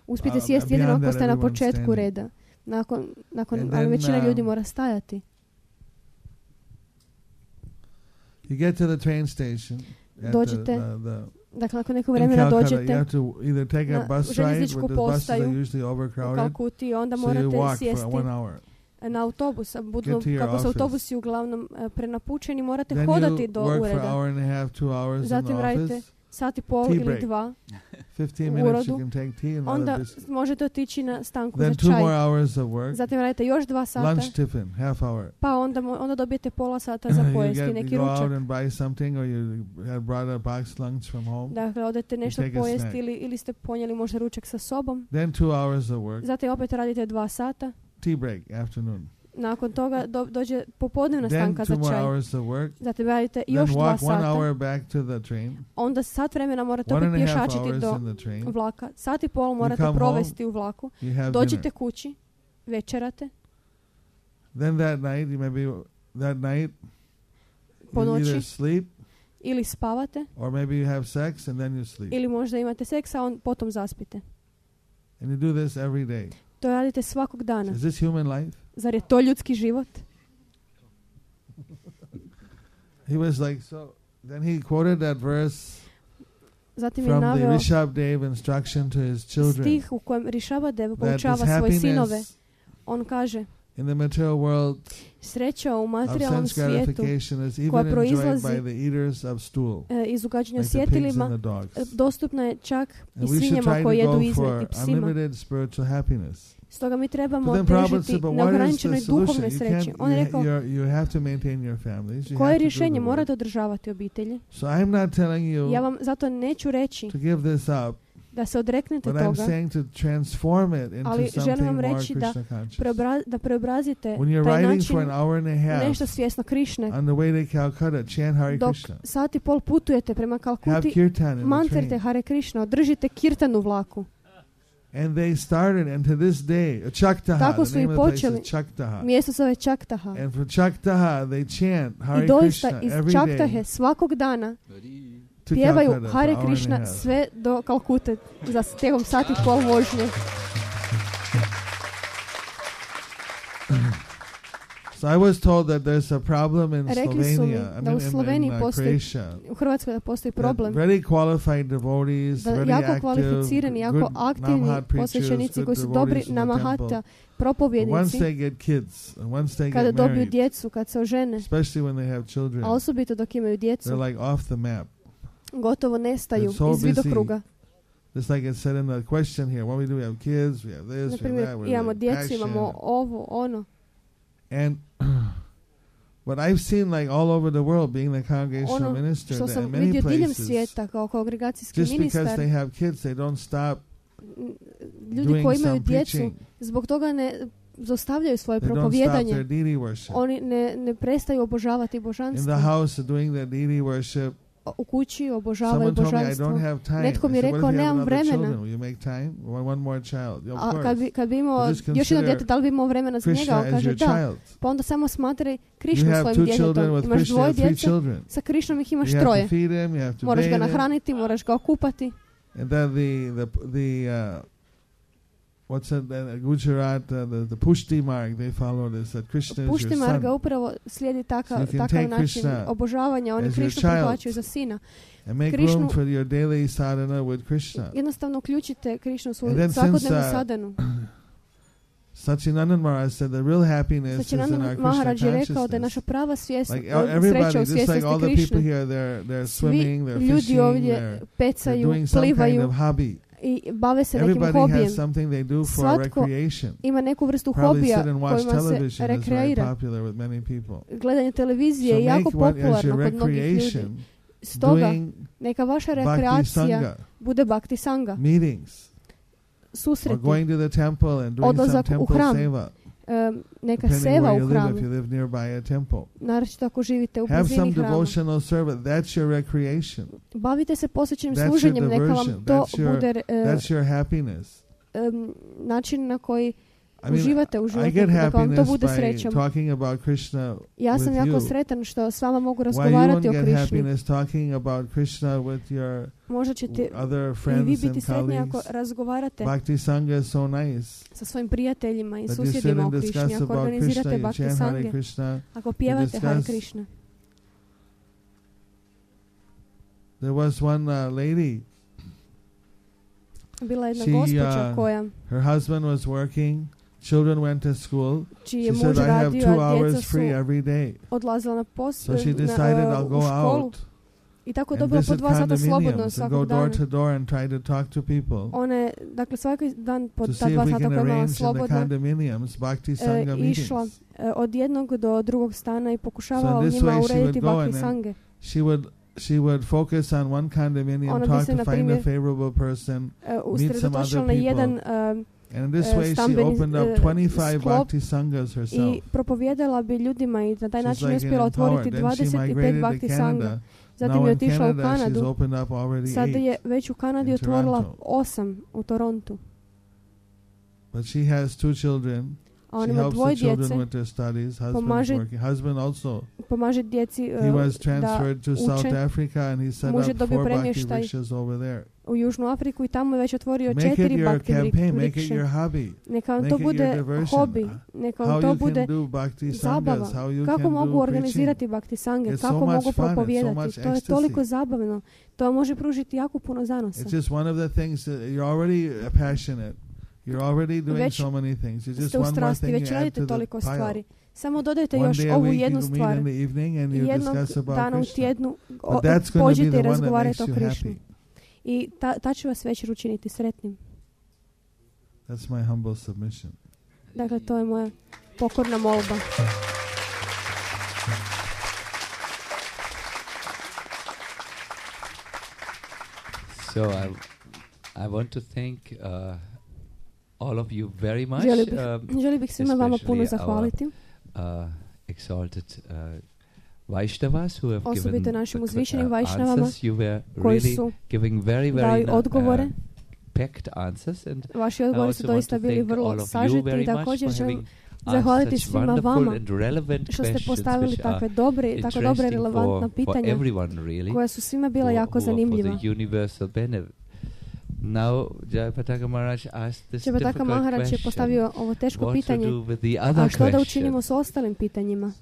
[SPEAKER 3] Uspijete
[SPEAKER 4] Uh,
[SPEAKER 3] sjesti jedino
[SPEAKER 4] beyond
[SPEAKER 3] ako
[SPEAKER 4] that,
[SPEAKER 3] ste na
[SPEAKER 4] everyone's
[SPEAKER 3] početku
[SPEAKER 4] standing.
[SPEAKER 3] reda. Nakon, nakon,
[SPEAKER 4] And
[SPEAKER 3] ali
[SPEAKER 4] then,
[SPEAKER 3] većina
[SPEAKER 4] uh,
[SPEAKER 3] ljudi mora stajati.
[SPEAKER 4] you get to the train station. At the,
[SPEAKER 3] Dođete
[SPEAKER 4] the, the,
[SPEAKER 3] Dakle, nakon nekog
[SPEAKER 4] in
[SPEAKER 3] vremena
[SPEAKER 4] Calcutta, you
[SPEAKER 3] dođete
[SPEAKER 4] have to either take a
[SPEAKER 3] na
[SPEAKER 4] bus ride,
[SPEAKER 3] željezničku
[SPEAKER 4] but the buses are
[SPEAKER 3] postaju
[SPEAKER 4] usually
[SPEAKER 3] u
[SPEAKER 4] overcrowded.
[SPEAKER 3] Kalkuti i onda
[SPEAKER 4] So you
[SPEAKER 3] morate
[SPEAKER 4] walk for
[SPEAKER 3] sjesti
[SPEAKER 4] one hour.
[SPEAKER 3] na autobus. A budu,
[SPEAKER 4] Get to your
[SPEAKER 3] kako su
[SPEAKER 4] office.
[SPEAKER 3] autobusi uglavnom e, prenapučeni, morate
[SPEAKER 4] Then
[SPEAKER 3] hodati
[SPEAKER 4] you
[SPEAKER 3] do
[SPEAKER 4] work for an
[SPEAKER 3] ureda.
[SPEAKER 4] hour and a half, two hours in the
[SPEAKER 3] Zatim radite
[SPEAKER 4] office.
[SPEAKER 3] sat i pol
[SPEAKER 4] Tea
[SPEAKER 3] ili
[SPEAKER 4] break.
[SPEAKER 3] dva.
[SPEAKER 4] Fifteen
[SPEAKER 3] u
[SPEAKER 4] minutes you
[SPEAKER 3] uredu.
[SPEAKER 4] can take tea and
[SPEAKER 3] Onda
[SPEAKER 4] another biscuit.
[SPEAKER 3] možete otići na stanku
[SPEAKER 4] Then
[SPEAKER 3] za
[SPEAKER 4] two more
[SPEAKER 3] čaj.
[SPEAKER 4] hours of work.
[SPEAKER 3] Zatim radite još dva sata.
[SPEAKER 4] Lunch tiffin, half hour.
[SPEAKER 3] Pa onda, mo- onda dobijete pola sata za
[SPEAKER 4] you,
[SPEAKER 3] pojesti,
[SPEAKER 4] get,
[SPEAKER 3] neki
[SPEAKER 4] you go out
[SPEAKER 3] ručak.
[SPEAKER 4] and buy something, or you had brought a box lunch from home.
[SPEAKER 3] Dakle, odete nešto
[SPEAKER 4] take a
[SPEAKER 3] pojesti
[SPEAKER 4] snack.
[SPEAKER 3] ili, ili ste ponijeli možda ručak sa sobom.
[SPEAKER 4] Then two hours of work.
[SPEAKER 3] Zatim opet radite dva sata.
[SPEAKER 4] Tea break, afternoon.
[SPEAKER 3] Nakon toga do, dođe popodnevna
[SPEAKER 4] Then
[SPEAKER 3] stanka
[SPEAKER 4] two
[SPEAKER 3] za
[SPEAKER 4] more
[SPEAKER 3] čaj.
[SPEAKER 4] hours of work.
[SPEAKER 3] Zatim radite
[SPEAKER 4] Then
[SPEAKER 3] još dva
[SPEAKER 4] walk one
[SPEAKER 3] sata.
[SPEAKER 4] hour back to the train.
[SPEAKER 3] Onda sat vremena morate
[SPEAKER 4] One
[SPEAKER 3] opet
[SPEAKER 4] and a half
[SPEAKER 3] pješačiti
[SPEAKER 4] hours
[SPEAKER 3] do
[SPEAKER 4] in the train.
[SPEAKER 3] vlaka. Sat i pol morate
[SPEAKER 4] come
[SPEAKER 3] provesti u vlaku.
[SPEAKER 4] You have
[SPEAKER 3] Dođete
[SPEAKER 4] dinner.
[SPEAKER 3] kući, večerate,
[SPEAKER 4] Then that night, you maybe that night
[SPEAKER 3] po
[SPEAKER 4] you either
[SPEAKER 3] noći
[SPEAKER 4] sleep
[SPEAKER 3] ili spavate,
[SPEAKER 4] or maybe you have sex and then you sleep.
[SPEAKER 3] ili možda imate seksa, a on potom zaspite.
[SPEAKER 4] And you do this every day.
[SPEAKER 3] To radite svakog dana.
[SPEAKER 4] Is this human life?
[SPEAKER 3] Zar je to ljudski život?
[SPEAKER 4] He was like so. then he quoted that verse
[SPEAKER 3] Zatim je
[SPEAKER 4] from the
[SPEAKER 3] naveo
[SPEAKER 4] Rishabdev instruction to his children.
[SPEAKER 3] stih u kojem Rishabhadev
[SPEAKER 4] That
[SPEAKER 3] poučava
[SPEAKER 4] this
[SPEAKER 3] svoje sinove.
[SPEAKER 4] happiness
[SPEAKER 3] On kaže,
[SPEAKER 4] in the material world
[SPEAKER 3] sreća u
[SPEAKER 4] of
[SPEAKER 3] materijalnom
[SPEAKER 4] sense
[SPEAKER 3] svijetu
[SPEAKER 4] gratification is
[SPEAKER 3] koja
[SPEAKER 4] even enjoyed
[SPEAKER 3] proizlazi
[SPEAKER 4] by the eaters of stool,
[SPEAKER 3] e, iz ugađanja
[SPEAKER 4] like the pigs and
[SPEAKER 3] svjetilima,
[SPEAKER 4] the dogs.
[SPEAKER 3] e, dostupna je čak i
[SPEAKER 4] And we should
[SPEAKER 3] svinjama
[SPEAKER 4] try
[SPEAKER 3] koje
[SPEAKER 4] to
[SPEAKER 3] jedu
[SPEAKER 4] go
[SPEAKER 3] izme
[SPEAKER 4] for
[SPEAKER 3] i psima.
[SPEAKER 4] unlimited spiritual happiness.
[SPEAKER 3] Stoga mi trebamo
[SPEAKER 4] But then Prabhupada
[SPEAKER 3] težiti
[SPEAKER 4] said, but what is the
[SPEAKER 3] neograničenoj
[SPEAKER 4] solution?
[SPEAKER 3] duhovnoj
[SPEAKER 4] You
[SPEAKER 3] sreći.
[SPEAKER 4] can't,
[SPEAKER 3] On je
[SPEAKER 4] you,
[SPEAKER 3] rekao,
[SPEAKER 4] you're- you have to maintain your families. You
[SPEAKER 3] koje
[SPEAKER 4] have to do
[SPEAKER 3] rješenje?
[SPEAKER 4] the work.
[SPEAKER 3] Morate održavati obitelji.
[SPEAKER 4] So I'm not telling you
[SPEAKER 3] Ja vam zato neću reći
[SPEAKER 4] to give this up,
[SPEAKER 3] da se odreknete
[SPEAKER 4] but I'm
[SPEAKER 3] toga,
[SPEAKER 4] saying to transform it into
[SPEAKER 3] ali želim
[SPEAKER 4] something
[SPEAKER 3] vam
[SPEAKER 4] more
[SPEAKER 3] reći da
[SPEAKER 4] Krishna conscious.
[SPEAKER 3] preobra- da preobrazite
[SPEAKER 4] When you're
[SPEAKER 3] taj
[SPEAKER 4] riding
[SPEAKER 3] način
[SPEAKER 4] for an hour and a
[SPEAKER 3] u
[SPEAKER 4] half
[SPEAKER 3] nešto svjesno Krišne.
[SPEAKER 4] on the way to Calcutta, chant Hare
[SPEAKER 3] Dok
[SPEAKER 4] Krishna.
[SPEAKER 3] sat i pol putujete prema
[SPEAKER 4] Have
[SPEAKER 3] Kalkuti,
[SPEAKER 4] kirtan in the
[SPEAKER 3] mantrte
[SPEAKER 4] train.
[SPEAKER 3] Hare Krishna, održite kirtan u vlaku.
[SPEAKER 4] And they started, and to this day, uh, Chaktaha,
[SPEAKER 3] Tako
[SPEAKER 4] the
[SPEAKER 3] su i
[SPEAKER 4] name of the place
[SPEAKER 3] počeli.
[SPEAKER 4] is Chaktaha.
[SPEAKER 3] Mjesto zove Čaktaha.
[SPEAKER 4] And for Chaktaha, they chant Hare
[SPEAKER 3] I doista
[SPEAKER 4] Krishna
[SPEAKER 3] iz
[SPEAKER 4] every
[SPEAKER 3] Čaktahe
[SPEAKER 4] day
[SPEAKER 3] svakog dana
[SPEAKER 4] to
[SPEAKER 3] pjevaju
[SPEAKER 4] Calcutta for
[SPEAKER 3] Hare
[SPEAKER 4] an hour and a
[SPEAKER 3] Krishna
[SPEAKER 4] half.
[SPEAKER 3] sve do Kalkute za tijekom sat i pol vožnje.
[SPEAKER 4] So I was told that there's a problem in
[SPEAKER 3] Rekli su mi
[SPEAKER 4] Slovenia, I
[SPEAKER 3] da
[SPEAKER 4] mean
[SPEAKER 3] u
[SPEAKER 4] in,
[SPEAKER 3] Sloveniji
[SPEAKER 4] in uh,
[SPEAKER 3] postoji,
[SPEAKER 4] Croatia,
[SPEAKER 3] u Hrvatskoj da postoji
[SPEAKER 4] that
[SPEAKER 3] problem,
[SPEAKER 4] very qualified devotees,
[SPEAKER 3] da
[SPEAKER 4] very
[SPEAKER 3] jako
[SPEAKER 4] active,
[SPEAKER 3] kvalificirani, jako
[SPEAKER 4] good
[SPEAKER 3] aktivni
[SPEAKER 4] Namhat preachers,
[SPEAKER 3] posvećenici
[SPEAKER 4] good
[SPEAKER 3] koji su dobri
[SPEAKER 4] devotees in the
[SPEAKER 3] namahata,
[SPEAKER 4] temple. But once
[SPEAKER 3] propovjednici,
[SPEAKER 4] they get kids, and once they
[SPEAKER 3] kada
[SPEAKER 4] get
[SPEAKER 3] dobiju
[SPEAKER 4] married,
[SPEAKER 3] djecu, kad se ožene,
[SPEAKER 4] especially when they have children,
[SPEAKER 3] a osobito dok imaju djecu,
[SPEAKER 4] they're like off the map.
[SPEAKER 3] gotovo nestaju
[SPEAKER 4] They're so
[SPEAKER 3] iz vidokruga.
[SPEAKER 4] Just like it said in the question here, what we do, we have kids, we have this,
[SPEAKER 3] Na
[SPEAKER 4] we have
[SPEAKER 3] primjer,
[SPEAKER 4] that, we're
[SPEAKER 3] imamo
[SPEAKER 4] like
[SPEAKER 3] djecu, imamo
[SPEAKER 4] passion.
[SPEAKER 3] ovo, ono.
[SPEAKER 4] And but I've seen like all over the world, being the congregational
[SPEAKER 3] Ono
[SPEAKER 4] minister,
[SPEAKER 3] što
[SPEAKER 4] that
[SPEAKER 3] sam
[SPEAKER 4] in many
[SPEAKER 3] vidio diljem
[SPEAKER 4] places,
[SPEAKER 3] svijeta kao kongregacijski
[SPEAKER 4] just because
[SPEAKER 3] ministar,
[SPEAKER 4] they have kids, they don't stop
[SPEAKER 3] ljudi
[SPEAKER 4] doing
[SPEAKER 3] koji imaju
[SPEAKER 4] some
[SPEAKER 3] djecu,
[SPEAKER 4] preaching.
[SPEAKER 3] zbog toga ne zaustavljaju svoje
[SPEAKER 4] They don't stop
[SPEAKER 3] propovjedanje.
[SPEAKER 4] their deity worship.
[SPEAKER 3] Oni ne, ne prestaju obožavati
[SPEAKER 4] In
[SPEAKER 3] božanstvo.
[SPEAKER 4] the house, doing their deity worship.
[SPEAKER 3] U kući obožavaju
[SPEAKER 4] Someone told me I
[SPEAKER 3] božanstvo.
[SPEAKER 4] don't have time.
[SPEAKER 3] Netko mi
[SPEAKER 4] I
[SPEAKER 3] je
[SPEAKER 4] said, what
[SPEAKER 3] rekao,
[SPEAKER 4] if you have
[SPEAKER 3] nemam
[SPEAKER 4] another
[SPEAKER 3] vremena.
[SPEAKER 4] children? Will you make time? One, one more child. Of
[SPEAKER 3] A
[SPEAKER 4] course.
[SPEAKER 3] kad bi, kad bi imao
[SPEAKER 4] Just
[SPEAKER 3] još jedno
[SPEAKER 4] consider
[SPEAKER 3] dijete, da li bi imao vremena za njega?
[SPEAKER 4] Krishna
[SPEAKER 3] On
[SPEAKER 4] as
[SPEAKER 3] kaže
[SPEAKER 4] your
[SPEAKER 3] da.
[SPEAKER 4] child.
[SPEAKER 3] Pa onda samo smatraj
[SPEAKER 4] You
[SPEAKER 3] Krišnu
[SPEAKER 4] have
[SPEAKER 3] svojim
[SPEAKER 4] two children
[SPEAKER 3] djetetom.
[SPEAKER 4] with
[SPEAKER 3] Imaš
[SPEAKER 4] Krishna, you
[SPEAKER 3] dvoje
[SPEAKER 4] have three
[SPEAKER 3] djece,
[SPEAKER 4] children.
[SPEAKER 3] sa Krišnom ih imaš
[SPEAKER 4] You have
[SPEAKER 3] troje.
[SPEAKER 4] to feed him, you have to
[SPEAKER 3] Moraš ga
[SPEAKER 4] bathe him.
[SPEAKER 3] nahraniti, moraš ga okupati.
[SPEAKER 4] And then the the the uh, what's it? Uh, Gujarat, uh, the the Pushti mark. They follow this. That Krishna is your
[SPEAKER 3] Pušti Marga
[SPEAKER 4] son,
[SPEAKER 3] upravo slijedi taka,
[SPEAKER 4] So you can
[SPEAKER 3] takav
[SPEAKER 4] take
[SPEAKER 3] način
[SPEAKER 4] Krishna
[SPEAKER 3] obožavanja. Oni
[SPEAKER 4] as your
[SPEAKER 3] Krišnu
[SPEAKER 4] child.
[SPEAKER 3] prihvaćaju za sina.
[SPEAKER 4] and make
[SPEAKER 3] Krishnu-
[SPEAKER 4] room for your daily sadhana with Krishna.
[SPEAKER 3] Jednostavno uključite Krišnu u svoju
[SPEAKER 4] And then since,
[SPEAKER 3] svakodnevnu
[SPEAKER 4] uh,
[SPEAKER 3] sadhanu.
[SPEAKER 4] Satchidanand Maharaj said the real happiness is in our
[SPEAKER 3] Sačinanand
[SPEAKER 4] Krishna
[SPEAKER 3] Maharaj je rekao da je naša
[SPEAKER 4] consciousness.
[SPEAKER 3] prava svijest,
[SPEAKER 4] Like
[SPEAKER 3] od-
[SPEAKER 4] everybody,
[SPEAKER 3] sreća u
[SPEAKER 4] just like
[SPEAKER 3] svjesnosti
[SPEAKER 4] all the people
[SPEAKER 3] Krišne.
[SPEAKER 4] here, they're they're
[SPEAKER 3] Svi
[SPEAKER 4] swimming, they're
[SPEAKER 3] ljudi
[SPEAKER 4] fishing,
[SPEAKER 3] ovdje
[SPEAKER 4] they're, they're
[SPEAKER 3] pecaju,
[SPEAKER 4] doing some kind
[SPEAKER 3] plivaju
[SPEAKER 4] of hobby.
[SPEAKER 3] i bave se nekim
[SPEAKER 4] Everybody
[SPEAKER 3] hobijem.
[SPEAKER 4] has something they do for
[SPEAKER 3] Svatko
[SPEAKER 4] recreation.
[SPEAKER 3] Ima neku vrstu
[SPEAKER 4] Probably
[SPEAKER 3] hobija
[SPEAKER 4] sit and watch
[SPEAKER 3] kojima se
[SPEAKER 4] television is very
[SPEAKER 3] rekreira.
[SPEAKER 4] popular with many people.
[SPEAKER 3] Gledanje televizije
[SPEAKER 4] So
[SPEAKER 3] je jako
[SPEAKER 4] make what as
[SPEAKER 3] popularno
[SPEAKER 4] your
[SPEAKER 3] kod mnogih ljudi.
[SPEAKER 4] recreation
[SPEAKER 3] Stoga,
[SPEAKER 4] doing
[SPEAKER 3] neka vaša
[SPEAKER 4] bhakti
[SPEAKER 3] rekreacija
[SPEAKER 4] sangha
[SPEAKER 3] bude bhakti sanga,
[SPEAKER 4] meetings or
[SPEAKER 3] susreti,
[SPEAKER 4] going to the temple and doing some
[SPEAKER 3] Odlazak u
[SPEAKER 4] temple
[SPEAKER 3] hram.
[SPEAKER 4] seva.
[SPEAKER 3] em, neka
[SPEAKER 4] Depending
[SPEAKER 3] seva
[SPEAKER 4] where
[SPEAKER 3] u
[SPEAKER 4] you live, if
[SPEAKER 3] hramu,
[SPEAKER 4] you live nearby a temple.
[SPEAKER 3] naročito ako živite u
[SPEAKER 4] Have some
[SPEAKER 3] blizini hrama.
[SPEAKER 4] devotional service. That's your recreation.
[SPEAKER 3] Bavite se posvećenim
[SPEAKER 4] That's your
[SPEAKER 3] služenjem, neka vam
[SPEAKER 4] diversion.
[SPEAKER 3] to
[SPEAKER 4] That's your-
[SPEAKER 3] bude e,
[SPEAKER 4] That's your happiness.
[SPEAKER 3] em, način na koji
[SPEAKER 4] I mean,
[SPEAKER 3] uživate u
[SPEAKER 4] I
[SPEAKER 3] životu,
[SPEAKER 4] get
[SPEAKER 3] neka vam to
[SPEAKER 4] happiness
[SPEAKER 3] bude
[SPEAKER 4] by
[SPEAKER 3] srećom.
[SPEAKER 4] talking about Krishna.
[SPEAKER 3] Ja sam
[SPEAKER 4] with
[SPEAKER 3] jako
[SPEAKER 4] you.
[SPEAKER 3] sretan što s vama mogu
[SPEAKER 4] Why you
[SPEAKER 3] razgovarati
[SPEAKER 4] won't
[SPEAKER 3] o
[SPEAKER 4] get
[SPEAKER 3] Krišni.
[SPEAKER 4] happiness talking about Krishna with your
[SPEAKER 3] Možda ćete
[SPEAKER 4] other
[SPEAKER 3] i vi
[SPEAKER 4] friends
[SPEAKER 3] biti
[SPEAKER 4] and
[SPEAKER 3] sretni ako
[SPEAKER 4] colleagues?
[SPEAKER 3] razgovarate
[SPEAKER 4] Bhakti Sangha is so nice.
[SPEAKER 3] sa svojim prijateljima i
[SPEAKER 4] That you sit
[SPEAKER 3] susjedima o
[SPEAKER 4] and
[SPEAKER 3] Krišni,
[SPEAKER 4] discuss
[SPEAKER 3] ako
[SPEAKER 4] about Krishna,
[SPEAKER 3] organizirate
[SPEAKER 4] you
[SPEAKER 3] bhakti
[SPEAKER 4] chant Hare
[SPEAKER 3] sange,
[SPEAKER 4] Krishna.
[SPEAKER 3] ako pjevate Hare
[SPEAKER 4] discuss-
[SPEAKER 3] Krishna.
[SPEAKER 4] There was one uh, lady,
[SPEAKER 3] Bila je jedna
[SPEAKER 4] She,
[SPEAKER 3] gospođa
[SPEAKER 4] uh,
[SPEAKER 3] koja,
[SPEAKER 4] her husband was working, children went to school.
[SPEAKER 3] čiji
[SPEAKER 4] She
[SPEAKER 3] je
[SPEAKER 4] said,
[SPEAKER 3] muž
[SPEAKER 4] I have
[SPEAKER 3] radio,
[SPEAKER 4] two
[SPEAKER 3] a djeca
[SPEAKER 4] hours
[SPEAKER 3] su
[SPEAKER 4] free every day.
[SPEAKER 3] odlazila na posao,
[SPEAKER 4] So she
[SPEAKER 3] na,
[SPEAKER 4] decided
[SPEAKER 3] uh,
[SPEAKER 4] I'll
[SPEAKER 3] u
[SPEAKER 4] go
[SPEAKER 3] školu
[SPEAKER 4] out
[SPEAKER 3] i tako
[SPEAKER 4] and
[SPEAKER 3] dobila po
[SPEAKER 4] visit
[SPEAKER 3] dva sata slobodno
[SPEAKER 4] condominiums and go
[SPEAKER 3] svakog
[SPEAKER 4] door
[SPEAKER 3] dana.
[SPEAKER 4] to door and try to talk to people
[SPEAKER 3] Ona je, dakle, svaki dan po
[SPEAKER 4] to
[SPEAKER 3] ta
[SPEAKER 4] see if
[SPEAKER 3] dva
[SPEAKER 4] we
[SPEAKER 3] sata
[SPEAKER 4] can
[SPEAKER 3] koja je imala
[SPEAKER 4] arrange in the
[SPEAKER 3] slobodno,
[SPEAKER 4] condominiums Bhakti
[SPEAKER 3] e,
[SPEAKER 4] Sangha
[SPEAKER 3] išla
[SPEAKER 4] meetings.
[SPEAKER 3] e, od jednog do drugog stana i pokušavala
[SPEAKER 4] So
[SPEAKER 3] u
[SPEAKER 4] in this
[SPEAKER 3] njima
[SPEAKER 4] way she
[SPEAKER 3] urediti
[SPEAKER 4] would go
[SPEAKER 3] bhakti
[SPEAKER 4] and then
[SPEAKER 3] sange.
[SPEAKER 4] She would she would focus on one condominium,
[SPEAKER 3] Ona bi
[SPEAKER 4] talk
[SPEAKER 3] se,
[SPEAKER 4] to
[SPEAKER 3] na
[SPEAKER 4] find a
[SPEAKER 3] primjer,
[SPEAKER 4] favorable person,
[SPEAKER 3] E,
[SPEAKER 4] meet some
[SPEAKER 3] usredotočila
[SPEAKER 4] other
[SPEAKER 3] na jedan
[SPEAKER 4] people.
[SPEAKER 3] um,
[SPEAKER 4] and in this
[SPEAKER 3] uh,
[SPEAKER 4] way she
[SPEAKER 3] stambeni,
[SPEAKER 4] opened
[SPEAKER 3] uh,
[SPEAKER 4] up twenty-five
[SPEAKER 3] sklop
[SPEAKER 4] Bhakti Sanghas herself.
[SPEAKER 3] i propovijedala bi ljudima i na taj
[SPEAKER 4] She's
[SPEAKER 3] način je
[SPEAKER 4] like
[SPEAKER 3] uspjela
[SPEAKER 4] an
[SPEAKER 3] otvoriti
[SPEAKER 4] empowered. Then she
[SPEAKER 3] dvadeset pet
[SPEAKER 4] migrated to
[SPEAKER 3] bhakti sanga.
[SPEAKER 4] Canada.
[SPEAKER 3] Zatim
[SPEAKER 4] Now
[SPEAKER 3] je
[SPEAKER 4] in
[SPEAKER 3] otišla u
[SPEAKER 4] Canada she's
[SPEAKER 3] Kanadu.
[SPEAKER 4] opened up already
[SPEAKER 3] Sada
[SPEAKER 4] eight.
[SPEAKER 3] je već u Kanadi
[SPEAKER 4] in
[SPEAKER 3] otvorila
[SPEAKER 4] Toronto.
[SPEAKER 3] osam u Torontu.
[SPEAKER 4] But she has two children
[SPEAKER 3] a on
[SPEAKER 4] She
[SPEAKER 3] ima
[SPEAKER 4] helps
[SPEAKER 3] dvoje
[SPEAKER 4] the children
[SPEAKER 3] djece,
[SPEAKER 4] with their studies. Husband's
[SPEAKER 3] Pomaže-
[SPEAKER 4] working. Husband also.
[SPEAKER 3] pomaže djeci uh,
[SPEAKER 4] He was
[SPEAKER 3] da
[SPEAKER 4] transferred to South
[SPEAKER 3] uče
[SPEAKER 4] Africa and he set
[SPEAKER 3] Muž je
[SPEAKER 4] up
[SPEAKER 3] dobio
[SPEAKER 4] four bhakti
[SPEAKER 3] premještaj
[SPEAKER 4] rikshas over there.
[SPEAKER 3] u Južnu Afriku i tamo je već otvorio
[SPEAKER 4] Make it
[SPEAKER 3] četiri
[SPEAKER 4] your
[SPEAKER 3] bhakti
[SPEAKER 4] campaign, make it
[SPEAKER 3] rikše.
[SPEAKER 4] your hobby.
[SPEAKER 3] Neka vam
[SPEAKER 4] make
[SPEAKER 3] to
[SPEAKER 4] it your
[SPEAKER 3] bude
[SPEAKER 4] diversion.
[SPEAKER 3] hobi, neka vam
[SPEAKER 4] How
[SPEAKER 3] to
[SPEAKER 4] you
[SPEAKER 3] bude
[SPEAKER 4] can do bhakti
[SPEAKER 3] zabava.
[SPEAKER 4] sanghas, how you
[SPEAKER 3] Kako
[SPEAKER 4] can
[SPEAKER 3] mogu
[SPEAKER 4] do
[SPEAKER 3] organizirati
[SPEAKER 4] preaching.
[SPEAKER 3] bhakti sange,
[SPEAKER 4] It's so
[SPEAKER 3] kako
[SPEAKER 4] much
[SPEAKER 3] mogu
[SPEAKER 4] fun, it's so
[SPEAKER 3] propovijedati.
[SPEAKER 4] much
[SPEAKER 3] To je
[SPEAKER 4] ecstasy.
[SPEAKER 3] toliko zabavno. To vam može pružiti jako puno zanosa.
[SPEAKER 4] It's just one of the things that you're already uh, passionate. You're already doing
[SPEAKER 3] Već
[SPEAKER 4] so many things. It's just
[SPEAKER 3] Ste u
[SPEAKER 4] one more
[SPEAKER 3] strasti,
[SPEAKER 4] thing
[SPEAKER 3] već
[SPEAKER 4] you add
[SPEAKER 3] radite
[SPEAKER 4] to the
[SPEAKER 3] toliko
[SPEAKER 4] pile.
[SPEAKER 3] stvari. Samo dodajte
[SPEAKER 4] One
[SPEAKER 3] još
[SPEAKER 4] day a
[SPEAKER 3] ovu
[SPEAKER 4] week
[SPEAKER 3] jednu
[SPEAKER 4] you meet
[SPEAKER 3] stvar.
[SPEAKER 4] in the evening and you
[SPEAKER 3] Jednog
[SPEAKER 4] discuss about
[SPEAKER 3] dana u
[SPEAKER 4] Krishna.
[SPEAKER 3] tjednu o-
[SPEAKER 4] But that's going to be
[SPEAKER 3] pođite
[SPEAKER 4] the
[SPEAKER 3] i
[SPEAKER 4] one that
[SPEAKER 3] razgovarajte
[SPEAKER 4] makes
[SPEAKER 3] o
[SPEAKER 4] you
[SPEAKER 3] Krišni.
[SPEAKER 4] happy.
[SPEAKER 3] I ta, ta će vas večer učiniti sretnim.
[SPEAKER 4] That's my humble submission.
[SPEAKER 3] Dakle, to je moja pokorna molba.
[SPEAKER 1] So I, I want to thank uh, all of you very much.
[SPEAKER 3] Želio bih,
[SPEAKER 1] um,
[SPEAKER 3] želio bih svima vama puno
[SPEAKER 1] especially
[SPEAKER 3] zahvaliti.
[SPEAKER 1] uh, exalted uh, Vaishnavas who have
[SPEAKER 3] Osobito
[SPEAKER 1] given
[SPEAKER 3] našim
[SPEAKER 1] the que-
[SPEAKER 3] uzvišenim
[SPEAKER 1] uh,
[SPEAKER 3] Vaishnavama
[SPEAKER 1] answers. You were
[SPEAKER 3] koji
[SPEAKER 1] really
[SPEAKER 3] su
[SPEAKER 1] giving very,
[SPEAKER 3] dali
[SPEAKER 1] very uh,
[SPEAKER 3] odgovore.
[SPEAKER 1] uh, packed answers, and
[SPEAKER 3] Vaši
[SPEAKER 1] I
[SPEAKER 3] odgovori su
[SPEAKER 1] also want
[SPEAKER 3] doista
[SPEAKER 1] to
[SPEAKER 3] bili
[SPEAKER 1] thank
[SPEAKER 3] vrlo
[SPEAKER 1] all of you
[SPEAKER 3] sažeti
[SPEAKER 1] very
[SPEAKER 3] i
[SPEAKER 1] much
[SPEAKER 3] također
[SPEAKER 1] for
[SPEAKER 3] želim
[SPEAKER 1] having
[SPEAKER 3] zahvaliti
[SPEAKER 1] asked such
[SPEAKER 3] svima
[SPEAKER 1] wonderful
[SPEAKER 3] vama
[SPEAKER 1] and relevant
[SPEAKER 3] što ste
[SPEAKER 1] questions
[SPEAKER 3] postavili
[SPEAKER 1] which are
[SPEAKER 3] takve dobre, tako dobre
[SPEAKER 1] interesting
[SPEAKER 3] relevantna
[SPEAKER 1] for, for
[SPEAKER 3] pitanja
[SPEAKER 1] everyone really,
[SPEAKER 3] koja su svima bila
[SPEAKER 1] who-
[SPEAKER 3] jako
[SPEAKER 1] who are for
[SPEAKER 3] zanimljiva.
[SPEAKER 1] the universal benefit. Now, Jayapataka Maharaj asked this
[SPEAKER 3] Čepataka
[SPEAKER 1] difficult
[SPEAKER 3] Maharaj je
[SPEAKER 1] question.
[SPEAKER 3] postavio ovo teško
[SPEAKER 1] What
[SPEAKER 3] pitanje.
[SPEAKER 1] to do with the other
[SPEAKER 3] A što da
[SPEAKER 1] question?
[SPEAKER 3] učinimo s ostalim pitanjima?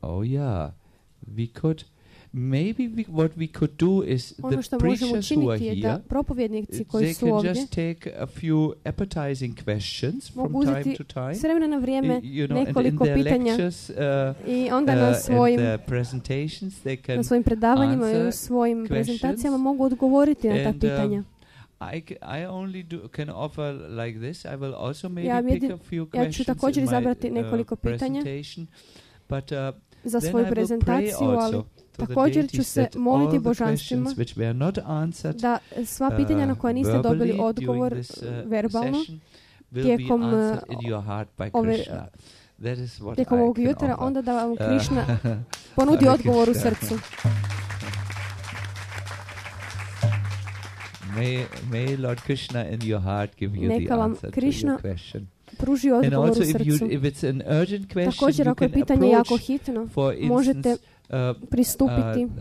[SPEAKER 1] Oh yeah, we could. Maybe we, what we could do is
[SPEAKER 3] Ono
[SPEAKER 1] the
[SPEAKER 3] što možemo
[SPEAKER 1] preachers who are
[SPEAKER 3] učiniti je da
[SPEAKER 1] here,
[SPEAKER 3] propovjednici koji
[SPEAKER 1] they
[SPEAKER 3] su
[SPEAKER 1] can
[SPEAKER 3] ovdje
[SPEAKER 1] just take a few appetizing questions from
[SPEAKER 3] mogu
[SPEAKER 1] time
[SPEAKER 3] uzeti
[SPEAKER 1] to time.
[SPEAKER 3] s vremena na vrijeme
[SPEAKER 1] I- you know, and in
[SPEAKER 3] nekoliko
[SPEAKER 1] their
[SPEAKER 3] pitanja
[SPEAKER 1] lectures, uh,
[SPEAKER 3] i onda
[SPEAKER 1] uh,
[SPEAKER 3] na
[SPEAKER 1] and
[SPEAKER 3] svojim,
[SPEAKER 1] their presentations, they can
[SPEAKER 3] na svojim predavanjima i u
[SPEAKER 1] answer
[SPEAKER 3] svojim
[SPEAKER 1] questions
[SPEAKER 3] prezentacijama mogu odgovoriti na ta
[SPEAKER 1] and, um,
[SPEAKER 3] pitanja.
[SPEAKER 1] I, c- I only do, can offer like this. I will also maybe
[SPEAKER 3] Ja
[SPEAKER 1] pick
[SPEAKER 3] jedin-
[SPEAKER 1] a few
[SPEAKER 3] ja ću
[SPEAKER 1] questions
[SPEAKER 3] također
[SPEAKER 1] in my
[SPEAKER 3] izabrati
[SPEAKER 1] uh,
[SPEAKER 3] nekoliko pitanja
[SPEAKER 1] presentation, but uh,
[SPEAKER 3] za
[SPEAKER 1] then
[SPEAKER 3] svoju
[SPEAKER 1] I will pray
[SPEAKER 3] prezentaciju, ali
[SPEAKER 1] also to the
[SPEAKER 3] također ću
[SPEAKER 1] deities
[SPEAKER 3] se
[SPEAKER 1] that
[SPEAKER 3] moliti
[SPEAKER 1] all the
[SPEAKER 3] božanstvima
[SPEAKER 1] questions which were not answered
[SPEAKER 3] da sva pitanja na koja niste
[SPEAKER 1] uh,
[SPEAKER 3] dobili
[SPEAKER 1] verbally
[SPEAKER 3] odgovor
[SPEAKER 1] during this, uh,
[SPEAKER 3] verbalno
[SPEAKER 1] session will
[SPEAKER 3] tijekom,
[SPEAKER 1] be
[SPEAKER 3] uh,
[SPEAKER 1] answered in your heart by
[SPEAKER 3] ove,
[SPEAKER 1] Krishna. That is what
[SPEAKER 3] tijekom
[SPEAKER 1] I
[SPEAKER 3] ovog
[SPEAKER 1] can
[SPEAKER 3] jutra,
[SPEAKER 1] offer.
[SPEAKER 3] onda da vam
[SPEAKER 1] Uh,
[SPEAKER 3] Krišna ponudi
[SPEAKER 1] Hare
[SPEAKER 3] odgovor u
[SPEAKER 1] Krishna.
[SPEAKER 3] srcu.
[SPEAKER 1] May, may Lord Krishna in your heart give you
[SPEAKER 3] Neka
[SPEAKER 1] the
[SPEAKER 3] vam
[SPEAKER 1] answer to
[SPEAKER 3] Krishna
[SPEAKER 1] your question.
[SPEAKER 3] Pruži
[SPEAKER 1] And
[SPEAKER 3] odgovor
[SPEAKER 1] also
[SPEAKER 3] u
[SPEAKER 1] if, you,
[SPEAKER 3] srcu.
[SPEAKER 1] if it's an urgent question,
[SPEAKER 3] Također,
[SPEAKER 1] you
[SPEAKER 3] ako je
[SPEAKER 1] can
[SPEAKER 3] pitanje jako
[SPEAKER 1] approach,
[SPEAKER 3] hitno,
[SPEAKER 1] for
[SPEAKER 3] možete
[SPEAKER 1] instance, uh,
[SPEAKER 3] pristupiti
[SPEAKER 1] uh,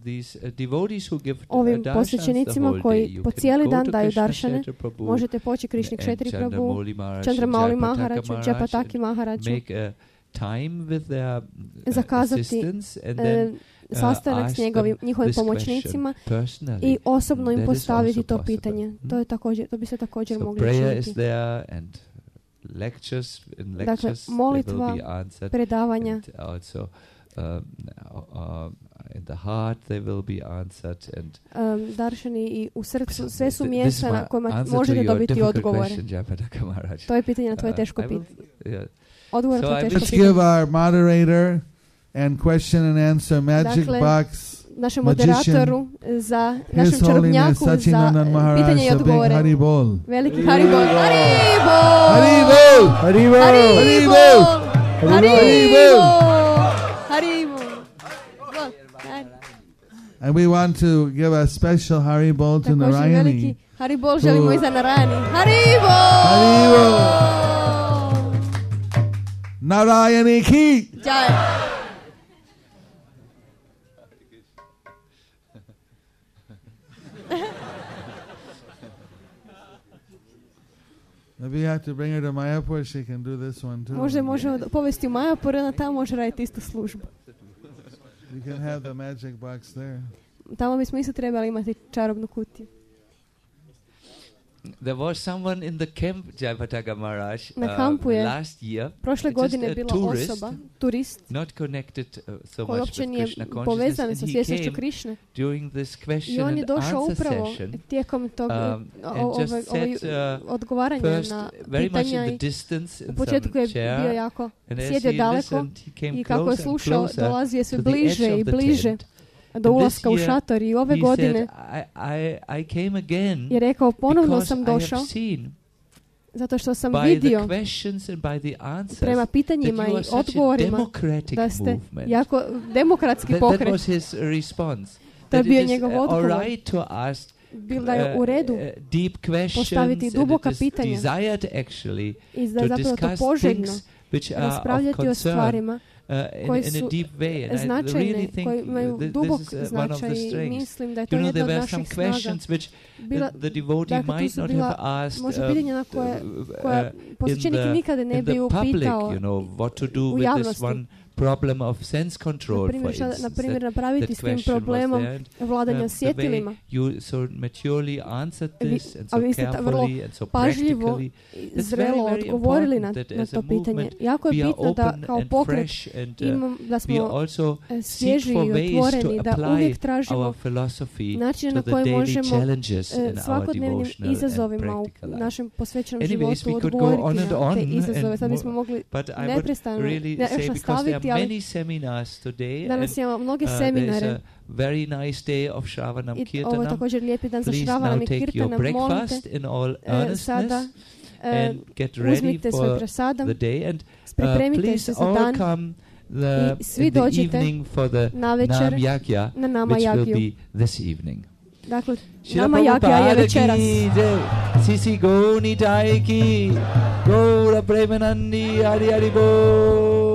[SPEAKER 1] these uh, devotees who give uh,
[SPEAKER 3] ovim
[SPEAKER 1] darshans the
[SPEAKER 3] posvećenicima
[SPEAKER 1] whole
[SPEAKER 3] koji
[SPEAKER 1] day. You
[SPEAKER 3] po
[SPEAKER 1] can
[SPEAKER 3] cijeli
[SPEAKER 1] go
[SPEAKER 3] dan
[SPEAKER 1] to
[SPEAKER 3] daju
[SPEAKER 1] Krishna
[SPEAKER 3] daršane.
[SPEAKER 1] Kshetra Prabhu
[SPEAKER 3] Možete poći Krišni
[SPEAKER 1] and
[SPEAKER 3] Kšetri Prabhu,
[SPEAKER 1] Chandramauli Maharaj,
[SPEAKER 3] Chandramauli
[SPEAKER 1] and
[SPEAKER 3] Maharaju,
[SPEAKER 1] Jayapataka
[SPEAKER 3] Jayapataki
[SPEAKER 1] Maharaj,
[SPEAKER 3] Maharaju,
[SPEAKER 1] make a time with their uh,
[SPEAKER 3] zakazati
[SPEAKER 1] assistants and
[SPEAKER 3] e,
[SPEAKER 1] then uh,
[SPEAKER 3] sastanak s
[SPEAKER 1] ask
[SPEAKER 3] njegovim,
[SPEAKER 1] them
[SPEAKER 3] njihovim
[SPEAKER 1] this question
[SPEAKER 3] pomoćnicima
[SPEAKER 1] personally.
[SPEAKER 3] i osobno im
[SPEAKER 1] That is
[SPEAKER 3] postaviti
[SPEAKER 1] also
[SPEAKER 3] to
[SPEAKER 1] possible.
[SPEAKER 3] pitanje.
[SPEAKER 1] Hmm?
[SPEAKER 3] To je također, to bi se također
[SPEAKER 1] So
[SPEAKER 3] mogli
[SPEAKER 1] prayer is
[SPEAKER 3] učiniti.
[SPEAKER 1] there and lectures in
[SPEAKER 3] Dakle,
[SPEAKER 1] lectures they
[SPEAKER 3] molitva,
[SPEAKER 1] will be answered.
[SPEAKER 3] predavanja,
[SPEAKER 1] And also um, uh, in the heart they will be answered and
[SPEAKER 3] um, daršani i u srcu, sve su
[SPEAKER 1] Th- this is
[SPEAKER 3] mjesta
[SPEAKER 1] my
[SPEAKER 3] na kojima
[SPEAKER 1] answer to
[SPEAKER 3] možete
[SPEAKER 1] your
[SPEAKER 3] dobiti
[SPEAKER 1] difficult
[SPEAKER 3] odgovore.
[SPEAKER 1] question, Jayapataka Maharaj.
[SPEAKER 3] To je pitanje na tvoje
[SPEAKER 1] Uh,
[SPEAKER 3] teško
[SPEAKER 1] I will-
[SPEAKER 3] pitanje.
[SPEAKER 1] yeah.
[SPEAKER 3] Odgovor na
[SPEAKER 1] So
[SPEAKER 3] to
[SPEAKER 1] I
[SPEAKER 3] teško
[SPEAKER 4] Let's
[SPEAKER 3] pitanje.
[SPEAKER 4] give our moderator and question and answer magic
[SPEAKER 3] Dakle,
[SPEAKER 4] box.
[SPEAKER 3] Našem
[SPEAKER 4] magician,
[SPEAKER 3] moderatoru, za
[SPEAKER 4] His
[SPEAKER 3] našem
[SPEAKER 4] Holiness
[SPEAKER 3] čarobnjaku, za
[SPEAKER 4] Sachidanand
[SPEAKER 3] e,
[SPEAKER 4] Maharaj,
[SPEAKER 3] pitanje i
[SPEAKER 4] a big
[SPEAKER 3] odgovore.
[SPEAKER 4] Haribol.
[SPEAKER 3] Veliki Haribol. Haribol!
[SPEAKER 4] Haribol!
[SPEAKER 6] Haribol!
[SPEAKER 3] Haribol!
[SPEAKER 4] Haribol!
[SPEAKER 3] Haribol!
[SPEAKER 4] And we want to give a special Haribol to
[SPEAKER 3] Također veliki
[SPEAKER 4] Narayani.
[SPEAKER 3] Haribol želimo i za Narayani. Haribol!
[SPEAKER 4] Haribol! Narayani ki!
[SPEAKER 3] Jai.
[SPEAKER 4] Maybe you have to bring her to Mayapur, she can do this one too.
[SPEAKER 3] Možda je možemo povesti u Majapur, ona tamo može raditi istu službu.
[SPEAKER 4] You can have the magic box there.
[SPEAKER 3] Tamo bismo isto trebali imati čarobnu kutiju.
[SPEAKER 1] There was someone in the camp, Jayapataka Maharaj,
[SPEAKER 3] Na kampu
[SPEAKER 1] uh,
[SPEAKER 3] je
[SPEAKER 1] last year,
[SPEAKER 3] prošle
[SPEAKER 1] just
[SPEAKER 3] godine
[SPEAKER 1] a
[SPEAKER 3] bila
[SPEAKER 1] tourist,
[SPEAKER 3] osoba, turist,
[SPEAKER 1] not connected uh, so
[SPEAKER 3] koji
[SPEAKER 1] much
[SPEAKER 3] uopće
[SPEAKER 1] with
[SPEAKER 3] nije
[SPEAKER 1] Krishna consciousness,
[SPEAKER 3] povezan
[SPEAKER 1] and
[SPEAKER 3] sa
[SPEAKER 1] he
[SPEAKER 3] svjesnošću
[SPEAKER 1] came
[SPEAKER 3] Krišne.
[SPEAKER 1] during this
[SPEAKER 3] I
[SPEAKER 1] question
[SPEAKER 3] on je
[SPEAKER 1] and
[SPEAKER 3] došao
[SPEAKER 1] answer
[SPEAKER 3] upravo
[SPEAKER 1] session,
[SPEAKER 3] tijekom tog
[SPEAKER 1] um,
[SPEAKER 3] o-
[SPEAKER 1] and just
[SPEAKER 3] ove-
[SPEAKER 1] sat,
[SPEAKER 3] ove-
[SPEAKER 1] uh,
[SPEAKER 3] odgovaranja
[SPEAKER 1] first
[SPEAKER 3] na
[SPEAKER 1] very much
[SPEAKER 3] pitanja
[SPEAKER 1] in the
[SPEAKER 3] i
[SPEAKER 1] distance
[SPEAKER 3] u
[SPEAKER 1] in
[SPEAKER 3] početku
[SPEAKER 1] some
[SPEAKER 3] je
[SPEAKER 1] chair,
[SPEAKER 3] bio jako
[SPEAKER 1] and as
[SPEAKER 3] sjedio
[SPEAKER 1] he
[SPEAKER 3] daleko
[SPEAKER 1] listened, he came
[SPEAKER 3] i kako je
[SPEAKER 1] closer and
[SPEAKER 3] slušao
[SPEAKER 1] closer
[SPEAKER 3] dolazio je sve
[SPEAKER 1] to the edge
[SPEAKER 3] bliže
[SPEAKER 1] of
[SPEAKER 3] i
[SPEAKER 1] the
[SPEAKER 3] bliže
[SPEAKER 1] tent.
[SPEAKER 3] do
[SPEAKER 1] And
[SPEAKER 3] ulaska
[SPEAKER 1] this
[SPEAKER 3] u
[SPEAKER 1] year
[SPEAKER 3] šator i ove
[SPEAKER 1] He
[SPEAKER 3] godine
[SPEAKER 1] said, I, I, I came again
[SPEAKER 3] je rekao ponovno
[SPEAKER 1] because
[SPEAKER 3] sam
[SPEAKER 1] I
[SPEAKER 3] došao
[SPEAKER 1] have seen
[SPEAKER 3] zato što sam
[SPEAKER 1] by
[SPEAKER 3] vidio
[SPEAKER 1] the questions and by the answers
[SPEAKER 3] prema pitanjima
[SPEAKER 1] that you
[SPEAKER 3] i
[SPEAKER 1] are such a
[SPEAKER 3] odgovorima
[SPEAKER 1] democratic
[SPEAKER 3] da ste
[SPEAKER 1] movement.
[SPEAKER 3] jako demokratski
[SPEAKER 1] That, that
[SPEAKER 3] pokret.
[SPEAKER 1] was his response.
[SPEAKER 3] To je
[SPEAKER 1] That
[SPEAKER 3] bio
[SPEAKER 1] it is
[SPEAKER 3] njegov
[SPEAKER 1] uh, all
[SPEAKER 3] odgovor.
[SPEAKER 1] right to ask
[SPEAKER 3] Bilo da je u redu
[SPEAKER 1] uh, uh, deep questions
[SPEAKER 3] postaviti
[SPEAKER 1] and
[SPEAKER 3] duboka
[SPEAKER 1] it is
[SPEAKER 3] pitanja
[SPEAKER 1] desired actually
[SPEAKER 3] i da
[SPEAKER 1] to
[SPEAKER 3] je zapravo to
[SPEAKER 1] discuss
[SPEAKER 3] poželjno
[SPEAKER 1] things which are of
[SPEAKER 3] raspravljati o
[SPEAKER 1] concern
[SPEAKER 3] stvarima
[SPEAKER 1] uh, in,
[SPEAKER 3] koji
[SPEAKER 1] in a
[SPEAKER 3] su
[SPEAKER 1] deep way. And I
[SPEAKER 3] značajne,
[SPEAKER 1] really think
[SPEAKER 3] koji imaju
[SPEAKER 1] uh, th-
[SPEAKER 3] dubok
[SPEAKER 1] this is uh, one of
[SPEAKER 3] značaj
[SPEAKER 1] the
[SPEAKER 3] i
[SPEAKER 1] strengths.
[SPEAKER 3] mislim da je to
[SPEAKER 1] You know,
[SPEAKER 3] jedna
[SPEAKER 1] there
[SPEAKER 3] od
[SPEAKER 1] were some
[SPEAKER 3] naših snaga.
[SPEAKER 1] questions which
[SPEAKER 3] Bila,
[SPEAKER 1] the, the devotee
[SPEAKER 3] dakle, tu
[SPEAKER 1] might
[SPEAKER 3] su
[SPEAKER 1] not
[SPEAKER 3] bila
[SPEAKER 1] have asked
[SPEAKER 3] možda
[SPEAKER 1] uh,
[SPEAKER 3] pitanja na koje,
[SPEAKER 1] uh,
[SPEAKER 3] koja posvećenik
[SPEAKER 1] in the-
[SPEAKER 3] nikada ne
[SPEAKER 1] in the
[SPEAKER 3] bi
[SPEAKER 1] public,
[SPEAKER 3] upitao
[SPEAKER 1] you know, what to do
[SPEAKER 3] u
[SPEAKER 1] with this
[SPEAKER 3] javnosti.
[SPEAKER 1] one problem of sense control,
[SPEAKER 3] Na
[SPEAKER 1] for
[SPEAKER 3] primjer, šta, na
[SPEAKER 1] instance.
[SPEAKER 3] primjer
[SPEAKER 1] That,
[SPEAKER 3] napraviti
[SPEAKER 1] that
[SPEAKER 3] s tim
[SPEAKER 1] question was
[SPEAKER 3] problemom
[SPEAKER 1] there. And,
[SPEAKER 3] vladanja
[SPEAKER 1] um, the way
[SPEAKER 3] osjetilima.
[SPEAKER 1] you so maturely answered
[SPEAKER 3] Vi-
[SPEAKER 1] this and
[SPEAKER 3] a
[SPEAKER 1] so
[SPEAKER 3] vi ste ta- vrlo
[SPEAKER 1] carefully and so
[SPEAKER 3] pažljivo
[SPEAKER 1] practically.
[SPEAKER 3] i
[SPEAKER 1] That's
[SPEAKER 3] zrelo
[SPEAKER 1] very, very
[SPEAKER 3] odgovorili na,
[SPEAKER 1] important that
[SPEAKER 3] na
[SPEAKER 1] as
[SPEAKER 3] to
[SPEAKER 1] a
[SPEAKER 3] pitanje.
[SPEAKER 1] movement
[SPEAKER 3] Jako je
[SPEAKER 1] we are
[SPEAKER 3] bitno da
[SPEAKER 1] open
[SPEAKER 3] kao
[SPEAKER 1] and
[SPEAKER 3] pokret
[SPEAKER 1] fresh and uh,
[SPEAKER 3] imam, da
[SPEAKER 1] we
[SPEAKER 3] smo
[SPEAKER 1] also
[SPEAKER 3] e,
[SPEAKER 1] seek
[SPEAKER 3] svježi
[SPEAKER 1] for
[SPEAKER 3] i
[SPEAKER 1] ways to
[SPEAKER 3] otvoreni, da
[SPEAKER 1] apply
[SPEAKER 3] uvijek tražimo
[SPEAKER 1] our philosophy
[SPEAKER 3] načine
[SPEAKER 1] to
[SPEAKER 3] na
[SPEAKER 1] the
[SPEAKER 3] koje
[SPEAKER 1] daily
[SPEAKER 3] možemo
[SPEAKER 1] challenges
[SPEAKER 3] e,
[SPEAKER 1] in our
[SPEAKER 3] svakodnevnim
[SPEAKER 1] devotional and
[SPEAKER 3] izazovima u
[SPEAKER 1] practical life.
[SPEAKER 3] našem posvećenom
[SPEAKER 1] Anyways,
[SPEAKER 3] životu
[SPEAKER 1] we could go
[SPEAKER 3] odgovoriti
[SPEAKER 1] on and
[SPEAKER 3] na
[SPEAKER 1] on
[SPEAKER 3] te
[SPEAKER 1] and
[SPEAKER 3] izazove. Sad
[SPEAKER 1] more,
[SPEAKER 3] bismo mogli
[SPEAKER 1] But I would
[SPEAKER 3] neprestano
[SPEAKER 1] really
[SPEAKER 3] ne-
[SPEAKER 1] say,
[SPEAKER 3] još
[SPEAKER 1] because there
[SPEAKER 3] nastaviti,
[SPEAKER 1] are
[SPEAKER 3] ali
[SPEAKER 1] many seminars today,
[SPEAKER 3] danas
[SPEAKER 1] and
[SPEAKER 3] imamo mnoge
[SPEAKER 1] uh, there is
[SPEAKER 3] seminare
[SPEAKER 1] a very nice day of Shravanam
[SPEAKER 3] i ovo je
[SPEAKER 1] Kirtanam.
[SPEAKER 3] također lijepi dan za
[SPEAKER 1] Please
[SPEAKER 3] Shravanam
[SPEAKER 1] now
[SPEAKER 3] i
[SPEAKER 1] take your
[SPEAKER 3] Kirtanam. Molim te,
[SPEAKER 1] breakfast in all
[SPEAKER 3] e, sada
[SPEAKER 1] earnestness
[SPEAKER 3] e,
[SPEAKER 1] and get ready
[SPEAKER 3] uzmite svoj
[SPEAKER 1] for
[SPEAKER 3] prasadam,
[SPEAKER 1] the day. And uh,
[SPEAKER 3] pripremite
[SPEAKER 1] please
[SPEAKER 3] se za
[SPEAKER 1] all
[SPEAKER 3] dan
[SPEAKER 1] come the,
[SPEAKER 3] i svi
[SPEAKER 1] in the
[SPEAKER 3] dođite
[SPEAKER 1] evening for the
[SPEAKER 3] na večer
[SPEAKER 1] Nam Yagya,
[SPEAKER 3] na Nama
[SPEAKER 1] which will
[SPEAKER 3] Jagiju.
[SPEAKER 1] be this evening.
[SPEAKER 3] Dakle,
[SPEAKER 1] Srila
[SPEAKER 3] Nama Jagja je
[SPEAKER 1] Prabhupada
[SPEAKER 3] večeras.
[SPEAKER 1] ki jai, Sisi Gauri Nitai ki, Gaura Premanandi Hari Hari Bol.